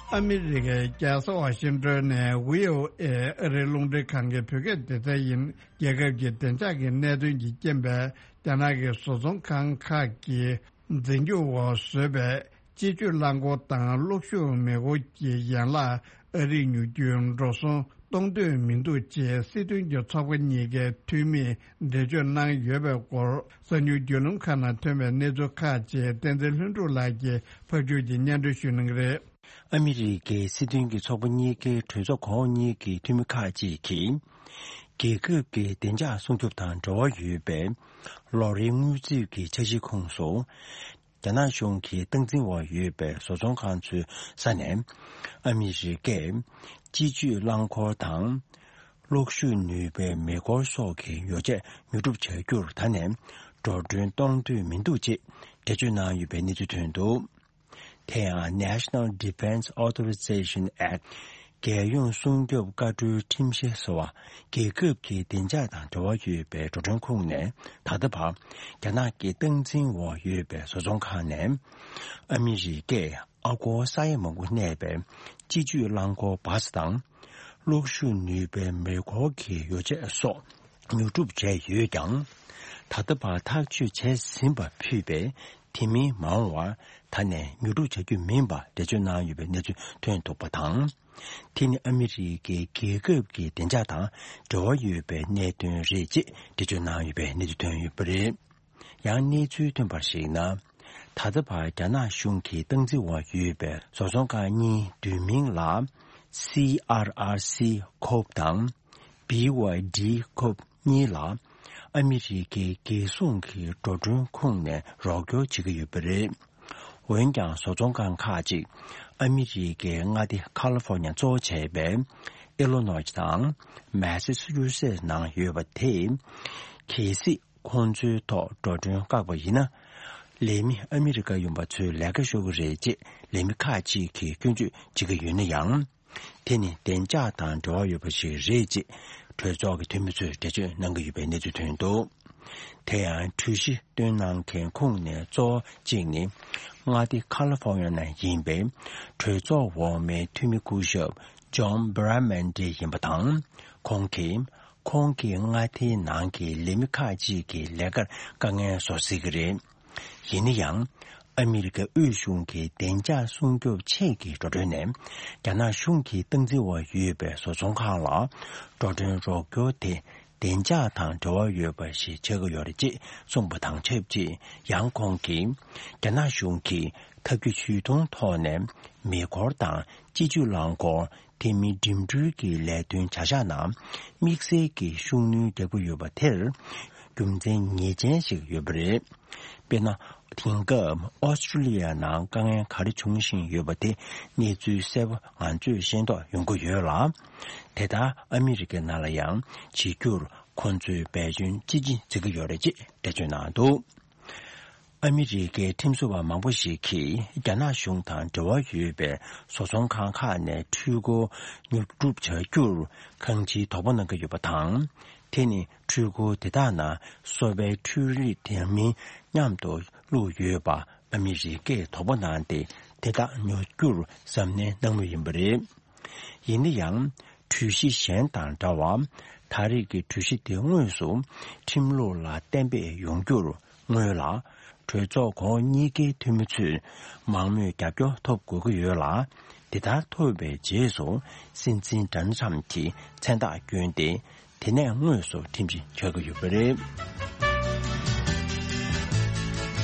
ཨ་མི་རི་ཀའི་རྒྱལ་ས་ཝ་ཤིང་ཏོན་ནས་ཝི་ཨོ་ཨེ་ཨ་རིའི་རླུང་འཕྲིན་ཁང་གི་བོད་སྐད་སྡེ་ཚན་ཡིན། རྒྱལ་ཁབ་ཀྱི་བདེ་འཇགས་ཀྱི་གནད་དོན་གྱི་རྐྱེན་པས། རྒྱ་ནག་གི་བཟོ་ཚོང་ཁང་ཁག་གིས་འཛིན་སྐྱོང་འོག་བཟོས་པའི་སྤྱི་སྤྱོད་རླངས་འཁོར་དང་གློག་ཤུགས་མེ་འཁོར་གྱི་ཡན་ལག་ཨ་རིར་ཉོ་རྒྱུའི་འགྲོ་སོང་གཏོང་འདོད་མི་འདུག་ཅེས་སྲིད་དོན་གྱི་ཚོགས་པ་གཉིས་ཀའི་འཐུས་མིས་འགྲེལ་བརྗོད་གནང་ཡོད་པའི་སྐོར། གསར་འགྱུར་བརྒྱུད་ལམ་ཁག་ནང་ཐོན་པའི་གནས་ཚུལ་ཁག་ཅིག་བསྟན་འཛིན་ལྷུན་གྲུབ་ལགས་ཀྱིས་ཕབ་སྒྱུར་གྱིས་སྙན་སྒྲོན་ཞུ་གནང་གི་རེད། ཨ་མི་རི་ཀའི་སྲིད་དོན་གྱི་ཚོགས་པ་གཉིས་ཀའི་གྲོས་ཚོགས་ཁག་གཉིས་ཀྱི་འཐུས་མི་ཁག་ཅིག་གིས། རྒྱལ་ཁབ་ཀྱི་བདེ་འཇགས་སྲུང་སྐྱོབ་དང་འབྲེལ་བ་ཡོད་པའི་ལོ་རེའི་དངུལ་རྩིས་ཀྱི་འཆར་གཞིའི་ཁོངས་སུ། རྒྱ་ནག་གཞུང་གིས་སྟངས་འཛིན་འོག་ཡོད་པའི་བཟོ་ཚོང་ཁང་ཚོའི་ས་ནས། ཨ་མི་རི་ཀས་སྤྱི་སྤྱོད་རླངས་འཁོར་དང་། གློག་ཤུགས་ནུས་པའི་མེ་འཁོར་སོགས་ཀྱི་ཡོ་བྱད་ཉོ་སྒྲུབ་བྱ་རྒྱུར་ད་ནས་འགྲོ་གྲོན་གཏོང་འདོད་མི་འདུག་ཅེས་འགྲེལ་བརྗོད་གནང་ཡོད་པའི་གནས་ཚུལ་ཐོན་འདུག་དེ་ཡང་National Defense Authorization Act རྒྱལ་ཡོངས་སྲུང་སྐྱོབ་བཀའ་འཁྲོལ་ཁྲིམས་གཞི་ཟེར་བ། རྒྱལ་ཁབ་ཀྱི་བདེ་འཇགས་དང་འབྲེལ་བ་ཡོད་པའི་འགྲོ་གྲོན་ཁོངས་ནས་ད་ལྟ་བར་རྒྱ་ནག་གི་སྟངས་འཛིན་འོག་ཡོད་པའི་བཟོ་ཚོང་ཁང་ནས། ཨ་མི་རི་ཀས་ཨ་སྒོར་ས་ཡ་མང་པོ་གནས་པའི་སྤྱི་སྤྱོད་རླངས་འཁོར་བཱ་སི་དང་། གློག་ཤུགས་ནུས་པའི་མེ་འཁོར་གྱི་ཡོ་བྱད་སོགས་ཉོ་སྒྲུབ་བྱས་ཡོད་ཀྱང་། ད་ལྟ་བར་ཐག་གཅོད་བྱས་ཟིན་པ་ཕུད་པའི་དེ་མིན་མ་འོངས་པར་ད་ནས་ཉོ་སྒྲུབ་བྱ་རྒྱུ་མིན་པ་འགྲེལ་བརྗོད་གནང་ཡོད་པའི་གནས་ཚུལ་ཐོན་འདུག་པ་དང་། དེ་ནི་ཨ་མི་རི་ཀའི་རྒྱལ་ཁབ་ཀྱི་བདེ་འཇགས་དང་འབྲེལ་བ་ཡོད་པའི་གནད་དོན་རེད་ཅེས་འགྲེལ་བརྗོད་གནང་ཡོད་པའི་གནས་ཚུལ་ཐོན་ཡོད་པ་རེད། ཡང་གནས་ཚུལ་ཐོན་པར་གཞིགས་ན། ད་ལྟ་བར་རྒྱ་ནག་གཞུང་གི་སྟངས་འཛིན་འོག་ཡོད་པའི་བཟོ་ཚོང་ཁང་གཉིས་བསྡུས་མིང་ལ་སི་ཨར་ཨར་སི་ཁོབ་དང་། བི་ཝའི་ཌི་ཁོབ་གཉིས་ལ་ཨ་མི་རི་ཀའི་རྒྱལ་སྲུང་གི་འགྲོ་གྲོན་ཁོངས་ནས་རོགས་སྐྱོར་བྱེད་ཀྱི་ཡོད་པ་རེད། འོན་ཀྱང་བཟོ་ཚོང་ཁང་ཁག་ཅིག་ཨ་མི་རི་ཀའི་མངའ་སྡེ་ཁ་ལི་ཧྥོ་ནི་ཡ་གཙོ་བོ་བྱས་པའི་ཨི་ལོ་ནོས་དང་མེ་སི་ཆུ་སེ་ནང་ཡོད་པ་དེས། གལ་སྲིད་ཁོང་ཚོའི་ཐོག་འགྲོ་གྲོན་བཀག་པ་ཡིན་ན། ལས་མི་ཨ་མི་རི་ཀ་ཡིན་པ་ཚོའི་ལས་ཀ་ཤོར་གྱི་རེད་ཅེས་ལས་མི་ཁག་ཅིག་གིས་སྐྱོན་བརྗོད་བྱེད་ཀྱི་ཡོད་ན་ཡང་། དེ་ནི་བདེ་འཇགས་དང་འབྲེལ་བ་ཡོད་པ་ཞིག་རེད་ཅེས་གྲོས་ཚོགས་ཀྱི་འཐུས་མི་ཚོས་འགྲེལ་བརྗོད་གནང་གི་ཡོད་པའི་གནས་ཚུལ་ཐོན་འདུག་དེ་ཡང་གྲོས་གཞི་བཏོན་གནང་མཁན་ཁོངས་ནས་གཙོ་བོ་གཅིག་ནི། མངའ་སྡེ་ཁ་ལི་ཧྥོ་ནི་ཡ་ནང་ཡིན་པའི་གྲོས་ཚོགས་འོག་མའི་འཐུས་མི་སྐུ་ཞབས་ཇོན་བྷི་ར་མན་ཏི་ཡིན་པ་དང་། ཁོང་གིས། ཁོང་གིས་མངའ་སྡེའི་ནང་གི་ལས་མི་ཁག་ཅིག་གི་ལས་ཀར་དཀའ་ངལ་བཟོ་སྲིད་ཀྱི་རེད། ཡིན་ན་ཡང་། ཨ་མི་རི་ཀའི་དབུས་གཞུང་གི་བདེ་འཇགས་སྲུང་སྐྱོབ་ཆེད་ཀྱི་འགྲོ་གྲོན་ནས། རྒྱ་ནག་གཞུང་གིས་སྟངས་འཛིན་འོག་ཡོད་པའི་བཟོ་ཚོང་ཁང་ལ། འགྲོ་གྲོན་རོགས་སྐྱོར་དེ། བདེ་འཇགས་དང་འབྲེལ་བ་ཡོད་པ་ཞིག་ཆགས་ཀྱི་ཡོད་རེད་ཅེས་གསུངས་པ་དང་ཆབས་ཅིག། ཡང་ཁོང་གིས། རྒྱ་ནག་གཞུང་གིས་ཐབས་ཇུས་ཇུས་གཏོང་ཐོག་ནས། མེ་འཁོར་དང་སྤྱི་སྤྱོད་རླངས་འཁོར། དེ་མིན་འགྲིམ་འགྲུལ་གྱི་ལས་དོན་བྱ་གཞག་ནང་། དམིགས་བསལ་གྱི་ཤུགས་སྣོན་རྒྱག་གི་ཡོད་པ་དེར། རྒྱུ་མཚན་ངེས་ཅན་ཞིག་ཡོད་པ་རེད། དཔེར་ན། དེང་སྐབས་ཨོ་སི་ཀྲུ་ལི་ཡ་ནང་དཀའ་ངལ་ག་རེ་འབྱུང་བཞིན་ཡོད་པ་དེ་གནས་ཚུལ་གསལ་པོ་ང་ཚོས་ཤེས་རྟོགས་ཡོང་གི་ཡོད་ལ། དེ་ལྟར་ཨ་མི་རི་ཀའི་ནང་ལ་ཡང་བྱེད་རྒྱུར་ཁོང་ཚོས་འབད་བརྩོན་ཅི་ཆེ་བྱེད་ཀྱི་ཡོད་རེད་ཅེས་འགྲེལ་བརྗོད་གནང་འདུག། ཨ་མི་རི་ཀའི་ཁྲིམས་བཟོ་བ་མང་པོ་ཞིག་གིས་རྒྱ་ནག་གཞུང་དང་འབྲེལ་བ་ཡོད་པའི་བཟོ་ཚོང་ཁང་ཁག་ནས་འཕྲུལ་འཁོར་ཉོ་སྒྲུབ་བྱ་རྒྱུར་གང་ཅིའི་དོགས་པ་གནང་གི་ཡོད་པ་དང་། དེ་ནི་འཕྲུལ་འཁོར་དེ་དག་ནང་སོ་པའི་འཕྲུལ་རིག་དེ་མིན་མཉམ་དུ་བླུགས་ཡོད་པ་ཨ་མི་རི་ཀས་དོགས་པ་གནང་སྟེ། དེ་དག་ཉོ་རྒྱུར་གཟབ་ནན་གནང་མུས་ཡིན་པ་རེད། ཡིན་ན་ཡང་། གྲོས་གཞི་གཞན་དང་འདྲ་བར། ད་རེས་ཀྱི་གྲོས་གཞི་དེ་དངོས་སུ་ཁྲིམས་ལུགས་ལ་གཏན་འབེབས་ཡོང་རྒྱུར་སྔོན་ལ། གྲོས་ཚོགས་གོང་འོག་གཉིས་ཀའི་འཐུས་མི་ཚོས་མང་མོས་རྒྱབ་སྐྱོར་ཐོབ་དགོས་ཀྱི་ཡོད་ལ། དེ་ལྟར་ཐོབ་པའི་རྗེས་སུ་སྲིད་འཛིན་ཌོ་ནལ་ཊམ་གྱིས་མཚན་རྟགས་བསྐྱོན་ཏེ། དེ་ནས་དངོས་སུ་ཁྲིམས་གཞི་འཆར་གྱི་ཡོད་པ་རེད།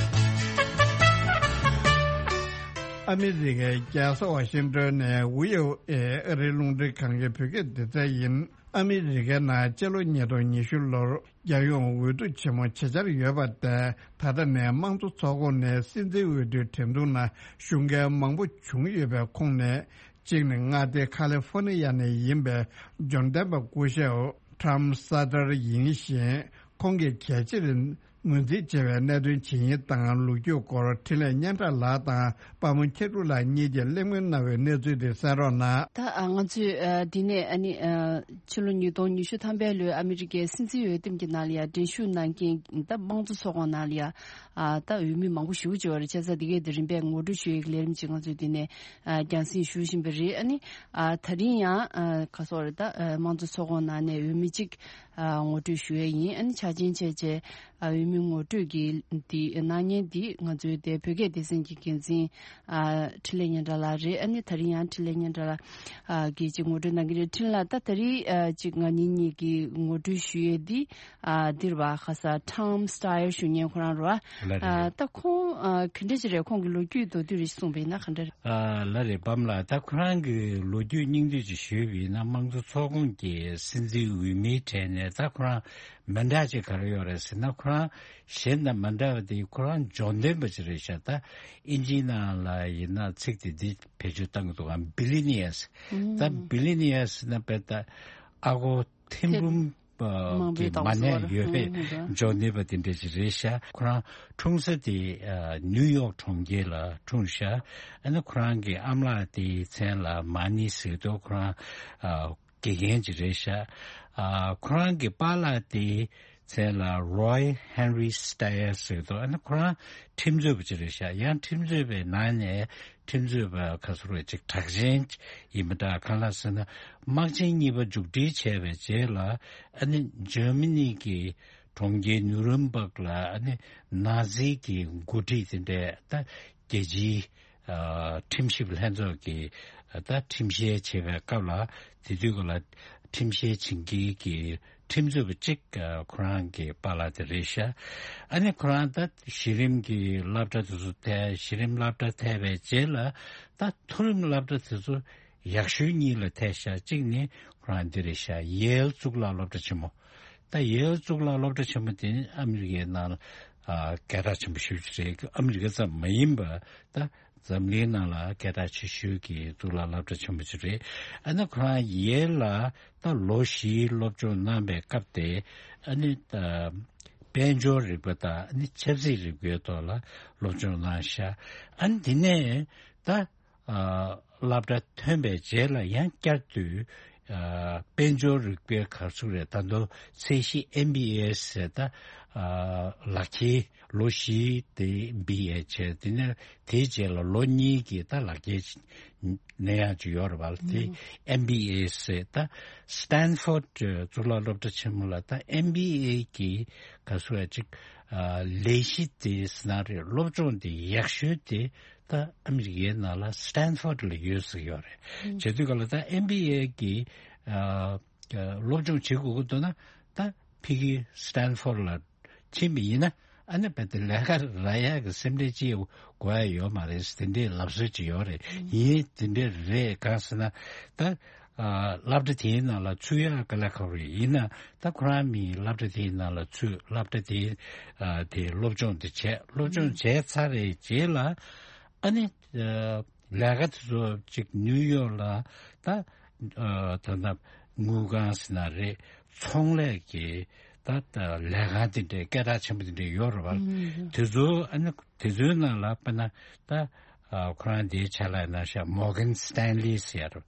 ཨ་མི་རི་ཀའི་རྒྱལ་ས་ཝ་ཤིང་ཏོན་ནས་ཝི་ཨོ་ཨེ་ཨ་རིའི་རླུང་འཕྲིན་ཁང་གི་བོད་སྐད་སྡེ་ཚན་ཡིན། ཨ་མི་རི་ཀའི་ནང་སྤྱི་ལོ་ཉིས་སྟོང་ཉི་ཤུ་ལོར་རྒྱལ་ཡོངས་འོས་བསྡུ་ཆེན་མོ་བྱེད་འཆར་ཡོད་པ་དེ་ད་ལྟ་ནས་དམངས་གཙོ་ཚོགས་ཁོངས་ནས་སྲིད་འཛིན་འོས་བསྡུའི་འགྲན་བསྡུར་ནང་ཞུགས་མཁན་མང་པོ་བྱུང་ཡོད་པའི་ཁོངས་ནས། གཅིག་ནི་མངའ་སྡེ་ཁ་ལི་ཧྥོ་ནི་ཡ་ནས་ཡིན་པའི་འབྱོར་ལྡན་པ་སྐུ་ཞབས་ཊམ་སཱ་ཏར་ཡིན་ཞིང་། ཁོང་གིས་གལ་ཆེར་ངོས་འཛིན་བྱས་པའི་གནད་དོན་ཇི་ཡིན་དང་། ལོ་རྒྱུས་སྐོར་འཕྲིན་ལས་སྙན་གྲགས་ལགས་དང་པདྨ་མཁས་གྲུབ་ལགས་གཉིས་ཀྱིས་གླེང་མོལ་གནང་བའི་གནས་ཚུལ་དེ་གསན་རོགས་གནང་། ད་ང་ཚོས་འདི་ནས་ཨ་ནི་ཕྱི་ལོ་ཉིས་སྟོང་ཉི་ཤུ་ཐམ་པའི་ལོའི་ཨ་མི་རི་ཀའི་སྲིད་འཛིན་འོས་འདེམས་ཀྱི་ནང་ལ་ཡང་འགྲན་ཞུགས་གནང་མཁན་ད་དམངས་གཙོ་ཚོགས་ཁོངས་ནང་ལ་ཡང་ཨ་ད་འོས་མི་མང་པོ་ཞེ་པོ་ཅིག་ཡོད་རེད། བྱས་ཙང་འདི་གའི་དེ་རིམ་པས་ངོ་སྤྲོད་ཞུ་ཡག་ལས་རིམ་ཅིག་ང་ཚོས་འདི་ནས་ཨ་རྒྱང་སྲིང་ཞུ་བཞིན་པ་རེད། ཨ་ནི་ཨ་ད་རིང་ཡང་ཨ་ག་སོགས་རེད། ད་ཨ་དམངས་གཙོ་ཚོགས་ཁོངས་ནང་ནས་འོས་མི་གཅིག་ཨ་ངོ་སྤྲོད་ཞུ་ཡས་ཡིན། ཨ་ནི་ཆ་རྐྱེན་བྱས་བྱས་ཨ་འོས་མི་ངོ་སྤྲོད་ཀྱི་འདི་གནང་མཁན་འདི་ང་ཚོའི་དེ་བོད་སྐད་སྡེ་ཚན་གྱི་འགན་འཛིན་ཨ་འཕྲིན་ལས་སྙན་གྲགས་ལགས་རེད། ཨ་ནི་ད་རིང་ཡང་འཕྲིན་ལས་སྙན་གྲགས་ལགས་ཨ་གིས་ཅིག་ངོ་སྤྲོད་གནང་གི་རེད། འཕྲིན་ལགས་ད་ད་རིང་ཨ་ཅིག་ང་གཉིས་གཉིས་ཀྱིས་ངོ་སྤྲོད་ཞུ་ཡས་འདི། ཨ་འདིར་བ་ཁ་ས་ཊམ་སི་ཊ་ཡར་ཞུ་མཁན་ཁོ་རང་རེད་བ། ལགས་རེད། ཨ་ད་ཁོང་ཨ་ག་འདྲ་ཅིག་རེད། ཁོང་གི་ལོ་རྒྱུས་མདོར་བསྡུས་རེ་གསུངས་པ་ཡིན་ན་ག་འདྲ་རེད། ཨ་ལགས་རེད། པདྨ་ལགས། ད་ཁོ་རང་གི་ལོ་རྒྱུས་སྙིང་བསྡུས་ཅིག་ཞུས་པ་ཡིན་ན། དམངས་གཙོ་ཚོགས་ཁོངས་ཀྱི་སྲིད་འཛིན་འོས་མིའི་གྲས་ནས་ད་ཁོ་རང་མི་འདྲ་ཅིག་ག་རེ་ཡོད་རེད་ཟེར་ན། ཁོ་རང་གཞན་དང་མི་འདྲ་བ་དེ་ཁོ་རང་འབྱོར་ལྡན་པ་ཅིག་རེད་ཤག། ད་ཨིན་ཇིའི་ནང་ལ་ཡིན་ན་ཚིག་དེ་འདི་བེད་སྤྱོད་བཏང་གི་འདུག་གམ། བི་ལི་ནི་ཡར་སི། ད་བི་ལི་ནི་ཡར་སི་ཟེར་ན་དཔེ་ད་ཨ་སྒོར་ཐེར་འབུམ། མང་པོའི་གི་མ་གནས་ཡོད་པའི་ཨང་། འབྱོར་ནུས་པ་དེ་འདྲ་ཅིག་རེད་ཤག། ཁོ་རང་འཁྲུངས་ས་དེ་ཨ་ནིའུ་ཡོག་གྲོང་ཁྱེར་ལ་འཁྲུངས་ཤག། ཨ་ནི་ཁོ་རང་གི་ཨ་མ་ལགས་དེའི་མཚན་ལ་མ་ནི་ཟེར་འདུག། ཁོ་རང་ཨ་དགེ་རྒན་ཅིག་རེད་ཤག། ཨ་ཁོ་རང་གི་པཱ་ལགས་དེའི་མཚན་ལ་རོའི་ཧེན་རི་སི་ཊ་ཡར་ཟེར་འདུག། ཨ་ནི་ཁོ་རང་ཁྲིམས་རྩོད་པ་ཅིག་རེད་ཤག། ཡང་ཁྲིམས་རྩོད་པའི་ནང་ནས་ཁྲིམས་རྩོད་པ་ག་ཚོད་རེད་ཅིག་གྲགས་ཅན་ཡིན་པ་འདྲ། གང་ལགས་ཟེར་ན། དམག་ཆེན་གཉིས་པ་མཇུག་སྒྲིལ་བྱས་པའི་རྗེས་ལ། ཨ་ནི་འཇར་མ་ནི་གི་གྲོང་ཁྱེར་ནུ་རེམ་བྷག་ལ་ཨ་ནི་ནཱ་ཛི་གི་འགོ་ཁྲིད་དེ་འདྲས་ད་རྒྱལ་སྤྱིའི་ཨ་ཁྲིམས་ཞིབ་ལྷན་ཚོགས་ཀྱི་ད་ཁྲིམས་བཤེར་བྱེད་པའི་སྐབས་ལ། དེ་དུས་སྐབས་ལ་ཁྲིམས་བཤེར་བྱེད་མཁན་གྱི་ཁྲིམས་རྩོད་པ་གཅིག་ཨ་ཁོ་རང་གི་པཱ་ལགས་དེ་རེད་ཤག། ཨ་ནི་ཁོ་རང་ད་གཞི་རིམ་གྱི་སློབ་གྲྭ་དེ་ཚོ་ཐལ། གཞི་རིམ་སློབ་གྲྭ་ཐལ་བའི་རྗེས་ལ་ད་མཐོ་རིམ་སློབ་གྲྭ་དེ་ཚོ་ཡག་ཤོས་གཉིས་ལ་ཐལ་ཤག། གཅིག་ནི་ཁོ་རང་འདི་རེད་ཤག། ཡེལ་གཙུག་ལག་སློབ་གྲྭ་ཆེན་མོ། ད་ཡེལ་གཙུག་ལག་སློབ་གྲྭ་ཆེན་མོ་དེ་ནི་ཨ་མི་རི་ཀའི་ནང་ལ་ཨ་སྐད་གྲགས་ཆེན་པོ་ཞེ་པོ་ཅིག་རེད། ཨ་མི་རི་ཀ་ཙམ་མ་ཡིན་པ་ད་འཛམ་གླིང་ནང་ལ་སྐད་གྲགས་ཆེ་ཤོས་ཀྱི་གཙུག་ལག་སློབ་གྲྭ་ཆེན་པོ་ཅིག་རེད། ཨ་ནི་ཁོ་རང་ཡེལ་ལ་ད་ལོ་བཞིའི་སློབ་སྦྱོང་གནང་བའི་སྐབས་དེ། ཨ་ནི་ད་དཔལ་འབྱོར་རིག་པ་དང་ཨ་ནི་ཆབ་སྲིད་རིག་པའི་ཐོག་ལ་སློབ་སྦྱོང་གནང་ཤག། ཨ་ནི་དེ་ནས་ད་ཨ་སློབ་གྲྭ་ཐོན་པའི་རྗེས་ལ་ཡང་བསྐྱར་དུ་ ཨ་དཔལ་འབྱོར་རིག་པའི་ག་ཚོད་རེད། ད་དུང་ཚད་གཞི་ཨེམ་བི་ཨེ་ཟེར། ད་ཨ་ལག་ཁྱེར་ལོ་བཞི་དེ་བི་ཨེ་བྱས། དེ་ནས་དེའི་རྗེས་ལ་ལོ་གཉིས་ཀྱི་ད་ལག་ཁྱེར་ནས་ཡང་ཅིག་ཡོད་རེད་པ། དེ་ཨེམ་བི་ཨེ་ཟེར། ད་སི་ཏན་ཕོར་ཌི་གཙུག་ལག་སློབ་གྲྭ་ཆེན་མོ་ལ་ད་ཨེམ་བི་ཨེ་གི་ག་ཚོད་རེད་ཅིག་ཨ་ལས་གཞི་དེ་ཟེར་ན་རེད། སློབ་སྦྱོང་དེ་ཡག་ཤོས་དེ་ད་ཨ་མི་རི་ཀའི་ནང་ལ་སི་ཏན་ཕོར་ཌི་ལ་ཡོད་ཟེར་ཡོད་རེད། བྱེད་དུས་ག་ལ་ད་ཨེམ་བི་ཨེ་གི་ཨ་སློབ་སྦྱོང་བྱེད་དགོས་ཀྱི་འདུག་ན། ད་ཕ་གི་སི་ཏན་ཕོར་ཌི་ལ་ཕྱིན་པ་ཡིན་ན། ཨ་ནི་བལ་ཏེ་ལས་ཀ་རག་ཡག་གི་སེམས་ཁྲལ་ཅི་དགོས་ཡ་ཡོད་མ་རེད། དེ་འདྲའི་ལབ་སྲོལ་ཅིག་ཡོད་རེད། ཡིན། དེ་འདྲ་རེད། གང་ཟེར་ན་ད་ཨ་སློབ་གྲྭ་དེའི་ནང་ལ་ཚུད་ཡག་དཀའ་ལས་ཁག་པོ་རེད། ཡིན་ན་ད་ཁོ་རང་མི་སློབ་གྲྭ་དེའི་ནང་ལ་ཚུད། སློབ་གྲྭ་དེའི་ཨ་དེ་སློབ་སྦྱོང་དེ་བྱས། སློབ་སྦྱོང་བྱས་ཚར་བའི་རྗེས་ལ་ཨ་ནི་ཨ་ལས་ཀ་དེ་ཚོ་ཅིག་ནིའུ་ཡོག་ལ་ད་ཨ་ད་ད་དངུལ་ཁང་ཟེར་ན་རེད། ཚོང་ལས་ཀྱི་ད་ད་ལས་ཁང་དེ་འདྲའི་སྐད་གྲགས་ཆེན་པོ་དེ་འདྲ་ཡོད་རེད་པ། དེ་ཚོ་ཨ་ནི་དེ་ཚོའི་ནང་ལ་དཔེར་ན་ད་ཨ་ཁོ་རང་དེའི་ཕྱག་ལས་གནང་ཤག་མོར་གན་སི་ཏན་ལི་ཟེར།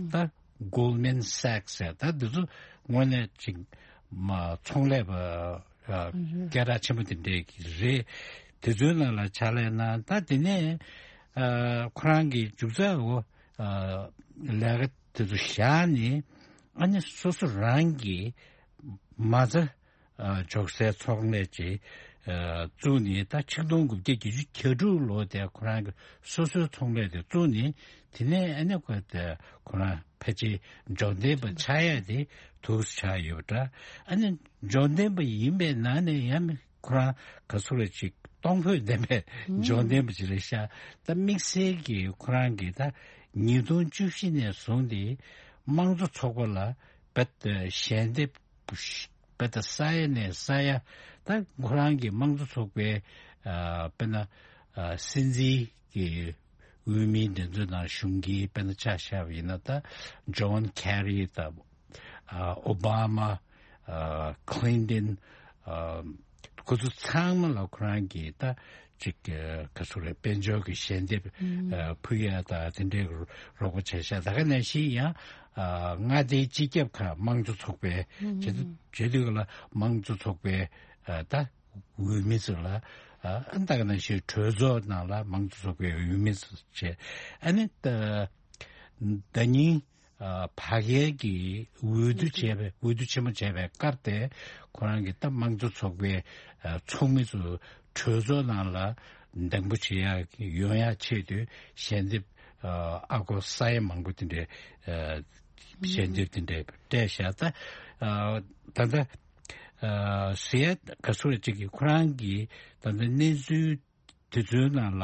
ད་གོལ་མན་སེག་ཟེར། ད་འདི་ཚོ་དངོས་གནས་ཅིག་མ་ཚོང་ལས་པ་ཨ་སྐད་གྲགས་ཆེན་པོ་དེ་འདྲས་རེད། དེ་ཚོའི་ནང་ལ་ཕྱག་ལས་གནང་། ད་དེ་ནས་ཨ་ཁོ་རང་གི་མཇུག་རྩ་འོ་ཨ་ལས་ཀ་དེ་ཚོ་བཞག་ནས་ཨ་ནི་སོ་སོ་རང་གི་མ་རྩ་ཨ་འཇོག་སའི་ཚོང་ལས་ཅིག་ཨ་བཙུགས་ནས། ད་ཆིག་སྟོང་དགུ་བརྒྱ་བརྒྱད་ཅུ་གྱ་དྲུག་ལོ་དེ་ཁོ་རང་གི་སོ་སོའི་ཚོང་ལས་དེ་བཙུགས་ནས། དེ་ནས་ཨ་ནི་ཁོ་དེ་ཁོ་རང་ཕལ་ཆེར་འབྱོར་ལྡན་པ་ཆགས་ཡ་དེ་ཐུགས་སུ་ཆགས་ཡོད་པ་འདྲ། ཨ་ནི་འབྱོར་ལྡན་པ་ཡིན་པའི་ནང་ནས་ཡང་ཁོ་རང་ག་ཚོད་རེད་ཅིག་གཏོང་ཕོད་ལྡན་པའི་འབྱོར་ལྡན་པ་ཅིག་རེད་ཤག་ད་དམིགས་བསལ་གྱིས་ཁོ་རང་གིས་ད་ཉིས་སྟོང་བཅུ་བཞི་ནས་བཟུང་སྟེ་དམངས་གཙོ་ཚོགས་པ་ལ་རྦད་དེ་ཞལ་འདེབས་རྦད་དེ་ས་ཡ་ནས་ས་ཡ། ད་ཁོ་རང་གིས་དམངས་གཙོ་ཚོགས་པའི་ཨ་དཔེར་ན་ཨ་སྲིད་འཛིན་གྱི་འོས་མི་དེ་ཚོའི་ནང་གཞུང་གི་དཔེར་ན་ཆ་བཞག་པ་ཡིན་ན། ད་ཇོན་ཁེ་རི་དང་ཨ་ཨོ་བྷ་མ། ཨ་ཁི་ལིན་ཏོན། ཨ་ཁོ་ཚོ་ཚང་མ་ལ་ཁོ་རང་གིས་ད་ཅིག་ཨ་ག་ཚོད་རེད། དཔལ་འབྱོར་གྱི་ཞལ་འདེབས་ཨ་ཕུལ་ཡ་དང་དེ་འདྲའི་རོགས་པ་བྱས་ཤག་ད་ག་ནང་བཞིན་ཡང་ཨ་མངའ་སྡེའི་སྤྱི་ཁྱབ་ཁག་དམངས་གཙོ་ཚོགས་པའི་བྱེད་བྱེད་དུས་ལ་དམངས་གཙོ་ཚོགས་པའི་ཨ་ད་འོས་མི་ཚོ་ལ། ཨ་ད་ག་ནང་བཞིན་གྲོས་ཚོགས་ནང་ལ་དམངས་གཙོ་ཚོགས་པའི་འོས་མི་ཚོ་བྱས། ཨ་ནི་ད་ཟླ་ཉིན་ཨ་ཕ་གིར་གྱི་འོས་བསྡུ་བྱས་པའི་འོས་བསྡུ་ཆེན་མོ་བྱས་པའི་སྐབས་དེ་ཁོ་རང་གིས་ད་དམངས་གཙོ་ཚོགས་པའི་ཨ་ཚོགས་མི་ཚོ་གྲོས་ཚོགས་ནང་ལ་འདེམས་བསྐོ་བྱེད་ཡག་ཡོང་ཡག་ཆེད་དུ་ཞལ་འདེབས་ཨ་ཨ་སྒོར་ས་ཡ་མང་པོ་དེ་འདྲའི་ཨ་ཞལ་འདེབས་དེ་འདྲའི་སྤྲད་ཤག་ད་ཨ་ད་ལྟ་ཨ་ཟེར་ཡ་ག་ཚོད་ཅིག་གིས་ཁོ་རང་གིས་ད་ལྟ་གནས་ཚུལ་དེ་ཚོའི་ནང་ལ་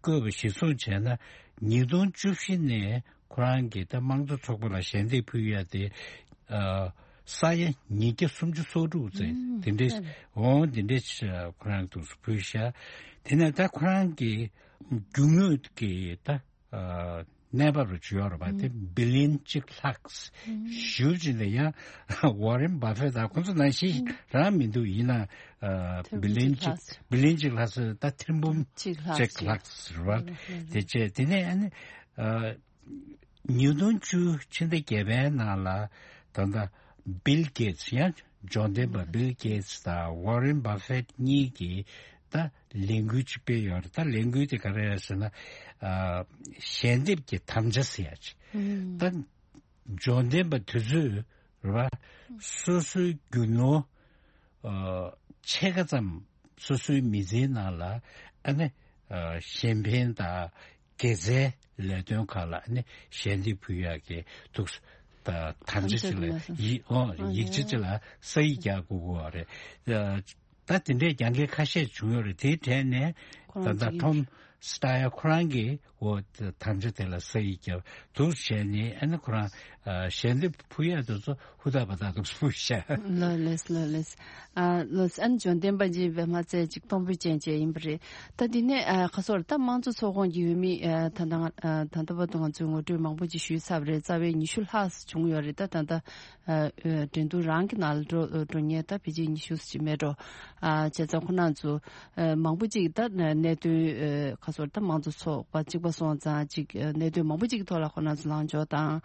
བཀོད་པ་གཞིར་བཟུང་བྱས་ན། ཉིས་སྟོང་བཅུ་བཞི་ནས་ཁོ་རང་གིས་ད་དམངས་གཙོ་ཚོགས་པ་ལ་ཞལ་འདེབས་ཕུལ་ཡ་དེ་ཨ་ས་ཡ་ཉིས་བརྒྱ་སུམ་ཅུ་སོ་དྲུག་ཙམ་དེ་འདྲས་འོང་། དེ་འདྲས་ཁོ་རང་འདུག་སེ་ཕུལ་ཤག་དེ་ནས་ད་ཁོ་རང་གི་རྒྱུ་དངོས་ཀྱི་ད་ཨ་གནས་བབ་རུ་བྱས་ཡོད་རེད་པ། དེ་བི་ལི་ཡན་གཅིག་ལྷག་ཞུ་བྱས་ནས། ཡང་ཝོ་རེན་བྷ་ཕེ་དང་ཁོ་ཚོ་ནང་བཞིན་རང་མི་འདུག་ཡིན་ན་ཨ་བི་ལི་ཡན་གཅིག་བི་ལི་ཡན་གཅིག་ལྷག་ཟེར། ད་ཐེར་འབུམ་གཅིག་ལྷག་ཟེར་བ་དེ་བྱས། དེ་ནས་ཨ་ནི་ཨ་ཉིས་སྟོང་བཅུ་ཕྱི་ཟླ་བརྒྱད་པའི་ནང་ལ་ད་ལྟ་བིལ་གེ་ཊི་སི། ཡང་འབྱོར་ལྡན་པ་བིལ་གེ་ཊི་སི་དང་ཝོ་རེན་བྷ་ཕེ་གཉིས་ཀྱིས་ད་ལས་འགུལ་ཅིག་སྤེལ་ཡོད་རེད། ད་ལས་འགུལ་དེ་ག་རེ་རེད་ཟེར་ན། ཨ་ཞལ་འདེབས་ཀྱི་དམ་བཅའ་ཟེར་ཡ་ཅིག་ད་འབྱོར་ལྡན་པ་དེ་ཚོས་རེད་པ། སོ་སོའི་རྒྱུ་ནོར་ཨ་ཕྱེད་ཀ་ཙམ་སོ་སོའི་མི་ཚེའི་ནང་ལ་ཨ་ནི་ཨ་གཞན་ཕན་དང་དགེ་རྩའི་ལས་དོན་ཁག་ལ་ཨ་ནི་ཞལ་འདེབས་ཕུལ་ཡག་གི་འདུག་ད་དམ་བཅའ་ཅིག་ལ་ཡིག་ཨོ་ཡིག་ཆ་ཅིག་ལ་ས་ཡིག་རྒྱག་དགོས་ཀྱི་ཡོད་རེད། ཨ་ད་དེ་འདྲའི་རྒྱབ་འགལ་ཁ་ཤས་བྱུང་ཡོད་རེད། དེའི་གྲས་ནས་ཁོ་རང་ད་ལྟ་ཅིག་ཐོམ་སི་ཏཱ་ཡར་ཁོ་རང་གིས་འོ་དམ་བཅའ་དེ་ལ་ས་ཡིག་བརྒྱབ་འདུག་བྱས་ནས། ཨ་ནི་ཁོ་རང་ཨ་ཞལ་འདེབས་ཕུལ་ཡག་དེ་ཚོ་ཧུར་ཐག་བ་ཐག་འདུག་ཕུལ་ཤག་ལགས་ལགས་ལགས་ལགས། ཨ་ལགས་ཨ་ནི་འབྱོར་ལྡན་པ་ཅིག་བས་མ་ཚད་ཅིག་གཏོང་ཕོད་ཅན་ཅིག་ཡིན་པ་རེད། ད་དེ་ནས་ཨ་ཁ་སོར་ད་དམངས་གཙོ་ཚོགས་ཁོངས་ཀྱི་འོས་མི་ཨ་ད་ལྟ་ང་ཨ་ད་ལྟ་བར་དུ་ང་ཚོས་ངོ་སྤྲོད་མང་པོ་ཅིག་ཞུས་ཚར་བ་རེད། རྩ་བའི་ཉི་ཤུ་ལྷག་བྱུང་ཡོད་རེད། ད་ད་ལྟ་ཨ་ཨ་འགྲན་བསྡུར་རང་གི་ནང་ལ་འགྲོ་འགྲོ་མཁན་ད་ཕལ་ཆེར་ཉི་ཤུ་ཙམ་ཅིག་མེད་འགྲོ། ཨ་བྱས་ཙང་ཁོ་རང་ཚོ་ཨ་མང་པོ་ཅིག་ད་གནད་དོན་ཨ་ཁ་ ཚོར་ད་མང་གཙོ་ཚོགས་པ་གཅིག་པ་སོང་ཙང་ཅིག་གནད་དོན་མང་པོ་ཅིག་གི་ཐོག་ལ་ཁོ་རང་ཚོ་ལངས་ཕྱོགས་དང་།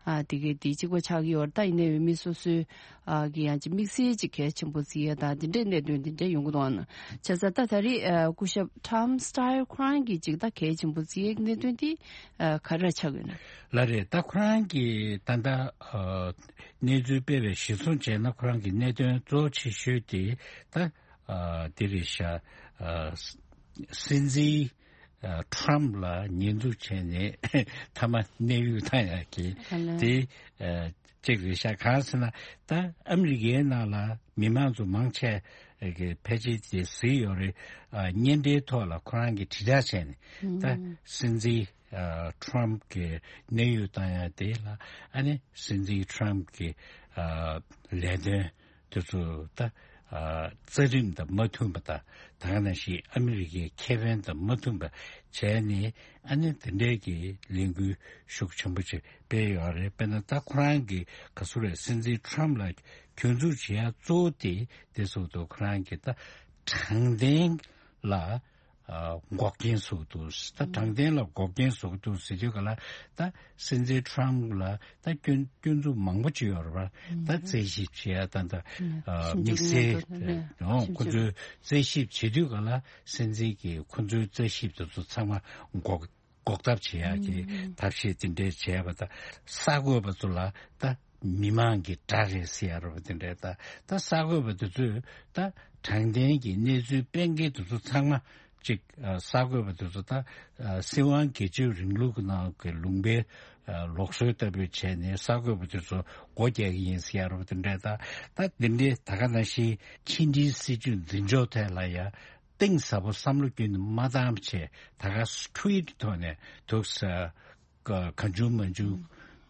ཨ་དེ་གའི་དེ་གཅིག་པ་ཆགས་ཀྱི་ཡོད་རེད། ད་ཡིན་ནའི་འོས་མི་སོ་སོའི་ཨ་གི་ཡང་ཅིག་དམིགས་བསལ་ཅིག་གལ་ཆེན་པོ་བརྩི་ཡས་དང་དེ་འདྲའི་གནད་དོན་དེ་འདྲ་ཡོང་གི་འདུག་ཨ་ན། བྱས་ཙང་ད་ད་རེས་ཨ་སྐུ་ཞབས་Tom Steyer་ཁོ་རང་གིས་ཅིག་ད་གལ་ཆེན་པོ་བརྩི་ཡས་གནད་དོན་དེ་ཨ་ག་རེ་ཆགས་ཡོད་ན། ལགས་རེད། ད་ཁོ་རང་གིས་ད་ལྟ་ཨ་གནས་ཚུལ་སྤེལ་བའི་གཞིར་བཟུང་བྱས་ན་ཁོ་རང་གི་གནད་དོན་གཙོ་ཆེ་ཤོས་དེ་ད་ཨ་དེ་རེད་ཤག་ཨ་སྲིད་འཛིན་ཨ་ཊམ་ལ་ཉེས་འཛུགས་བྱས་ནས་མཐའ་མ་གནས་དབྱུག་བཏང་ཡག་གི་ཨ་ལས། དེ་ཨ་གཅིག་རེད་ཤག་གང་ཟེར་ན་ད་ཨ་མི་རི་ཀའི་ནང་ལ་མི་མང་ཚོ་མང་ཆེ་གི་ཕལ་ཆེར་དེ་གཟིགས་ཡོད་རེད། ཨ་བརྙན་འཕྲིན་ཐོག་ལ་ཁོ་རང་གིས་དྲིལ་བསྒྲགས་བྱས་ནས་ད་ཨུམ། སྲིད་འཛིན་ཨ་ཊམ་གི་གནས་དབྱུག་བཏང་ཡག་དེ་ལ་ཨ་ནི་སྲིད་འཛིན་ཊམ་གི་ཨ་ལས་དོན་དེ་ཚོ་ད་ཨ་རྩ་ཁྲིམས་དང་མ་མཐུན་པ་དང་ད་ག་ནང་བཞིན་ཨ་མི་རི་ཀའི་ཁེ་ཕན་དང་མ་མཐུན་པ་བྱས་ནས་ཨ་ནི་དེ་འདྲའི་གི་ལས་འགུལ་ཤུགས་ཆེན་པོ་ཅིག་སྤེལ་ཡོད་རེད། དཔེར་ན་ད་ཁོ་རང་གི་ག་ཚོད་རེད། སྲིད་འཛིན་ཊམ་ལ་གྱོང་འཛུགས་བྱེད་ཡ་གཙོ་བོ་དེ་དེ་སོགས་དུ་ཁོ་རང་གི་ད་དྲང་བདེན་ལ་ཨ་འགོག་རྐྱེན་བཟོ་གི་འདུག་ད་དྲང་བདེན་ལ་འགོག་རྐྱེན་བཟོ་གི་འདུག་ཟེར་དུས་ག་ལ་ད་སྲིད་འཛིན་ཊམ་ལ་ད་སྐྱོན་སྐྱོན་འཛུགས་མང་པོ་བྱས་ཡོད་རེད་པ། ད་རྩད་ཞིབ་བྱེད་ཡ་ད་ད་ཨ་དམིགས་བསལ་ཡོང་ཁོ་ཚོའི་རྩད་ཞིབ་བྱེད་དུས་ག་ལ་སྲིད་འཛིན་གྱིས་ཁོ་ཚོའི་རྩད་ཞིབ་དེ་ཚོ་ཚང་མ་འགོག་འགོག་ཐབས་བྱེད་ཡག་གི་ཐབས་ཤེས་དེ་འདྲས་བྱས་པ་དང་། གསར་འགོད་པ་ཚོ་ལ་ད་མི་མང་གི་དགྲ་རེད་ཟེར་ཡ་རེད་པ། དེ་འདྲས་ད་ད་གསར་འགོད་པ་དེ་ཚོས་ད་དྲང་བདེན་གྱི་གནས་ཚུལ་སྤེལ་མཁན་དེ་ཚོ་ཚང་མ་གཅིག་ཨ་གསར་འགོད་པ་དེ་ཚོ་ད་ཨ་སྲིད་དབང་སྒེར་གཅོད་རིང་ལུགས་ཀྱི་ནང་གི་ལུང་པའི་ཨ་ལུགས་སྲོལ་ལྟ་བུ་བྱས་ནས་གསར་འགོད་པ་དེ་ཚོ་སྒོ་རྒྱག་གི་ཡིན་ཟེར་ཡ་རེད་པ། དེ་འདྲས་ད་ད་དེ་འདྲས་ད་ག་ནང་བཞིན་ཕྱི་འབྲེལ་སྲིད་ཇུས་འཛིན་ཕྱོགས་ཐད་ལ་ཡ། གཏིང་ཟབ་པོ་བསམ་བློ་བསྐྱོན་ནས་མ་བཏང་བྱས་ད་ག་ཊུ་ཝིཊ་ཐོག་ནས་འདུག་ས་ག་གང་བྱུང་མང་བྱུང་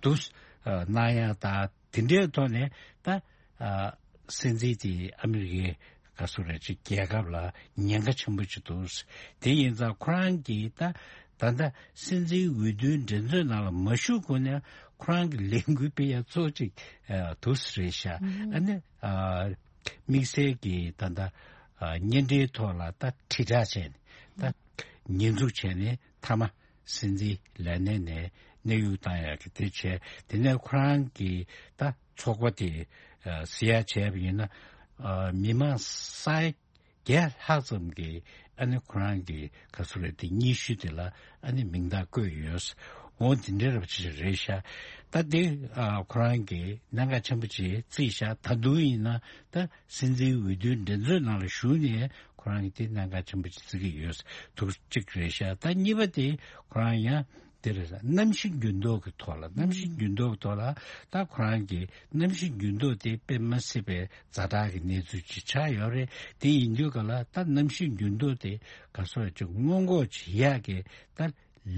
འདུག་ས་གནང་ཡ་ད་དེ་འདྲའི་ཐོག་ནས་ད་ཨ་སྲིད་འཛིན་དེ་ཨ་མི་རི་ཀའི་ག་སུ་རེད་ཅིག་རྒྱལ་ཁབ་ལ་ཉེན་ཁ་ཆེན་པོ་ཅིག་འདུག་ས། དེ་ཡིན་ཙང་ཁོ་རང་གིས་ད་ད་ལྟ་སྲིད་འཛིན་འོས་བསྡུའི་འགྲན་རྩོད་ནང་ལ་མ་ཞུགས་གོང་ནས་ཁོ་རང་གི་ལས་འགུལ་སྤེལ་ཡ་གཙོ་ཅིག་ཨ་འདུག་ས་རེད་ཤག་ཨ་ནི་ཨ། དམིགས་བསལ་གྱིས་ད་ལྟ་ཨ་བརྙན་འཕྲིན་ཐོག་ལ་ད་དྲིལ་བསྒྲགས་བྱས་ནས་ད་ཉེས་འཛུགས་བྱས་ནས་མཐའ་མ་སྲིད་འཛིན་ལས་གནས་ནས་གནས་དབྱུག་བཏང་ཡག་གི་དེ་བྱས། དེ་ནས་ཁོ་རང་གིས་ད་ཚོགས་པ་དེ་ཨ་ཟེར་ཡག་བྱས་པ་ཡིན་ན་ཨ་མི་མང་ས་ཡ་བརྒྱ་ལྷག་ཙམ་གྱིས་ཨ་ནི་ཁོ་རང་གི་ག་ཚོད་རེད་དེ་སྙན་ཞུ་དེ་ལ་ཨ་ནི་མིང་རྟགས་བཀོད་ཡོད། འོ་དེ་འདྲའི་རབ་ཅིག་རེད་ཤག་ད་དེ་ཨ་ཁོ་རང་གིས་གནད་འགག་ཆེན་པོ་ཅིག་བརྩིས་ཤག་ད་དུང་ཡིན་ན་ད་སྲིད་འཛིན་འོས་བསྡུའི་འགྲན་རྩོད་ནང་ལ་ཞུགས་ནས་ཁོ་རང་གིས་དེ་གནད་འགག་ཆེན་པོ་ཅིག་བརྩི་གི་ཡོད་འདུག་ཅིག་རེད་ཤག་ད་གཉིས་པ་དེ་ཁོ་རང་ཡང་དེ་རེད། གནམ་གཤིས་འགྱུར་ལྡོག་གི་ཐོག་ལ་གནམ་གཤིས་འགྱུར་ལྡོག་གི་ཐོག་ལ་ད་ཁོ་རང་གིས་གནམ་གཤིས་འགྱུར་ལྡོག་དེ་དཔེ་མ་སྲིད་པའི་ཛ་དྲག་གི་གནས་ཚུལ་ཅིག་ཆགས་ཡོད་རེད། དེ་ཡིན་དུས་ག་ལ་ད་གནམ་གཤིས་འགྱུར་ལྡོག་དེ་ག་སོགས་ཅིག་སྔོན་འགོག་བྱེད་ཡག་གི་ད་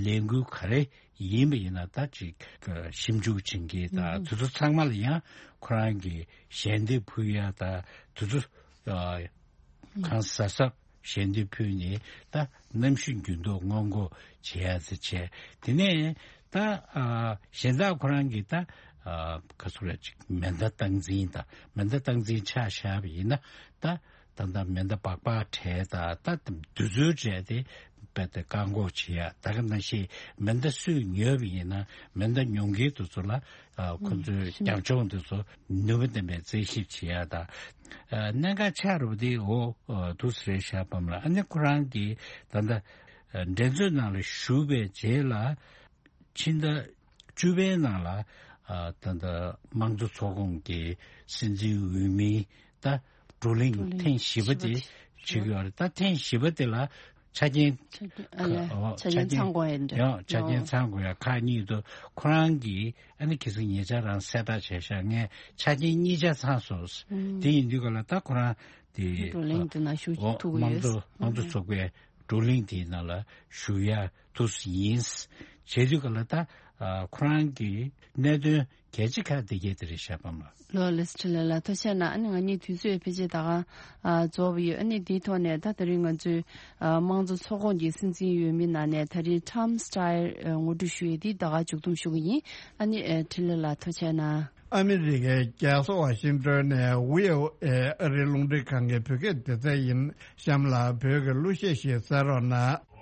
ལས་འགུལ་ག་རེ་ཡིན་པ་ཡིན་ན་ད་ཅིག་ཞིབ་འཇུག་བྱེད་མཁན་དང་དེ་ཚོ་ཚང་མ་ལ་ཡང་ཁོ་རང་གིས་ཞལ་འདེབས་ཕུལ་ཡ་དང་དེ་ཚོ་གང་གཟབ་གཟབ་ཞལ་འདེབས་ཕུལ་ནས་ད་གནམ་གཤིས་འགྱུར་ལྡོག་སྔོན་འགོག་བྱེད་ཡ་ཟེར་བྱས། དེ་ནས་ད་ཨ་གཞན་དག་ཁོ་རང་གིས་ད་ཨ་ག་ཚོད་རེད་ཅིག་མེ་མདའ་སྟངས་འཛིན་དང་མེ་མདའ་སྟངས་འཛིན་ཆ་བཞག་པ་ཡིན་ན་ད་ད་ལྟ་མེ་མདའ་སྦག་སྦག་བྲལ་དང་ད་དུས་ཚོད་བྲལ་ཏེ་རྦད་དེ་བཀག་འགོག་བྱེད་ཡ། ད་ག་ནང་བཞིན་མེ་མདའ་སུས་ཉོས་པ་ཡིན་ན་མེ་མདའ་ཉོ་མཁན་དེ་ཚོ་ལ་ཨ་ཁོ་ཚོའི་རྒྱབ་ལྗོངས་དེ་ཚོ་ནུས་པ་ལྡན་པའི་རྩད་ཞིབ་བྱེད་ཡ་དང་། ཨ་གནད་འགག་ཆགས་རུ་དེ་འོ་ཨ་དུས་རེད་ཤག་པ་ལ། ཨ་ནི་ཁོ་རང་གིས་ད་ལྟ་ཨ་འགྲན་རྩོད་ནང་ལ་ཞུགས་པའི་རྗེས་ལ་ཕྱི་ཟླ་བཅུ་པའི་ནང་ལ་ཨ་ད་ལྟ་དམངས་གཙོ་ཚོགས་ཁོངས་ཀྱི་སྲིད་འཛིན་འོས་མི་ད་བགྲོ་གླེང་བགྲོ་གླེང་ཐེངས་བཞི་པ་དེ་བྱེད་ཀྱི་ཡོད་རེད། ད་ཐེངས་བཞི་པ་དེ་ལ་ཆ་རྐྱེན་ཆ་རྐྱེན་ཨ་ལས་ཨོ་ཆ་རྐྱེན་ཚང་དགོས་ཡ་འདྲ། ཡང་ཆ་རྐྱེན་ཨོ་ཚང་དགོས་ཡ་ཁག་གཉིས་འདུག་ཁོ་རང་གིས་ཨ་ནི་གལ་སྲིད་ཉེ་ཆར་རང་གསལ་བསྒྲགས་བྱས་ཤག་ངས་ཆ་རྐྱེན་གཉིས་ཆ་ཚང་སོང་། ཨུམ། དེ་ཡིན་དུས་ག་ལ་ད་ཁོ་རང་དེ་བགྲོ་གླེང་དེ་ནང་ཞུགས་ཨོ་ཐུབ་ཀྱི་དམངས་ཡོད། གཙོ་དམངས་གཙོ་ཨུམ། ཚོགས་པའི་བགྲོ་གླེང་དེའི་ནང་ལ་ཞུགས་ཡ་ཐུབ་ཡིན། བྱས་དུས་ག་ལ་ད་ཨ་ཁོ་རང་གི་གནད་དོན་གལ་ཆེ་ཁག་དེ་གས་དེ་རེད་ཤག་པ་ལགས། ལོ་ལེ་སི་ཁྲི་ལ་ལ་ཐུགས་རྗེ་གནང་། ཨ་ནི་ང་གཉིས་དུས་ཚོད་ཕལ་ཆེར་ད་ག་ཨ་རྫོགས་པ་ཡོད། ཨ་ནི་དེའི་ཐོག་ནས་ད་ད་རིང་ང་ཚོའི་ཨ་དམངས་གཙོ་ཚོགས་ཁོངས་ཀྱི་སྲིད་འཛིན་འོས་མི་ནང་ནས་ད་རིང་Tom Steyer་ཨ་ངོ་སྤྲོད་ཞུ་ཡས་དེ་ད་ག་མཇུག་བསྡོམས་ཞུ་གི་ཡིན། ཨ་ནི་ཨ་ཁྲི་ལ་ལ་ཐུགས་རྗེ་གནང་། ཨ་མི་རི་ཀའི་རྒྱལ་ས་ཝ་ཤིང་ཏོན་ནས་ཝི་ཨོ་ཨེ་ཨ་རིའི་རླུང་འཕྲིན་ཁང་གི་བོད་སྐད་སྡེ་ཚན་ཡིན། གཤམ་ལ་བོད་ཀྱི་གླུ་གཞས་ཤིག་གསན་རོགས་གནང་།